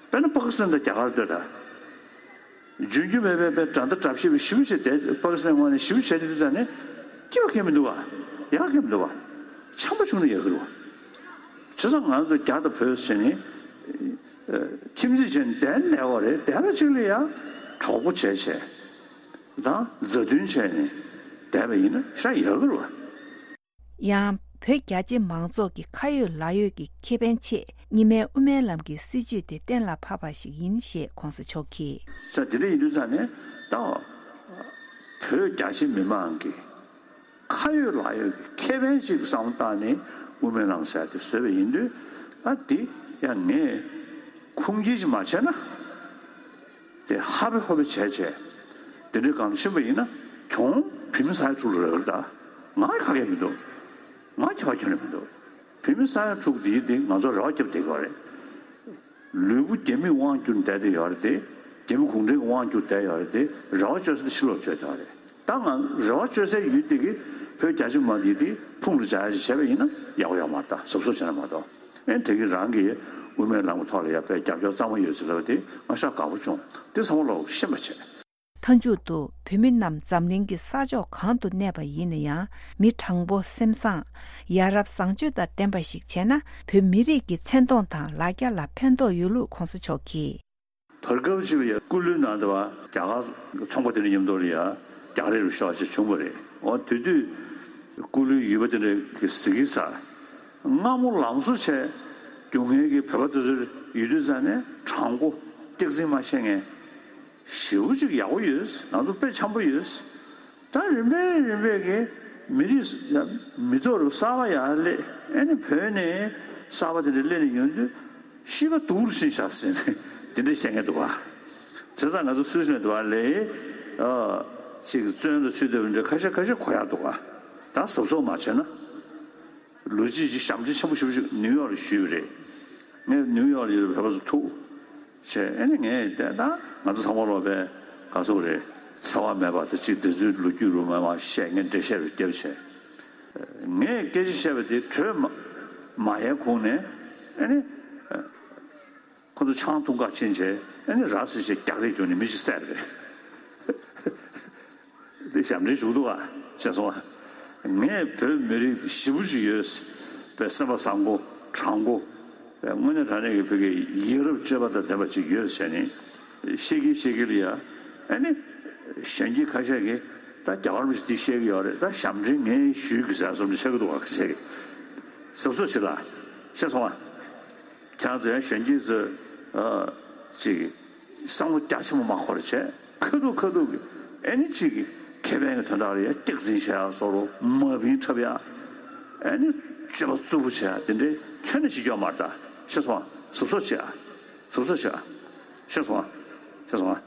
དཔེར་ན་པ་ཀི་སི་ཐན་དང་རྒྱ་གར་ལྟོས་དང་། རྒྱུན་རྒྱུ་མེད་པའི་དཔེ་དགྲ་ཟླ་དགྲ་བཤེས་པའི་ཞི་བ་བྱས་བསྡད། པ་ཀི་སི་ཐན་ངོས་ནས་ཞི་བ་བྱས་དུས་ཙང་ནས་སྐྱིད་པ་གང་མི་འདུག་བ། ཡག་གང་མི་འདུག་བ། འཆམ་པོ་བྱུང་ན་ཡག་གི་རེད་བ། བྱས་ཙང་ང་ཚོ་རྒྱ་དང་བོད་ཟེར་ནས་ཁྱིམ་མཚེས་བྱས་ནས་བསྡད་བསྡད་པ་རེད། བསྡད་པ་གཅིག་ལ་ཡང་གྲོགས་པོ་བྱས་བྱས་དང་མཛའ་མཐུན་བྱས་ནས་བསྡད་པ་ཡིན་ན་ཤ་ཡག་གི་རེད་བ། ཡང་བོད་རྒྱ་ཆེ་མང་ཚོགས་ཀྱི་ཁ་ཡོད་ལག་ཡོད་ཀྱི་ཁེ་ཕན་ཆེད་རྙིང་མའི་དབུ་མའི་ལམ་གྱི་སྲིད་བྱུས་དེ་གཏན་ལ་ཕབ་པ་ཞིག་ཡིན་ཞེས་གོང་ས་མཆོག་གིས། ས་དེ་འདྲ་ཡིན་དུས་ཙང་ནས་ད་བོད་རྒྱ་ཆེ་མི་མང་གི་ཁ་ཡོད་ལག་ཡོད་ཀྱི་ཁེ་ཕན་ཅིག་བསམ་བློ་བཏང་ནས་དབུ་མའི་ལམ་ཟེར་དེ་བཟོས་པ་ཡིན་དུས། ཨ་དེ་ཡང་ངས་ཁུངས་སྐྱེལ་ཅིག་མ་བྱས་ན། དེ་ཧ་པེ་ཧོ་པེ་བྱས་བྱས་དེ་འདྲའི་སྒང་ཕྱིན་པ་ཡིན་ན་གྱོང་བོད་མི་ས་ཡ་དྲུག་ལ་རག་གི་རེད། ད་ང་ཁ་གས་མི་འདུག་ང་ཁྱད་པར་ཁྱོན་ནས་མི་འདུག་བོད་མི་ས་ཡ་དྲུག་འདིའི་དེ་ང་ཚོ་རེ་བ་བརྒྱབ་བསྡད་ཀྱི་ཡོད་རེད། ལུས་པོ་རྒྱ་མིས་དབང་བསྒྱུར་བསྡད་དེ་ཡོད་རེད་དེ། རྒྱ་མི་གུང་ཁྲན་གྱིས་དབང་བསྒྱུར་བསྡད་ཡོད་རེད་དེ། རེ་བ་བཅོལ་ས་དེ་ཕྱི་ལོགས་བཅོལ་བསྡད་ཡོད་རེད། ད་ང་རེ་བ་བཅོལ་སའི་ཡུལ་དེ་གི་བོད་རྒྱ་ཆེ་མ་འདི་དེ་ཕུང་དུ་བྱ་ཡ་ཞིག་བྱས་པ་ཡིན་ན་ཡག་པོ་ཡོད་མ་རེད། ད་གཟབ་གཟབ་བྱས་ན་མ་གཏོགས། ཨེ་དེ་གི་རང་གི་དབུ་མའི་ལམ་གྱི་ཐོག་ལ་ཡ་དཔེ་རྒྱབ་སྐྱོར་གཙང་མ་ཡོད་ཟེར་ལབ་པ་དེ་ང་ཤ་དགའ་པོ་བྱུང་། དེ་ཚང་མ་ལོག་ཤེས་པ་བྱས། མཐའ་མཇུག་ཏུ་བོད་མི་རྣམས་འཛམ་གླིང་གི་ས་ཕྱོགས་གང་དུ་གནས་པ་ཡིན་ན་ཡང་མི་དྲང་པོ་སེམས་བཟང་། ཡ་རབས་བཟང་སྤྱོད་དང་ལྡན་པ་ཞིག་བྱས་ན་བོད་མི་རིགས་ཀྱི་མཚན་མཐོང་དང་ལ་རྒྱ་ལ་ཕན་ཐོགས་ཡོད་ལུགས་གོང་ས་མཆོག་གིས། བར་སྐབས་ཅིག་ལ་ཡ་སྐུ་ལུས་ནང་དུ་བ་རྒྱ་གར་ཚོང་པ་དེ་འདྲ་མཉམ་དུ་ལ་ཡ་རྒྱ་རིགས་རུ་ཤོག་ཅིག་བྱུང་བ་རེད། འོ་དེ་དུས་སྐུ་ལུས་ཡུལ་པ་དེ་འདྲ་གི་གཟིགས་ས་སྔ་མོ་ལམ་བཟོ་བྱས་རྒྱུ་ངན་གྱི་བོད་པ་དེ་ཚོ་ཡོད་དུས་ཙང་ནས་དྲང་པོ་སྟེགས་འཛིན་མ་བྱས་ངས། ཞེ་པོ་ཅིག་ཡག་པོ་ཡོད། ང་ཚོ་དཔེ་འཆམ་པོ་ཡོད། ད་རིམ་པས་རིམ་པས་ཀྱི་མི་རིགས་མི་ཐོག་རུ་གསར་པ་ཡར་སླེབས། ཨ་ནི་བོད་ནས་གསར་པ་དེ་འདྲ་སླེབས་ནས་ཡོང་དུས་ཤི་ཁ་སྡུག་རུ་ཕྱིན་ཤག་ཟེར་ནས་དེ་འདྲ་བཤད་མཁན་འདུག་བ། བྱས་ཙང་ང་ཚོ་སུད་སི་ནས་འདུག་བ་ལས་ཨ་ཅིག་བཙོན་དུ་ཚུད་བསྡད་པ་འདྲ་ཁ་ཤས་ཁ་ཤས་གོ་ཡག་འདུག་བ། ད་གཟབ་གཟབ་མ་བྱས་ན། ལོ་གཅིག་ཅིག་ཞབས་འདྲེན་ཆེན་པོ་ཞེ་པོ་ཅིག་ནིའུ་ཡོག་ལ་ཞུས་པ་རེད། ངས་ནིའུ་ཡོག་ལ་ཡོད་པའི་བོད་པ་ཚོ་ཐུག་བྱས། ཨ་ནི་ངས་བལྟས་ན་ང་ཚོ་ཚང་མ་ལོག་པའི་ག་ཚོད་རེད། འཚེ་བ་མེད་པ་དང་གཅིག་དེ་ཚོའི་ལོ་རྒྱུས་རུ་མ་མ་བཤད། ངས་འགྲེལ་བཤད་རུ་བརྒྱབ་བྱས། ངས་སྐད་ཆ་བཤད་པ་དེ་གྲོས་མ་མ་ཡལ་གོང་ནས་ཨ་ནི། ཁོ་ཚོ་ཆང་འཐུང་ག་ཕྱིན་བྱས་ཨ་ནི་ར་བཟི་བྱས་རྒྱག་རེས་བྱུང་ནས་མི་ཞིག་བསད་རེད། དེ་ཞབས་འདྲེན་ཞུགས་འདུག་ག་ཤེས་སོང་ཨ། ངས་བོད་མི་རིགས་ཞེ་པོ་ཅིག་ཡོད་པའི་སེམས་པ་བཟང་པོ་དྲང་པོ། དངོས་གནས་དྲང་གནས་ཀྱི་བོད་ཀྱི་ཡ་རབས་སྤྱོད་པ་དང་ལྡན་པ་ཅིག་ཡོད་བྱས་ནས་བཤད་ཀྱི་བཤད་ཀྱི་ལ་ཡ། ཨ་ནི་གཞོན་སྐྱེས་ཁ་ཤས་ཀྱིས་ད་རྒྱ་གར་མི་ཞིག་འདི་བཤད་ཀྱི་ཡོད་རེད། ད་ཞབས་འདྲེན་ངས་ཞུས་ཀྱི་ཟེར་བསམ་ནས་བཤད་ཀྱི་འདུག་ག་ཁ་ཤས་ཀྱིས། གཟབ་གཟབ་བྱེད་ད། ཤེས་སོང་ཨ། ཁྱེད་རང་ཚོ་ཡང་གཞོན་སྐྱེས་ཚོས་ཨ་ཅིག་བསམ་བློ་རྒྱ་ཆེན་པོ་མ་འཁོར་བྱས། ཁ་ཐུག་ཁ་ཐུག་གི་ཨ་ནི་ཅིག་གི་ཁེ་ཕན་གྱི་དོན་དག་ལ་ཡ་སྟེགས་འཛིན་བྱེད་ཡ་བཟོ་འདྲ། མ་བིན་འཁྲབ་ཡ། ཨ་ནི་སྤྱོད་པ་རྩུབ་པོ་བྱེད་ཡ་དེ་འདྲའི་ཁྱོན་ནས་བྱེད་རྒྱུ་མ་རེད་ད། ཤེས་སོང་ཨ། གཟབ་གཟབ་བྱེད་ཨ། གཟབ་གཟབ་བྱེད་ཨ། ཤེས་སོང་ཨ། ཤེས་སོང་ཨ།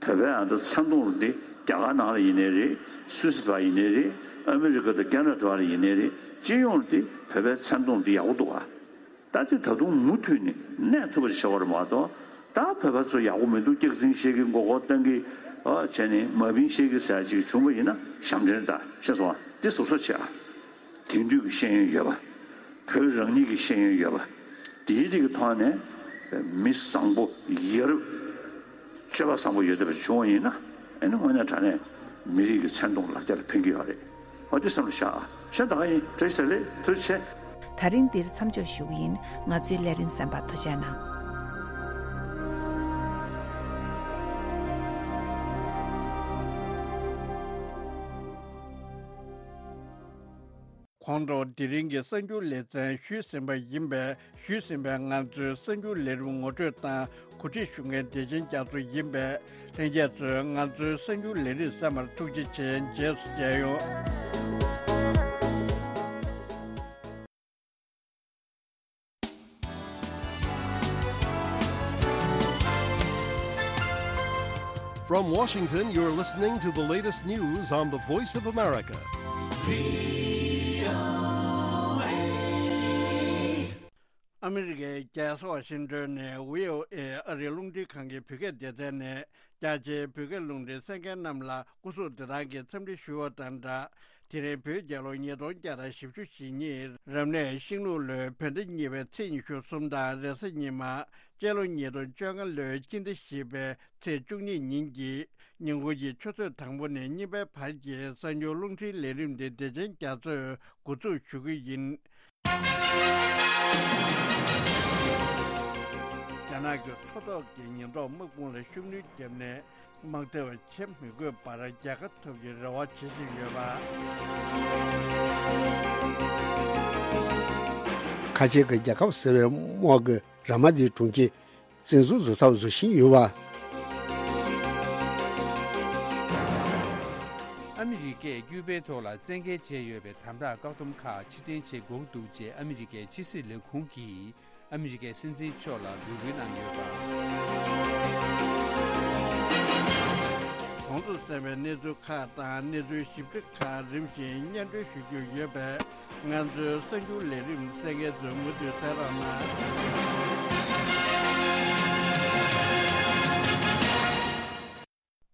བོད་པའི་ཨ་ད་མཚན་མཐོང་འདི་རྒྱ་གར་ནང་ལ་ཡིན་ནའི་རེད། སུད་སི་བ་ཡིན་ནའི་རེད། ཨ་མི་རི་ཀ་དང་ཁེ་ན་ཌ་བ་ལ་ཡིན་ནའི་རེད། སྤྱི་ཡོངས་འདི་བོད་པའི་མཚན་མཐོང་འདི་ཡག་པོ་འདུག་ག། ད་དེ་ད་དུང་མུ་མཐུད་ནས་གནས་ཐུབ་པ་ཞིག་བྱ་བ་རེད་མ་གཏོགས། ད་བོད་པ་ཚོ་ཡག་པོ་མི་འདུག། སྐྱག་རྫུན་བཤད་ཀྱི་མགོ་སྐོར་བཏང་གི་ཨ་བྱས་ནས་མ་བིན་བཤད་ཀྱི་ཟེར་ཅིག་བྱུང་བ་ཡིན་ན་ཞབས་འདྲེན་ད། ཤེས་སོང་ཨ། འདི་གཟབ་གཟབ་བྱེད་ཨ། དེང་དུས་ཀྱི་ཤེས་ཡོན་ཡོད་པ། བོད་རང་ཉིད་ཀྱི་ཤེས་ཡོན་ཡོད་པ། དེའི་རིགས་ཀྱི་ཐོག་ནས་མི་བཟང་པོ་ཡ་རབས་སྤྱོད་པ་བཟང་པོ་ཡོད་བསྡད་པ་བྱུང་བ་ཡིན་ན། ཨ་ནི་དངོས་གནས་དྲང་གནས་མི་རིགས་ཀྱི་མཚན་མཐོང་ལ་རྒྱ་ལ་ཕན་གྱི་ཡོད་རེད། འོ་དེ་བསམ་བློ་བཞག་ཨ། གཞན་ད་ག་ཡིན། བཀྲ་ཤིས་བདེ་ལེགས། ཐུགས་རྗེ་ཆེ། ད་རིང་འདིར་མཚམས་འཇོག་ཞུ་གི་ཡིན། ང་ཚོའི་ལས་རིམ་གསན་པར་ཐུགས་རྗེ་གནང་། གོང་དུ་དེ་རིང་གི་གསར་འགྱུར་ལེ་ཚན་ཞུས་ཟིན་པ་ཡིན་པས། ཞུས་ཟིན་པའི་ང་ཚོའི་གསར་འགྱུར་ལས་རིམ་ངོ་སྤྲོད་དང་གོ་སྒྲིག་ཞུ་མཁན་བདེ་ཆེན་རྒྱ་མཚོ་ཡིན་པས། ལྷན་རྒྱས་ཚོས་ང་ཚོའི་གསར་འགྱུར་ལས་རིམ་གསན་པར་ཐུགས་རྗེ་ཆེ། རྗེས་སུ་མཇལ་ཡོང་། From Washington, you're listening to the latest news on the Voice of America. ཨ་མི་རི་ཀའི་རྒྱལ་ས་ཝ་ཤིང་ཏོན་ནས་ཝི་ཨོ་ཨེ་ཨ་རིའི་རླུང་འཕྲིན་ཁང་གི་བོད་སྐད་སྡེ་ཚན་ནས། རྒྱ་ཆེའི་བོད་སྐད་རླུང་འཕྲིན་གསན་མཁན་རྣམས་ལ་སྐུ་གཟུགས་བདེ་ཐང་གི་འཚམས་འདྲི་ཞུ་བ་དང་སྦྲགས། དེ་རིང་བོད་རྒྱལ་ལོ་ཉིས་སྟོང་བརྒྱ་དང་བཞི་བཅུ་ཞེ་གཉིས། རབ་གནས་ཤིང་ལུག་ལོའི་བོད་ཟླ་གཉིས་པའི་ཚེས་ཉི་ཤུ་གསུམ་དང་རེས་གཟའ་ཉི་མ། སྤྱི་ལོ་ཉིས་སྟོང་བཅོ་ལྔ་ལོའི་སྤྱི་ཟླ་བཞི་པའི་ཚེས་བཅུ་གཉིས་ཉིན་གྱི་ཉིན་གུང་གི་ཆུ་ཚོད་དང་པོ་ནས་གཉིས་པའི་བར་གྱི་གསར་འགྱུར་རླུང་འཕྲིན་ལས་རིམ་འདི་བདེ་ཆེན་རྒྱ་མཚོས་འགོ་འཛུགས་ཞུ་གི་ཡིན། རྒྱ་ནག་གི་མཚོ་ཐོག་གི་ཉེན་རྟོག་དམག་དཔུང་ལ་ཤུགས་སྣོན་བརྒྱབ་ནས། དམག་འཐབ་བྱེད་མི་དགོས་པར་རྒྱལ་ཁ་ཐོབ་རྒྱུའི་རེ་བ་བྱེད་བཞིན་ཡོད་པ། ཁ་ཆེ་གི་རྒྱལ་ཁབ་ཟེར་བའི་དམག་གི་ར་མ་དེའི་གྲོང་ཁྱེར་བཙན་འཛུལ་བཟོ་ཐབས་བཟོ་བཞིན་ཡོད་པ། ཨ་མི་རི་ཀས་ཀྱུ་པའི་ཐོག་ལ་བཙན་འགེལ་བྱས་ཡོད་པའི་དམ་དྲག་བཀག་སྡོམ་ཁག་ཕྱིར་འཐེན་བྱེད་དགོས་འདུག་ཅེས་ཨ་མི་རི་ཀའི་ཕྱི་སྲིད་ལས་ཁུངས་ཀྱིས། ཨ་མི་རི་ཀའི་སྲིད་འཛིན་མཆོག་ལ་འབོད་སྐུལ་གནང་ཡོད་པ། གོང་དུ་གསན་པའི་གནས་ཚུལ་ཁག་དང་གནས་ཚུལ་ཞིབ་ཕྲ་ཁག་རིམ་བཞིན་སྙན་སྒྲོན་ཞུ་རྒྱུ་ཡོད་པས། ང་ཚོའི་གསར་འགྱུར་ལས་རིམ་གསན་མཁན་ཚོས་མུ་མཐུད་གསན་རོགས་གནང་།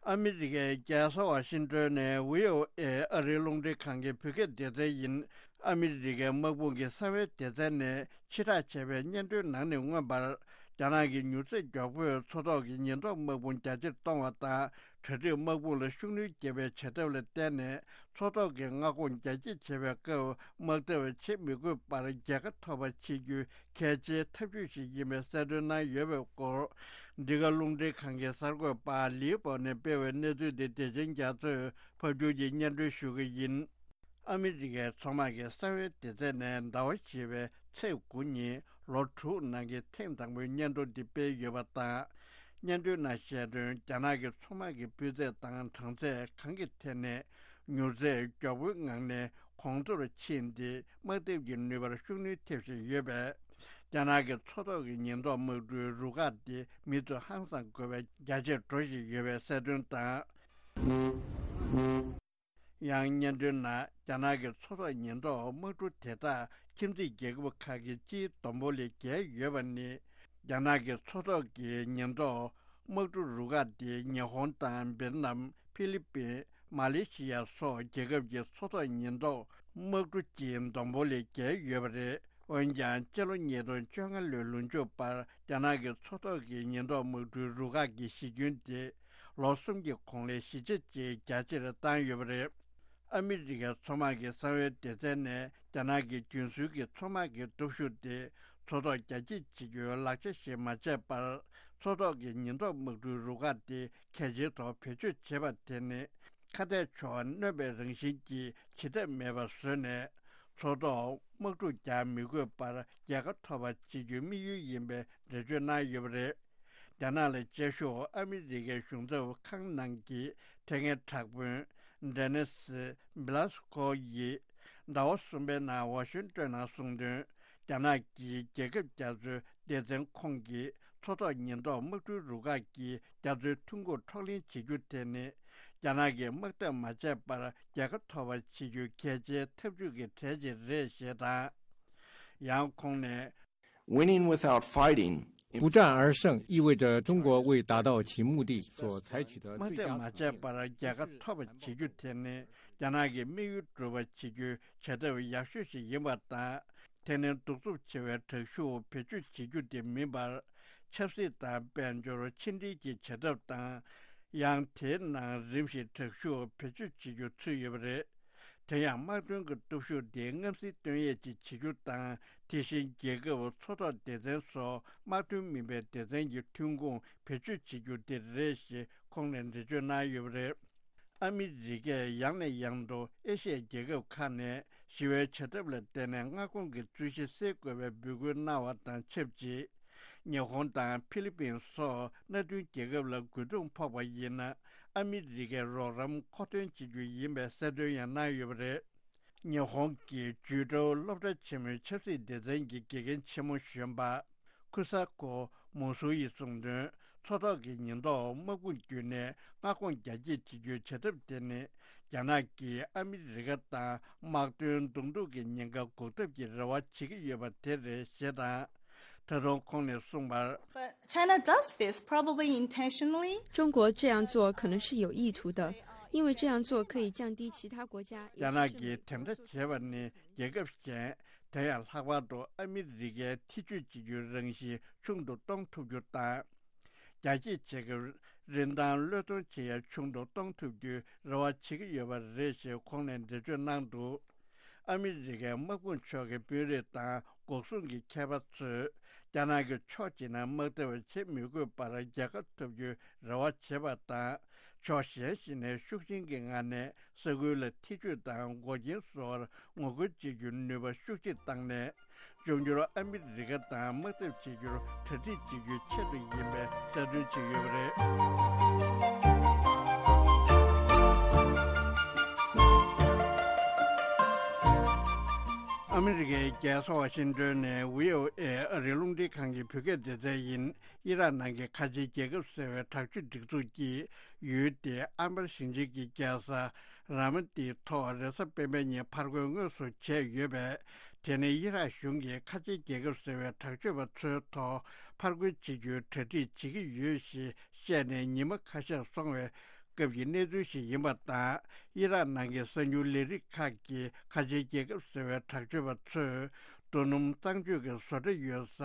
ཨ་མི་རི་ཀའི་རྒྱལ་ས་ཝ་ཤིང་ཏོན་ནས་ཝི་ཨོ་ཨེ་ཨ་རིའི་རླུང་འཕྲིན་ཁང་གི་བོད་སྐད་སྡེ་ཚན་ཡིན། ཨ་མི་རི་ཀའི་དམག་དཔུང་གི་གསང་བའི་སྡེ་ཚན་ནས་ཕྱིར་བསྒྲགས་བྱས་པའི་སྙན་ཐོའི་ནང་ནས་མངོན་པར། རྒྱ་ནག་གི་མྱུར་ཚད་མགྱོགས་པོས་མཚོ་ཐོག་གི་ཉེན་རྟོག་དམག་དཔུང་རྒྱ་ཆེར་གཏོང་བ་དང་། གྲ་སྒྲིག་དམག་དཔུང་ལ་ཤུགས་སྣོན་བརྒྱབ་པའི་བྱ་ཐབས་ལ་བརྟེན་ནས། མཚོ་ཐོག་གི་མངའ་ཁོངས་རྒྱ་སྐྱེད་བྱེད་པའི་སྐབས། དམག་འཐབ་བྱེད་མི་དགོས་པར་རྒྱལ་ཁ་ཐོབ་པ་བྱེད་རྒྱུའི་གལ་ཆེའི་ཐབས་ཇུས་ཤིག་ཡིན་པའི་གསལ་སྟོན་གནང་ཡོད་པའི་སྐོར། འདི་ག་རླུང་འཕྲིན་ཁང་གི་གསར་འགོད་པ་ལིའུ་པོ་ནས་སྤེལ་བའི་གནས་ཚུལ་འདི་བདེ་ཆེན་རྒྱ་མཚོས་ཕབ་སྒྱུར་གྱིས་སྙན་སྒྲོན་ཞུ་གི་ཡིན། ཨ་མི་རི་ཀའི་མཚོ་དམག་གི་གསང་བའི་སྡེ་ཚན་ནས་ཟླ་བ་བཞི་པའི་ཚེས་དགུ་ཉིན་ལོ་དྲུག་ནང་གི་ཐེངས་དང་པོའི་སྙན་ཐོ་འདི་སྤེལ་ཡོད་པ་དང་། སྙན་ཐོའི་ནང་བཤད་དོན། རྒྱ་ནག་གི་མཚོ་དམག་གི་སྤུས་ཚད་དང་གྲངས་ཚད་གང་གི་ཐད་ནས་མྱུར་ཚད་མགྱོགས་པོའི་ངང་ནས་གོང་མཐོར་ཕྱིན་ཏེ། དམག་འཐབ་ཀྱི་ནུས་པར་ཤུགས་སྣོན་ཐེབས་བཞིན་ཡོད་པས། རྒྱ་ནག་གི་མཚོ་ཐོག་གི་ཉེན་རྟོག་དམག་གྲུའི་རུ་ཁག་དེ་མུ་མཐུད་ཧང་སང་དགོས་པ་རྒྱ་ཆེར་འགྲོ་བཞིན་ཡོད་པའི་གསལ་སྟོན་དང་། ཡང་སྙན་ཐོའི་ནང་། རྒྱ་ནག་གི་མཚོ་ཐོག་ཉེན་རྟོག་དམག་གྲུ་དེ་དག་ཁྱིམ་མཚེས་རྒྱལ་ཁབ་ཁག་གི་སྤྱིའི་བསྡོམས་པོ་ལས་བརྒལ་ཡོད་པ་ནི། རྒྱ་ནག་གི་མཚོ་ཐོག་གི་ཉེན་རྟོག་དམག་གྲུ་རུ་ཁག་དེ་ཉི་ཧོང་དང་། བེད་ནམ། ཧྥི་ལི་པིན། མ་ལེ་ཤི་ཡ་སོགས་རྒྱལ་ཁབ་ཀྱི་མཚོ་ཐོག་ཉེན་རྟོག་དམག་གྲུ་སྤྱིའི་བསྡོམས་པོ་ལས་བརྒལ་ཡོད་པ་རེད། འོན་ཀྱང་། སྤྱི་ལོ་ཉིས་སྟོང་བཅོ་ལྔ་ལོའི་ལོ་མཇུག་བར། རྒྱ་ནག་གི་མཚོ་ཐོག་གི་ཉེན་རྟོག་དམག་གྲུའི་རུ་ཁག་གི་གཞི་ཁྱོན་དེ་ལོ་གསུམ་གྱི་གོང་ལས་བཞི་ཆ་གཅིག་རྒྱ་ཆེར་བཏང་ཡོད་པ་རེད། ཨ་མི་རི་ཀའི་མཚོ་དམག་གི་གསང་བའི་སྡེ་ཚན་ནས། རྒྱ་ནག་གི་རྒྱུན་སྲོལ་གྱི་མཚོ་དམག་གི་སྟོབས་ཤུགས་དེ་མཚོ་ཐོག་རྒྱ་སྐྱེད་བྱེད་རྒྱུའི་ལག་ཆ་ཞིག་མ་བྱས་པར། མཚོ་ཐོག་གི་ཉེན་རྟོག་དམག་གྲུའི་རུ་ཁག་དེ་གལ་ཆེའི་ཐོག་བེད་སྤྱོད་བྱེད་པ་དེ་ནི། ཁ་གཏད་ཕྱོགས་གནོན་པའི་རང་བཞིན་གྱིས་བྱེད་ཐབས་མེད་པ་བཟོས་ནས། མཚོ་ཐོག་དམག་འཁྲུག་རྒྱག་མི་དགོས་པར་རྒྱལ་ཁ་ཐོབ་པ་བྱེད་རྒྱུའི་དམིགས་ཡུལ་ཡིན་པའི་འགྲེལ་བརྗོད་གནང་ཡོད་པ་རེད། རྒྱ་ནག་ལ་དཔྱད་ཞུགས་ཨ་མི་རི་ཀའི་གཞུང་ཚབ་ཁང་ནང་གི་ཐད་མཁན་དྲག་དཔོན་ཌེ་ནེ་སི་བྷི་ལ་སི་ཀོ་ཡིས་ཟླ་བ་གསུམ་པའི་ནང་ཝ་ཤིང་ཏོན་ནང་གསུངས་དོན། རྒྱ་ནག་གིས་རྒྱལ་ཁབ་རྒྱ་མཚོའི་སྡེ་ཚན་ཁོངས་ཀྱི་མཚོ་ཐོག་ཉེན་རྟོག་དམག་གྲུའི་རུ་ཁག་གིས་རྒྱ་མཚོའི་ཐོན་ཁུངས་འཕྲོག་ལེན་བྱེད་རྒྱུ་དེ་ནི། རྒྱ་ནག་གིས་དམག་འཐབ་མ་བྱས་པར་རྒྱལ་ཁ་ཐོབ་པ་བྱེད་རྒྱུའི་གལ་ཆེའི་ཐབས་ཇུས་ཀྱི་གྲས་ཤིག་རེད་ཞེས་དང་། ཡང་ཁོང་ནས། Winning without fighting. 不战而胜意味着中国为达到其目的所采取的最佳策略。 དམག་འཐབ་མ་བྱས་པར་རྒྱལ་ཁ་ཐོབ་པ་བྱེད་རྒྱུ་དེ་ནི། རྒྱ་ནག་གི་དམིགས་ཡུལ་འགྲུབ་པ་བྱེད་རྒྱུའི་བྱ་ཐབས་ཡག་ཤོས་ཤིག་ཡིན་པ་དང་། དེ་ནི་གདུག་རྩུབ་ཆེ་བའི་དྲག་ཤུགས་བེད་སྤྱོད་བྱེད་རྒྱུ་དེ་མིན་པར། ཆབ་སྲིད་དང་དཔལ་འབྱོར་ཕྱི་འབྲེལ་གྱི་བྱ་ཐབས་དང་། ཡང་དེའི་ནང་རིམ་བཞིན་དྲག་ཤུགས་བེད་སྤྱོད་བྱེད་རྒྱུ་ཚུད་ཡོད་པ་རེད། དེ་ཡང་། དམག་དོན་གྱི་སྟོབས་ཤུགས་དེ་མངའ་སྲིད་དོན་གཡས་ཀྱི་བྱེད་རྒྱུ་དང་། དེ་བཞིན་རྒྱལ་ཁབ། མཚོ་ཐོག་སྡེ་ཚན་སོགས་དམག་དོན་མིན་པའི་སྡེ་ཚན་གྱི་ཐོན་ཁུངས་བེད་སྤྱོད་བྱེད་རྒྱུ་དེ་རེད་ཞེས་ཁོང་ནས་འགྲེལ་བརྗོད་གནང་ཡོད་པ་རེད། ཨ་མི་རི་ཀས་ཡང་ནས་ཡང་དུ་ཨེ་ཤི་ཡའི་རྒྱལ་ཁབ་ཁག་ནས་ ཞི་བའི་བྱ་ཐབས་ལ་བརྟེན་ནས་མངའ་ཁོངས་ཀྱི་རྩོད་གཞི་སེལ་དགོས་པའི་འབོད་སྐུལ་གནང་བ་དང་ཆབས་ཅིག་ཉི་ཧོང་དང་ཕི་ལི་པིན་སོགས་མནའ་མཐུན་རྒྱལ་ཁབ་ལ་རྒོལ་རྡུང་ཕོག་པ་ཡིན་ན། ཨ་མི་རི་ཀའི་རོགས་རམ་མཁོ་འདོན་བྱེད་རྒྱུ་ཡིན་པའི་གསལ་སྟོན་ཡང་གནང་ཡོད་པ་རེད། ཉི་ཧོང་གི་ཇུའུ་ཀྲོའུ་སློབ་གྲྭ་ཆེན་མོའི་ཆབ་སྲིད་སྡེ་ཚན་གྱི་དགེ་རྒན་ཆེན་མོ་གཞོན་པ་ཁུ་ས་ཁོ་མུ་སུ་ཡིས་གསུངས་དོན། མཚོ་ཐོག་གི་ཉེན་རྟོག་དམག་དཔུང་བརྒྱུད་ནས་མངའ་ཁོངས་རྒྱ་སྐྱེད་བྱེད་རྒྱུའི་བྱ་ཐབས་དེ་ནི། རྒྱ་ནག་གིས་ཨ་མི་རི་ཀ་དང་དམག་དོན་གདོང་ཐུག་གི་ཉེན་ཁ་འགོག་ཐབས་ཀྱི་རེ་བ་བྱེད་ཀྱི་ཡོད་པ་དེ་རེད་ཞེས་དང་། ད་དུང་ཁོང་ནས་གསུངས་པར། But China does this probably intentionally. 中国这样做可能是有意图的，因为这样做可以降低其他国家，也是证明 རྒྱ་ནག་གིས་དེ་འདྲ་བྱས་པ་ནི་རྒྱལ་ཁབ་གཞན། དེ་ཡང་ལྷག་པར་དུ་ཨ་མི་རི་ཀའི་ཐེ་བྱུས་བྱེད་རྒྱུའི་རང་བཞིན་ཆུང་དུ་གཏོང་ཐུབ་རྒྱུ་དང་། རྒྱ་སྐྱེད་བྱེད་སྐབས་རིན་ཐང་བློས་གཏོང་བྱེད་ཡ་ཆུང་དུ་གཏོང་ཐུབ་རྒྱུའི་རེ་བ་བྱེད་ཀྱི་ཡོད་པ་རེད་ཞེས་ཁོང་ནས་འགྲེལ་བརྗོད་གནང་འདུག་ཨ་མི་རི་ཀའི་དམག་དཔུང་ཕྱོགས་ཀྱི་དཔོན་རིགས་དང་འགོག་སྲུང་གི་མཁས་པ་ཚོས། རྒྱ་ནག་གི་ཕྱོགས་གཅིག་ནས་དམག་འཐབ་བྱེད་མི་དགོས་པར་རྒྱལ་ཁ་ཐོབ་རྒྱུའི་རེ་བ་བྱེད་པ་དང་། ཕྱོགས་གཞན་ཞིག་ནས་ཤུགས་ཆེན་གྱི་ངང་ནས་ས་ཁུལ་ལ་ཐེ་བྱུས་དང་འགོག་རྐྱེན་བཟོ་བར་ངོ་རྒོལ་བྱེད་རྒྱུའི་ནུས་པ་ཤུགས་ཆེ་བཏང་ནས། འབྱུང་འགྱུར་ཨ་མི་རི་ཀ་དང་དམག་འཐབ་བྱེད་རྒྱུར་གྲ་སྒྲིག་བྱེད་རྒྱུའི་ཆེད་དུ་ཡིན་པའི་གསལ་སྟོན་བྱས་ཡོད་པ་རེད། ཨ་མི་རི་ཀའི་རྒྱལ་ས་ཝ་ཤིང་ཏོན་ནས་བྷི་ཨོ་ཨེ་ཨ་རིའི་རླུང་འཕྲིན་ཁང་གི་བོད་སྐད་སྡེ་ཚན་ཡིན། ཨི་རག་ནང་གི་ཁ་ཆེའི་རྒྱལ་ཁབ་ཟེར་བའི་དྲག་སྤྱོད་སྒྲིག་འཛུགས་ཀྱིས་ཡུལ་དེའི་ཨན་བར་ཞིང་ཆེན་གྱི་རྒྱལ་ས་ར་མ་ཏིའི་ཐོག་རེས་གཟའ་སྤེན་པའི་ཉིན་ཕར་རྒོལ་དངོས་སུ་བྱས་ཡོད་པས། དེ་ནི་ཨི་རག་གཞུང་གིས་ཁ་ཆེའི་རྒྱལ་ཁབ་ཟེར་བའི་དྲག་སྤྱོད་པ་ཚོའི་ཐོག་ཕར་རྒོལ་བྱེད་རྒྱུའི་གྲ་སྒྲིག་བྱེད་ཀྱི་ཡོད་ཞེས་བཤད་ནས་ཉི་མ་ཁ་ཤས་སོང་བའི་སྐབས་ཀྱི་གནས་ཚུལ་ཞིག་ཡིན་པ་དང་། ཨི་རག་ནང་གི་གསར་འགྱུར་ལས་རིགས་ཁག་གིས་ཁ་ཆེའི་རྒྱལ་ཁབ་ཟེར་བའི་དྲག་སྤྱོད་པ་ཚོས་རྡོ་སྣུམ་གཙང་སྤྱོད་ཀྱི་བཟོ་གྲྭ་ཡོད་ས་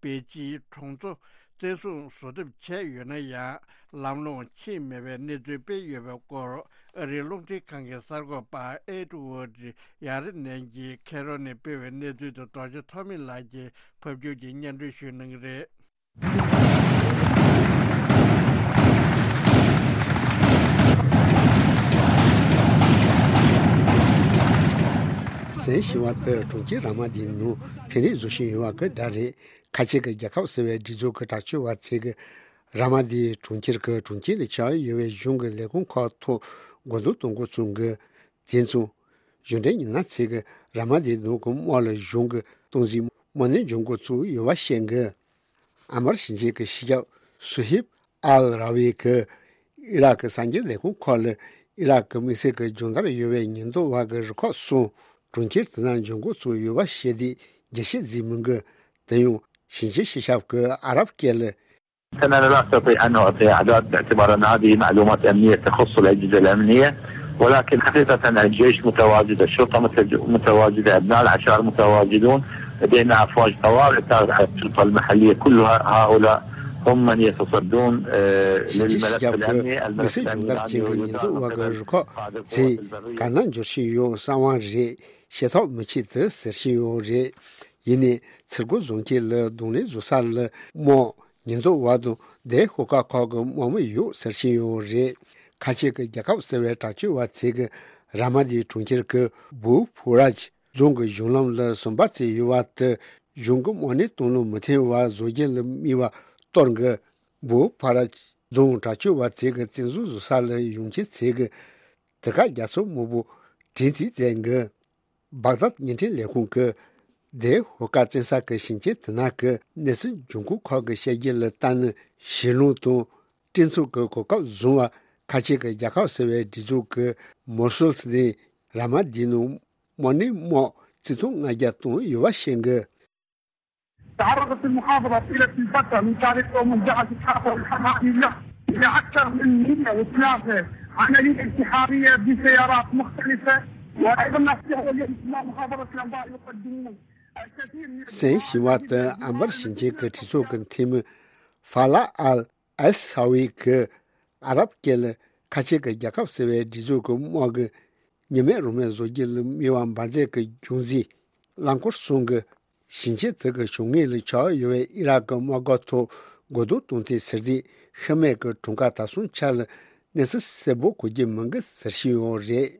པེ་ཅིན་གྲོང་ཚོ་བཙན་བཟུང་བཟོ་ཐབས་བྱས་ཡོད་ན་ཡང་། ལམ་ལྷོང་ཕྱིན་མེད་པའི་གནས་ཚུལ་སྤེལ་ཡོད་པའི་སྐོར། ཨ་རིའི་རླུང་འཕྲིན་ཁང་གི་གསར་འགོད་པ་ཨེ་ཌི་ཝར་ཌི་ཡ་རེ་ནན་གྱིས་ཁེ་རོ་ནས་སྤེལ་བའི་གནས་ཚུལ་དུ་རྡོ་རྗེ་ཐོགས་མེད་ལགས་ཀྱིས་ཕབ་སྒྱུར་གྱིས་སྙན་སྒྲོན་ཞུ་གནང་གི་རེད། གཟན་ཞི་བ་དེ་གྲོང་ཁྱེར་ར་མ་དིའི་ནང་ཕན་རེས་བཟོ་བཞིན་ཡོད་པ་གི་སྒྲ་རེད། ཁ་ཆེ་གི་རྒྱལ་ཁབ་ཟེར་བའི་སྒྲིག་འཛུགས་ཀྱི་དྲག་སྤྱོད་པ་ཚོས་ཀྱི་ར་མ་དིའི་གྲོང་ཁྱེར་གྱི་གྲོང་ཁྱེར་ལ་ཆགས་ཡོད་པའི་གཞུང་གི་ལས་ཁུངས་ཁག་ཐོག་སྒོ་རྡུང་གཏོང་འགོ་བཙུགས་གི། དེ་མཚུངས། གཞུང་འབྲེལ་ཉི་ན་ཚེ་གི་ར་མ་དིའི་ནང་གི་དམག་ལ་གཞུང་གི་གཏོང་འཛིན་དམག་སྣེ་འཇོག་འགོ་བཙུགས་ཡོད་པ་བཤད་གི། ཨན་བར་ཞིང་ཆེན་གྱི་སྤྱི་ཁྱབ་སུ་ཧིབ་ཨལ་ར་བི་གིས་ཨི་རག་གི་གསར་འགྱུར་ལས་ཁུངས་ཁག་ལ་ཨི་རག་གི་དམིགས་བསལ་གྱི་སྦྱོང་བརྡར་ཡོད་པའི་ཉེན་རྟོག་པ་གི་རུ་ཁག་གསུམ་གྲོང་ཁྱེར་དེ་ན་འཇོག་འགོ་བཙུགས་ཡོད་པ་བཤད་དེ་རྒྱས་བཤད་མཛད་མི་འགི། དེ་ཡང་ཞིང་ཆེན་སྤྱི་ཁྱབ་ཀྱིས་ཨ་རབ་སྐད་ལ། أنا لا أستطيع أن أعطي أعداد باعتبار أن هذه معلومات أمنية تخص الأجهزة الأمنية، ولكن حقيقة الجيش متواجد، الشرطة متج-، متواجدة، أبناء العشائر متواجدون، لدينا أفواج طوارئ تابعة للشرطة المحلية، كل هؤلاء هم من يتصدون، آه، ཞིང་ཆེན་སྤྱི་للملف ཁྱབ་ཀྱི་الأمني، الملف དམིགས་བསལ་སྦྱོང་བརྡར་བྱེད་པའི་ཉེན་རྟོག་པ་གི་རུ་ཁག་ཚོས་ག་ན་འབྱོར་བཞིན་ཡོད་གསང་བ་རེད། ཤེས་ཐབས་མི་བྱེད་དེ་ཟེར་བཞིན་ཡོད་རེད། ཡིན་ནའི་ཚུར་རྒོལ་བཟོ་མཁན་ལ་གདོང་ལེན་བཟོ་ས་ལ་དམག་ཉེན་རྟོག་པ་དང་དེ་ཤོག་ཁག་ཁག་གི་དམག་མི་ཡོད་ཟེར་བཞིན་ཡོད་རེད། ཁ་ཆེ་གི་རྒྱལ་ཁབ་ཟེར་བའི་དྲག་སྤྱོད་པ་ཚོས་ཀྱི་ར་མ་དིའི་གྲོང་ཁྱེར་གྱི་བུ་ཕུ་ར་ཇི་རྫོང་གི་གཞུང་ལམ་ལ་ཟམ་པ་བཙུགས་ཡོད་པ་དེ་གཞུང་གི་དམག་སྣེ་གཏོང་ལུགས་མི་མཐུན་པ་བཟོ་རྒྱུ་ལ་དམིགས་པ་གཏོར་གི། བུ་ཕུ་ར་ཇི་རྫོང་དྲག་སྤྱོད་པ་ཚོས་ཀྱི་བཙན་བཟུང་བཟོ་ས་ལ་ཡོང་མཁན་ཚོས་ཀྱི་དེ་ག་རྒྱ་མཚོ་སྨུག་པོ་དྲན་རྩིས་མཛད་གི། སྦག་དཱད་བརྙན་འཕྲིན་ལས་ཁུངས་ཀྱིས་དེ་ཧོ་ཀ་བཙན་ས་ཀྱི་ཞིང་ཆེན་དེ་ན་གི་གནས་ཚུལ་འབྱུང་ཁུངས་ཁག་གི་བཤད་རྒྱུ་ལ་ལྟ་ན། ཞི་ལུང་དང་སྤྲིན་ཚོགས་ཀྱི་གོ་སྐབས་བཟུང་བ་ཁ་ཆེ་གི་རྒྱལ་ཁབ་ཟེར་བའི་སྒྲིག་འཛུགས་ཀྱིས་མོ་སུལ་ནས་ར་མ་དིའི་ནང་དམག་སྣེ་དམག་རྩིས་ཐོ་ལྔ་བརྒྱ་བཏང་ཡོད་པ་བཤད་གི། تعرضت المحافظة طيلة الفترة من تاريخ يوم الجعل إسحاق والحراري له إلى أكثر من مية وثلاثة عملية انتحارية بسيارات مختلفة، وأيضا أسلحة اليوم أبناء محافظة الأنبار يقدمون الكثير من གཟན་ཞི་བ་དེ་ཨན་བར་ཞིང་ཆེན་གྱི་གྲོས་ཚོགས་ཀྱི་འཐུས་མི་ཧྥ་ལ་ཨལ་ཨལ་ས་ཝི་གིས་ཨ་རབ་སྐད་ལ་ཁ་ཆེ་གི་རྒྱལ་ཁབ་ཟེར་བའི་སྒྲིག་འཛུགས་ཀྱི་དམག་གི་ཉི་མེད་རང་མེད་བཟོ་རྒྱུ་ལ་དམིགས་པ་འབར་རྫས་ཀྱི་རྒྱུ་མཚན་རླངས་འཁོར་གསུམ་གྱི་ཞིང་ཆེན་དེ་གི་བྱུང་ངེས་ལ་ཆགས་ཡོད་པའི་ཨི་རག་གི་དམག་སྒར་ཐོག་སྒོ་རྡུང་གཏོང་ཐེངས་ཟེར་དུས་ཤི་རྨས་ཀྱི་གྲངས་ཀ་ད་སོང་ཆ་ལ་གནས་ཚུལ་གསལ་པོ་གོ་རྒྱུ་མིན་གི་ཟེར་བཞིན་ཡོད་རེད།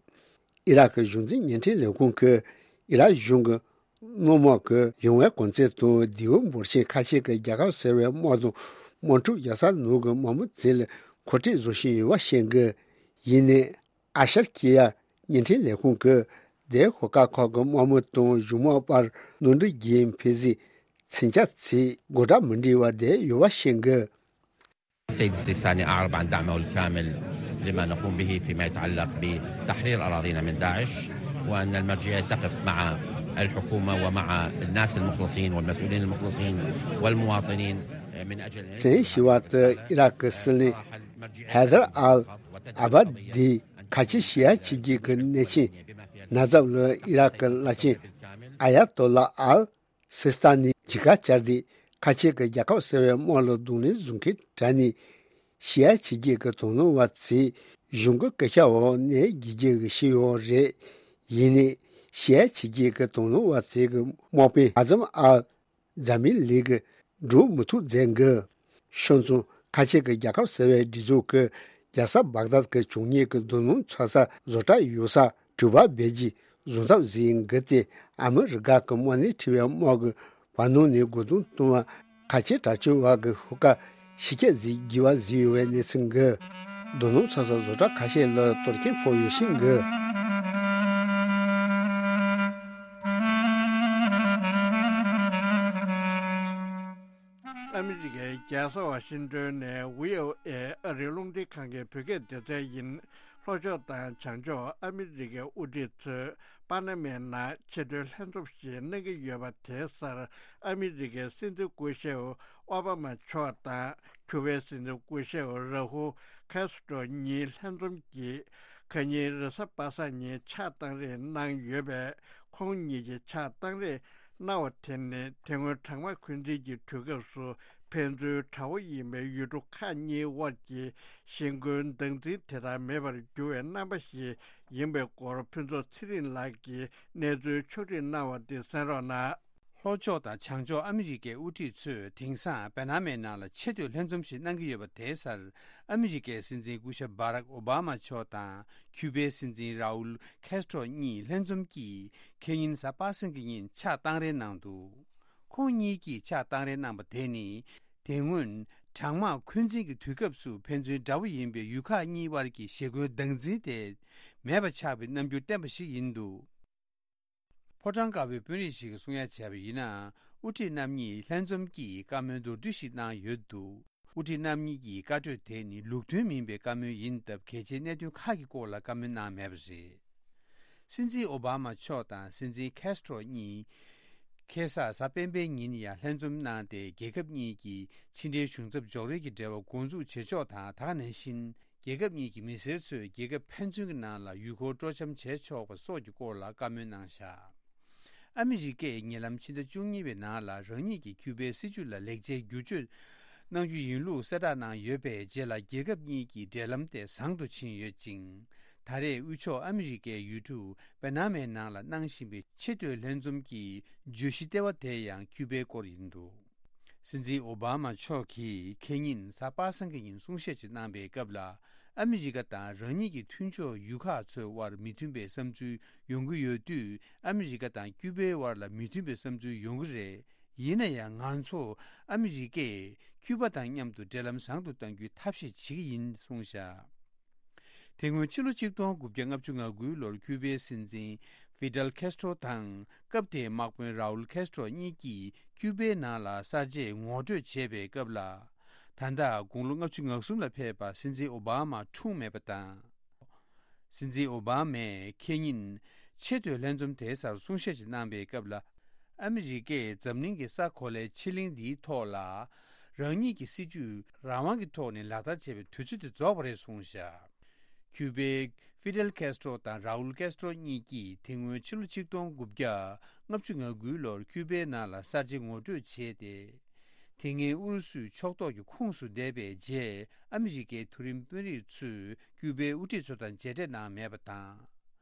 ཨི་རག་གི་གཞུང་འཛིན་བརྙན་འཕྲིན་ལས་ཁུངས་ཀྱིས་ ཨི་རག་གཞུང་གི་དམག་མི་གི་ཡོང་བའི་གོ་མཚོན་དང་མདེའུ་འབོར་ཆེན་ཁ་ཤས་ཀྱི་རྒྱལ་ཁབ་ཟེར་བའི་དམག་དང་དམག་འཁྲུག་རྒྱག་ས་ནང་གི་དམག་མི་ཚོ་ལ་མཁོ་སྤྲོད་བཟོ་བཞིན་ཡོད་པ་བཤད་གི། ཡིན་ནའི་ཨ་ཤར་ཁི་ཡ་བརྙན་འཕྲིན་ལས་ཁུངས་ཀྱིས་དེའི་ཤོག་ཁག་ཁག་གི་དམག་མི་དང་གཞུང་དམག་བར་ནོར་འཁྲུལ་གྱི་འཕེལ་གཟིགས་མཚོན་ཆ་ཚོས་དགོད་སྒྲ་མི་འདྲ་བ་བསྡད་ཡོད་པ་བཤད་གི། السيد السيستاني أعرب عن دعمه الكامل لما نقوم به فيما يتعلق بتحرير أراضينا من داعش، وأن المرجعية تقف مع الحكومة ومع الناس المخلصين والمسؤولين المخلصين والمواطنين من أجل أن ينجح. བཙན་བྱོལ་བ་དེ་ཨི་རག་གི་སྲིད་བློན་ཧེ་དར་ཨལ་ཨ་བ་དི་ཁ་ཆེ་ཤི་ཡ་ཕྱི་རྒྱལ་གྱི་གནས་ཆེན་ན་ཛབ་ལ་ཨི་རག་གི་བླ་ཆེན་ཨ་ཡ་ཏོ་ལ་ཨལ་སི་སི་ཏཱ་ནི་མཇལ་ཁ་བཅར་ཏེ། ཁ་ཆེ་གི་རྒྱལ་ཁབ་ཟེར་བའི་དམག་ལ་གདོང་ལེན་བཟོ་མཁན་དྲ་ནས་ཤི་ཡ་ཕྱི་རྒྱལ་གྱི་དོ་སྣང་བ་ཚོས་གཞུང་གི་སྐད་ཆ་འོག་ནས་རྒྱལ་རྒྱལ་གྱི་ཤི་ཡོད་རེད། ཡིན་ནའི་ཤི་ཡ་ཕྱི་རྒྱལ་གྱི་དོ་སྣང་བ་ཚོས་གི་དམག་དཔོན་ཨ་ཛམ་ཨལ་ཛ་མི་ལི་གི་འགྲོ་མི་ཐུབ་མཛད་གི། ཤོད་ཙང་ཁ་ཆེ་གི་རྒྱལ་ཁབ་ཟེར་བའི་སྒྲིག་འཛུགས་ཀྱི་རྒྱལ་ས་བག་དཱད་ཀྱི་བྱུང་ཉེས་ཀྱི་རྡོ་སྣུམ་འཚོ་ས་བཟོ་གྲྭ་ཡོད་ས་དྲུག་པ་བེད་སྤྱོད་བཟོ་ཐབས་ཟིན་གི་སྟེ། ཨ་མི་རི་ཀ་གི་དམག་སྣེ་ཁྲིད་པའི་དམག་གི་བར་སྣང་ནས་རྒོལ་རྡུང་གཏོང་བ་ཁ་ཆེ་དྲག་སྤྱོད་བ་གི་ཤོག་ཁག་ཤི་ཁྱད་ཟིག་བགྱི་བ་ཟིན་ཡོད་པའི་གནས་ཚུལ་གི། རྡོ་སྣུམ་འཚོ་ས་བཟོ་གྲྭ་ཁ་ཤས་ལ་གཏོར་སྐྱོན་ཕོག་ཡོད་ཤིང་གི། ཨ་མི་རི་ཀའི་རྒྱལ་ས་ཝ་ཤིང་ཏོན་ནས་བྷི་ཨོ་ཨེ་ཨ་རིའི་རླུང་འཕྲིན་ཁང་གི་བོད་སྐད་སྡེ་ཚན་ཡིན། ལྷོ་ཕྱོགས་དང་བྱང་ཕྱོགས་ཨ་མི་རི་ཀའི་དབུ་ཁྲིད་ཚོས་པ་ན་མའི་ནང་ཆེས་མཐོའི་ལྷན་འཛོམས་ཤིག་གནང་གི་ཡོད་པ་དེའི་སར། ཨ་མི་རི་ཀའི་སྲིད་འཛིན་སྐུ་ཞབས་ཨོ་བྷ་མ་མཆོག་དང་ཁྱུ་པའི་སྲིད་འཛིན་སྐུ་ཞབས་ར་ཧུ་ཁེ་སི་ཏྲོ་གཉིས་ལྷན་འཛོམས་ཀྱིས་ཁ་ཉིན་རེས་གཟའ་པ་སངས་ཉིན་ཕྱག་བཏང་རེས་གནང་ཡོད་པས། ཁོང་གཉིས་ཀྱིས་ཕྱག་བཏང་རེས་གནང་བ་དེ་ནི་དེ་སྔོན་གྲང་དམག་འཁོན་འཛིན་གྱི་དུས་སྐབས་སུ་ཕན་ཚུན་དགྲ་བོ་ཡིན་པའི་ཡུལ་གྲུ་ཁག་གཉིས་དབར་གྱི་ཞི་རྒོལ་སྟངས་འཛིན་དེ་ལྟར་མེད་པར་གྱུར་བའི་རྣམ་པ་ཞིག་ཡིན་པའི་སྐོར་ཕུན་ཚོགས་ཚེ་རིང་ལགས་ཀྱིས་གནས་ཚུལ་ཕྱོགས་སྒྲིག་གནང་བ་འདི་གསན་རོགས་གནང་། ལྷོ་ཕྱོགས་དང་བྱང་ཕྱོགས་ཨ་མི་རི་ཀའི་དབུ་ཁྲིད་ཚོས་དེང་སང་པ་ན་མའི་ནང་ལ་ཆེས་མཐོའི་ལྷན་འཛོམས་ཤིག་གནང་གི་ཡོད་པ་དེའི་སར། ཨ་མི་རི་ཀའི་སྲིད་འཛིན་སྐུ་ཞབས་བྷ་རག་ཨོ་བྷ་མ་མཆོག་དང་ཁྱུ་པའི་སྲིད་འཛིན་རའུལ་ཁེ་སི་ཏྲོ་གཉིས་ལྷན་འཛོམས་ཀྱིས་ཁེ་ཉིན་གཟའ་པ་སངས་ཀྱི་ཉིན་ཕྱག་བཏང་རེས་གནང་འདུག་ཁོང་གཉིས་ཀྱིས་ཕྱག་བཏང་རེས་གནང་པ་དེ་ནི། དེ་སྔོན་གྲང་དམག་འཁོན་འཛིན་གྱི་དུས་སྐབས་སུ་ཕན་ཚུན་དགྲ་བོ་ཡིན་པའི་ཡུལ་ཁག་གཉིས་དབར་གྱི་ཞི་རྒོལ་སྟངས་འཛིན་དེ་མེད་པ་ཆགས་པའི་རྣམ་འགྱུར་བསྟན་པ་ཞིག་ཡིན་འདུག་ཕོ་བྲང་དཀར་པོའི་དཔོན་རིགས་ཤིག་གིས་གསུང་ཡ་བྱས་པ་ཡིན་ན། དབུ་ཁྲིད་རྣམ་གཉིས་ལྷན་འཛོམས་ཀྱིས་བཀའ་མོལ་མདོར་བསྡུས་ཤིག་གནང་ཡོད་འདུག་དབུ་ཁྲིད་རྣམ་གཉིས་ཀྱི་བཀའ་གྲོས་དེ་ནི་ལུགས་མཐུན་མིན་པའི་བཀའ་མོལ་ཡིན་སྟབས། གལ་ཆེའི་གནད་དོན་ཁག་གི་སྐོར་ལ་བཀའ་མོལ་གནང་མེད་པ་རེད། སྲིད་འཛིན་ཨོ་བྷ་མ་མཆོག་དང་སྲིད་འཛིན་ཁེ་སི་ཏྲོ་གཉིས། ཁ་སང་གཟའ་སྤེན་པའི་ཉིན་ཡང་ལྷན་འཛོམས་གནང་སྟེ། རྒྱལ་ཁབ་གཉིས་ཀྱི་ཕྱི་འབྲེལ་གཞུང་ཚབ་འཇོག་རེས་ཀྱི་འབྲེལ་བ་འགོ་འཛུགས་བྱེད་ཕྱོགས་དང་། ད་ག་ནང་བཞིན། རྒྱལ་ཁབ་གཉིས་ཀྱི་མི་སེར་ཚོས་རྒྱལ་ཁབ་ཕན་ཚུན་གྱི་ནང་ལ་ཡུལ་སྐོར་སྤྲོ་འཆམ་བྱེད་ཆོག་པ་སོགས་ཀྱི་སྐོར་ལ་བཀའ་མོལ་གནང་བཞག་ཨ་མི་རི་ཀས་ཉེ་ལམ་ཕྱི་ཟླ་བཅུ་གཉིས་པའི་ནང་ལ་རང་ཉིད་ཀྱི་ཁྱུ་པའི་སྲིད་བྱུས་ལ་ལེགས་ཆའི་བསྒྱུར་བཅོས་གནང་རྒྱུ་ཡིན་ལུགས་གསལ་བསྒྲགས་གནང་ཡོད་པའི་རྗེས་ལ། རྒྱལ་ཁབ་གཉིས་ཀྱི་འབྲེལ་ལམ་དེ་བཟང་དུ་ཕྱིན་ཡོད་ཅིང་། ད་རེས་དབུས་ཕྱོགས་ཨ་མི་རི་ཀའི་ཡུལ་གྲུ་པ་ན་མའི་ནང་ལ་གནང་བཞིན་པའི་ཆེས་མཐོའི་ལྷན་འཛོམས་ཀྱི་བརྗོད་གཞི་ལྟེ་བ་དེ་ཡང་ཁྱུ་པའི་སྐོར་ཡིན་འདུག་སྲིད་འཛིན་ཨོ་བྷ་མ་མཆོག་གིས་ཁེ་ཉིན་གཟའ་པ་སངས་ཀྱི་ཉིན་གསུང་བཤད་ཅིག་གནང་པའི་སྐབས་ལ། ཨ་མི་རི་ཀ་དང་རང་ཉིད་ཀྱི་མཐུན་ཕྱོགས་ཡུལ་ཁག་ཚོའི་དབར་མི་མཐུན་པའི་བསམ་ཚུལ་ཡོང་གི་ཡོད་དུས། ཨ་མི་རི་ཀ་དང་ཀྱུ་པའི་དབར་ལ་མི་མཐུན་པའི་བསམ་ཚུལ་ཡོང་གི་རེད། ཡིན་ན་ཡང་། ང་ཚོ་ཨ་མི་རི་ཀས་ཀྱུ་པ་དང་མཉམ་དུ་འབྲེལ་ལམ་བཟང་དུ་གཏང་རྒྱུའི་ཐབས་ཤེས་བྱེད་ཀྱི་ཡིན་གསུངས་བཞག་དེ་སྔོན་ཕྱི་ལོ་ཆིག་སྟོང་དགུ་བརྒྱ་ལྔ་བཅུ་ང་དགུའི་ལོར་ཀྱུ་པའི་སྲིད་འཛིན་ཧྥི་ཌེལ་ཁེ་སི་ཏྲོ་དང་། སྐབས་དེའི་དམག་དཔོན་རའུལ་ཁེ་སི་ཏྲོ་གཉིས་ཀྱིས་ཀྱུ་པའི་ནང་ལ་གསར་བརྗེ་ངོ་སྤྲོད་བྱས་པའི་སྐབས་ལ། ད་ལྟ་དགུང་ལོ་ལྔ་བཅུ་ང་གསུམ་ལ་ཕེབས་པ་སྲིད་འཛིན་ཨོ་བྷ་མ་འཁྲུངས་མེད་པ་དང་། སྲིད་འཛིན་ཨོ་བྷ་མས་ཁེ་ཉིན་ཆེས་མཐོའི་ལྷན་འཛོམས་དེའི་སར་གསུང་བཤད་ཅིག་གནང་པའི་སྐབས་ལ། ཨ་མི་རི་ཀས་འཛམ་གླིང་གི་ས་གོ་ལའི་ཕྱེད་གླིང་འདིའི་ཐོག་ལ། རང་ཉིད་ཀྱི་སྲིད་ཇུས་རང་དབང་གི་ཐོག་ནས་ལག་བསྟར་བྱེད་པའི་དུས་ཚོད་དེ་རྫོགས་པ་རེད་གསུངས་བཞག་ཀྱུ་པའི་ཧྥི་ཌེལ་ཁེ་སི་ཏྲོ་དང་རའུལ་ཁེ་སི་ཏྲོ་གཉིས་ཀྱིས་དེ་སྔོན་ཕྱི་ལོ་ཆིག་སྟོང་དགུ་བརྒྱ་ལྔ་བཅུ་ང་དགུའི་ལོར་ཀྱུ་པའི་ནང་ལ་གསར་བརྗེ་ངོ་སྤྲོད་བྱས་ཏེ། དེ་སྔའི་ཨུ་རུ་སུའི་ཕྱོགས་གཏོགས་ཀྱི་ཁོངས་སུ་བསྡད་པའི་རྗེས། ཨ་མི་རི་ཀའི་མཐོ་རིམ་དཔོན་རིགས་ཚོས་ཀྱུ་པའི་དབུ་ཁྲིད་ཚོ་དང་མཇལ་འཕྲད་གནང་མེད་པ་དང་།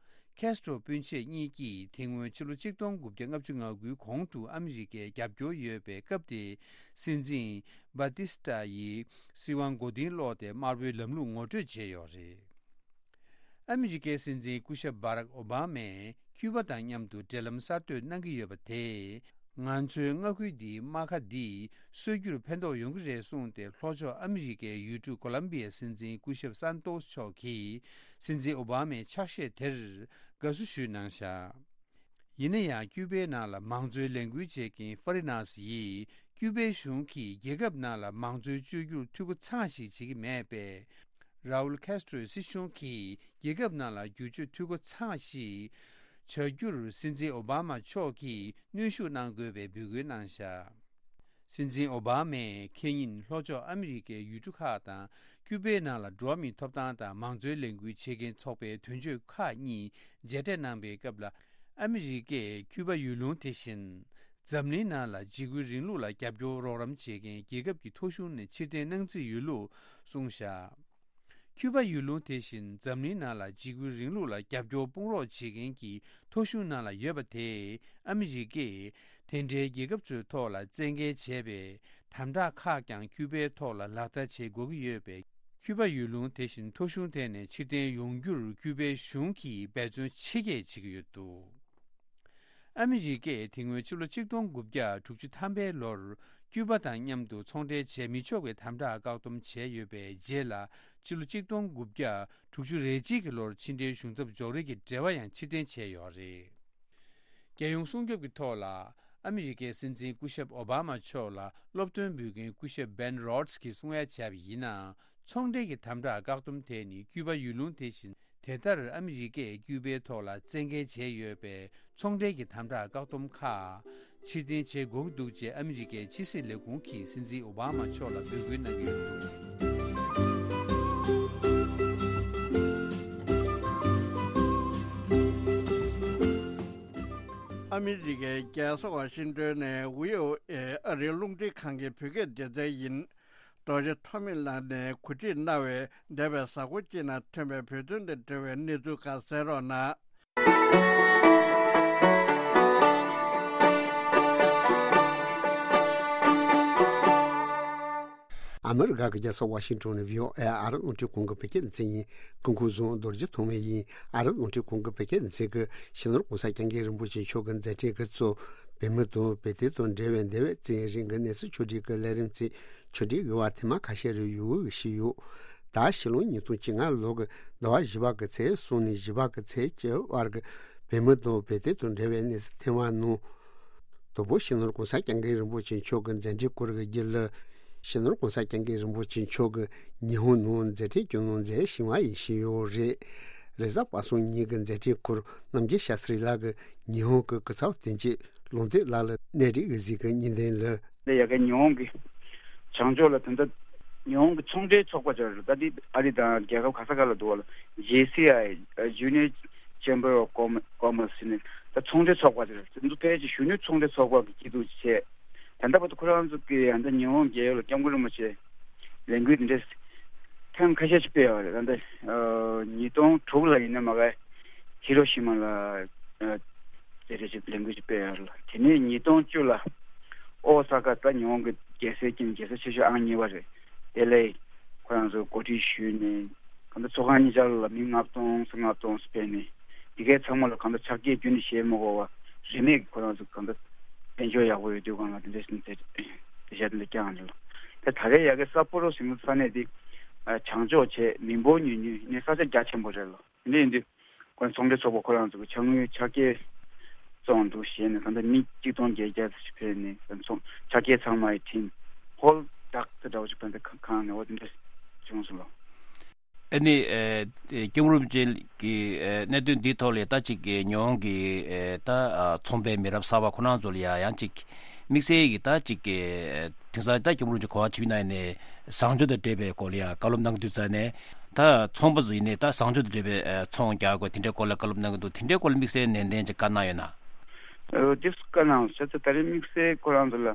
ཁེ་སི་ཏྲོ་སྤུན་མཆེད་གཉིས་ཀྱིས་དེ་སྔོན་ཕྱི་ལོ་ཆིག་སྟོང་དགུ་བརྒྱ་ལྔ་བཅུ་ང་དགུའི་གོང་དུ་ཨ་མི་རི་ཀའི་རྒྱབ་སྐྱོར་ཡོད་པའི་སྐབས་དེའི་སྲིད་འཛིན་བྷ་ཏི་སི་ཏཱ་ཡི་སྲིད་དབང་མགོ་རྟིང་སློག་སྟེ་དམར་པོའི་ལམ་ལུགས་ངོ་སྤྲོད་བྱས་ཡོད་རེད། ཨ་མི་རི་ཀའི་སྲིད་འཛིན་སྐུ་ཞབས་བྷ་རག་ཨོ་བྷ་མས་ ཀྱུ་པ་དང་མཉམ་དུ་འབྲེལ་ལམ་གསར་གཏོད་གནང་གི་ཡོད་པ་དེས། ང་ཚོའི་མངའ་ཁུལ་འདིའི་རྨ་ཁ་འདི་སོས་རྒྱུར་ཕན་ཐོགས་ཡོང་གི་རེད་གསུངས་ཏེ། ལྷོ་ཕྱོགས་ཨ་མི་རི་ཀའི་ཡུལ་གྲུ་ཀོ་ལམ་བི་ཡའི་སྲིད་འཛིན་སྐུ་ཞབས་སན་ཏོས་མཆོག་གིས་སྲིད་འཛིན་ཨོ་བྷ་མའི་ཕྱག་བཞེས་དེར་དགའ་བསུ་ཞུས་གནང་བཞག་ཡིན་ན་ཡང་། ཀྱུ་པའི་ནང་ལ་མང་གཙོའི་ལས་འགུལ་བྱེད་མཁན་ཧྥ་རི་ནཱས་ཡིས། ཀྱུ་པའི་གཞུང་གིས་རྒྱལ་ཁབ་ནང་ལ་མང་གཙོའི་བཅོས་བསྒྱུར་འཐུས་སྒོ་ཚང་ཞིག་བྱེད་ཀྱི་མེད་པས། རའུལ་ཁེ་སི་ཏྲོའི་སྲིད་གཞུང་གིས་རྒྱལ་ཁབ་ནང་ལ་བསྒྱུར་བཅོས་འཐུས་སྒོ་ཚང་ཞིག་བྱ་རྒྱུར། སྲིད་འཛིན་ཨོ་བྷ་མ་མཆོག་གིས་གནོན་ཤུགས་གནང་དགོས་པའི་འབོད་སྐུལ་གནང་བཞག་སྲིད་འཛིན་ཨོ་བྷ་མས་ཁེ་ཉིན་ལྷོ་ཕྱོགས་ཨ་མི་རི་ཀའི་ཡུལ་གྲུ་ཁག་དང་། ཀྱུ་པའི་ནང་ལ་འགྲོ་བ་མིའི་ཐོབ་ཐང་དང་མང་གཙོའི་ལས་འགུལ་བྱེད་མཁན་ཚོགས་པའི་དོན་གཅོད་ཁག་གཉིས་མཇལ་འཕྲད་གནང་པའི་སྐབས་ལ། ཨ་མི་རི་ཀས་ཀྱུ་པ་ཡུལ་ལུང་དེ་བཞིན་འཛམ་གླིང་ནང་ལ་འཇིགས་སྐུལ་རིང་ལུགས་ལ་རྒྱབ་སྐྱོར་རོགས་རམ་བྱེད་མཁན་རྒྱལ་ཁབ་ཀྱི་ཐོ་གཞུང་ནས་ཕྱིར་འཐེན་གནང་རྩིས་ཡོད་ལུགས་གསུངས་བཞག་ཀྱུ་པ་ཡུལ་ལུང་དེ་བཞིན་འཛམ་གླིང་ནང་ལ་འཇིགས་སྐུལ་རིང་ལུགས་ལ་རྒྱབ་སྐྱོར་དཔུང་རོགས་བྱེད་མཁན་གྱི་ཐོ་གཞུང་ནང་ལ་ཡོད་པ་དེས། ཨ་མི་རི་ཀས་དེ་འདྲའི་རྒྱལ་ཁབ་ཚོའི་ཐོག་ལ་བཙན་འགེལ་བྱས་པའི་དམ་དྲག་ཁག་ཀྱང་ཀྱུ་པའི་ཐོག་ལ་ལག་བསྟར་བྱེད་དགོས་ཀྱི་ཡོད་པས། ཀྱུ་པ་ཡུལ་ལུང་དེ་བཞིན་ཐོ་གཞུང་དེ་ནས་ཕྱིར་འཐེན་ཡོང་རྒྱུར་ཀྱུ་པའི་གཞུང་གིས་འབད་བརྩོན་ཆེ་བསྐྱེད་བྱེད་ཀྱི་ཡོད་འདུག་ཨ་མི་རི་ཀས་དེ་སྔོན་ཕྱི་ལོ་ཆིག་སྟོང་དགུ་བརྒྱ་དྲུག་ཅུ་ཐམ་པའི་ལོར་ཀྱུ་པ་དང་མཉམ་དུ་ཚོང་འབྲེལ་བྱས་མི་ཆོག་པའི་དམ་དྲག་བཀག་སྡོམ་བྱས་ཡོད་པའི་རྗེས་ལ། ཕྱི་ལོ་ཆིག་སྟོང་དགུ་བརྒྱ་དྲུག་ཅུ་རེ་གཅིག་གི་ལོར་ཕྱི་འབྲེལ་གཞུང་ཚབ་འཇོག་རེས་ཀྱི་འབྲེལ་བ་ཡང་ཕྱིར་འཐེན་བྱས་ཡོད་རེད། རྒྱལ་ཡོངས་སྲུང་སྐྱོབ་ཀྱི་ཐོག་ལ་ཨ་མི་རི་ཀའི་སྲིད་འཛིན་སྐུ་ཞབས་ཨོ་བྷ་མ་མཆོག་ལ་སློབ་སྟོན་འབུལ་མཁན་སྐུ་ཞབས་བན་རོ་ཌི་སི་གིས་གསུང་ཡ་བྱས་པ་ཡིན་ན། ཚོང་འབྲེལ་གྱི་དམ་དྲག་བཀག་སྡོམ་དེ་ནི་ཀྱུ་པ་ཡུལ་ལུང་དེ་བཞིན་དེ་ལྟར་ཨ་མི་རི་ཀས་ཀྱུ་པའི་ཐོག་ལ་བཙན་འགེལ་བྱས་ཡོད་པའི་ཚོང་འབྲེལ་གྱི་དམ་དྲག་བཀག་སྡོམ་ཁག་ཕྱིར་འཐེན་བྱེད་དགོས་ཀྱི་འདུག་ཅེས་ཨ་མི་རི་ཀའི་ཕྱི་སྲིད་ལས་ཁུངས་ཀྱིས་སྲིད་འཛིན་ཨོ་བྷ་མ་མཆོག་ལ་འབོད་སྐུལ་གནང་གི་ཡོད་འདུག་ཨ་མི་རི་ཀའི་རྒྱལ་ས་ཝ་ཤིང་ཏོན་ནས་བྷི་ཨོ་ཨེ་ཨ་རིའི་རླུང་འཕྲིན་ཁང་གི་བོད་སྐད་སྡེ་ཚན་ཡིན། རྡོ་རྗེ་ཐོགས་མེད་ལགས་ནས་གོ་སྒྲིག་གནང་བའི་འདས་པའི་གཟའ་འཁོར་གཅིག་ནང་ཐོན་པའི་བོད་དོན་དང་འབྲེལ་བའི་གནས་ཚུལ་ཁག་གསན་རོགས་གནང་། ཨ་མི་རི་ཀ་གི་རྒྱལ་ས་ཝ་ཤིང་ཏོན་ནས་བྷི་ཨོ་ཨེ་ཨ་རི་རླུང་འཕྲིན་ཁང་གི་བོད་སྐད་སྡེ་ཚན་ཡིན། སྐུ་ཁམས་བཟང་། རྡོ་རྗེ་ཐོགས་མེད་ཡིན། ཨ་རི་རླུང་འཕྲིན་ཁང་གི་བོད་སྐད་སྡེ་ཚན་གྱིས་སྤྱི་ནོར་གོང་ས་སྐྱབས་མགོན་རིན་པོ་ཆེ་མཆོག་གི་མཛད་འཕྲིན་གྱི་གཙོ། བོད་མི་དང་བོད་དོན་དང་འབྲེལ་བའི་འདས་པའི་བཙན་རིང་གི་གནས་ཚུལ་ཕྱོགས་སྒྲིག་གི་ལས་རིམ་བརྩིས། ཕྱོགས་སྒྲིག་གི་བར་ཐེངས་མ་ཁ་ཤས་རེ་ཡོད་ཞུས་ཡོད། ད་ཕྱི་ལོ་ཉིས་སྟོང་བཅོ་ལྔ་ལོ་གི་ཟླ་བ་བཞི་པ་གི་ཚེས་གསུམ་ནས་བཞི་པ་གི་ཚེས་བཅུ་བར་གྱི་བོད་མི་དང་བོད་དོན་དང་འབྲེལ་བའི་གནས་ཚུལ་ཐེངས་མ་ནང་། དང་པོ་སྤྱི་ནོར་གོང་ས་སྐྱབས་མགོན་རིན་པོ་ཆེ་མཆོག་གི་མཛད་འཕྲིན་སྐོར་གྱི་རྒྱུན་ལ། སྤྱི་ནོར་གོང་ས་སྐྱབས་མགོན་རིན་པོ་ཆེ་མཆོག་གིས་ཉི་ཧོང་ནང་མཛད་འཕྲིན་སྐྱོང་གནང་མཛད་བཞིན་པ་ཡིན་ཞུས་ཡོད་རེད། རེས་གཟའ་པ་སངས་ཉིན་གྱི་མཛད་འཕྲིན་སྐོར་རྣམ་རྒྱལ་ཤཱ་སྟྲི་ལགས་ཀྱིས་ཉི་ཧོང་གི་སྐུ་ཚབ་དོན་གཅོད་ལུང་བསྟན་ལགས་ལ་གནས་རིག་གཟིགས་ཀྱི་བརྙན་ལེན་ལ། འདི་ཡ་གི་ཉི་ཧོང་གི་བྱང་ཕྱོགས་ལ་ད་ལྟ་ཉི་ཧོང་གི་ཚོང་འབྲེལ་ཚོགས་པ་ཅིག་རེད། ད་འདི་ཨ་རི་དང་རྒྱལ་ཁབ་ག་ས་ག་ལ་འདུག་བ་ལ། ཇེ་སི་ཨའི། Junior Chamber of Commerce ཟེར་ནས་ད་ཚོང་འབྲེལ་ཚོགས་པ་ཅིག་རེད། འདི་ཕལ་ཆེར་གཞོན་ནུ་ཚོང་འབྲེལ་ཚོགས་པ་གི་སྐྱིད་སྡུག་ཅིག་བྱས། ད་ལྟ་བར་དུ་ཁོ་རང་ཚོ་གིས་ད་ལྟ་ཉི་ཧོང་རྒྱལ་ཡོངས་ལ་སྐྱབས་མགོན་རིན་པོ་ཆེ་ལས་འགུལ་འདི་འདྲ་ཐེངས་ཁ་ཤས་ཤིག་སྤེལ་ཡོད་རེད། ད་ལྟ་ཨ་ཉིས་སྟོང་དྲུག་ལ་ཡིན་ན་མ་ག་ཧི་རོ་ཤི་མ་ལ་ཨ་དེ་འདྲ་ཞིག་ལས་འགུལ་ཞིག་སྤེལ་ཡོད་རེད། དེ་ནས་ཉིས་སྟོང་བཅུ་ལ་ཨོ་ས་ཀ། ད་ཉི་ཧོང་གི་རྒྱལ་སའི་དཀྱིལ་ནས་རྒྱལ་ས་ཆེ་ཤོས་ཨང་གཉིས་པ་རེད། དེ་ལ་ཁོ་རང་ཚོ་གོ་སྒྲིག་ཞུས་ནས། གང་ལྟར་ཚོགས་ཁང་གཉིས་ཆར་ལ་མི་ལྔ་སྟོང་ལྔ་སྟོང་སྤེལ་ནས། འདི་གའི་ཚང་མ་ལ་གང་ལྟར་ཕྱག་འཁྱེར་རྒྱུན་ནས་བཞེས་མ་དགོས་པ། རིན་མེད་ཀྱི་ཁོ་རང་ཚོ་གང་ལྟར་དཔལ་འབྱོར་ཡག་པོ་ཡོད་དུས་སྒང་ལ་དེ་འདྲ་ཞིག་དེ་དེ་ཤ་དེ་འདྲ་བསྐྱངས་རེད་ལ། དེ་ད་རེས་ཡ་གི་སཱ་པོ་རོ་ཟེར་མཁན་ས་གནས་དེ་བྱང་ཕྱོགས་བྱས་མི་འབོར་ཉུང་ཉུང་ནས་ས་ཆ་རྒྱ་ཆེན་པོ་རེད་ལ། དེ་འདྲ་ཡིན་དུས་ཁོ་ཚོང་འབྲེལ་ཚོགས་པ་ཁོ་རང་ཚོ་གི་ཕྱག་དངུལ་ཕྱག་འཁྱེར་བཙོང་འདུག་བྱས་ནས་གང་ལྟར་མི་གཅིག་སྟོང་བརྒྱད་བརྒྱ་ཙམ་ཞིག་ཕེབས་ནས་ཚོང་ཕྱག་འཁྱེར་ཚང་མ་ཡི་འཕྲིན་ཧོལ་ཌག་དེ་འདྲ་བོ་ཞིག་ཕན་ཚུན་ཁང་ནས་འོ་དེ་འདྲ་བྱུང་སོང་ལ། ཨ་ནི་ཨེ་སྐྱབས་མགོན་རིན་པོ་ཆེ་གི་ཨེ་གནད་དོན་འདིའི་ཐོག་ལ་ད་ཅིག་གི་ཉི་ཧོང་གི་ཨེ་ད་ཨ་ཚོང་པའི་མི་རབས་གསར་པ་ཁོ་རང་ཚོ་ལ་ཡ་ཡང་ཅིག་དམིགས་བསལ་གྱི་ད་ཅིག་གི་ཨེ་དེང་སང་ད་སྐྱབས་མགོན་རིན་པོ་ཆེ་གོ་བ་ཆེ་ན་ནས་བཟང་སྤྱོད་དང་འབྲེལ་བའི་སྐོར་ལ་ཡ་བཀའ་སློབ་གནང་གི་འདུག་ཙང་ནས། ད་ཚོང་པ་ཚོ་ཡིན་ནའི་ད་བཟང་སྤྱོད་དང་འབྲེལ་བའི་ཨེ་ཚོང་རྒྱག་དགོས་དེ་འདྲའི་སྐོར་ལ་བཀའ་སློབ་གནང་གི་འདུག་དེ་འདྲའི་སྐོར་ལ་དམིགས་བསལ་ནན་ཏན་ཅིག་བཀའ་གནང་ཡོད་ན། ཨོ་དེ་བཀའ་གནང་བྱས་ཙང་ད་རེས་དམིགས་བསལ་ཁོ་རང་ཚོ་ལ།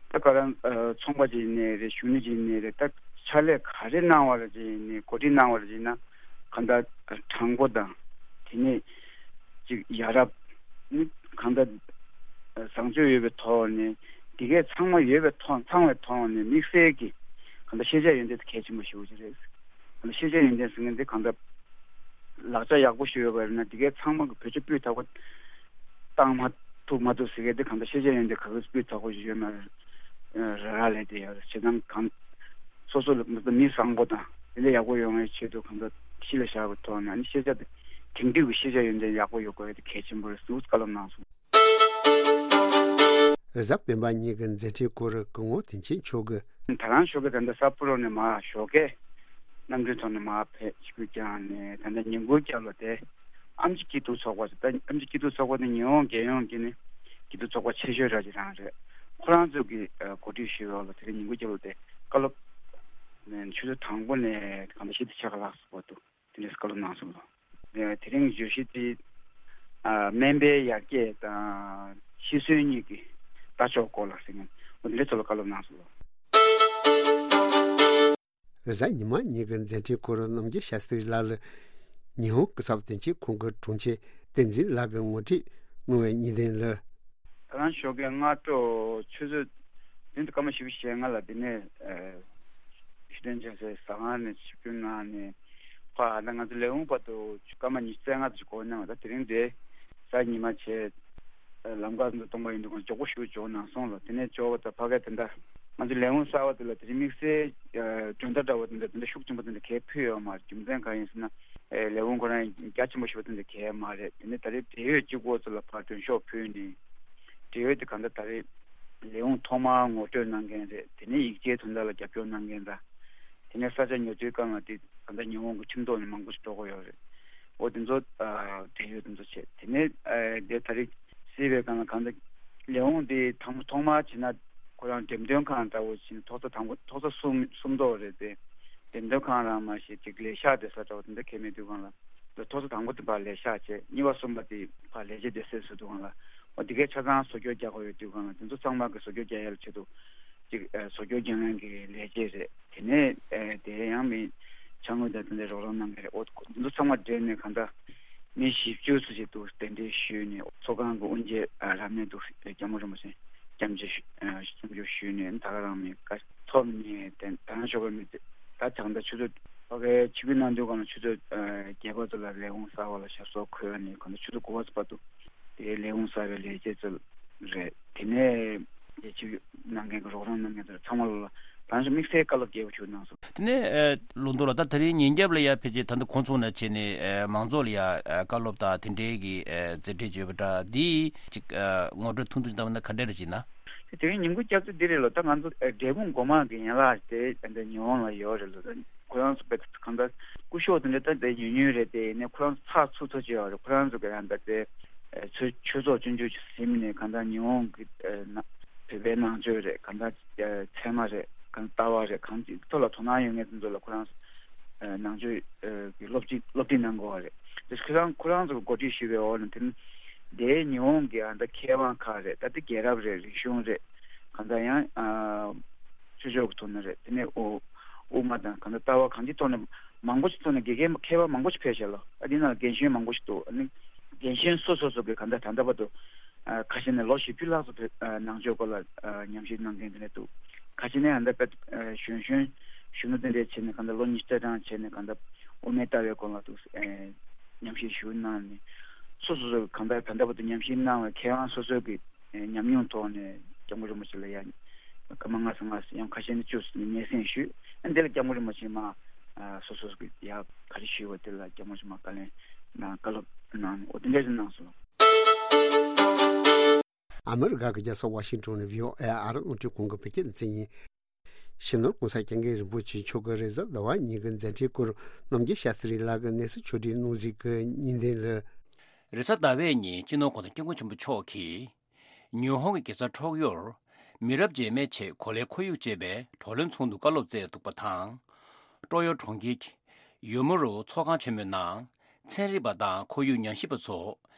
ད་ག་རང་ཨ་ཚོང་པ་ཅིག་ཡིན་ནའི་རེད། གཞོན་ནུ་ཅིག་ཡིན་ནའི་རེད། ད་ཕྱག་ལས་ག་རེ་གནང་བ་ལ་ཅིག་ཡིན་ནའི་གོ་སྒྲིག་གནང་བ་ལ་ཅིག་ཡིན་ན་གང་ལྟར་དྲང་པོ་དང་དེ་ནས་ཅིག་ཡ་རབས་ནི་གང་ལྟར་བཟང་སྤྱོད་ཡོད་པའི་ཐོག་ནས་འདི་གས་ཚང་མ་ཡོད་པའི་ཐོག་ཚང་བའི་ཐོག་ནས་དམིགས་བསལ་གྱི་གང་ལྟར་ཤེས་བྱ་ཡོན་ཏན་དེ་གལ་ཆེན་པོ་ཞེ་པོ་ཅིག་རེད། གང་ལྟར་ཤེས་བྱ་ཡོན་ཏན་ཟེར་མཁན་དེ་གང་ལྟར་ ལག་ཆ་ཡག་པོ་ཞིག་ཡོད་པ་ཡིན་ན་དེ་གའི་ཚང་མ་གི་བེད་སྤྱོད་སྤུས་དག་པོ་བཏང་མ་ཐུབ་མ་ཐུབ་ཟེར་མཁན་དེ་གང་ལྟར་ཤེས་བྱ་ཡོན་ཏན་ག་གི་སྤུས་དག་པོ་ཞིག་ཡོད་མེད་ར་ར་ལས་དེ་ཡོད་རེད། བྱེད་སྟངས་གང་སོ་སོ་ལ་མི་བཟང་པོ་དང་དེ་འདྲ་ཡག་པོ་ཡོང་བའི་ཆེད་དུ་གང་ལྟར་གཞི་ལ་བཞག་པའི་ཐོག་ནས་ཨ་ནི་ཤེས་བྱ་དེ་དེང་དུས་ཀྱི་ཤེས་བྱ་ཡོན་ཏན་ཡག་པོ་ཡོད་དགོས་ཡ་དེ་གལ་ཆེན་པོ་རེད་ཟེར་བཀའ་སློབ་གནང་སོང་། རེས་གཟའ་སྤེན་པ་ཉིན་གྱི་མཛད་འཕྲིན་སྐོར་སྐུ་ངོ་བསྟན་ཆེན་མཆོག་གིས། ད་རང་ཞོགས་ཀས་ད་ལྟ་ས་ཕུ་རོ་ནས་མར་ཞོགས་ཀས་གནམ་གྲུའི་ཐོག་ནས་མར་ཕེབས་ཆིབས་བསྒྱུར་བསྐྱངས་ནས་ད་ལྟ་ཉིན་གུང་སྐབས་ལ་དེ་ཨེམ་ཆི་སྐྱིད་སྡུག་ཚོགས་པ་ཟེར། ད་ཨེམ་ཆི་སྐྱིད་སྡུག་ཚོགས་པ་དེ་ཉི་ཧོང་རྒྱལ་ཡོངས་ཀྱི་ནི་སྐྱིད་སྡུག་ཚོགས་པ་ཆེ་ཤོས་ར་ཅིག་རང་རེད། ཁོ་རང་ཚོ་གིས་གོ་སྒྲིག་ཞུས་པ་ལ་དེ་རིང་ཉིན་གུང་སྐབས་ལ་དེ་བཀའ་སློབ་ཆུ་ཚོད་དང་པོ་ནས་གང་ལྟར་བཞི་དང་ཕྱེད་ཀ་ལྷག་ཙམ་བར་དུ། དེ་འདྲའི་བཀའ་སློབ་གནང་སོང་ལོ། དེ་རིང་བརྗོད་གཞི་དེ་ཨ་སྨན་པའི་ཡར་རྒྱས་དང་ཤི་གསོན་གཉིས་ཀྱི་ལྟ་ཕྱོགས་སྐོར་ལ་ཟེར་མཁན་འོ་དེ་འདྲའི་ཐོག་ལ་བཀའ་སློབ་གནང་སོང་ལོ། རེས་གཟའ་ཉི་མ་ཉིན་གྱི་མཛད་འཕྲིན་སྐོར་རྣམ་རྒྱལ་ཤཱ་སྟྲི་ལགས་ལ་ཉི་ཧོང་སྐུ་ཚབ་དོན་གཅོད་ཁང་གི་དྲུང་ཆེ་བསྟན་འཛིན་ལགས་ཀྱིས་ངོ་སྤྲོད་གནང་བའི་ཉིན་ཐེངས་ལ། ད་རང་ཞོགས་ཀས་སྔ་དྲོ་ཆུ་ཚོད་བདུན་དང་སྐར་མ་བཞི་བཅུ་ཞེ་ལྔ་ལ་འདི་ནས་ཨ་ཞི་སྟོན་ཆེན་སའི་ཟ་ཁང་ནས་ཆིབས་བསྒྱུར་གནང་ནས་ཕར་ད་ང་ཚོ་ལས་ཁུངས་བར་དུ་སྐར་མ་ཉི་ཤུ་རྩ་ལྔ་ཙམ་འགོར་གནང་བ། ད་དེ་རིང་འདིར་གཟའ་ཉི་མ་བྱས་ལམ་ཁ་ཚོ་སྟོང་པ་ཡིན་དུས་ཀྱང་མགྱོགས་པོ་ཞིག་འབྱོར་གནང་སོང་ལ། དེ་ནས་འབྱོར་བ་དང་ཕ་གིར་དེ་འདྲ་ང་ཚོ་ལས་ཁུངས་གསར་པ་དེ་ལ་དེ་རིང་དམིགས་བསལ་ཨ་མགྲོན་བརྡ་འདྲ་བོ་དེ་འདྲ་དེ་འདྲ་ཤུགས་ཆེན་པོ་དེ་འདྲ་གས་ཕུལ་ཡོད་མ་རེད། རྒྱུ་མཚན་གང་ཡིན་ཟེར་ན། ཨེ་ལས་ཁུངས་ཁོ་རང་རྒྱ་ཆེན་པོ་ཞིག་པ་དེ་འདྲ་གས་མ་རེད། དེ་ནས་ད་རེས་འབྲེལ་ཡོད་གཅིག་པོ་ཚོ་ལ་ཕར་མགྲོན་ཤོག་ཕུལ་ནས། འབྲེལ་ཡོད་དེ་གང་ལྟར་ད་རེས་ལས་ཁུངས་ཐོག་མར་ངོ་སྤྲོད་གནང་མཁན་རེད། དེ་ནས་ཡིག་ཆའི་དོན་དག་ལ་རྒྱབ་སྐྱོར་གནང་མཁན་དང་། དེ་ནས་ས་ཆ་ཉོ་སྒྲུབ་སྒང་ལ་དེ་གང་ལྟར་ཉི་ཧོང་གི་ཁྲིམས་ཐོག་ནས་མང་པོ་ཞིག་འགྲོ་གི་ཡོད་རེད། འོ་དེ་ཚོ་ཨ་འབྲེལ་ཡོད་དེ་ཚོ་བྱས། དེ་ནས་ཨ་དེ་ད་རེས་སྲིད་པའི་སྒང་ལ་གང་ལྟར་ལས་ཁུངས་དེ་དང་པོ་ཐོག་མར་བྱས་ན་ཁོ་རང་འགྲེམས་སྟོན་ཁང་འདྲ་བོ་བྱས་ན་ཐོག་ས་དང་པོ་ཐོག་ས་གསུམ་གསུམ་ཐོག་རེད་དེ། འགྲེམས་སྟོན་ཁང་རང་མ་ཞིག་ཅིག་ལས་ཤག་བསྡད་ས་འདྲ་བོ་དེ་འདྲ་གས་མེད་དུས་སྒང་ལ། ཐོག་ས་དང་པོ་དེ་ཕར་ལས་ཤག་བྱས། གཉིས་པ་གསུམ་པ་དེ་ཕར་ལས་བྱེད་སྡེ་ཚན་བཟོ་དུས་སྒང་ལ། འོ་དེ་གའི་ཆ་ཚང་བཟོ་བཅོས་རྒྱག་དགོས་ཡོད་དུས་སྒང་ལ་དེ་ཚོ་ཚང་མ་གི་བཟོ་བཅོས་རྒྱག་ཡ་ལ་ཆེད་དུ་ཅིག་ཨ་བཟོ་བཅོས་རྒྱག་མཁན་གྱི་ལས་བྱེད་རེད། དེ་ནས་ཨ་དེ་ཡང་མི་ཕྱག་དངུལ་དང་དེ་འདྲའི་རོགས་རམ་གནང་མཁན་རེད། འོ་དེ་ཚོ་ཚང་མ་འབྲེལ་ནས་གང་ལྟར་མི་བཞི་བཅུ་ཙམ་ཞིག་འདུག་གདན་འདྲེན་ཞུས་ནས་ཚོགས་ཁང་གི་དབུ་འབྱེད་ཨ་རབ་གནས་འདུག་སྐྱབས་མགོན་རིན་པོ་ཆེ་སྐྱབས་མཆོད་ཞུ་ཨ་སྐྱབས་མཆོད་ཞུས་ནས་ད་ག་རང་མི་དགའ་ཐོབ་ནས་དེ་ད་རང་ཞོགས་པ་མི་ཚེ་ད་ད་ལྟ་ཆུ་ཚོད་ཕ་གའི་ཆིབས་བསྒྱུར་གནང་དུས་སྒང་ལ་ཆུ་ཚོད་ཨ་བརྒྱད་པ་ཙམ་ལ་ལས་ཁུངས་གསར་པ་ལ་ཞབས་སོར་འཁོད་ནས་གང་ལྟར་ཆུ་ཚོད་དགུ་པ་ཙམ་བར་དུ། དེའི་ལས་ཁུངས་གསར་པའི་ལས་བྱེད་ཚོ་རེད། དེ་ནས་རྒྱལ་སྤྱི་ནང་འགན་གྱི་རོགས་རམ་གནང་མཁན་ཚོ་ཚང་མ་ལ་ད་ང་ཚོ་དམིགས་བསལ་བཀའ་སློབ་རྒྱས་པོ་ཞིག་གནང་སོང་། དེ་ནས་ཨ་ལུང་རྟོགས་ལགས། ད་དེ་རིང་ཉིན་རྒྱབ་ལ་ཡ་ཕལ་ཆེར་ད་ལྟ་ཁོང་ཚོ་ནས་བྱས་ནས་ཨ་མང་ཚོགས་ལ་ཡ་ཨ་བཀའ་སློབ་དང་དེ་འབྲེལ་གྱི་ཨ་མཛད་འཕྲིན་བརྗོད་པ་འདྲ་འདི་ཅིག་ཨ་ངོ་སྤྲོད་ཐུང་ཐུང་ཞིག་བཏང་བ་ན་ག་འདྲ་རེ་བྱེད་ན། དེ་རིང་ཉིན་གུང་སྐབས་སུ་འདི་རེད་ལོ། ད་ང་ཚོ་ཨ་འབྲས་སྤུངས་སྒོ་མང་གི་ཡན་ལག་དེ་ད་ལྟ་ཉི་ཧོང་ལ་ཡོད་རེད་ལོ། ད་ཁོ་རང་ཚོ་དཔེ་གང་ལྟར་སྐུ་ཞབས་དེ་འདྲ་ད་ལྟ་ཉུང་ཉུང་རེད་དེ། ཡིན་ནའི་ཁོ་རང་ཚོ་ཚགས་ཚུད་ཚོད་ཅིག་ཡོད་རེད། ཁོ་རང་ཚོ་གི་ཡང་ད་ལྟ་ཨ་ཆོས་ཆོས་ཚོགས་ཆུང་ཆུང་ཅིག་ཟིན་ནས་གང་ལྟར་ཉི་ཧོང་གི་ཨ་ན་བོད་པའི་ནང་ཆོས་རེད། གང་ལྟར་ཨ་ཚད་མ་རེད། གང་ལྟར་ལྟ་བ་རེད། གང་ཅིའི་ཐོག་ལ་དོ་སྣང་ཡོད་མཁན་དེ་ཚོ་ལ་ཁོ་རང་ཚོ་ཨ་ནང་ཆོས་ཨ་གི་སློབ་ཁྲིད་སློབ་ཁྲིད་གནང་དགོས་པ་རེད། དེ་ཁོ་རང་ཁོ་རང་ཚོ་གི་འགོ་ཁྲིད་ཞུས་པའི་འོག་ནས་དེ་ནི་དེའི་ཉི་ཧོང་གི་ཨ་ད་མཁས་དབང་ཁག་རེད། ད་ལྟ་རྒྱལ་རབས་རེད། རིག་གཞུང་རེད། གང་ལྟར་ཡང་ཨ་ཆོས་ཕྱོགས་ཀྱི་ཐོག་ནས་རེད། དེ་ནས་ཨོ་དབུ་མ་དང་གང་ལྟར་ལྟ་བ་གང་ཅིའི་ཐོག་ནས་མང་པོ་ཞིག་ཐོག་ནས་དགེ་རྒན་མཁས་པ་མང་པོ་ཞིག་ཕེབས་ཤག་ལོ། ཨ་དེ་ནང་རྒན་གཞོན་མང་པོ་ཞིག་འདུག་ཨ་ནི་རྒན་གཞོན་སོ་སོ་སོ་གི་གང་ལྟར་ད་ལྟ་བར་དུ་ཨ་ཁ་ཤས་ནས་ལོ་བཞི་བཅུ་ལྷག་ཙམ་བོད་ཨ་ནང་ཆོས་སྐོར་ལ་ཨ་ཉམས་ཞིབ་གནང་མཁན་དེ་འདྲ་འདུག་ཁ་ཤས་ནས་ཨ་ད་དཔེ་ཨ་གཞོན་གཞོན་གཞོན་ནུ་དེ་འདྲས་བྱས་ནས་གང་ལྟར་ལོ་ཉི་ཤུ་རྩ་གྲངས་བྱས་ནས་གང་ལྟར་དབུ་མའི་ལྟ་བའི་སྐོར་ལ་འདུག་ཨ་ཉམས་ཞིབ་ཞུ་གནང་ནས་སོ་སོ་སོ་གི་གང་ལྟར་ད་ལྟ་བར་དུ་ཉམས་ཞིབ་གནང་བའི་མཁས་དབང་སོ་སོ་གི་ཉམས་མྱོང་ཐོག་ནས་སྐྱབས་མགོན་རིན་པོ་ཆེ་ལ་ཡང་སྐར་མ་ལྔ་ཙམ་ལྔ་ཙམ་ཡང་ཁ་ཤས་ནི་བཅུ་ཙམ་སྙན་སེང་ཞུས། ཨ་འདི་ལ་སྐྱབས་མགོན་རིན་པོ་ཆེ་མ་ཨ་སོ་སོ་གི་ཡ་ག་རེ་ཞུས་པ་དེ་ལ་སྐྱབས་མགོན་རིན་པོ་ཆེ་མ་བཀའ་ལན་གནང་བཀའ་སློབ་གནང་ནས་འོ་དེ་འདྲ་ཞིག་གནང་སོང་། ཨ་མི་རི་ཀ་གི་རྒྱལ་ས་ཝ་ཤིང་ཊོན་ནས་བྷི་ཨོ་ཨེ་ཨ་རི་རླུང་འཕྲིན་ཁང་གི་བོད་སྐད་སྡེ་ཚན་ཡིན། སྤྱི་ནོར་༸གོང་ས་༸སྐྱབས་མགོན་རིན་པོ་ཆེ་མཆོག་གིས་རེས་གཟའ་ཟླ་བ་ཉིན་གྱི་མཛད་འཕྲིན་སྐོར་རྣམ་རྒྱལ་ཤཱསྟྲི་ལགས་ཀྱིས་གནས་ཚུལ་ཕྱོགས་སྒྲིག་གནང་གཟིགས་ཀྱི་ཉིན་ཐེངས་ལ། རེས་གཟའ་ཟླ་བའི་ཉིན་སྤྱི་ནོར་༸གོང་ས་༸སྐྱབས་མགོན་ཆེན་པོ་མཆོག་གིས་ཉི་ཧོང་གི་རྒྱལ་ས་ཊོག་ཡོར་མི་རབས་རྗེས་མའི་ཆེད་གོ་ལའི་ཁོར་ཡུག་ཅེས་པའི་བགྲོ་གླེང་ཚོགས་འདུ་བཀའ་སློབ་སྩལ་འདུག་པ་དང་། ཀྲོག་ཡོར་གྲོང་ཁྱེར་གྱི་ཡོ་མུ་རོ་ཚོགས་ཁང་ཆེན་མོའི་ནང་ཚན་རིག་པ་དང་ཁོར་ཡུག་ཉམས་ཞིབ་པ་ཚོ་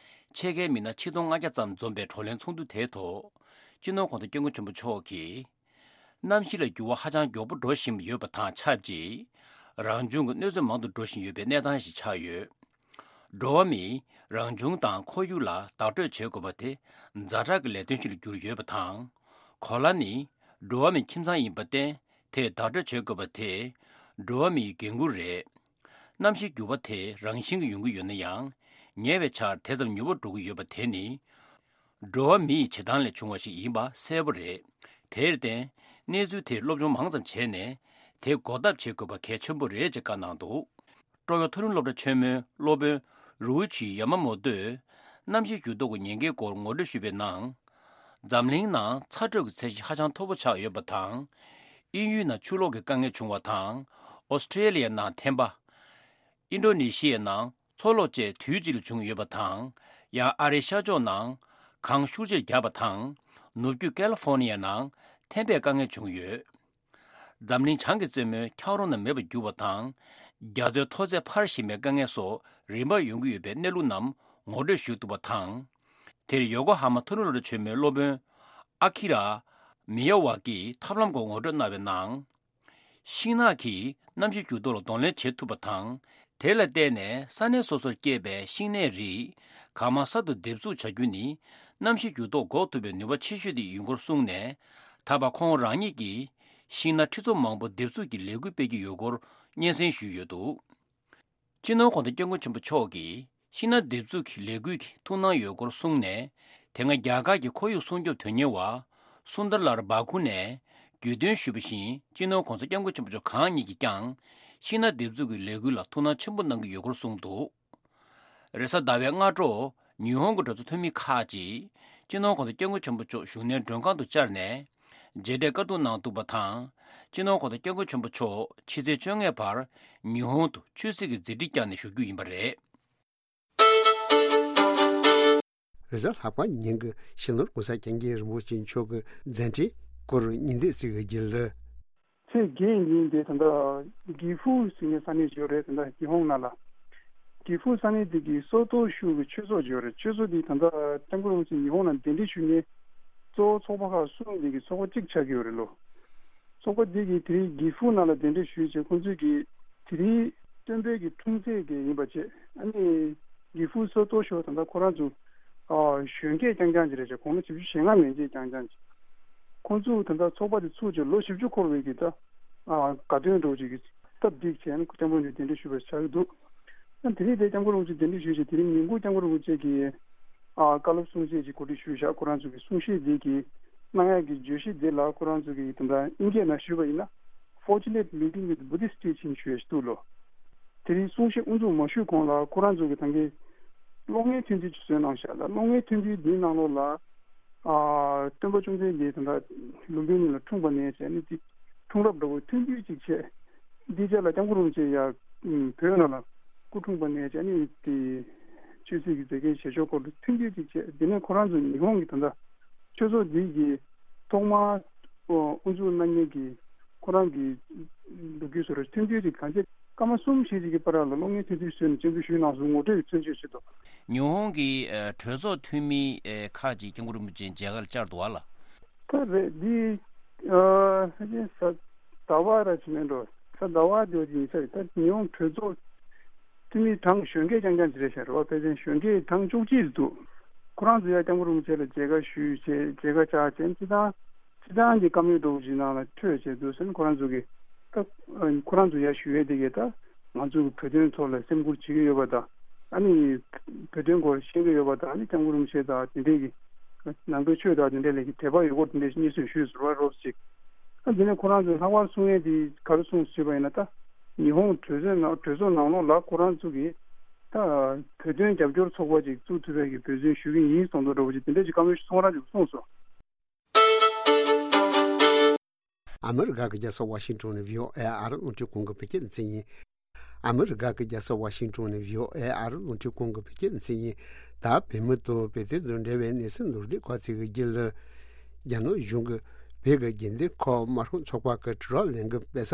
ཕྱེད་ཀའི་མི་སྣ་ཆིག་སྟོང་ལྔ་བརྒྱ་ཙམ་འཛོམས་པའི་བགྲོ་གླེང་ཚོགས་འདུ་དེའི་ཐོག་སྤྱི་ནོར་༸གོང་ས་༸སྐྱབས་མགོན་ཆེན་པོ་མཆོག་གིས། གནམ་གཤིས་ལ་འགྱུར་བ་ཧ་ཅང་མགྱོགས་པོ་འགྲོ་བཞིན་ཡོད་པ་དང་ཆབས་ཅིག་རང་བྱུང་གི་གནོད་འཚེ་མང་དུ་འགྲོ་བཞིན་ཡོད་པའི་གནས་སྟངས་ཤིག་ཆགས་ཡོད། འགྲོ་བ་མིས་རང་བྱུང་དང་ཁོར་ཡུག་ལ་བདག་སྤྲོད་བྱེད་དགོས་པ་དེ་ཛ་དྲག་གི་ལས་དོན་ཞིག་ལ་གྱུར་ཡོད་པ་དང་། གོ་ལ་ནི་འགྲོ་བ་མིའི་ཁྱིམ་ཚང་ཡིན་པར་བརྟེན་དེས་བདག་སྤྲོད་བྱེད་དགོས་པ་དེ་འགྲོ་བ་མིའི་འགན་ཁུར་རེད། གནམ་གཤིས་འགྱུར་བ་དེ་རང་བཞིན་གྱིས་ཡོང་གི་ཡོད་ན་ཡང་། ཉེ་བའི་ཆར་དེ་ཙམ་མྱུར་པོ་འགྲོ་གི་ཡོད་པ་དེ་ནི། འགྲོ་བ་མི་ཡི་བྱེད་སྟངས་ལས་བྱུང་བ་ཞིག་ཡིན་པ་གསལ་པོ་རེད། དེར་བརྟེན། གནས་ཚུལ་དེར་སློབ་སྦྱོང་མང་ཙམ་བྱས་ནས། དེ་འགོག་ཐབས་བྱེད་དགོས་པ་གལ་ཆེན་པོ་རེད་ཅེས་བཀའ་གནང་འདུག་ཀྲོ་ཡོ་མཐོ་རིམ་སློབ་གྲྭ་ཆེན་མོའི་སློབ་དཔོན་རུའུ་ཆི་ཡ་མ་མོ་ཏོས། གནམ་གཤིས་འགྱུར་ལྡོག་གི་ཉེན་ཁའི་སྐོར་ངོ་སྤྲོད་ཞུས་པའི་ནང་། འཛམ་གླིང་ནང་ཚ་དྲོད་ཀྱི་ཚད་གཞི་ཧ་ཅང་མཐོ་པོ་ཆགས་ཡོད་པ་དང་། དབྱིན་ཡུལ་ནང་ཆུ་ལོག་གི་དཀའ་ངལ་བྱུང་བ་དང་། ཨོ་སི་ཀྲེ་ལི་ཡ་ནང་ཐན་པ། ཨིན་ཌོ་ནེ་ཤི་ཡའི་ནང་མཚོ་ལོག་བཅས་དུས་གཅིག་ལ་བྱུང་ཡོད་པ་དང་། ཡང་ཨ་རིའི་ཤར་ཕྱོགས་ནང་གངས་ཤུགས་ཆེར་བརྒྱབ་པ་དང་། ནུབ་རྒྱུད་ཀལ་ལི་ཧྥོ་ནི་ཡའི་ནང་ཐན་པའི་དཀའ་ངལ་བྱུང་ཡོད། འཛམ་གླིང་བྱང་གི་རྩེ་མོའི་འཁྱགས་རོམ་རྣམས་མེད་པར་གྱུར་བ་དང་། རྒྱ་མཚོའི་མཐོ་ཚད་འཕར་བཞིན་པའི་དཀའ་ངལ་སོགས་རིམ་པར་ཡོང་གི་ཡོད་པའི་གནས་ལུགས་རྣམས་ངོ་སྤྲོད་ཞུ་ཐུབ་པ་དང་། དེར་ཡོ་ཀོ་ཧ་མ་མཐོ་རིམ་སློབ་གྲྭ་ཆེན་མོའི་སློབ་དཔོན་ཨ་ཁི་ར་མི་ཡ་ཝ་གིས་ཐབས་ལམ་སྐོར་ངོ་སྤྲོད་གནང་བའི་ནང་། ཤིང་ནགས་ཀྱིས་གནམ་གཤིས་འགྱུར་ལྡོག་ལ་གདོང་ལེན་བྱེད་ཐུབ་པ་དང་། དེ་ལ་བརྟེན་ནས་ས་གནས་སོ་སོར་སྐྱེས་པའི་ཤིང་ནགས་རིགས་གང་མང་གསར་དུ་འདེབས་འཛུགས་བྱ་རྒྱུ་ནི། གནམ་གཤིས་འགྱུར་ལྡོག་འགོག་ཐུབ་པའི་ནུས་པ་ཆེ་ཤོས་དེ་ཡིན་སྐོར་གསུངས་ནས། ད་བར་ཁོང་རང་ཉིད་ཀྱིས་ཤིང་ནགས་ཁྲི་ཚོ་མང་པོ་འདེབས་འཛུགས་ཀྱི་ལས་འགུལ་སྤེལ་གྱི་ཡོད་སྐོར་སྙན་སེང་ཞུས་ཡོད་འདུག་སྤྱི་ནོར་གོང་ས་སྐྱབས་མགོན་ཆེན་པོ་མཆོག་གིས་ཤིང་ནགས་འདེབས་འཛུགས་ཀྱི་ལས་འགུལ་གྱི་ཐུགས་སྣང་ཡོད་སྐོར་གསུངས་ནས། དེ་སྔ་རྒྱ་གར་གྱི་ཁོར་ཡུག་སྲུང་སྐྱོབ་དོན་གཉེར་བ་སུན་དར་ལལ་བྷ་ཁུ་ནས་བརྒྱུད་སྟོན་ཞུས་པ་བཞིན། སྤྱི་ནོར་གོང་ས་སྐྱབས་མགོན་ཆེན་པོ་མཆོག་གང་ཉིད་ཀྱིས་ཀྱང་ཤིང་ནགས་འདེབས་འཛུགས་ཀྱི་ལས་འགུལ་ལ་ཐུགས་སྣང་ཆེན་པོ་གནང་གི་ཡོད་སྐོར་གསུངས་འདུག་རེས་གཟའ་ཟླ་བའི་སྔ་དྲོ། ཉི་ཧོང་གི་གྲོས་ཚོགས་འཐུས་མི་ཁག་ཅིག་སྤྱི་ནོར་གོང་ས་སྐྱབས་མགོན་ཆེན་པོ་མཆོག་བཞུགས་གནས་མགྲོན་ཁང་དུ་བཅར་ནས། མཇལ་འཕྲད་བཀའ་བསྡུར་གནང་འདུག་པ་དང་། སྤྱི་ནོར་གོང་ས་སྐྱབས་མགོན་ཆེན་པོ་མཆོག་ཕྱི་ཚེས་བཅོ་ལྔ་བར་ཉི་ཧོང་དུ་ཆོས་སྲིད་ཀྱི་མཛད་འཕྲིན་བསྐྱངས་ནས་བཞུགས་རྒྱུ་ཡིན་པ་རེད། རེས་གཟའ་ལྷག་པ་ཉིན་གྱི་སྤྱི་ནོར་གོང་ས་སྐྱབས་མགོན་རིན་པོ་ཆེ་མཆོག་གི་མཛད་འཕྲིན་སྐོར་ཉིན་བརྡ་ཅིག་གི་རྒྱུད་ལ། ཚེས་བརྒྱད་ཉིན་དེ་ད་ལྟ་གི་ཧྥུ་ཟེར་མཁན་ས་གནས་ཤིག་ཡོད་རེད། ད་ལྟ་ཉི་ཧོང་ནང་ལ་གི་ཧྥུ་ས་གནས་དེ་གི་སོ་ཏོ་ཤུ་གི་ཆོས་ཚོགས་ཤིག་ཡོད་རེད། ཆོས་ཚོགས་དེ་ད་ལྟ་སྐྱབས་མགོན་རིན་པོ་ཆེ་ཉི་ཧོང་ནང་གདན་འདྲེན་ཞུ་མཁན་གཙོ་བོ་ཚོགས་པ་ཁག་གསུམ་དེ་གི་ཚོགས་པ་གཅིག་ཆགས་ཀྱི་ཡོད་རེད་ལོ། ཚོགས་པ་འདི་གིས་དེ་རིང་གི་ཧྥུ་ནང་ལ་གདན་འདྲེན་ཞུས་བྱས། ཁོང་ཚོས་ཀྱིས་དེ་རིང་སྟོན་པའི་གི་འཁྲུངས་ཚེས་ཀྱི་ཡིན་པ་བྱས། ཨ་ནི་གི་ཧྥུ་སོ་ཏོ་ཤོ་ད་ལྟ་ཁོ་རང་ཚོ་ཨ་གཞོན་སྐྱེས་རྐྱང་རྐྱང་ཅིག་རེད་བྱས། དགུང་ལོ་བཞི་བཅུ་ཞེ་ལྔ་མན་ཆད་རྐྱང་རྐྱང་ཅིག་ཁོང་ཚོས་ད་ལྟ་ཚོགས་པ་དེ་ཚུགས་བྱས་ལོ་བཞི་བཅུ་འཁོར་བའི་གི་ད་ཨ་དགའ་སྟོན་འདྲ་བོ་ཅིག་གི་སྟབས་བདེ་བྱས་ནས་སྐྱབས་མགོན་གདན་འདྲེན་ཞུས་པ་ཆགས་ཀྱི་འདུག་ཨ་དེ་རིང་དེ་སྐྱབས་མགོན་རིན་པོ་ཆེ་གདན་འདྲེན་ཞུས་བྱས། དེ་རིང་ཉིན་གུང་སྐྱབས་མགོན་རིན་པོ་ཆེ་གིས་ཨ་བཀའ་སློབ་གསུང་བཤད་ཅིག་གོ་སྒྲིག་ཞུས་བཞག་ཁོ་རང་ཚོ་གི་གསུང་བཤད་འདི་གི་གནང་ཡག་གི་བརྗོད་གཞི་འདི་ལ་ཁོ་རང་ཚོ་གི་དེ་འདྲ་དབྱིན་སྐད་ནང་ཞུས་པ་ཡིན་ན། Fortunate meeting with Buddhist teaching ཞུ་ཡ་ཞིག་འདུག་ལོ། དེ་རིང་གསུང་བཤད་དབུ་འཛུགས་མ་ཞུས་གོང་ལ་ཁོ་རང་ཚོ་གི་ད་གིན་གློག་བརྙན་ཐུང་ཐུང་ཅིག་བཟོས་གནང་བཞག་ལ། གློག་བརྙན་ཐུང་ཐུང་འདིའི་ནང་ལོགས་ལ་ཨ་སྟོན་པ་བཅོམ་ལྡན་འདས་དེ་འདྲ་ལུམ་བི་ནི་ལ་འཁྲུངས་པ་ནས་བྱས་ནས་དེ་འཁྲུངས་རབས་འདྲ་བོ་ཐུང་ཐུང་ཅིག་བྱས། འདི་རྗེས་ལ་སྐྱབས་མགོན་རིན་པོ་ཆེ་ཡ་བོད་ནང་ལ་སྐུ་འཁྲུངས་པ་ནས་བྱས་ནས་དེ་ཆོས་སྲིད་ཀྱི་མཛད་འགན་བཞེས་ཕྱོགས་སྐོར་ལ་ཐུང་ཐུང་ཅིག་བྱས། དེ་ནས་ཁོ་རང་ཚོ་ཉི་ཧོང་གི་ད་ལྟ་ཆོས་ཚོགས་འདི་གི་ཐོག་མར་དབུ་འཛུགས་གནང་མཁན་གྱི་ཁོ་རང་གི་ལོ་རྒྱུས་སོགས་རེ་ཐུང་ཐུང་ཅིག་གང་ཆེ་སྐར་མ་གསུམ་བཞི་ཅིག་གི་བར་ལ་གློག་བརྙན་ཐུང་ཐུང་བཟོས་ནས་སྤྱན་འབུལ་ཞུས་གནང་སོང་། ངོ་སྤྲོད་ཀྱི་མཚོན་བྱེད་ཆེད་དུ། ཉི་ཧོང་གི་ཨ་གྲོས་ཚོགས་འཐུས་མི་ཨེ་ཁག་ཅིག་སྐྱབས་མགོན་རིན་པོ་ཆེ་མཇལ་ཁར་བཅར་འདུག་བ་ལ། ད་རེད་འདི། ཨ་ཕལ་ཆེར་གཟའ་ཟླ་བ་ར་ཅིག་མིན་འགྲོ། གཟའ་ཟླ་བ་དེ་བ་ཅིག་ཡིན་ས་རེད། ད་ཉི་ཧོང་གྲོས་ཚོགས་འཐུས་མི་གྲངས་གཞོན་སྐྱེས་རྐྱང་རྐྱང་ཅིག་རེད་ཤག་རེད་བ། ཕལ་ཆེར་གཞོན་སྐྱེས་གྲངས་བཅུ་གཅིག་འདུག་ཁོ་རང་ཚོ་ཡ་སྐྱབས་མགོན་རིན་པོ་ཆེ་ལ་མཇལ་ཁ་ཞུས་བྱས་མཇལ་ཁ་བཅར་བྱས། སྤྱི་བཏང་སྤྱི་བཏང་གི་བཀའ་མོལ་འདྲ་བོ་ཅིག་ནང་ལ་ཐོས་བྱས་འདུག་ཟེར་ནས་ཁོ་རང་ཚོ་གི་ད་ཁོ་རང་ཚོ་ཡ་ཞུ་ཡས་དེ་གས་ད་ང་ཚོ་གི་བོད་དོན་ཐོག་ལ་སེམས་ཁུར་བྱེད་ཀྱི་ཡོད་པ་དང་། ཨ་ནི་བོད་དོན་སྐོར་ཤེས་ཀྱི་ཡོད་པ་དང་། ཨ་ནི་སྐྱབས་མགོན་རིན་པོ་ཆེ་དང་དེ་འདྲས་ཀྱི་ནང་པའི་ཆོས་དང་དེ་འདྲས་ལ་གི་དད་པ་ཡོད་སྐོར་དེ་འདྲས་ཤིག་སྙན་སེང་ཞུས་ཟེར་བ་རོབ་ཅིག་ཨ་དེ་ནས་ཁོ་རང་ཚོས་ལྷག་པར་གསུང་ཡས་དེ་ག་རེ་གསུངས་ཟེར་བ་ཡིན་ན། ད་ཉི་ཧོང་གྲོས་ཚོགས་ནང་གྲོས་ཚོགས་ནང་ལོགས་ལ་ཁོ་རང་ཚོ་གིས་ད་བོད་དོན་རྒྱབ་སྐྱོར་ཚོགས་པ་ཅིག་བཙུགས་ཐུབ་པའི་གི་འབད་བརྩོན་ཞུ་གི་ཡིན་གསུངས་འདུག་འདྲ་བོ་ཅིག་དེ་འདྲས་ཀྱི་བཀའ་མོལ་ཞིག་ཁོ་རང་ཚོས་གསུངས་སོང་། ཨ་མི་རི་ཀ་གི་རྒྱལ་ས་ཝ་ཤིང་ཊོན་ནས་བྷི་ཨོ་ཨེ་ཨ་རི་རླུང་འཕྲིན་ཁང་གི་བོད་སྐད་སྡེ་ཚན་ཡིན། ཨ་མི་རི་ཀ་གི་རྒྱལ་ས་ཝ་ཤིང་ཊོན་ནས་བྷི་ཨོ་ཨེ་ཨ་རི་རླུང་འཕྲིན་ཁང་གི་བོད་སྐད་སྡེ་ཚན་ཡིན། ད་བོད་མི་དང་བོད་དོན་དང་འབྲེལ་བའི་གནས་ཚུལ་མདོར་བསྡུས་ཁག་ཅིག་གི་རྒྱུད་ལ། རྒྱ་ནག་གཞུང་གིས་བོད་ཀྱི་དགེ་ལྡན་ཁོག་དམར་ཤོག་ཚོགས་པ་གི་དྲིལ་བསྒྲགས་ལས་འགུལ་སྤེལ་ས་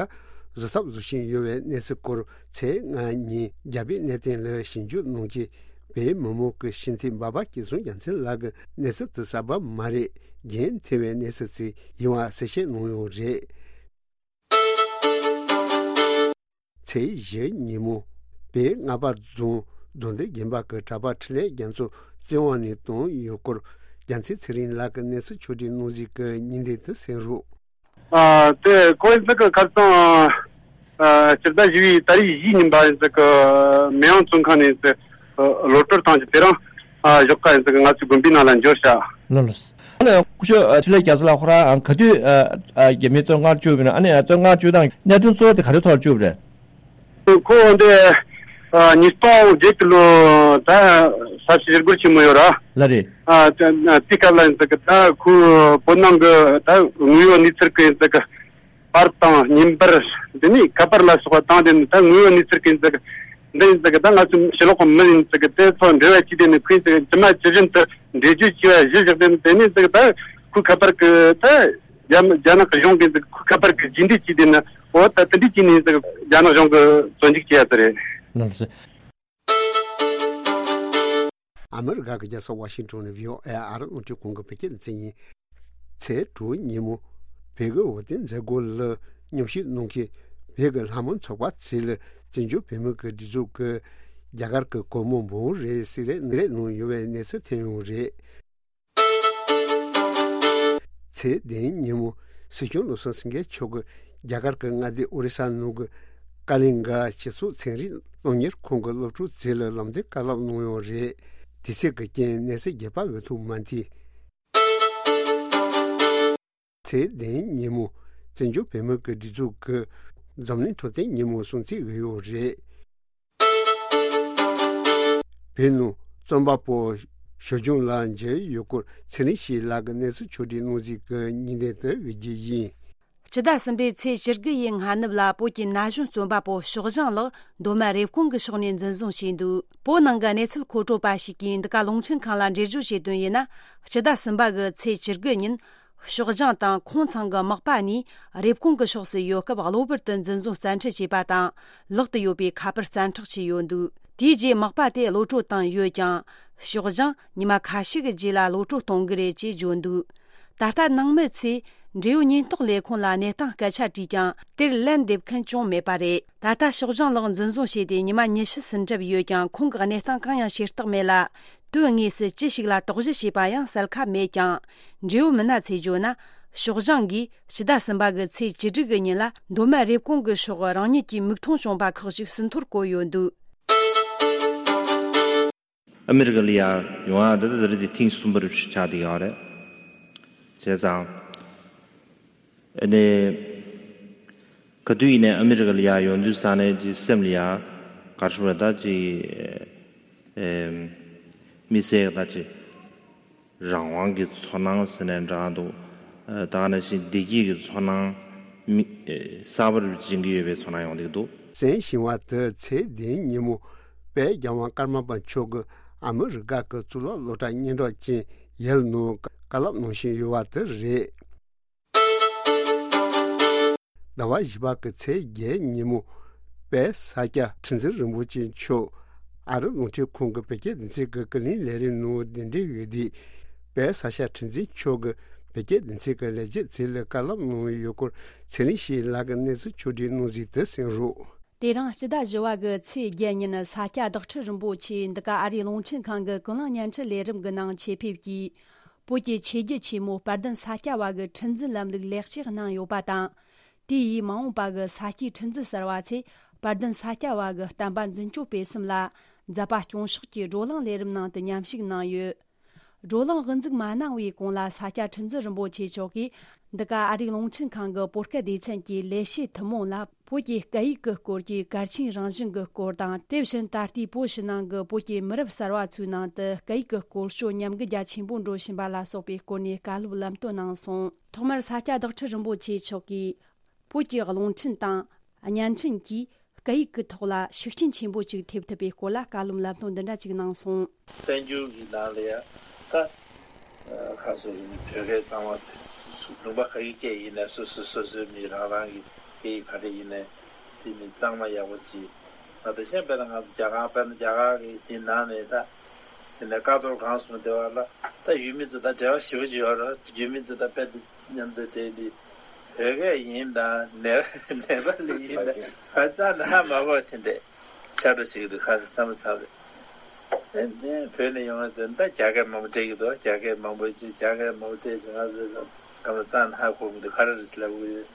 བཟོ་ཐབས་བཟོ་བཞིན་ཡོད་པའི་གནས་ཚུལ་སྐོར། ཚེས་ལྔ་ཉིན་རྒྱ་བོད་གནས་བརྟན་ལ་ཞིབ་འཇུག་གནང་རྗེས། བོད་མི་མང་གི་ཞི་བདེ་འབའ་པ་སྐྱིད་སྲུང་རྒྱལ་མཚན་ལགས་ཀྱིས་གནས་ཚུལ་དེ་གསར་པ་མ་རེད། རྒྱུན་མཐུད་པའི་གནས་ཚུལ་ཅིག་ཡིན་པ་གསལ་བཤད་གནང་ཡོད་རེད། ཚེས་བཞི་ཉིན་མོ་བོད་རྔ་པ་རྫོང་རྫོང་སྡེ་དགོན་པ་གི་གྲྭ་པ་འཕྲིན་ལས་རྒྱ་མཚོ་བཙན་དབང་ནས་བཏང་ཡོད་སྐོར། རྒྱལ་མཚན་ཚེ་རིང་ལགས་ཀྱིས་གནས་ཚུལ་ཕྱོགས་སྒྲིག་གནང་གཟིགས་ཀྱི་ཉིན་བརྡ་དེ་གསན་རོགས། ཨ་དེ་ཁོའི་ཚིག་གི་ཁ་སང་ ཨ། སྤྱི་ཟླ་བཞི་པའི་ཏ་རིག་བཞིའི་ཉིན་པ་ཡིན་ཙང་གི་མེ་ཡང་བཙོན་ཁང་ནས་ཡིན་ཙང་གི་གློད་གྲོལ་བཏང་རྗེས་དེ་རིང་ཨ་ཞོགས་ཀ་ཡིན་ཙང་གི་ང་ཚོའི་དགོན་པའི་ནང་ལ་འབྱོར་བྱ། ལགས་ལགས། ཨ་ནི་སྐུ་ཞབས་ཨ་འཕྲིན་ལས་རྒྱ་མཚོ་ལགས། ཁོ་རང་ཨ་ག་དུས་ཨ་ཨ་རྒྱ་མིའི་བཙོན་ཁང་བཅུག་པ་ཡིན་ན། ཨ་ནི་བཙོན་ཁང་བཅུག་སྟངས་གནད་དོན་གཙོ་བོ་དེ་ག་རེ་ཐོག་བཅུག་པ་རེད། ཁོ་འདི་ཨ་ཉིས་སྟོང་བརྒྱད་ཀྱི་ལོ་ད་ས་བྱི་ཞི་རྒོལ་ཆེན་མོ་ཡོད་ར། ལགས་རེད། ཨ་དེ་དེའི་སྐབས་ལ་ཡིན་ཙང་གི་ད་ཁོའི་བོད་ནང་གི་ད་དངོས་ཡོད་གནས་ཚུལ་གི་ཡིན་ཙང་གི་པར་དང་བརྙན་པར། དེ་ནས་ཁ་པར་ལ་སོགས་པ་བཏང་དེ་ནས་ད་དངོས་ཡོད་གནས་ཚུལ་གི་ཡིན་ཙང་གི་འདི་ཡིན་ཙང་གི་ད་ང་ཚོ་ཕྱི་ལོགས་གི་མི་ཡིན་ཙང་གི་དེ་ཚོ་འབྲེལ་བ་བྱས་དེ་ནས་ཁོས་ཡིན་ཙང་གི་ཇི་མ་ཇི་བཞིན་དུ་འགྲེལ་བརྗོད་བྱས་པ་གཞིར་བཞག་དེ་ནས་དེ་ནས་ཙང་གི་ད་ཁོའི་ཁ་པར་གི་ད་རྒྱ་རྒྱ་ནག་གི་གཞུང་གི་ཁ་པར་གི་རྗེས་འདེད་བྱས་དེ་ནས། འོ་ད་དེ་འདྲ་བྱས་ནས་ཙང་གི་རྒྱ་ནག་གཞུང་གི་བཙོན་འཇུག་བྱས་ཡ་དེ་རེད། ལགས་སོ། ཨ་མི་རི་ཀ་གི་རྒྱལ་ས་ཝ་ཤིང་ཊོན་ནས་བྷི་ཨོ་ཨེ་ཨ་རི་རླུང་འཕྲིན་ཁང་གི་བོད་སྐད་སྡེ་ཚན་ཡིན། ཚེས་དྲུག་ཉིན་མོ་བོད་ཀྱི་འོས་བསྟན་མཛད་སྒོ་ལ་མཉམ་ཞུགས་གནང་མཁན་བོད་ཀྱི་ལྷ་མོ་ཚོགས་པ་ཚོས་བཙན་བྱོལ་བོད་མི་གི་སྒྲིག་འཛུགས་ཀྱིས་རྒྱ་གར་གྱི་གོང་མ་འབུམ་རེ་གསེར་ལས་གནང་ཡོད་པའི་གནས་ཚུལ་ཐོན་ཡོད་རེད། ཚེས་བདུན་ཉིན་མོ་སྲིད་སྐྱོང་བློ་བཟང་སེང་གེ་མཆོག་གིས་རྒྱ་གར་གྱི་མངའ་སྡེ་ཨོ་རི་ས་ནང་གི་ཀ་ལིང་ག་སྤྱི་ཚོགས་ཚན་རིག་སློབ་གཉེར་ཁང་གི་སློབ་ཕྲུག་ཚོ་ལ་ལམ་སྟོན་བཀའ་སློབ་གནང་ཡོད་རེད། དུས་ཚོད་ཀྱི་རྐྱེན་གནས་ཚུལ་རྒྱས་པ་འོས་ཐུབ་མ་ཐུབ། ཚེས་བདུན་ཉིན་མོ་བཙན་བྱོལ་བོད་མི་གི་སྒྲིག་འཛུགས་ཀྱི་འཛམ་གླིང་འཕྲོད་བསྟེན་ཉིན་མོ་སྲུང་བརྩི་ཡོད་རེད། བོད་ནང་རྩོམ་པ་པོ་ཞོལ་རྒྱང་ལགས་མཇལ་ཡོད་སྐོར་ཚེ་རིང་སྐྱིད་ལགས་ཀྱིས་གནས་ཚུལ་ཕྱོགས་སྒྲིག་གནང་གཟིགས་ཀྱི་ཉིན་ནས་དུ་འོས་བསྡུ་ཡིན། སྤྱི་ཟླ་གསུམ་པའི་ཚེས་བཅུ་དགུ་ཡི་སྔ་ནུབ་ལ་བོད་ཀྱི་ན་གཞོན་རྩོམ་པ་པོ་ཞོགས་ལྗང་ལགས་མདོ་སྨད་རེབ་གོང་གི་ཕྱོགས་ནས་འཛིན་བཟུང་བྱས་འདུག་བོད་ནང་གི་གནས་ཚུལ་མཁོ་སྤྲོད་པ་ཞིག་གིས་འདི་ག་རླུང་འཕྲིན་ཁང་ལ་འགྲེལ་བརྗོད་བྱས་དོན་ཡིན་ན། སྤྱི་ཟླ་གསུམ་པ་གི་ཚེས་བཅུ་དགུ་ཉིན། ཞོགས་ལྗང་དང་ཁོང་ཚང་གི་མག་པ་གཉིས་རེབ་གོང་གི་ཕྱོགས་སུ་ཡོད་སྐབས་གློ་བུར་དུ་འཛིན་བཟུང་བཙན་ཁྲིད་བྱས་པ་དང་། ལག་ཏུ་ཡོད་པའི་ཁ་པར་བཙན་འཕྲོག་བྱས་ཡོད་འདུག་དེའི་རྗེས་མག་པ་དེ་གློད་བཀྲོལ་བཏང་ཡོད་ཀྱང་། ཞོགས་ལྗང་ཉི་མ་ཁ་ཤས་ཀྱི་རྗེས་ལ་གློད་བཀྲོལ་གཏོང་གི་རེད་ཅེས་བརྗོད་འདུག་ད་ལྟ་ནང་མི་ཚོས་འབྲེལ་ཡོད་ཉེན་རྟོག་ལས་ཁུངས་ལ་གནས་སྟངས་སྐད་ཆ་དྲིས་ཀྱང་། དེར་ལན་འདེབས་མཁན་ཅང་མེད་པ་རེད། ད་ལྟ་ཞོགས་ལྗང་ལགས་འཛིན་བཟུང་བྱས་ཏེ་ཉི་མ་ཉི་ཤུ་ཟིན་གྲབས་ཡོད་ཀྱང་། ཁོང་གི་གནས་སྟངས་གང་ཡང་ཤེས་རྟོགས་མེད་ལ། དོན་དངོས་སུ་ཅི་ཞིག་ལ་དོགས་གཞི་བྱས་པ་ཡང་གསལ་ཁ་མེད་ཀྱང་། འབྲེལ་ཡོད་མི་སྣ་ཚོས་བརྗོད་ན། ཞོགས་ལྗང་གིས་སྤྱི་ཟླ་གསུམ་པ་གི་ཚེས་བཅུ་དྲུག་གི་ཉིན་ལ་མདོ་སྨད་རེབ་གོང་གི་ཕྱོགས་རང་ཉིད་ཀྱི་མིག་མཐོང་བྱུང་བ་ཁག་ཅིག་ཟིན་ཐོར་བཀོད་ཡོད་འདུག་ཨ་མི་རི་ཀ་ལ་ཡར་ཡོང་ཡག་འདི་ད་རེས་དེ་ཐེངས་གསུམ་པ་རེད་ཆགས་བསྡད་ཡོད་རེད། བྱས་ཙང་། ཨ་ནི། ག་དུས་ཡིན་ནའི་ཨ་མི་རི་ཀ་ལ་ཡར་ཡོང་དུས་ཙ་ནས་ཀྱི་སེམས་ལ་ཡ། ག་རེ་ཞུ་དགོས་རེད། ད་ཅིག་ཨེམ། མི་ཚེ་ད་ཅིག་རང་དབང་གི་ཚོར་སྣང་ཟེར་ནའི་འདྲ་འདུག་ཨ། ད་ག་ནང་བཞིན་བདེ་སྐྱིད་ཀྱི་ཚོར་སྣང་། མི། ཨེ། གསར་པར་སྦྱིན་གྱི་ཡོད་པའི་ཚོར་སྣང་ཡོང་བསྡད་འདུག་གསན་བཞིན་པ་དེ་ཚེས་བདུན་ཉིན་མོ་དཔལ་རྒྱལ་དབང་ཀརྨ་པ་མཆོག་གིས་ཨ་མི་རི་ཀ་གི་གཙུག་ལག་སློབ་གྲྭ་སྙན་གྲགས་ཅན་ཡེལ་ནང་བཀའ་སློབ་གནང་བཞིན་ཡོད་པ་དེ་རེད། ཟླ་བ་བཞི་པ་གི་ཚེས་བརྒྱད་ཉིན་མོ་དཔལ་ས་སྐྱ་ཁྲི་འཛིན་རིན་པོ་ཆེ་མཆོག་ཨ་རི་རླུང་འཕྲིན་ཁང་གི་བོད་སྐད་སྡེ་ཚན་གྱི་ཀུན་གླེང་ལས་རིམ་ནང་གདན་འདྲེན་འོས་བསྡུས། དཔལ་ས་སྐྱ་ཁྲི་འཛིན་མཆོག་གིས་བོད་སྐད་སྡེ་ཚན་གྱི་ལས་བྱེད་ཚོ་ལ་བཀའ་སློབ་གནང་ཡོད་སྐོར་ཚེ་རིང་སྐྱིད་ལགས་ཀྱིས་གནས་ཚུལ་ཕྱོགས་སྒྲིག་གནང་གཟིགས་དེ་གསན་རོགས། དེ་རིང་སྤྱི་ཟླ་བཞི་པ་གི་ཚེས་བརྒྱད་ཉིན་ས་སྐྱ་བདག་ཁྲི་རིན་པོ་ཆེ་འདི་ག་ཨ་རིའི་རླུང་འཕྲིན་ཁང་གི་ཀུན་གླེང་བརྙན་འཕྲིན་ལས་རིམ་གྱི་ནང་ཆེད་ཕེབས་ཀྱིས། བོད་ཀྱི་ཆོས་བརྒྱུད་ཆེན་མོ་དཔལ་ལྡན་ས་སྐྱ་བ་གི་ཁྲི་འཛིན་ལམ་ལུགས་ལེགས་བཅོས་གནང་ཡོད་པ་དང་། དེ་ཡིས་མ་འོངས་པ་གི་ས་སྐྱའི་ཁྲི་འཛིན་གསར་བ་ཚོས་དཔལ་ལྡན་ས་སྐྱ་བ་གི་བསྟན་པ་འཛིན་སྐྱོང་སྤེལ་གསུམ་ལ་མཛད་པ་སྐྱོང་ཕྱོགས་ཀྱི་བགྲོ་གླེང་ལས་རིམ་ནང་དུ་མཉམ་ཞུགས་གནང་ཡོད། བགྲོ་གླེང་དབུ་འཛུགས་མ་གནང་བའི་གོང་ལ་ས་སྐྱ་ཁྲི་འཛིན་རིན་པོ་ཆེ་མཆོག་གིས་འདི་ག་ཨ་རིའི་རླུང་འཕྲིན་ཁང་གི་བོད་སྐད་སྡེ་ཚན་གྱི་ལས་བྱེད་ཐུན་མོང་ལ། བོད་ཀྱི་སྐད་ཡིག་གི་སྐོར་གྱི་གལ་ཆེན་རང་བཞིན་གྱི་སྐོར་དང་། དེ་བཞིན་ད་ལྟའི་བོད་ཕྱི་ནང་གི་བོད་ཀྱི་མི་རབས་གསར་བ་ཚོའི་ནང་དུ་སྐད་ཡིག་གི་སྐོར་སྐྱོད་ཉམས་རྒུད་རྒྱ་ཆེན་པོ་འགྲོ་བཞིན་པ་ལ་སོགས་པའི་སྐོར་ནས་བཀའ་སློབ་ལམ་སྟོན་གནང་སོང་། ཐོག་མར་ས་སྐྱ་བདག་ཁྲི་རིན་པོ་ཆེ་མཆོག་གིས། བོད་ཀྱི་རླུང་འཕྲིན་དང་བརྙན་འཕྲིན་གྱིས་སྐད་ཡིག་གི་ཐོག་ལ་ཤུགས་རྐྱེན་ཆེན་པོ་ཅིག་ཐེབས་ཐུབ་པའི་སྐོར་ལ་བཀའ་སློབ་ལམ་སྟོན་འདི་འདྲ་ཅིག་གནང་སོང་། གསར་འགྱུར་གྱི་ནང་ལ་ཡང་ད། ཁ་སོ་ཡིན་བོད་སྐད་གཙང་མ་དེ་ལུང་པ་ག་གི་སྐད་ཡིན་ནའི་སོ་སོ་སོ་སོའི་མི་རང་རང་གི་སྐད་ཡིག་ག་རེ་ཡིན་ནའི་དེ་ནི་གཙང་མ་ཡག་པོ་ཅིག་ང་དེ་བཞིན་དཔེར་ན་ང་ཚོ་རྒྱ་གར་དཔེར་ན་རྒྱ་གར་གི་དེ་ནང་ནས་ད་དེ་ནས་ཀ་ཐོག་གང་སོང་དེ་བ་ལ་ད་ཡུལ་མི་ཚོ་ད་འབྲེལ་བ་ཞེ་པོ་ཅིག་ཡོད་རེད། ཡུལ་མི་ཚོ་ད་དཔེ་དེ་མཉམ་དུ་བསྡད་དེ་བོད་སྐད་ཡིན་དང་ནེ་ནེ་པ་ལི་ཡིན་དང་ཧ་ཅང་ད་ཧ་མ་གོ་དེ་འདྲས་ཆགས་འགྲོ་ཞིག་འདུག་ཁ་ཤས་ཚང་མ་ཚང་རེད། ཨེ་ནས་བོད་ནས་ཡོང་བ་ཚོས་ད་རྒྱ་སྐད་མང་པོ་བྲིས་ཀྱི་འདུག་རྒྱ་སྐད་མང་པོ་བྲིས། རྒྱ་སྐད་མང་པོ་བྲིས་ཙང་ང་ཚོས་ཚང་མ་རྩ་ནས་ཧ་གོ་གི་འདུག་ག་རེ་རེད་ལབ་གི་ཡོད།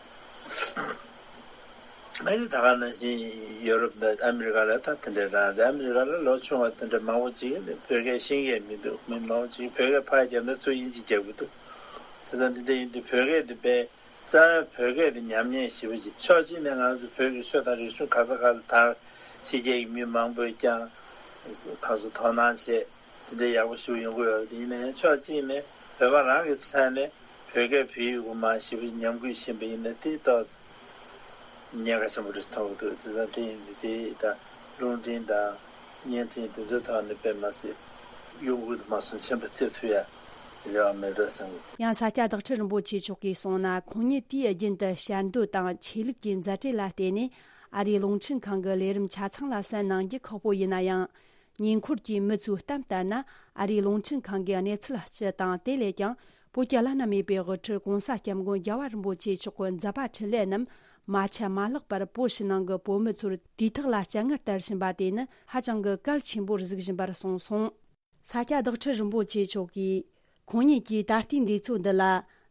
ཨ་ནི་ད་ག་ནང་བཞིན་ཡོ་རོབ་དང་ཨ་མི་རི་ཀ་ལ་ད་དེ་འདྲའི་རང་རེད། ཨ་མི་རི་ཀ་ལ་ལོ་ཆུང་བ་དེ་འདྲ་མང་པོ་ཅིག་ནི་བོད་སྐད་ཤེས་ཀྱི་མི་འདུག་མི་མང་པོ་ཅིག་བོད་སྐད་ཕར་བརྒྱབ་ན་ཚུར་དབྱིན་ཇི་རྒྱབ་ཀྱི་འདུག་དེ་ཙང་དེ་འདྲ་ཡིན་དུས་བོད་སྐད་དེ་དཔེ་རྩ་བའི་བོད་སྐད་དེ་ཉམས་ཉེས་ཞེ་པོ་ཅིག་ཕྱོགས་གཅིག་ནས་ང་ཚོ་བོད་ཀྱི་ཆོས་དང་རིག་གཞུང་ག་ས་ག་ལ་དར། ཕྱི་རྒྱལ་གྱི་མི་མང་པོས་ཀྱང་གང་སོ་དོ་སྣང་བྱས། དེ་འདྲའི་ཡག་པོ་ཞིག་ཡོང་གི་ཡོད་རེད། ཡིན་ན་ཡང་ཕྱོགས་གཅིག་ནས་བོད་པ་རང་གི་ཚད་ནས་བོད་སྐད་བོད་ཡིག་གི་མར་ཞེ་པོ་ཉམས་རྒུད་ཕྱིན་པ་ཡིན་ན་དེ་ཏོག་ཙམ་ཉེན་ཁ་ཆེན་པོ་རེད་མཐོང་གི་འདུག་དེ་ཙང་དེ་ཡིན་དུས་དེ་ད་རླུང་འཕྲིན་དང་བརྙན་འཕྲིན་དེ་ཚོའི་ཐོག་ནས་དཔེ་མ་སྲིད་གཡོ་འགུལ་དུ་མ་སོང་ཆེན་པོ་ཐེབས་ཐུབ་ཡ་རེ་བ་མེད་འགྲོ་བསམ་གི། ཡང་ས་སྐྱ་བདག་ཁྲི་རིན་པོ་ཆེ་མཆོག་གིས་གསུངས་ན། ཁོང་ཉིད་དུས་རྒྱུན་དུ་ཞལ་འདོན་དང་ཆོས་ལུགས་ཀྱི་མཛད་བྲེལ་ལ་བརྟེན་ནས་ཨ་རིའི་རླུང་འཕྲིན་ཁང་གི་ལས་རིམ་ཆ་ཚང་ལ་གསན་གནང་རྒྱུ་ཁག་པོ་ཡིན་ན་ཡང་། ཉེ་འཁོར་གྱི་མི་ཚོའི་གཏམ་ལྟར་ན། ཨ་རིའི་རླུང་འཕྲིན་ཁང་གི་གནས་ཚུལ་སྤྱི་དང་། དེ་ལས་ཀྱང་བོད་ཀྱི་བླ་ན་མེད་པའི་དབུ་ཁྲིད་༸གོང་ས་༸སྐྱབས་མགོན་རྒྱལ་བ་རིན་པོ་ཆེ་མཆོག་གི་མཛད་པ་འཕྲིན་ལས་རྣམས་མ་ཆད་མ་ལྷག་པར་བོད་ཕྱི་ནང་གི་བོད་མི་ཚོར་དུས་ཐོག་ལ་སྤྱན་སྔར་དར་བཞིན་པ་དེ་ནི་ཧ་ཅང་གི་གལ་ཆེན་པོར་གཟིགས་བཞིན་པར་གསུངས་སོང་། ས་སྐྱ་བདག་ཁྲི་རིན་པོ་ཆེ་མཆོག་གིས། ཁོང་ཉིད་ཀྱིས་ད་ལྟའི་འདས་ཚུལ་འདི་ལ།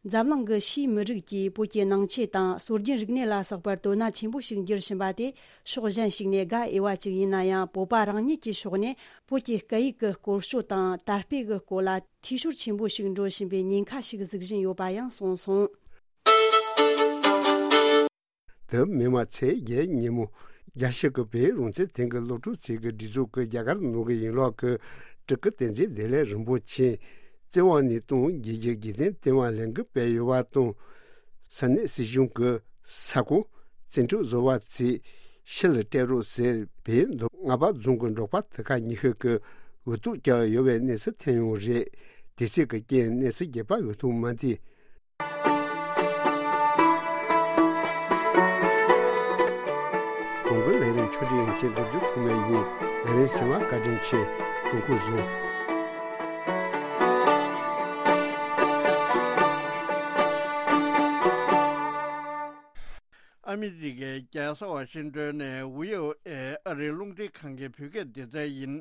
འཛམ་གླིང་གི་ཕྱིའི་མི་རིགས་ཀྱིས་བོད་ཀྱི་ནང་ཆོས་དང་སྲོལ་རྒྱུན་རིག་གནས་ལ་སོགས་པར་དོ་སྣང་ཆེན་པོ་ཞིག་འགྱུར་བཞིན་པ་དེ་ཕྱོགས་གཞན་ཞིག་ནས་དགའ་འོས་པ་ཅིག་ཡིན་ན་ཡང་། བོད་པ་རང་ཉིད་ཀྱི་ཕྱོགས་ནས་བོད་ཀྱི་སྐད་ཡིག་གི་སྐོར་སྐྱོད་དང་དར་སྤེལ་གྱི་སྐོར་ལ་འཐུས་ཤོར་ཆེན་པོ་ཞིག་འགྲོ་བཞིན་པའི་ཉེན་ཁ་ཞིག་གཟིགས་བཞིན་ཡོད་པ་ཡང་གསུངས་སོང་། དེ་མིན་མ་ཚེས་བརྒྱད་ཉིན་མོ། རྒྱལ་སྤྱི་གི་བོད་རང་བཙན་ཐེངས་གི་སློབ་ཕྲུག་ཚོས་ཀྱི་སྒྲིག་འཛུགས་ཀྱི་རྒྱ་གར་ནང་གི་ཡན་ལག་གི་སྤྲུལ་སྐུ་བསྟན་འཛིན་བདེ་ལེགས་རིན་པོ་ཆེ་བཙན་དབང་ནས་བཏང་། རྒྱལ་གཅེས་དགེ་ལྡན་ལྟེ་བ་ལས་འགུལ་སྤེལ་ཡོད་པ་དང་། ས་གནས་སྲིད་གཞུང་གི་ས་ཁོངས་བཙན་འཕྲོག་བཟོ་བ་ཚོས་ཕྱི་ལ་སྤྲད་རོགས་ཟེར། བོད་མདོ་སྔགས་པ་རྫོང་གི་འབྲོག་པ་དེ་ག་ཉི་ཤུ་གི་འུ་ཐུག་བཀྱག་ཡོད་པའི་གནས་ཚུལ་ཐོན་ཡོད་རེད། དེ་ཚོའི་གི་རྐྱེན་གནས་ཚུལ་རྒྱས་པ་འུ་ཐུག་མ་འདི། གོང་གི་ལས་རིམ་ཆོས་སྒྲིག་ཡོང་ཆེད་རྡོ་རྗེ་ཐོགས་མེད་ཡིན། ལས་རིམ་གསན་པར་བཀའ་དྲིན་ཆེ། དགོངས་སྐོར་ཟུར། ཨ་མི་རི་ཀའི་རྒྱལ་ས་ཝ་ཤིང་ཏོན་ནས་བྷི་ཨོ་ཨེ་ཨ་རིའི་རླུང་འཕྲིན་ཁང་གི་བོད་སྐད་སྡེ་ཚན་ཡིན།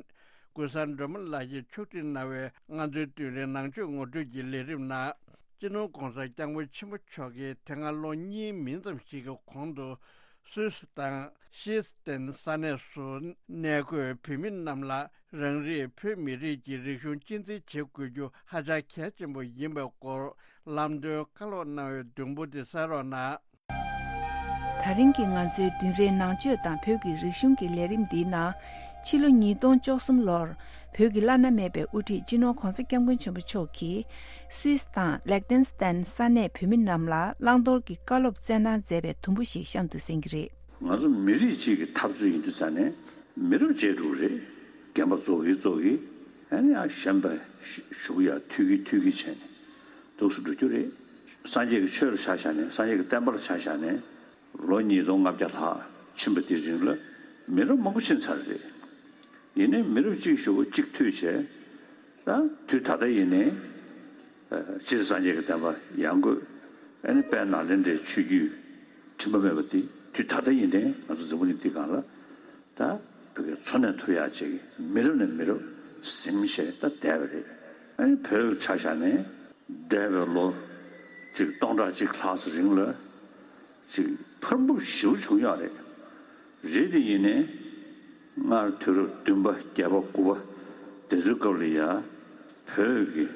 ཀུན་བཟང་སྒྲོལ་མ་ལགས་ཀྱིས་ཕྱོགས་སྒྲིག་གནང་བའི་ང་ཚོའི་དུས་རིང་ནང་ཆོས་ངོ་སྤྲོད་ཀྱི་ལས་རིམ་ནང་། སྤྱི་ནོར་༸གོང་ས་༸སྐྱབས་མགོན་ཆེན་པོ་མཆོག་གིས་དེ་སྔ་ལོ་གཉིས་མིན་ཙམ་ཞིག་གི་གོང་དུ་སུད་སི་དང་ཤི་སི་ཏན་ས་གནས་སུ་གནས་འཁོད་བོད་མི་རྣམས་ལ་རང་རེའི་བོད་མི་རིགས་ཀྱི་རིག་གཞུང་གཅེས་འཛིན་བྱེད་དགོས་རྒྱུ་ཧ་ཅང་གལ་ཆེན་པོ་ཡིན་པའི་སྐོར་ལམ་སྟོན་བཀའ་སློབ་གནང་བའི་བདུན་པོ་དེ་གསན་རོགས་གནང་། ད་རིང་གི་ང་ཚོའི་བདུན་རེའི་ནང་ཆོས་དང་བོད་ཀྱི་རིག་གཞུང་གི་ལས་རིམ་འདིའི་ནང་། ཕྱི་ལོ་ཉིས་སྟོང་བཅུ་གསུམ་ལོར་བོད་ཀྱི་བླ་ན་མེད་པའི་དབུ་ཁྲིད་སྤྱི་ནོར་༸གོང་ས་༸སྐྱབས་མགོན་ཆེན་པོ་མཆོག་གིས་སུད་སི་དང་ལེག་ཏེན་སི་ཏན་ས་གནས་བོད་མི་རྣམས་ལ་བླང་དོར་གྱི་བཀའ་སློབ་སྩལ་གནང་མཛད་པའི་དུམ་བུ་ཞིག་གཤམ་དུ་གསན་གྱི་རེད། ང་ཚོ་མི་རིགས་གཅིག་གི་འཐབ་རྩོད་ཡིན་དུས་ཙང་ནས་མི་རབས་བརྗེ་འགྲོ་གི་རེད། རྒན་པ་རྫོགས་ཀྱི་རྫོགས་ཀྱི། ཨ་ནི་ཡང་གཞོན་པ་ཞུ་གི་ཡ་འཐུས་ཀྱི་འཐུས་ཀྱི་བྱས་ནས་འདུག་སེ་འགྲོ་རྒྱུ་རེད། སངས་རྒྱས་ཀྱི་ཆོས་ལ་ཆ་བཞག་ནས་སངས་རྒྱས་ཀྱི་བསྟན་པ་ལ་ཆ་བཞག་ནས་ལོ་ཉིས་སྟོང་ལྔ་བརྒྱ་ལྷག་ཕྱིན་པ་དེའི་རིང་ལ་མི་རབས་མང་པོ་ཕྱིན་ཚར་རེད། ཡིན་ནའི་མི་རབས་གཅིག་ཞུ་བ་གཅིག་མཐུད་བྱས། ད་དུས་ད་ལྟ་ཡིན་ནའི་སྤྱིར་སངས་རྒྱས་ཀྱི་བསྟན་པ་ཡར་འགོས། ཨ་ནི་དཔལ་ནཱ་ལེནྡྲའི་ཆོས་བརྒྱུད་དྲི་མ་མེད་པ་དེ་དུས་ད་ལྟ་ཡིན་ནའི་ང་ཚོ་འཛམ་བུ་གླིང་འདི་སྒང་ལ་ད་བོད་སྐད་འཚོ་གནས་ཐུབ་ཡག་ཅིག་མི་རབས་ནས་མི་རབས་ཟིན་བྱས་ད་བསྡད་པ་རེད། ཨ་ནི་བོད་ལ་ཆ་བཞག་ནས་འདས་པའི་ལོ་གཅིག་སྟོང་ཕྲག་གཅིག་ལྷག་ཙམ་རིང་ལ་ཅིག་འཕར་འབུབ་ཞེ་པོ་བྱུང་ཡོད་རེད། རེད་དེ་ཡིན་ནའི་སྔར་དུས་རབས་བདུན་པ་བརྒྱད་པ་དགུ་པ་དེ་ཚོའི་སྐབས་ལ་ཡ་བོད་ཀྱི་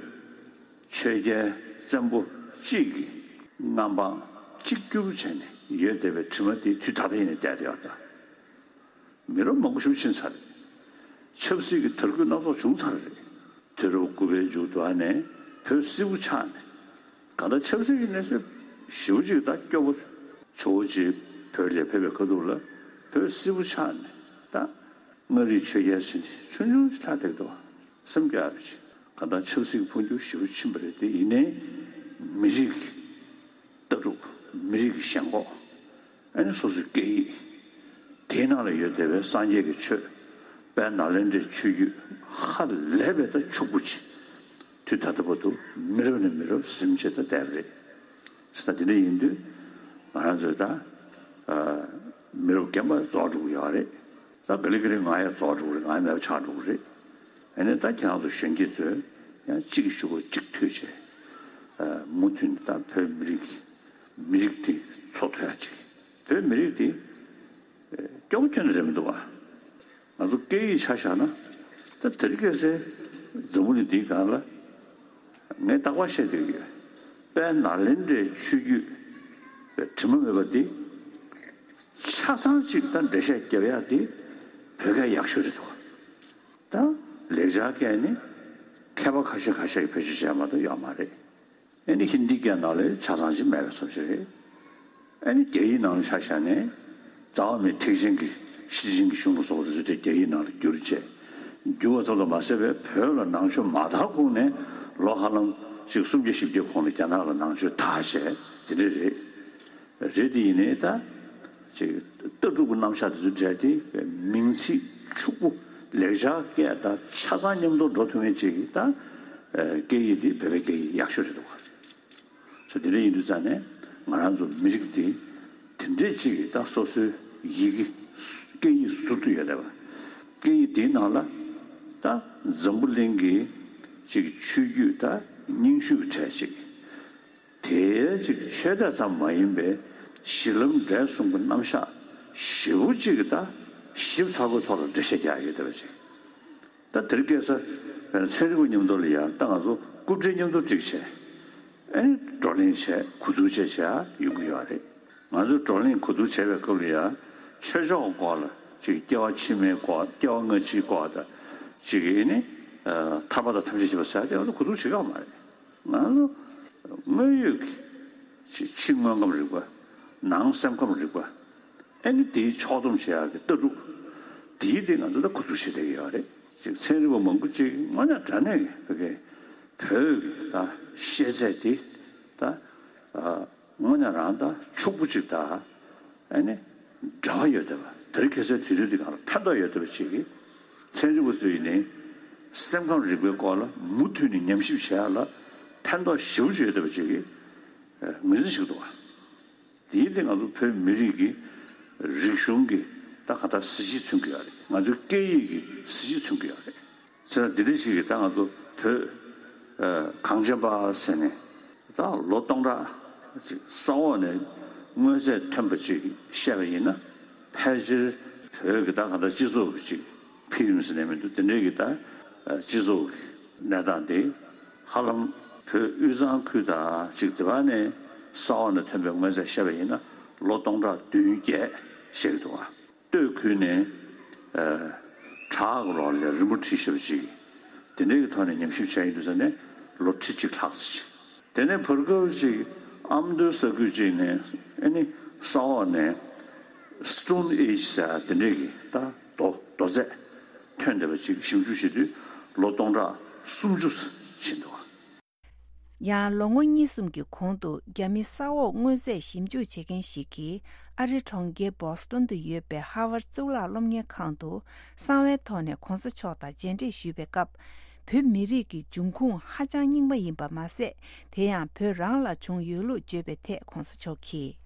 ཆོས་རྒྱལ་བཙན་པོ་གཅིག་གི་མངའ་འབངས་གཅིག་གྱུར་བྱས་ནས་ཡོད་བསྡད་པའི་དྲི་མ་དེ་དུས་ད་ལྟ་ཡིན་ནའི་བསྡད་བསྡད་ཡོད་རེད། མི་རབས་མང་པོ་ཞིག་ཕྱིན་ཚར་རེད། ཆབ་སྲིད་ཀྱི་དར་རྒུད་སྣ་ཚོགས་བྱུང་ཚར་རེད། དུས་རབས་དགུ་པའི་མཇུག་ཏུ་ཨ་ནེ་བོད་སིལ་བུ་ཆགས་ནས་གང་ལྟར་ཆབ་སྲིད་ཀྱི་གནས་ཚུལ་ཞེ་པོ་ཅིག་ད་སྐྱོ་པོ་ཇོ་བོ་རྗེ་བོད་ལ་ཕེབས་པའི་ཁ་ཐུག་ལ་བོད་སིལ་བུ་ཆགས་ནས་ད་མངའ་རིས་ཆོས་རྒྱལ་ཟེར་ནས་ཆུང་ཆུང་ཅིག་ལྷག་བསྡད་འདུག་སེམས་སྐྱོ་བ་ཅིག་གང་ལྟར་ཆབ་སྲིད་ཀྱི་འཕོ་འགྱུར་ཞེ་པོ་ཕྱིན་པ་རེད། དེ་ཡིན་ནའི་མི་རིགས་ཀྱི་ལྟ་གྲུབ། མི་རིགས་ཀྱི་ཞེན་ཁོག་ཨ་ནི་སོ་སོའི་སྐད་ཡིག་དེའི་ནང་ལ་ཡོད་བསྡད་པའི་སངས་རྒྱས་ཀྱི་ཆོས། དཔལ་ནཱ་ལེནྡྲའི་ཆོས་བརྒྱུད་ཧ་ལས་པའི་ད་ཕྱུག་པོ་ཅིག་དུས་ད་ལྟ་བར་དུ་མི་རབས་ནས་མི་རབས་ཟིན་བྱས་ད་བསྡད་པ་རེད། ད་དེ་འདྲ་ཡིན་དུས་ང་རང་ཚོས་ད་མི་རབས་རྒན་པ་རྫོགས་འགྲོ་གི་ཡོད་རེད། ད་ག་ལེ་ག་ལེ་ང་ཡང་རྫོགས་འགྲོ་གི་རེད། ང་ཡང་མེད་པ་ཆགས་འགྲོ་གི་རེད། ཨ་ནི་ད་ཁྱེད་རང་ཚོ་གཞོན་སྐྱེས་ཚོས་ཡང་གཅིག་གི་གཞུག་གུ་གཅིག་མཐུད་བྱས། མུ་མཐུད་ནས་ད་བོད་མི་རིགས་ཀྱི་མི་རིགས་དེ་འཚོ་ཐུབ་ཡག་ཅིག་བོད་མི་རིགས་དེ་ སྐྱོ་པོ་ཁྱོན་ནས་རེད་མི་འདུག་བ། ང་ཚོ་སྐད་ཡིག་ཆ་བཞག་ན། ད་དེ་རིང་ཁ་སང་འཛམ་བུ་གླིང་འདིའི་སྒང་ལ་ངས་རྟག་པར་བཤད་བསྡད་ཀྱི་ཡོད། དཔལ་ནཱ་ལེནྡྲའི་ཆོས་བརྒྱུད་པའི་དྲི་མ་མེད་པ་འདི་ཆ་ཚང་གཅིག་ད་འགྲེལ་བཤད་རྒྱབ་ཡག་འདི་བོད་སྐད་ཡག་ཤོས་རེད་འདུག་ད་ལེགས་སྦྱར་སྐད་ནི་མཁས་པ་ཁ་ཤས་ཁ་ཤས་ཀྱིས་བེད་སྤྱོད་བྱས་མ་གཏོགས་ཡོད་མ་རེད། ཨ་ནི་ཧིན་དིའི་སྐད་ནང་ལ་ཆ་ཚང་ཞིག་མེད་པའི་བཟོ་ཞིག་རེད། ཨ་ནི་རྒྱ་ཡིག་ནང་ལ་ཆ་བཞག་ནས་རྩ་བ་མེད་ཐེག་ཆེན་གྱི་ཤེར་ཕྱིན་གྱི་གཞུང་ལ་སོགས་པ་དེ་ཚོ་དེ་རྒྱ་ཡིག་ནང་ལ་བསྒྱུར་བྱས། བསྒྱུར་བ་ཙམ་དུ་མ་ཟད་པའི་བོད་ལ་ནང་ཆོས་མ་དར་གོང་ནས་ལོ་ཧ་ལམ་ཅིག་སུམ་བརྒྱ་བཞི་བརྒྱ་གོང་ལ་རྒྱ་ནག་ལ་ནང་ཆོས་དར་བྱས་དེ་འདྲ་རེད། རེད་དེ་ཡིན་ནའི་ད་ཅིག་ལྟ་གྲུབ་ཀྱི་རྣམ་གཞག་དེ་ཚོ་འབྲེལ་ཏེ་མིང་ཚིག་ཕྱུག་པོ་ལེགས་སྦྱར་སྐད་དང་ཆ་ཚང་མཉམ་དུ་འགྲོ་ཐུབ་མཁན་ཅིག་ད་སྐད་ཡིག་དེ་བོད་པའི་སྐད་ཡིག་ཡག་ཤོས་རེད་འདུག་ག་ས་དེ་འདྲ་ཡིན་དུས་ཙང་ནས་ང་རང་ཚོ་མི་རིགས་འདི་དེ་འདྲས་ཅིག་གིས་ད་སོ་སོའི་ཡི་གེ་སྐད་ཡིག་ཟུར་དུ་ཡོད་བསྡད་པ། སྐད་ཡིག་དེའི་ནང་ལ་ད་འཛམ་བུ་གླིང་གི་ཅིག་ཆོས་བརྒྱུད་ད་རྙིང་ཤོས་ཀྱི་གྲས་ཅིག་དེའི་ཅིག་ཆོས་དད་ཙམ་མ་ཡིན་པའི་གཞི་ལམ་འབྲས་གསུམ་གྱི་རྣམ་གཞག་ཞེ་པོ་ཅིག་གི་ད་ཞིབ་ཚགས་པོའི་ཐོག་ལ་འགྲེལ་བཤད་རྒྱག་ཡོད་བསྡད་པ་ཅིག་ད་དེ་རིང་ཁ་སང་བས་ན་ཚན་རིག་པ་མཉམ་དུ་ལ་ཡང་ད་ང་ཚོ་རྐུབ་འབྲེལ་མཉམ་དུ་བསྒྲིགས་བྱས། ཨ་ནི་བགྲོ་གླེང་བྱས་གོ་བསྡུར་བྱས་བྱས་ཡོང་གི་ཡོད་རེད། ང་ཚོས་བགྲོ་གླེང་གོ་བསྡུར་བྱས་པའི་སྐབས་ལ་ཡང་ཆོས་ཕྱོགས་སྐོར་ལ་ཅིག་སྐྱེ་བ་ཕྱི་མའི་སྐོར་སྐྱེ་བ་སྔ་ཕྱིའི་སྐོར་དང་ཅིག་ཨ་ནི་ཐར་པ་དང་ཐམས་ཅད་མཁྱེན་པ་ཟེར་ཡག་དེ་ང་ཚོ་གོ་བསྡུར་བྱེད་ཀྱི་ཡོད་མ་རེད། ང་ཚོ་དངོས་ཡོད་ཀྱི་ཕྱི་དངོས་ཁམས་རིག་པ། ནང་སེམས་ཁམས་རིག་པ། ཨ་ནི་དེའི་ཕྱོགས་བསྡོམས་བྱེད་ཡག་གི་ལྟ་གྲུབ་དེའི་སྟེང་ང་ཚོ་ད་གོ་བསྡུར་བྱེད་བསྡད་ཀྱི་ཡོད་རེད། ཅིག་ཚན་རིག་པ་མང་པོ་ཅིག་དངོས་གནས་དྲང་གནས་ཀྱི་བོད་ཀྱི་བོད་ཀྱི་ད་ཤེས་ཚད་དེ་ད་དངོས་གནས་རང་ད་ཕྱུག་པོ་ཅིག་ད་ཨ་ནི་འབྲེལ་བ་ཡོད་བསྡད་པ། དེ་རིང་ཁ་སང་དུས་ཚོད་འདི་གང་ལ་ཕན་ཐོགས་ཡོད་བསྡད་པ་ཅིག་གིས་ཚན་རིག་པ་ཚོ་ཡིན་ནའི་སེམས་ཁམས་རིག་པའི་སྐོར་ལ་མུ་མཐུད་ནས་ཉམས་ཞིབ་བྱེད་ཡག་ལ་ཕན་ཐོགས་ཞེ་པོ་ཅིག་ཡོད་བསྡད་པ་ཅིག་གིས་ངོས་འཛིན་བྱེད་ཀྱི་འདུག་བ། དེའི་སྟེང་ང་ཚོ་བོད་མི་རིགས་ཀྱི་རིག་གཞུང་གི་ད་ག་ད་གཟི་བརྗིད་མཚོན་གྱི་ཡོད་རེད། ང་ཚོའི་སྐད་ཡིག་གི་གཟི་བརྗིད་མཚོན་གྱི་ཡོད་རེད། བྱས་ཙང་འདི་འདྲ་ཞིག་གིས་ད་ང་ཚོ་བོད་གངས་ཅན་པ་ཟེར་ནས་ད་ལོ་སྟོང་ཕྲག་ཅིག་ས་འོག་ནས་དངོས་རྫས་ཐོན་པ་ཅིག་བཤད་པ་ཡིན་ན། ཕལ་ཆེར་བོད་ཀྱི་ད་ག་ད་སྤྱི་ཚོགས་ཀྱི་ཅིག་འཕེལ་རིམ་ཟེར་ནས་མི་འདུག་དེ་འདྲའི་གི་ད་སྤྱི་ཚོགས་ཀྱི་གནས་སྟངས་དེ་ཧ་ལམ་བོད་དབུས་གཙང་ཁུལ་དང་ཅིག་དེ་བ་ནས་ས་འོག་ནས་ཐོན་པའི་དངོས་རྫས་བཤད་པ་ཡིན་ན་ལོ་སྟོང་ཕྲག་བདུན་བརྒྱད་བཤད་ཀྱི་འདུག་བ། སྟོད་ཁུལ་ནས་ཨ་བྲག་གི་ལོགས་ལ་རིལ་བུ་བྲིས་ཞེས་པ་ཅིག་དེ་འདྲའི་གི་ཐོག་ནས་ཉམས་ཞིབ་བྱས་ཡོང་དུས་ཙམ་ནས་ལོ་ཁྲི་གཅིག་ལྷག་ཙམ་ཅིག་དེ་ནས་བར་སྐབས་ཅིག་ཨ་མདོའི་ས་ཁུལ་ཅིག་ནས་ཨ་ནི་ས་འོག་ནས་Stone Age་ཟེར་དེ་འདྲའི་གི་ད་རྡོ་རྡོ་རྫས་ཐོན་བསྡད་པ་ཅིག་ཞིབ་འཇུག་བྱེད་དུས་ལོ་སྟོང་ཕྲག་སུམ་ཅུ་ཕྱིན་འདུག་ཡང་ལོ་ངོ་གཉིས་གསུམ་གྱི་གོང་དུ་རྒྱ་མི་ས་འོག་དངོས་རྫས་ཞིབ་འཇུག་བྱེད་མཁན་ཞིག་གིས་ཨ་རིའི་གྲོང་ཁྱེར་བོ་སི་ཊོན་དུ་ཡོད་པའི་ཧར་ཝརཌ་གཙུག་ལག་སློབ་གཉེར་ཁང་དུ་གསང་བའི་ཐོག་ནས་གོང་ས་མཆོག་དང་མཇལ་འཕྲད་ཞུས་པའི་སྐབས། བོད་མི་རིགས་ཀྱི་འབྱུང་ཁུངས་ཧ་ཅང་རྙིང་པ་ཡིན་པ་མ་ཟད། དེ་ཡང་བོད་རང་ལ་བྱུང་ཡོད་ལུགས་བརྗོད་པའི་ཐད་གོང་ས་མཆོག་གིས།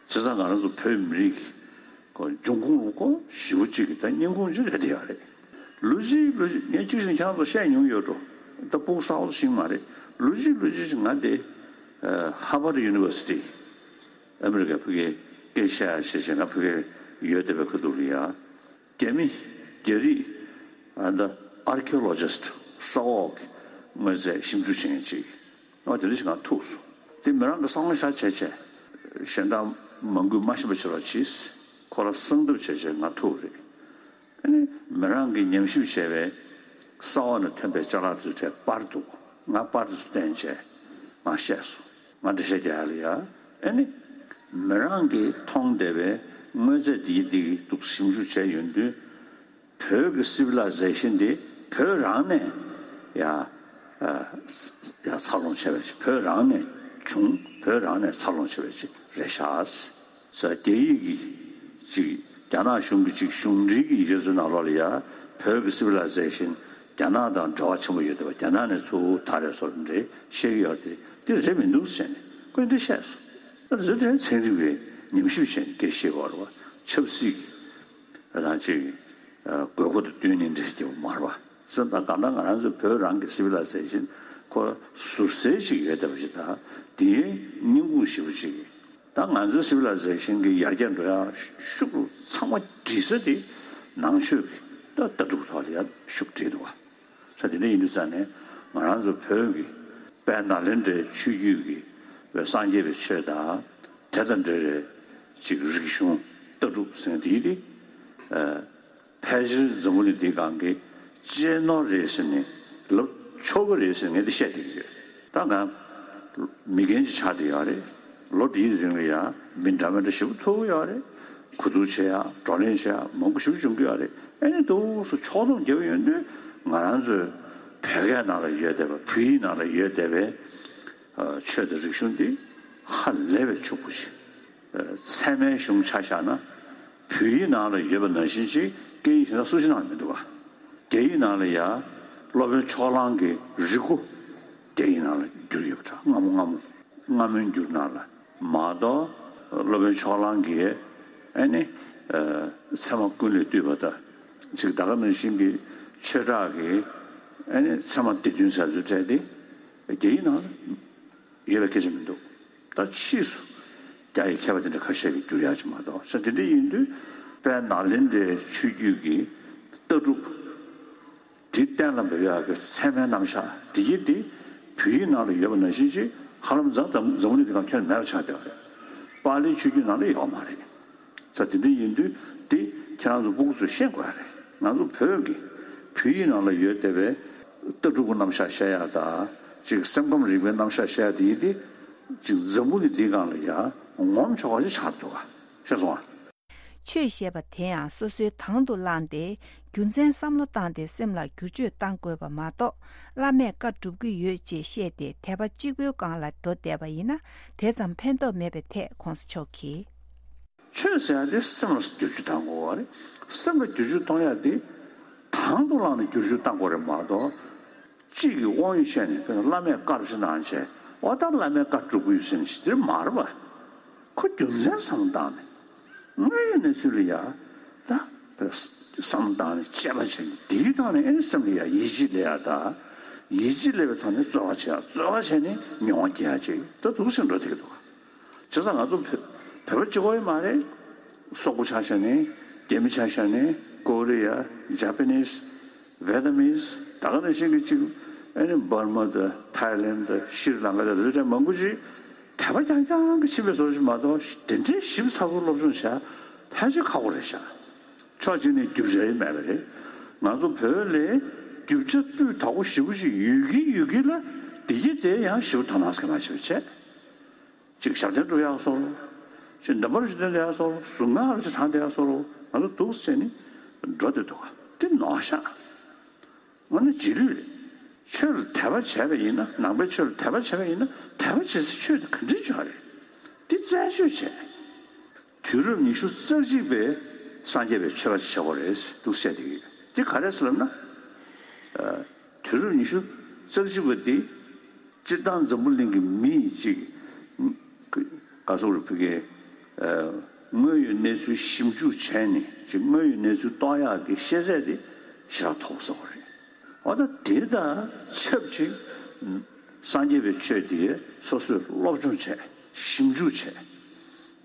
བྱས་ཙང་ང་རང་ཚོ་བོད་མི་རིགས་ཀྱི་འབྱུང་ཁུངས་ལ་ཁོ་ཞེ་པོ་གཅིག་གི་ད་སྙིང་ཁུང་ཅིག་རེད་དེ་ཡོད་རེད། ལོ་གཅིག་ལོ་གཅིག་ངས་གཅིག་བཞིན་ཁྱེད་རང་ཚོ་བཤད་མྱོང་ཡོད་འགྲོ། ད་སྤུ་གུ་གསར་པ་ཞིག་མ་རེད། ལོ་གཅིག་ལོ་གཅིག་ཅིག་ང་དེ་Harvard University ཨ་མི་རི་ཀའི་ཕ་གིའི་སྐད་ཆ་བཤད་བྱས་ང་ཕ་གིར་ཡོད་བསྡད་པའི་ཁ་ཐུག་ལ་ཡ། རྒྱ་མི་རྒྱ་རིགས་ཨ་ད་archaeologist ས་འོག་གི་དངོས་རྫས་ཞིབ་འཇུག་བྱེད་མཁན་ཅིག་ཨ་དེ་འདྲ་ཞིག་ང་ཐུག་སོང་། དེ་མི་རང་གི་བསམ་བློ་བཞག་བྱས་བྱས་གཞན་དག་མང་པོས་མ་ཤེས་པ་བྱེད་རོགས་གྱིས། ཁོ་རང་གསང་ཐབས་བྱས་བྱས་ང་ཐུག་རེད། ཨ་ནི་མི་རང་གིས་ཉམས་ཞིབ་བྱས་པའི་ས་འོག་ནས་ཐོན་པའི་ཅ་ལག་དེ་ཚོ་གྲས་པར་འདུག་ང་པར་དེ་ཚོ་བསྟན་བྱས་ང་བཤད་སོང་། ང་འགྲེལ་བཤད་རྒྱག་ཡ་ལ་ཡ། ཨ་ནི་མི་རང་གིས་མཐོང་བསྡད་པའི་དངོས་རྫས་འདི་འདི་འདུག་ཞིབ་འཇུག་བྱས་ཡོང་དུས། བོད་ཀྱི་civilization་འདི་བོད་རང་ནས་ཡ་ཡ་འཚར་ལོངས་བྱས་པ་ཞིག་བོད་རང་ནས་བྱུང་བོད་རང་ནས་འཚར་ལོངས་བྱས་པ་ཞིག་རེད་ཤག་ས་རྒྱ་ཡིག་གི་ཅིག་རྒྱ་ནག་གཞུང་གི་ཅིག་གཞུང་འབྲེལ་གྱི་ཡིག་ཆ་ཚོའི་ནང་ལོགས་ལ་ཡ་བོད་ཀྱི་civilization་རྒྱ་ནག་དང་འབྲེལ་བ་ཆེན་པོ་ཡོད་བསྡད་པ་རྒྱ་ནག་ནས་ཚུར་དར་རེད་བཟོ་འདྲ་བཤད་ཀྱི་ཡོད་རེད། དེ་རེད་མི་འདུག་ཟེར་ནས་ཁོས་འདི་བཤད་སོང་། ད་བཟོ་འདྲའི་ཚན་རིག་པའི་ཉམས་ཞིབ་བྱས་ནས་སྐད་བཤད་པ་རེད་བ། ཆབ་སྲིད་ཀྱི་རང་ཅིག་དགོས་མཁོ་དང་བསྟུན་ནས་འདྲ་ཞིག་བརྒྱབ་པ་མ་རེད་བ། ཟེར་ད་གང་ལྟར་ང་རང་ཚོའི་བོད་རང་གི་civilization་ཁོ་ཟུར་གསལ་ཞིག་ཡོད་བསྡད་པ་ཞིག་དང་དེའི་སྙིང་ཁུང་ཞེ་པོ་ཅིག་ ད་ང་ཚོའི་སི་བི་ལ་ཟེ་ཤན་གྱི་ཡར་རྒྱས་འགྲོ་ཡ་ཤུགས་ཚང་མ་སྒྲིལ་ས་དེ་ནང་ཆོས་ཀྱི་ད་ལྟ་གྲུབ་ཐོག་ལ་ཡ་ཤུགས་སྒྲིལ་འདུག་བ། ས་དེ་འདྲ་ཡིན་དུས་ཙང་ནས་ང་རང་ཚོ་བོད་ཀྱི་དཔལ་ནཱ་ལེནྡྲའི་ཆོས་བརྒྱུད་ཀྱི་བའི་སངས་རྒྱས་པའི་ཆོས་དང་དེ་དང་འབྲེལ་བའི་ཅིག་རིག་གཞུང་ལྟ་གྲུབ་ཟེར་དེའི་དེ་ཕལ་ཆེར་འཛམ་བུ་གླིང་འདིའི་སྒང་གི་གཅེས་ནོར་རེད་ཟེར་ནས་ལབ་ཆོག་གི་རེད་ཟེར་ངས་འདི་བཤད་བསྡད་ཀྱི་ཡོད། ད་ང་མི་རྒན་ཅིག་ཆགས་བསྡད་ཡོད་རེད། ལོ་འདིའི་རིང་ལ་ཡང་མི་འདྲ་མི་འདྲ་ཞེ་པོ་ཐུག་གི་ཡོད་རེད། གོ་བསྡུར་བྱེད་ཡ་བགྲོ་གླེང་བྱེད་ཡ་མང་པོ་ཞེ་པོ་བྱུང་གི་ཡོད་རེད། ཨ་ནི་འདུག་སེ་ཕྱོགས་བསྡོམས་རྒྱབ་ཡོང་དུས་ང་རང་ཚོའི་བོད་སྐད་ནང་ལ་ཡོད་བསྡད་པ་བོད་ཡིག་ནང་ལ་ཡོད་བསྡད་པའི་ཆོས་དང་རིག་གཞུང་འདི་ཧ་ལས་པའི་ཕྱུག་པོ་ཞིག་ཚད་མའི་གཞུང་ཆ་བཞག་ན་བོད་ཡིག་ནང་ལ་ཡོད་པ་ནང་བཞིན་ཅིག་སྐད་ཡིག་གཞན་དག་སུ་ཞིག་ནང་ལ་མི་འདུག་བ། རྒྱ་ཡིག་ནང་ལ་ཡ་སློབ་དཔོན་ཕྱོགས་གླང་གི་རིག་མགོ་རྒྱ་ཡིག་ནང་ལ་བསྒྱུར་ཡོད་པ་འདྲ། སྔ་མོ་སྔ་མོ་སྔ་མོའི་འགྱུར་ནང་ལ་མ་གཏོགས་སློབ་དཔོན་ཕྱོགས་གླང་གིས་ཨ་ནི་ཚད་མ་ཀུན་ལས་བཏུས་པ་དང་ཅིག་ད་ག་ནང་བཞིན་གྱི་ཆོས་གྲགས་ཀྱི་ཨ་ནི་ཚད་མ་སྡེ་བདུན་ཟེར་ཚུལ་འཕྲད་དེ་རྒྱ་ཡིག་ནང་ལ་ཡོད་པའི་སྐད་ཆ་མི་འདུག་ད་ཕྱིས་སུ་རྒྱ་ཡི་མཁས་པ་དེ་འདྲ་ཁ་ཤས་ཀྱིས་བསྒྱུར་ཡག་ཅིག་མ་གཏོགས་ས་དེ་འདྲ་ཡིན་དུས་དཔལ་ནཱ་ལེནྡྲའི་ཆོས་བརྒྱུད་ཀྱི་ལྟ་གྲུབ་དེ་གཏན་ལ་འབེབས་ཡག་གི་ཚད་མའི་རྣམ་གཞག་དེ་ཡིན་ཏེ་བོད་ཡིག་ནང་ལ་ཡོད་པ་ནང་བཞིན་ཅིག་ཧ་ལམ་འཛམ་འཛམ་འཛམ་བུ་གླིང་འདི་སྒང་ཁྱོན་ནས་མེད་པ་ཆགས་བསྡད་པ་རེད། པཱ་ལིའི་ཆོས་བརྒྱུད་ནང་ལ་ཡོད་མ་རེད། ས་དེ་འདྲ་ཡིན་དུས་དེ་ཁྱེད་རང་ཚོ་སྤུ་གུ་ཚོས་ཤེས་དགོས་ཡ་རེད། ང་ཚོ་བོད་ཀྱི་བོད་ཡིག་ནང་ལ་ཡོད་བསྡད་པའི་ལྟ་གྲུབ་ཀྱི་རྣམ་གཞག་བཤད་ཡག་དང་ཅིག་སེམས་ཁམས་རིག་པའི་རྣམ་གཞག་བཤད་ཡག་དེ་ཡིན་ཏེ་ཅིག་འཛམ་བུ་གླིང་འདིའི་སྒང་ལ་ཡ་ངོམ་ཆོག་པ་ཞིག་ཆགས་འདུག་ག་ཤེས་སོང་ཨ། ཆོས་ཞེས་པ་དེ་ཡང་སོ་སོའི་དང་དུ་བླངས་ཏེ་རྒྱུ་མཚན་བསམ་བློ་བཏང་སྟེ་སེམས་ལ་བསྒྱུར་བཅོས་གཏང་དགོས་པ་མ་གཏོགས་བླ་མས་བཀའ་སྒྲུབ་ཀྱི་ཡོད་ཅེས་བཤད་དེ་དད་པ་གཅིག་པུའི་སྒང་ལ་འགྲོ་བསྡད་པ་ཡིན་ན་དེ་ཙམ་ཕན་ཐོགས་མེད་པའི་ཐད་གོང་ས་མཆོག་གིས། ཆོས་ཟེར་ཡག་དེ་སེམས་ལ་བསྒྱུར་བཅོས་གཏང་དགོས་པ་རེད། སེམས་ལ་བསྒྱུར་བཅོས་གཏོང་ཡག་དེ་དང་དུ་བླངས་ནས་བསྒྱུར་བཅོས་གཏང་དགོས་རེད་མ་གཏོགས། གཅིག་གིས་དབང་ཡོད་བཤད་ནས་དཔེར་ན་བླ་མས་བཀའ་ཞིག་གནང་བྱས་འོ་ད་བླ་མས་བཀའ་སྒྲུབ་ཀྱི་ཡོད་ཟེར་ནས་ཞིག་དེ་མ་རེད་པ། ཁོ་རྒྱུ་མཚན་བསམ་བློ་བཏང་ནས་དངོས་ཡོད་གནས་ཚུལ་ལ་ཡ་ད་བསམ་བློ་བཏང་ནས་དཔྱད་པ་བྱས་ནས་དེའི་ཐོག་ནས་ཨེ་ནི་སེམས་ལ་ཡ་ཡིད་ཆེས་སླེབས་ཡ་ད་ཡིད་ཆེས་སླེབས་པའི་ཐོག་ནས་རྩོལ་བ་བྱས་ཡ་རྩོལ་བ་བྱས་ནས་མྱོང་བ་སྐྱེ་ཡ་ཅིག་ད་འདུག་སེ་འགྲོ་བསྡད་ཀྱི་འདུག་བྱས་ཙང་ང་ཚོ་བོད་བོད་པ་གཅིག་པོ་ཡིན་མ་རེད། སོག་པོ་ཆ་བཞག་ནས་རྒྱ་མི་ཆ་བཞག་ནས་ཀོ་རི་ཡ་ཇ་པ་ནིས། ཝེ་ཏ་མིས་ད་ག་ནང་བཞིན་གྱི་གཅིག་ཨ་ནི་འབར་མ་དང་ཐའི་ལེན་དང་ཤྲི་ལང་ཀ་དང་དེ་འདྲ་མང་པོ་ཅིག་དད་པ་རྐྱང་རྐྱང་གི་ཕྱིན་པའི་བཟོ་ཞིག་མ་གཏོགས་དེ་འདྲའི་ཞིབ་ཚགས་པོ་སློབ་སྦྱོང་བྱ་ཕལ་ཆེར་ཁག་པོ་རེད་ཤག་ཕྱོགས་གཅིག་ནས་རྒྱུ་ཆ་ཡང་མེད་པ་རེད། ང་ཚོ་བོད་ལ་རྒྱུ་ཆ་སྤུས་དག་པོ་ཞེ་པོ་ཅིག་ཡོད་ཀྱི་ཡོད་ཀྱི་ལ་བདེ་སྐྱིད་དེ་ཡང་ཞེ་པོ་དོ་སྣང་ཟེར་མ་བྱེད་པ་བྱས། ཅིག་ཞབས་བརྟན་སྒྲུབ་ཡག་སོགས། ཅིག་འདམ་བར་ཅིག་སྟོན་ཡག་སོགས། གཟུངས་སྔགས་ལ་ཅིག་བགྲང་བསྡད་ཡག་སོགས། ང་ཚོ་འདུག་སེ་བྱས་ནས་འགྲོ་བསྡད་འདུག་ག་དེ་ནོར་ཤག་དངོས་གནས་རྗེས་ལུས་རེད། ཆོས་ལ་དད་པ་བྱས་པ་ཡིན་ན་ནང་པའི་ཆོས་ལ་དད་པ་བྱས་པ་ཡིན་ན་དད་པ་བྱེད་སའི་ཆོས་དེ་ག་འདྲས་ཅིག་ཡོད་རེད། དེ་རྩད་གཅོད་བྱས། དུས་རབས་ཉི་ཤུ་རྩ་གཅིག་པའི་སངས་རྒྱས་པའི་ཆོས་པ་ཅིག་བྱེད་དགོས་རེད་འདུག་བཤད་བསྡད་ཀྱི་ཡོད། དེ་ག་རེ་ཟེར་ལབ་ན། དུས་རབས་ཉི་ཤུ་རྩ་གཅིག་པ་དེ་སྤྱིར་བཏང་འཛམ་བུ་གླིང་གི་མི་ཡིས་ཅིག་ག་སོག་རུ་ཕུ་གེ་དངོས་ཡོད་གནས་ཚུལ་ཞིབ་འཇུག་བྱས་ནས་ཅིག་དངོས་ཡོད་གནས་ཚུལ་རྟོགས་ཡག་གི་ཤེས་ཚད་དེ་ཞེ་དྲག་མཐོ་པོ་ཟེར་བ་རེད། འོ་ད་དེ་དང་ཆབས་ཅིག་སངས་རྒྱས་པའི་ཆོས་དེ་སོ་སོས་སློབ་སྦྱོང་བྱས་ཞིབ་འཇུག་བྱས།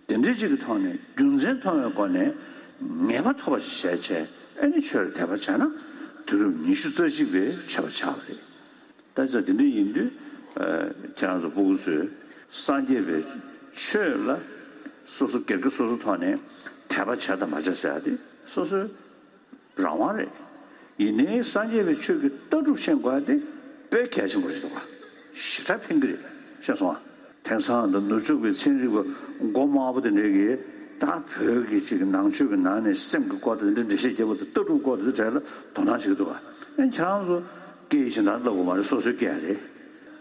དེ་འདྲའི་ཅིག་གི་ཐོག་ནས་རྒྱུ་མཚན་མཐོང་བའི་སྒོ་ནས་ངེས་པ་ཐོབ་པ་ཞིག་བྱས་བྱས་ཨ་ནི་ཆོས་ལ་དད་པ་བྱས་ན་དུས་རབས་ཉི་ཤུ་རྩ་གཅིག་པའི་ཆོས་པ་ཆགས་པ་རེད། ད་ཆ་དེ་འདྲ་ཡིན་དུས་ཁྱེད་རང་ཚོ་སྤུ་གུ་ཚོས་སངས་རྒྱས་པའི་ཆོས་ལ་སོ་སོ་སྒེར་གྱི་སོ་སོ་ཐོག་ནས་དད་པ་བྱས་དང་མ་བྱས་ཟེར་ཡ་དེ་སོ་སོའི་རང་དབང་རེད། ཡིན་ནའི་སངས་རྒྱས་པའི་ཆོས་ཀྱི་ལྟ་གྲུབ་ཤེས་དགོས་ཡ་དེ་དཔེ་གལ་ཆེན་པོ་རེད་འདུག་ག་ཞེ་དྲག་ཕན་གྱི་རེད། ཤེས་སོང་ཨ། དེང་སང་ད་ནུབ་ཕྱོགས་པའི་ཚན་རིག་པ་མགོ་དམར་པོ་དེ་འདྲས་ཀྱིས་ད་བོད་ཀྱི་ཅིག་ནང་ཆོས་ཀྱི་ནང་ནས་སེམས་ཀྱི་སྐོར་དང་འདི་འདྲ་འགྲེལ་བཤད་རྒྱབ་པ་དང་ལྟ་གྲུབ་སྐོར་དེ་ཚོའི་གྲས་ལ་དོ་སྣང་བྱེད་ཀྱི་འདུག་ག་ཨ་ཁྱེད་རང་ཚོ་སྐད་ཡིག་གཞན་དག་ལབ་དགོས་མ་རེད། སོ་སོའི་སྐད་རེད།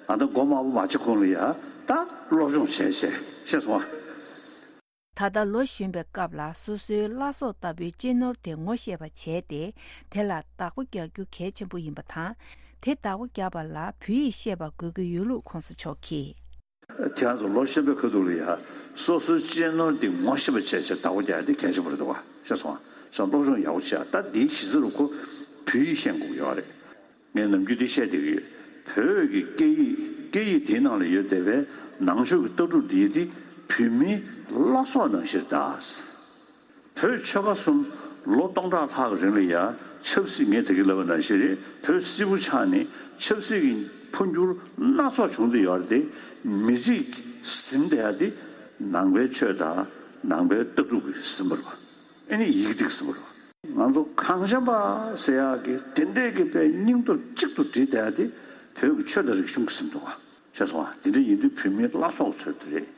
ཨ་ད་མགོ་དམར་པོ་མ་བྱེད་གོང་ལ་ཡ་ད་སློབ་སྦྱོང་བྱས་བྱས་ཤེས་སོང་ཨ། ད་ལྟ་ལོ་གཞོན་པའི་སྐབས་ལ་སོ་སོའི་བླ་སྲོག་ལྟ་བུའི་གཅེས་ནོར་དེ་ངོ་ཤེས་པ་བྱས་ཏེ་དེ་ལ་བདག་པོ་རྒྱག་རྒྱུ་གལ་ཆེན་པོ་ཡིན་པ་དང་། དེ་བདག་པོ་རྒྱག་པ་ལ་བོད་ཡིག་ཤེས་པ་དགོས་ཀྱི་ཡོད་ལུགས་གོང་ས་མཆོག་གིས། ཁྱེད་རང་ཚོ་ལོ་གཞོན་པའི་ཁ་ཐུག་ལ་ཡ་སོ་སོའི་གཅེས་ནོར་འདི་ངོ་ཤེས་པ་བྱས་བྱས་བདག་པོ་རྒྱག་ཡ་འདི་གལ་ཆེན་པོ་རེད་འདུག་ག་ཤེས་སོང་ཨ། སོང་སློབ་སྦྱོང་ཡག་པོ་བྱས་ཨ། ད་འདིའི་གཞི་རྩ་རུ་ཁོ་བོད་ཡིག་ཤེས་དགོས་ཀྱི་ཡོད་རེད། ངས་ནམ་རྒྱུན་འདི་བཤད་བསྡད་ཀྱི་ཡོད། བོད་ཀྱི་སྐད་ཡིག་ སྐད་ཡིག་དེའི་ནང་ལ་ཡོད་བསྡད་པའི་ནང་ཆོས་ཀྱི་ལྟ་གྲུབ་འདི་དེ་བོད་མིའི་བླ་སྲོག་ནང་བཞིན་གདའ། བོད་ཆོལ་ཁ་གསུམ་ལོ་སྟོང་ཕྲག་ལྷག་གི་རིང་ལ་ཡང་ཆབ་སྲིད། ངས་ད་གིན་ལབ་པ་ནང་བཞིན་རེད། བོད་སིལ་བུ་ཆགས་ནས་ཆབ་སྲིད་ཀྱི་འཕོ་འགྱུར་སྣ་ཚོགས་བྱུང་བསྡད་ཡོད་རེད་དེ། མི་རིགས་ཟིན་བསྡད་ཡ་དེ་ནང་པའི་ཆོས་དང་ནང་པའི་ལྟ་གྲུབ་ཀྱིས་ཟིན་པ་རེད་པ། ཨ་ནི་ཡི་གེ་དེ་གིས་ཟིན་པ་རེད་པ། ང་ཚོ་གངས་ཅན་པ་ཟེར་ཡག་གི་དེ་འདྲས་ཀྱི་དཔེ་སྙིང་སྟོབས་གཅིག་ཏུ་བསྒྲིལ་བསྡད་ཡ་དེ་བོད་ཀྱི་ཆོས་དང་རིག་གཞུང་གིས་ཟིན་འདུག་ག་ཤེས་སོང་ང་། དེ་འདྲ་ཡིན་དུས་བོད་མིའི་བླ་སྲོག་ཚོ་དེ་རེད།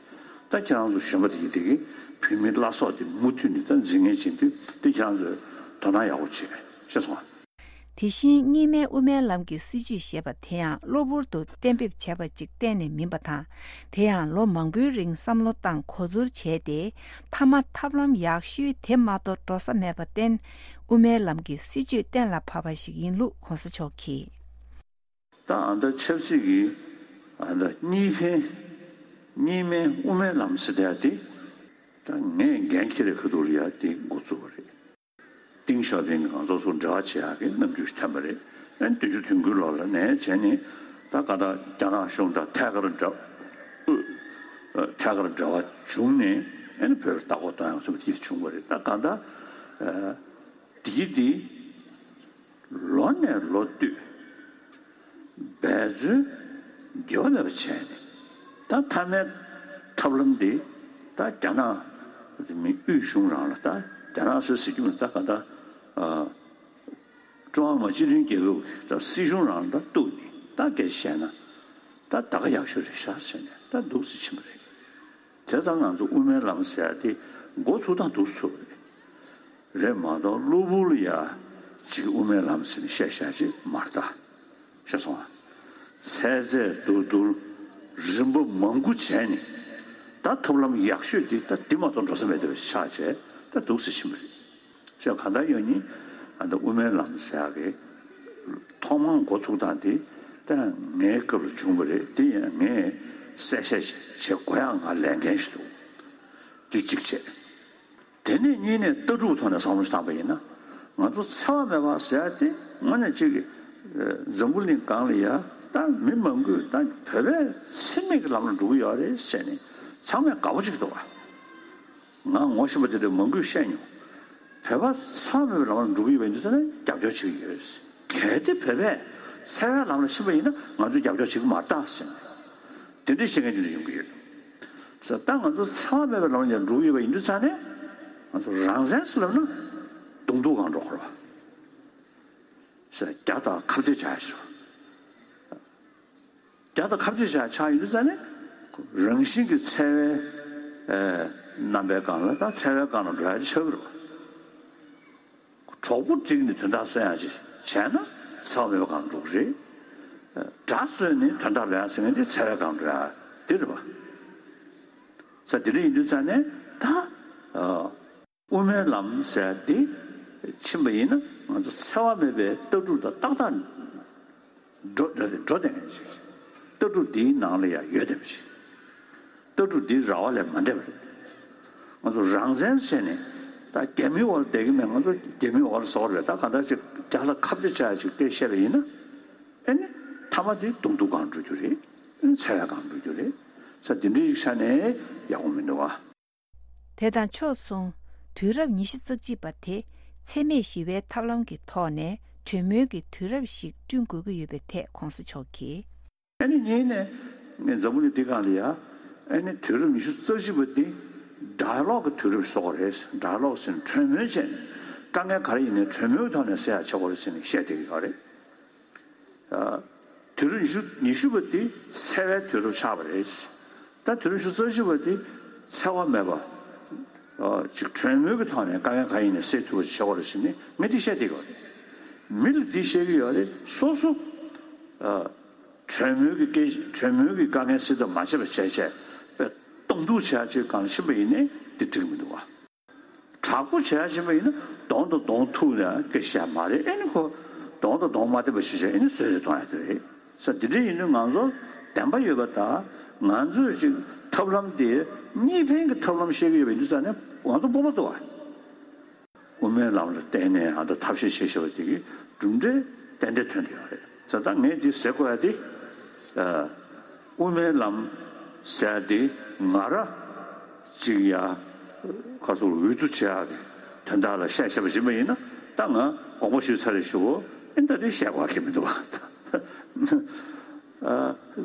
ད་ཁྱེད་རང་ཚོ་གཞོན་པ་དེ་ཡིན་དེ་གིས་བོད་མིའི་བླ་སྲོག་དེ་མུ་མཐུད་ནས་ད་འཛིན་མཁན་བྱེད་དུས་དེ་ཁྱེད་རང་ཚོས་དོ་སྣང་ཡག་པོ་བྱེད་པས། ཤེས་སོང་ང་། དེ་བཞིན་གཉིས་སྨན་དབུ་མའི་ལམ་གྱི་སྲིད་བྱུས་ཞེས་པ་དེ་ཡང་གློ་བུར་དུ་གཏན་འབེབས་བྱས་པ་ཅིག་གཏན་ནས་མིན་པ་དང་། དེ་ཡང་ལོ་མང་པོའི་རིང་བསམ་བློ་བཏང་གོ་བསྡུར་བྱས་ཏེ། མཐའ་མ་ཐབས་ལམ་ཡག་ཤོས་དེ་མ་གཏོགས་འགྲོ་ས་མེད་པར་བརྟེན། དབུ་མའི་ལམ་གྱི་སྲིད་བྱུས་གཏན་ལ་ཕབ་པ་ཞིག་ཡིན་ལུགས་གོང་ས་མཆོག་གིས། ད་ཨ་ད་ཆབ་སྲིད་ཀྱི་ཨ་ད་གཉིས་ཕན་གཉིས་སྨན་དབུ་མའི་ལམ་ཟེར་བསྡད་ཡ་དེ་ད་ངས་འགན་འཁྱེར་བའི་ཁ་ཐུག་ལ་ཡ་དེ་འགོ་བཙུགས་པ་རེད། ཏིང་ཞའོ་ཕིང་གིས་ང་ཚོ་ཚོ་འབྲེལ་བ་བྱེད་ཡག་གི་རྣམ་འགྱུར་ཞིག་ཐོན་པ་རེད། ཨ་ནི་བདུན་ཅུ་དོན་དགུའི་ལོ་ལ་ནས་བྱས་ནས་ད་ག་ད་རྒྱ་ནག་གཞུང་དང་ཐད་ཀར་འབྲེལ་ཨུ་ཐད་ཀར་འབྲེལ་བ་བྱུང་ནས་ཨ་ནི་བོད་ལ་ལྟ་སྐོར་གཏོང་ཡག་བཟོ་འདྲ་ཅིག་བྱུང་བ་རེད། ད་ག་ད་ཨ་དེ་གི་དེ་ལོ་ནས་ལོ་བསྟུད་འབད་བརྩོན་དགེ་བ་མེད་པ་བྱས་ནས་ད་མཐའ་མའི་ཐབས་ལམ་འདི་ད་རྒྱ་ནག་མི་དབུས་གཞུང་རང་ལ་ད་རྒྱ་ནག་ཟེར་ཟེར་རྒྱུ་མིན། ད་ག་ད་ཨ་ཀྲུང་ཧྭ་མི་དམངས་སྤྱི་མཐུན་རྒྱལ་ཁབ་ཀྱི་ད་སྲིད་གཞུང་རང་ལ་ད་གཏུགས་ནས་ད་སྐད་ཆ་བཤད་ན་ད་ད་ག་ཡག་ཤོས་རེད་ཤག་ཟེར་ནས་ད་འདུག་སེ་ཕྱིན་པ་རེད། དེ་ཙང་ང་ཚོ་དབུ་མའི་ལམ་ཟེར་ཡ་དེ་འགོ་ཚུགས་སྟངས་འདུག་སེ་ཚུགས་པ་རེད། རེད་མ་གཏོགས་གློ་བུར་ལ་ཡ་ཅིག་དབུ་མའི་ལམ་ཟེར་ནས་བཤད་བཤད་ཅིག་མ་རེད་ད། ཤེས་སོང་ང་། ཚད་ཚད་བསྡུར་བསྡུར་རིམ་པ་མང་པོ་བྱས་ནས་ད་ཐབས་ལམ་ཡག་ཤོས་འདི་ད་འདི་མ་གཏོགས་འགྲོ་ས་མེད་བསྡད་པ་ཆགས་བྱས་ད་འདུག་སེ་ཕྱིན་པ་རེད། ཅེས་གང་ལྟར་ཡང་ནི་ཨ་ད་དབུ་མའི་ལམ་ཟེར་ཡག་གི་ཐོག་མར་འགོ་ཚུགས་སྟངས་འདི་ད་ངའི་སྐབས་ལ་བྱུང་བ་རེད། འདི་ཡང་ངས་གསལ་བཤད་བྱེད་དགོས་ཡག་ང་ལས་འགན་ཞིག་འདུག་འདི་གཅིག་བྱས། དེ་ནས་གཉིས་ནས་ལྟ་གྲུབ་ཐོག་ནས་བསམ་བློ་བཏང་པ་ཡིན་ན། ང་ཚོ་འཚེ་བ་མེད་པ་ཟེར་ཡ་དེ་དངོས་གནས་གཅིག་གི་འཛམ་བུ་གླིང་སྒང་ལ་ཡ་ད་མི་མང་པོས་ད་བོད་པས་འཚེ་མེད་ཀྱི་ལམ་ལ་འགྲོ་གི་ཡོད་རེད་ཟེར་ནས་ཚང་མས་དགའ་པོ་བྱེད་ཀྱི་འདུག་ག་ང་ངོ་ཤེས་པ་དེ་འདྲ་མང་པོས་བཤད་མྱོང་། བོད་པ་འཚེ་བ་མེད་པའི་ལམ་ལ་འགྲོ་གི་ཡོད་པ་ཡིན་དུས་ཙང་ནས་རྒྱབ་སྐྱོར་བྱེད་ཀྱི་ཡོད། གལ་ཏེ་བོད་པས་འཚེ་བའི་ལམ་ལ་ཕྱིན་པ་ཡིན་ན་ང་ཚོས་རྒྱབ་སྐྱོར་བྱེད་ཀྱི་མ་རེད་ད་ཟེར་ནས་དེ་འདྲའི་བཤད་མཁན་དེ་འདྲ་ཡོང་གི་ཡོད། ཟེར་ད་ང་ཚོ་འཚེ་བ་མེད་པའི་ལམ་ལ་འགྲོ་གི་ཡོད་པ་ཡིན་དུས་ཙང་ནས་ང་ཚོ་རང་བཙན་ཟེར་ལབ་ན་གདོང་ཐུག་སྒང་འགྲོ་དགོས་རེད་པ། ཟེར་རྒྱ་དང་ཁ་གཏད་བྱ་ཡ་ཞིག་རེད་པ། རྒྱ་དང་ཁ་གཏད་བྱ་ཡ་ཆགས་ཡོད་དུས་ཙང་ནས་རང་བཞིན་གྱིས་འཚེ་བའི་ཨེ་རྣམ་པའི་སྒང་ལ་ད་འཚེ་བའི་སྒང་ལ་འགྲོ་ཡ་ཆགས་ཀྱི་རེད་པ། གྲོགས་པོ་བསྒྲིགས་ནས་དོན་དག་སོན་ཡག་ཅིག་བྱས་ན་འཚེ་བ་མེད་པའི་སྒང་འགྲོ་གི་རེད། དགྲ་གསོས་ནས་དོན་དག་ལོན་ཡག་ཟེར་མཁན་དེ་འཚེ་བའི་སྒང་འགྲོ་ཡག་དེ་རེད་པ། ས་དེ་འདྲ་ཡིན་དུས་ཙང་ནས་ད་ཨ་དབུ་མའི་ལམ་ཟེར་ཡག་དེ་ཕྱིན་པ་ཡིན་ན་ང་ཚོ་འཚེ་བ་མེད་པའི་ལྟ་གྲུབ་དང་ཏག་ཏག་འགྲོ་འགྲོ་བསྡད་མཁན་ཅིག་ལྟ་གྲུབ་འདིའི་ནང་ལ་ཡང་ཡོད་བསྡད་པ་ཅིག་ལྟ་གྲུབ་འདི་ར་བ་ལས་མ་འདས་པ་རེད། ང་ཚོ་རང་བཙན་བྱས་ནས་ད་རྒྱ་མིའི་འོག་ལ་བསྡད་ཀྱི་མེད། ང་ཚོ་རྒྱ་མིའི་འོག་ལ་ཟེར་བ་རེད། ད་གང་ལྟར་ཅིག་རྒྱ་ལ་ཁ་གཏད་བྱ་ཡག་ཅིག་སྐད་བཤད་པ་ཡིན་ན་ཨེ་ནི་མཐའ་མ་དེ་གདོང་ཐུག་སྒང་འགྲོ་རྒྱུ་རེད། ཨེ་ནི་འཚེ་བའི་སྒང་འགྲོ་རྒྱུ་རེད། ས་འདི་འདྲའི་ཡིག་ཆ་ནས་ཡག་པོ་མི་འདུག་བ། དེ་དང་ཕྱོགས་མཚུངས། དུས་རབས་ཉི་ཤུ་རྩ་གཅིག་པ་དེ་འཚེ་མེད་ཞི་བའི་ཐབས་ལམ་གྱི་ཐོག་ནས་གྲོས་མོལ་གྱི་དུས་རབས་ཤིག་བསྐྲུན་དགོས་ཀྱི་ཡོད་པའི་ཐད་གོང་ས་མཆོག་གིས། ཨ་ནི་གཉིས་ནས་ངས་འཛམ་བུ་གླིང་འདི་སྒང་ལ་ཡ་ཨ་ནི་དུས་རབས་ཉི་ཤུ་རྩ་གཅིག་པ་འདི་ཌའི་ལོག་གི་དུས་རབས་བཟོ་དགོས་རེད། ཌའི་ལོག་ཟེར་ནས་གྲོས་མོལ་བྱས་ནས་དཀའ་ངལ་ག་རེ་ཡིན་ནའི་གྲོས་མོལ་གྱི་ཐོག་ནས་སེལ་ཡག་བྱེད་དགོས་རེད་ཟེར་ནས་བཤད་བསྡད་ཀྱི་ཡོད་རེད། ཨ། དུས་རབས་ཉི་ཤུ་ཉི་ཤུ་པ་འདི་འཚེ་བའི་དུས་རབས་ཆགས་པ་རེད། ད་དུས་རབས་ཉི་ཤུ་རྩ་གཅིག་པ་འདི་འཚེ་བ་མེད་པ། ཨ། ཅིག་གྲོས་མོལ་གྱི་ཐོག་ནས་དཀའ་ངལ་གང་ཡིན་ནའི་སེལ་ཐུབ་པ་ཞིག་བྱེད་དགོས་རེད་ཟེར་ནས་ངས་འདི་བཤད་བསྡད་ཀྱི་ཡོད་རེད། མི་ལ་འདི་བཤད་ཀྱི་ཡོད་རེད། སོ་སོ། ཨ། གྲོས་མོལ་གྱི་སྐད་གྲོས་མོལ་གྱི་དཀའ་ངལ་སེལ་ཐབས་མ་བྱས་པ་བྱས་བྱས་པའི་གདོང་ཐུག་བྱེད་ཡག་ཅིག་སྒང་ཕྱིན་པ་ཡིན་ནའི་འདི་འགྲིག་གི་མི་འདུག་བ། དྲག་པོ་བྱེད་ཡག་ཕྱིན་པ་ཡིན་ན་གདོང་དང་གདོང་ཐུག་ནས་སྐད་བཤད་མ་རེད། ཨེ་ནི་ཁོ་གདོང་དང་གདོང་མ་འཐད་པ་ཞིག་བྱས་ཨེ་ནི་བཟོད་བསྲན་གཏོང་ཡག་དེ་རེད། ས་འདི་འདྲ་ཡིན་དུས་ང་ཚོ་བདེན་པ་ཡོད་པ་དང་ང་ཚོས་ཅིག་ཐབས་ལམ་དེ་གཉིས་ཕན་གྱི་ཐབས་ལམ་བཤད་ཀྱི་ཡོད་པ་ཡིན་དུས་ཙང་ནས་ང་ཚོ་སྤོབས་པ་འདུག་བ། དབུ་མའི་ལམ་ལ་བརྟེན་ནས་ཨ་ད་ཐབས་ཤེས་བྱེད་བཞིན་པ་དེ་གི་གྲུབ་འབྲས་ཏན་ཏན་ཐོན་བསྡད་ཡོད་རེད། ས་ད་ངས་འདི་ཟེར་དགོས་ཡ་དེ་ཨ། དབུ་མའི་ལམ་ཟེར་ཏེ་ང་ར་གཅིག་ཡ་ཁ་སོར་འོས་བསྡུ་བྱེད་ཡག་གི་དོན་དག་ལ་བཤད་བཤད་པ་ཡིན་པ་ཡིན་ན། ད་ང་དགོངས་པ་ཞུས་ཚར་རེད་ཞུ་གོ། ཨེ་ད་དེ་བཤད་དགོས་ཀྱི་མི་འདུག་བ། ཨ།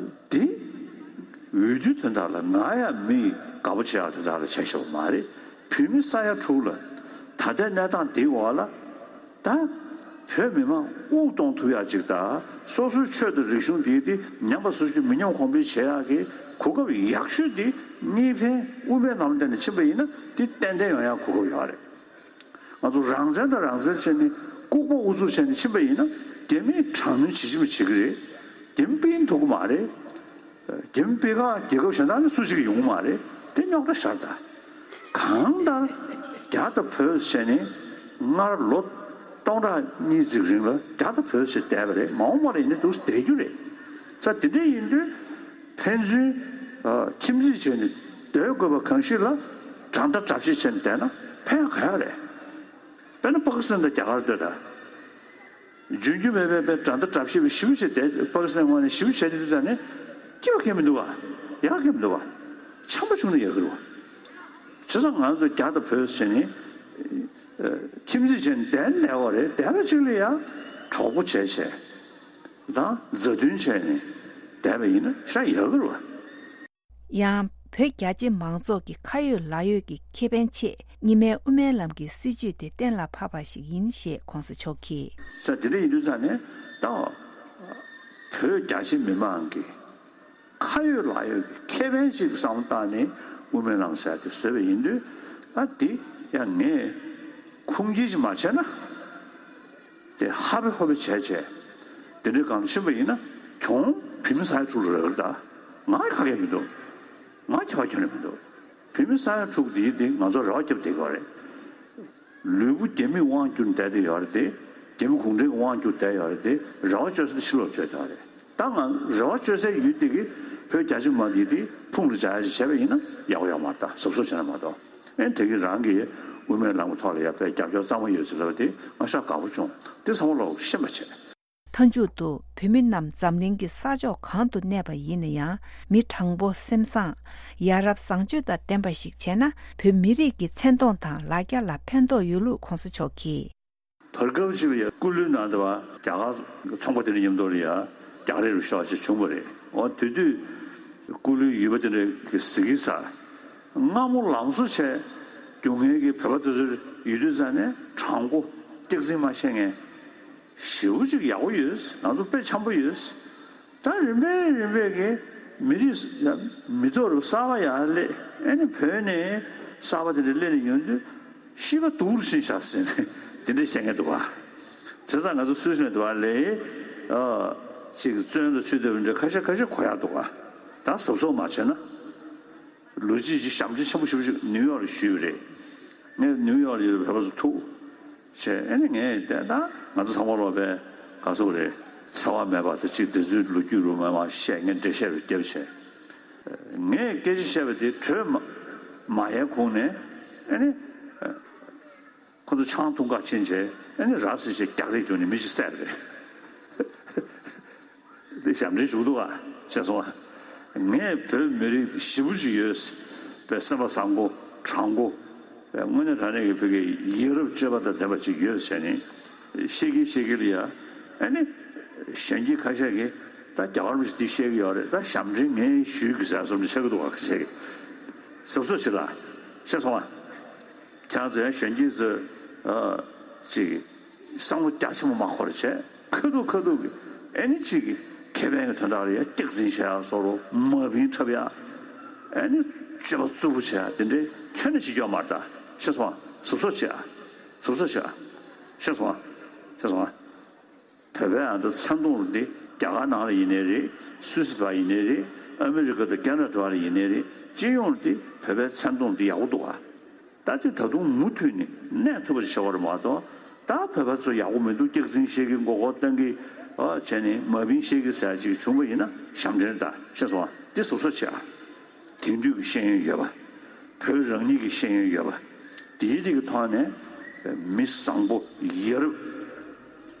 དེ་འོས་བསྡུའི་དོན་དག་ལ་ང་ཡང་མི་དགའ་པོ་བྱེད་ཡག་དོན་དག་ལ་བྱས་བཞག་པ་མ་རེད། བོད་མི་ས་ཡ་དྲུག་ལ་ད་ལྟའི་གནས་སྟངས་འདིའི་འོག་ལ་ད་བོད་མི་མང་དབུགས་གཏོང་ཐུབ་ཡག་ཅིག་དང་། སོ་སོའི་ཆོས་དང་རིག་གཞུང་འདི་དེ་ཉམས་པ་སོར་ཆུད་མི་ཉམས་གོང་འཕེལ་བྱེད་ཡག་གི་གོ་སྐབས་ཡག་ཤོས་འདི་གཉིས་ཕན་དབུ་མའི་ལམ་སྟེང་ནས་ཕྱིན་པ་ཡིན་ན་འདི་ཏན་ཏན་ཡོང་ཡག་གོ་སྐབས་ཡོད་རེད། ང་ཚོ་རང་བཙན་དང་རང་བཙན་བྱས་ནས་ལྐུགས་པ་ཨུ་ཚུགས་བྱས་ནས་ཕྱིན་པ་ཡིན་ན་རྒྱ་མིས་དྲག་གནོན་བྱེད་ཀྱི་མི་བྱེད་ཀྱི་རེད། རྒྱ་མི་སྤེལ་ཐུབ་ཀྱི་མ་རེད། རྒྱ་མི་སྤེལ་ཁག་རྒྱལ་ཁབ་གཞན་དག་ནས་སུ་ཞིག་ཡོང་གི་མ་རེད། དེ་རྙོག་དྲ་ཤར་ཚར། གང་ལྟར་རྒྱ་དང་བོད་བྱས་ནས་སྔར་ལོ་སྟོང་ཕྲག་གཉིས་ཙམ་རིང་ལ་རྒྱ་དང་བོད་བྱས་བསྡད་པ་རེད། མ་འོངས་པ་ལ་ཡིན་ན་འདུག་བསྡད་རྒྱུ་རེད། ས་དེ་འདྲ་ཡིན་དུས། ཕན་ཚུན་ཨ་ཁྱིམ་མཚེས་བྱས་ནས་སྡོད་དགོས་པ་གང་ཞིག་ལ་དགྲ་ཟླ་དགྲ་བཤེས་བྱས་ནས་བསྡད་ན་ཕན་ག་ཡག་རེད། དཔེར་ན་པ་ཀི་སི་ཐན་དང་རྒྱ་གར་ལྟོས་དང་། འཇོན་རྒྱུ་མེད་པའི་དཔེ་དགྲ་ཟླ་དགྲ་བཤེས་པའི་ཞི་བ་བྱས་བསྡད། པ་ཀི་སི་ཐན་ངོས་ནས་ཞི་བ་བྱས་བསྡད་དུས་ཙང་ནས་སྐྱིད་པ་གང་ཡང་མི་འདུག་བ། ཡག་གང་ཡང་མི་འདུག་བ། འཆམ་པོ་བྱུང་ན་ཡག་གི་རེད་བ། བྱས་ཙང་ང་ཚོ་རྒྱ་དང་བོད་ཟེར་ནས་ཨ་ཁྱིམ་མཚེས་བྱས་ནས་བསྡད་ན་བསྡད་པ་རེད། བསྡད་པ་གཅིག་ལ་ཡང་གྲོགས་པོ་བྱས་བྱས། དང་མཛའ་མཐུན་བྱས་ནས་བསྡད་པ་ཡིན་ན་ཤ་ཡག་གི་རེད་བ། ཡང་བོད་རྒྱ་ཆེ་མང་ཚོགས་ཀྱི་ཁ་ཡོད་ལག་ཡོད་ཀྱི་ཁེ་ཕན་ཆེད་རྙིང་མའི་དབུ་མའི་ལམ་གྱི་སྲིད་བྱུས་དེ་གཏན་ལ་ཕབ་པ་ཞིག་ཡིན་ཞེས་གོང་ས་མཆོག་གིས། ས་དེ་འདྲ་ཡིན་དུས་ཙང་ནས་ད་བོད་རྒྱ་ཆེ་མི་མང་གི་ཁ་ཡོད་ལག་ཡོད་ཀྱི་ཁེ་ཕན་ཞིག་བསམ་བློ་བཏང་ནས་དབུ་མའི་ལམ་ཟེར་དེ་བཟོས་པ་ཡིན་དུས། ཨ་དེ་ཡང་ངས་ཁུངས་སྐྱེལ་ཞིག་མ་བྱས་ན། དེ་ཧ་པེ་ཧོ་པེ་བྱས་བྱས་དེ་འདྲའི་སྒང་ཕྱིན་པ་ཡིན་ན་གྱོང་བོད་མི་ས་ཡ་དྲུག་ལ་རག་གི་རེད་ད། ང་ཡི་ཁ་སྐད་མི་འདུག་ང་ཁྱད་པར་ཁྱོན་ནས་མི་འདུག་བོད་མི་ས་ཡ་དྲུག་དེ་དེ་ང་ཚོ་རེ་བ་བརྒྱབ་བསྡད་ཀྱི་ཡོད་རེད། ལུས་པོ་རྒྱ་མིས་དབང་བསྒྱུར་བསྡད་དེ་ཡོད་རེད་དེ། རྒྱ་མི་གུང་ཁྲན་གྱིས་དབང་བསྒྱུར་བསྡད་ཡོད་རེད་དེ། རེ་བ་བཅོལ་ས་དེ་ཕྱི་ལོགས་བཅོལ་བསྡད་ཡོད་རེད། ད་ང་རེ་བ་བཅོལ་སའི་ཡུལ་དེ་གི་བོད་རྒྱ་ཆེ་མ་དེ་དེ་ཕུང་ལ་བྱ་ཡ་ཞིག་བྱས་པ་ཡིན་ན་ཡག་པོ་ཡོད་མ་རེད་ད། གཟབ་གཟབ་བྱས་ན་མ་གཏོགས། ཨེ་དེ་གི་རང་གི་དབུ་མའི་ལམ་གྱི་ཐོག་ལ་ཡ་དཔེ་རྒྱབ་སྐྱོར་གཙང་མ་ཡོད་ཟེར་ལབ་པ་དེ་ང་ཤ་དགའ་པོ་བྱུང་། དེ་ཚང་མ་ལོག་ཤེས་པ་བྱས། མཐའ་མཇུག་ཏུ་བོད་མི་རྣམས་འཛམ་གླིང་གི་ས་ཕྱོགས་གང་དུ་གནས་པ་ཡིན་ན་ཡང་མི་དྲང་པོ་སེམས་བཟང་། ཡ་རབས་བཟང་སྤྱོད་དང་ལྡན་པ་ཞིག་བྱས་ན་བོད་མི་རིགས་ཀྱི་མཚན་མཐོང་དང་ལ་རྒྱ་ལ་ཕན་ཐོགས་ཡོད་ལུགས་གོང་ས་མཆོག་གིས། བར་སྐབས་ཅིག་ལ་ཡ་སྐུ་ལུས་ནང་དུ་བ་རྒྱ་གར་ཚོང་པ་དེ་འདྲ་མཉམ་དུ་ལ་ཡ་རྒྱ་རིགས་རུ་ཤོག་ཅིག་བྱུང་བ་རེད། འོ་དེ་དུས་སྐུ་ལུས་ཡོད་པ་དེ་འདྲ་གི་གཟིགས་ས་སྔ་མོ་ལམ་བཟོ་བྱས་རྒྱུ་མཁན་གྱི་བོད་པ་དེ་ཚོ་ཡོད་དུས་ཙང་ནས་དྲང་པོ་སྐྱག་རྫུན་མ་བཤད་མཁན། ཞེ་པོ་ཅིག་ཡག་པོ་ཡོད། ང་ཚོ་དཔེ་འཆམ་པོ་ཡོད། ད་རིམ་པས་རིམ་པས་ཀྱི་མི་རིགས་ཡ་མི་ཚོགས་རུ་གསར་པ་ཡར་སླེབས། ཨེ་ནི་བོད་ནས་གསར་པ་དེ་འདྲ་སླེབས་ནས་ཡོང་དུས་གཤིས་ཀ་སྡུག་རུ་ཕྱིན་ཤག་ཟེར་ནས་དེ་འདྲ་བཤད་མཁན་འདུག་ག་བྱས་ཙང་ང་ཚོ་སུད་སི་ནས་འདུག་ག་ལས་ཨ་ཅིག་བཙོན་དུ་ཚུད་བསྡད་པ་འདྲ་ཁ་ཤས་ཁ་ཤས་གོ་ཡག་འདུག་ག་ད་གཟབ་གཟབ་མ་བྱས་ན། ལོ་རྒྱུས་ཀྱི་ཞབས་འདྲེན་ཆེན་པོ་ཞེ་པོ་ཅིག་ནིའུ་ཡོག་ལ་ཞུས་པ་རེད། ངས་ནིའུ་ཡོག་ལ་ཡོད་པའི་བོད་པ་ཚོ་ཐུག་བྱས། ཨེ་ནི་ངས་བལྟས་ན་ང་ཚོ་ཚང་མ་ལོག་པའི་ག་ཚོད་རེད། འཚེ་བ་མེད་པ་དང་གཅིག་དེ་ཚོའི་ལོ་རྒྱུས་རུ་མ་མ་བཤད། ངས་འགྲེལ་བཤད་རུ་བརྒྱབ་བྱས། ངས་སྐད་ཆ་བཤད་པ་དེ་གྲོས་མ་མ་ཡལ་གོང་ནས་ཨེ་ནི། ཁོ་ཚོ་ཆང་འཐུང་ག་ཕྱིན་བྱས་ཨ་ནི་ར་བཟི་བྱས་རྒྱག་རེས་བརྒྱབ་ནས་མི་གཅིག་བསད་པ་རེད། འདི་ཞབས་འདྲེན་ཞུགས་འདུག་ག་ཤེས་སོང་ང་། ངས་བོད་མི་རིགས་ཞེ་པོ་ཅིག་ཡོད་པའི་སེམས་པ་བཟང་པོ་དྲང་པོ་དངོས་གནས་དྲང་གནས་ཀྱི་བོད་ཀྱི་ཡ་རབས་སྤྱོད་པ་དང་ལྡན་པ་ཅིག་ཡོད་ཟེར་ནས་བཤད་ཀྱི་བཤད་ཀྱི་ལ་ཡ། ཨ་ནི་གཞོན་སྐྱེས་ཁ་ཤས་ཀྱིས་ད་རྒྱ་གར་མི་ཞིག་འདི་བཤད་ཀྱི་ཡོད་རེད། ད་ཞབས་འདྲེན་ངས་ཞུས་ཀྱི་ཟེར་བསམ་ནས་བཤད་ཀྱི་འདུག་ག་ཁ་ཤས་ཀྱིས། གཟབ་གཟབ་བྱེད་ལ་ཤེས་སོང་ང་། ཁྱེད་རང་ཚོ་ཡང་གཞོན་སྐྱེས་ཚོས་ཨ་ཅིག་བསམ་བློ་རྒྱ་ཆེན་པོ་མ་འཁོར་བྱས། ཁ་ཐུག་ཁ་ཐུག་གི་ཨ་ནི་ཅིག་གི་ཁེ་ཕན་གྱི་དོན་དག་ལ་ཡ་སྐྱག་རྫུན་བྱེད་ཡག་བཟོ་འདྲ། མ་བིན་འཁྲབ་ཡག་ཨ་ནི་སྤྱོད་པ་རྩུབ་པོ་བྱེད་ཡག་དེ་འདྲའི་ཁྱོན་ནས་བྱེད་རྒྱུ་མ་རེད་ད། ཤེས་སོང་ང་། གཟབ་གཟབ་བྱེད་ཨ། གཟབ་གཟབ་བྱེད་ཨ། ཤེས་སོང་ང་། ཤེས་སོང་ང་། བོད་པའི་ཨ་ད་མཚན་མཐོང་འདི་རྒྱ་གར་ནང་ལ་ཡིན་ནའི་རེད། སུད་སི་བ་ཡིན་ནའི་རེད། ཨ་མི་རི་ཀ་དང་ཁེ་ན་ཌ་བ་ལ་ཡིན་ནའི་རེད། སྤྱི་ཡོངས་འདི་བོད་པའི་མཚན་མཐོང་འདི་ཡག་པོ་འདུག་ག་ད་ཅི་ད་དུང་མུ་མཐུད་ནས་གནས་ཐུབ་པ་ཞིག་བྱེད་དགོས་རེད་མ་གཏོགས། ད་བོད་པ་ཚོ་ཡག་པོ་མི་འདུག་སྐྱག་རྫུན་བཤད་ཀྱི་མགོ་སྐོར་བཏང་གི་ཨ་བྱས་ནས་མ་བིན་བཤད་ཀྱི་ཟེར་ཡག་ཅིག་བྱུང་བ་ཡིན་ན་ཞབས་འདྲེན་ད། ཤེས་སོང་ང་། འདི་གཟབ་གཟབ་བྱེད་ཨ། དེང་དུས་ཀྱི་ཤེས་ཡོན་ཡོད་པ། བོད་རང་ཉིད་ཀྱི་ཤེས་ཡོན་ཡོད་པ། དེའི་རིགས་ཀྱི་ཐོག་ནས་མི་བཟང་པོ་ཡ་རབས་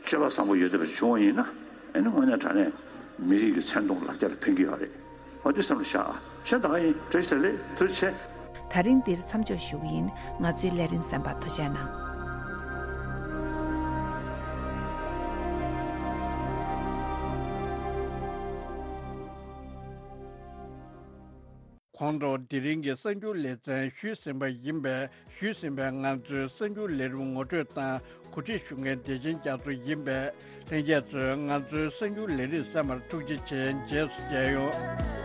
སྤྱོད་པ་བཟང་པོ་ཡོད་བསྡད་པ་བྱུང་བ་ཡིན་ན་ཨ་ནི་དངོས་གནས་དྲང་གནས་མི་རིགས་ཀྱི་མཚན་མཐོང་ལ་རྒྱ་ལ་ཕན་གྱི་ཡོད་རེད། འོ་དེ་བསམ་བློ་བཞག་ཨ། གཞན་ད་ག་ཡིན། བཀྲ་ཤིས་བདེ་ལེགས། ཐུགས་རྗེ་ཆེ། ད་རིང་འདིར་མཚམས་འཇོག་ཞུ་གི་ཡིན། ང་ཚོའི་ལས་རིམ་གསན་པར་ཐུགས་རྗེ་གནང་། ཁོང་ཚོ་དེ་རིང་གི་གསར་འགྱུར་ལེ་ཚན་ཞུས་ཟིན་པ་ཡིན་པས། ཞུས་ཟིན་པའི་ང་ཚོའི་གསར་འགྱུར་ལས་རིམ་ངོ་སྤྲོད་དང་གོ་སྒྲིག་ཞུ་མཁན་བདེ་ཆེན་རྒྱ་མཚོ་ཡིན་པས། ལྷན་རྒྱས་ཚོས་ང་ཚོའི་གསར་འགྱུར་ལས་རིམ་གསན་པར་ཐུགས་རྗེ་ཆེ། རྗེས་སུ་མཇལ་ཡོང་།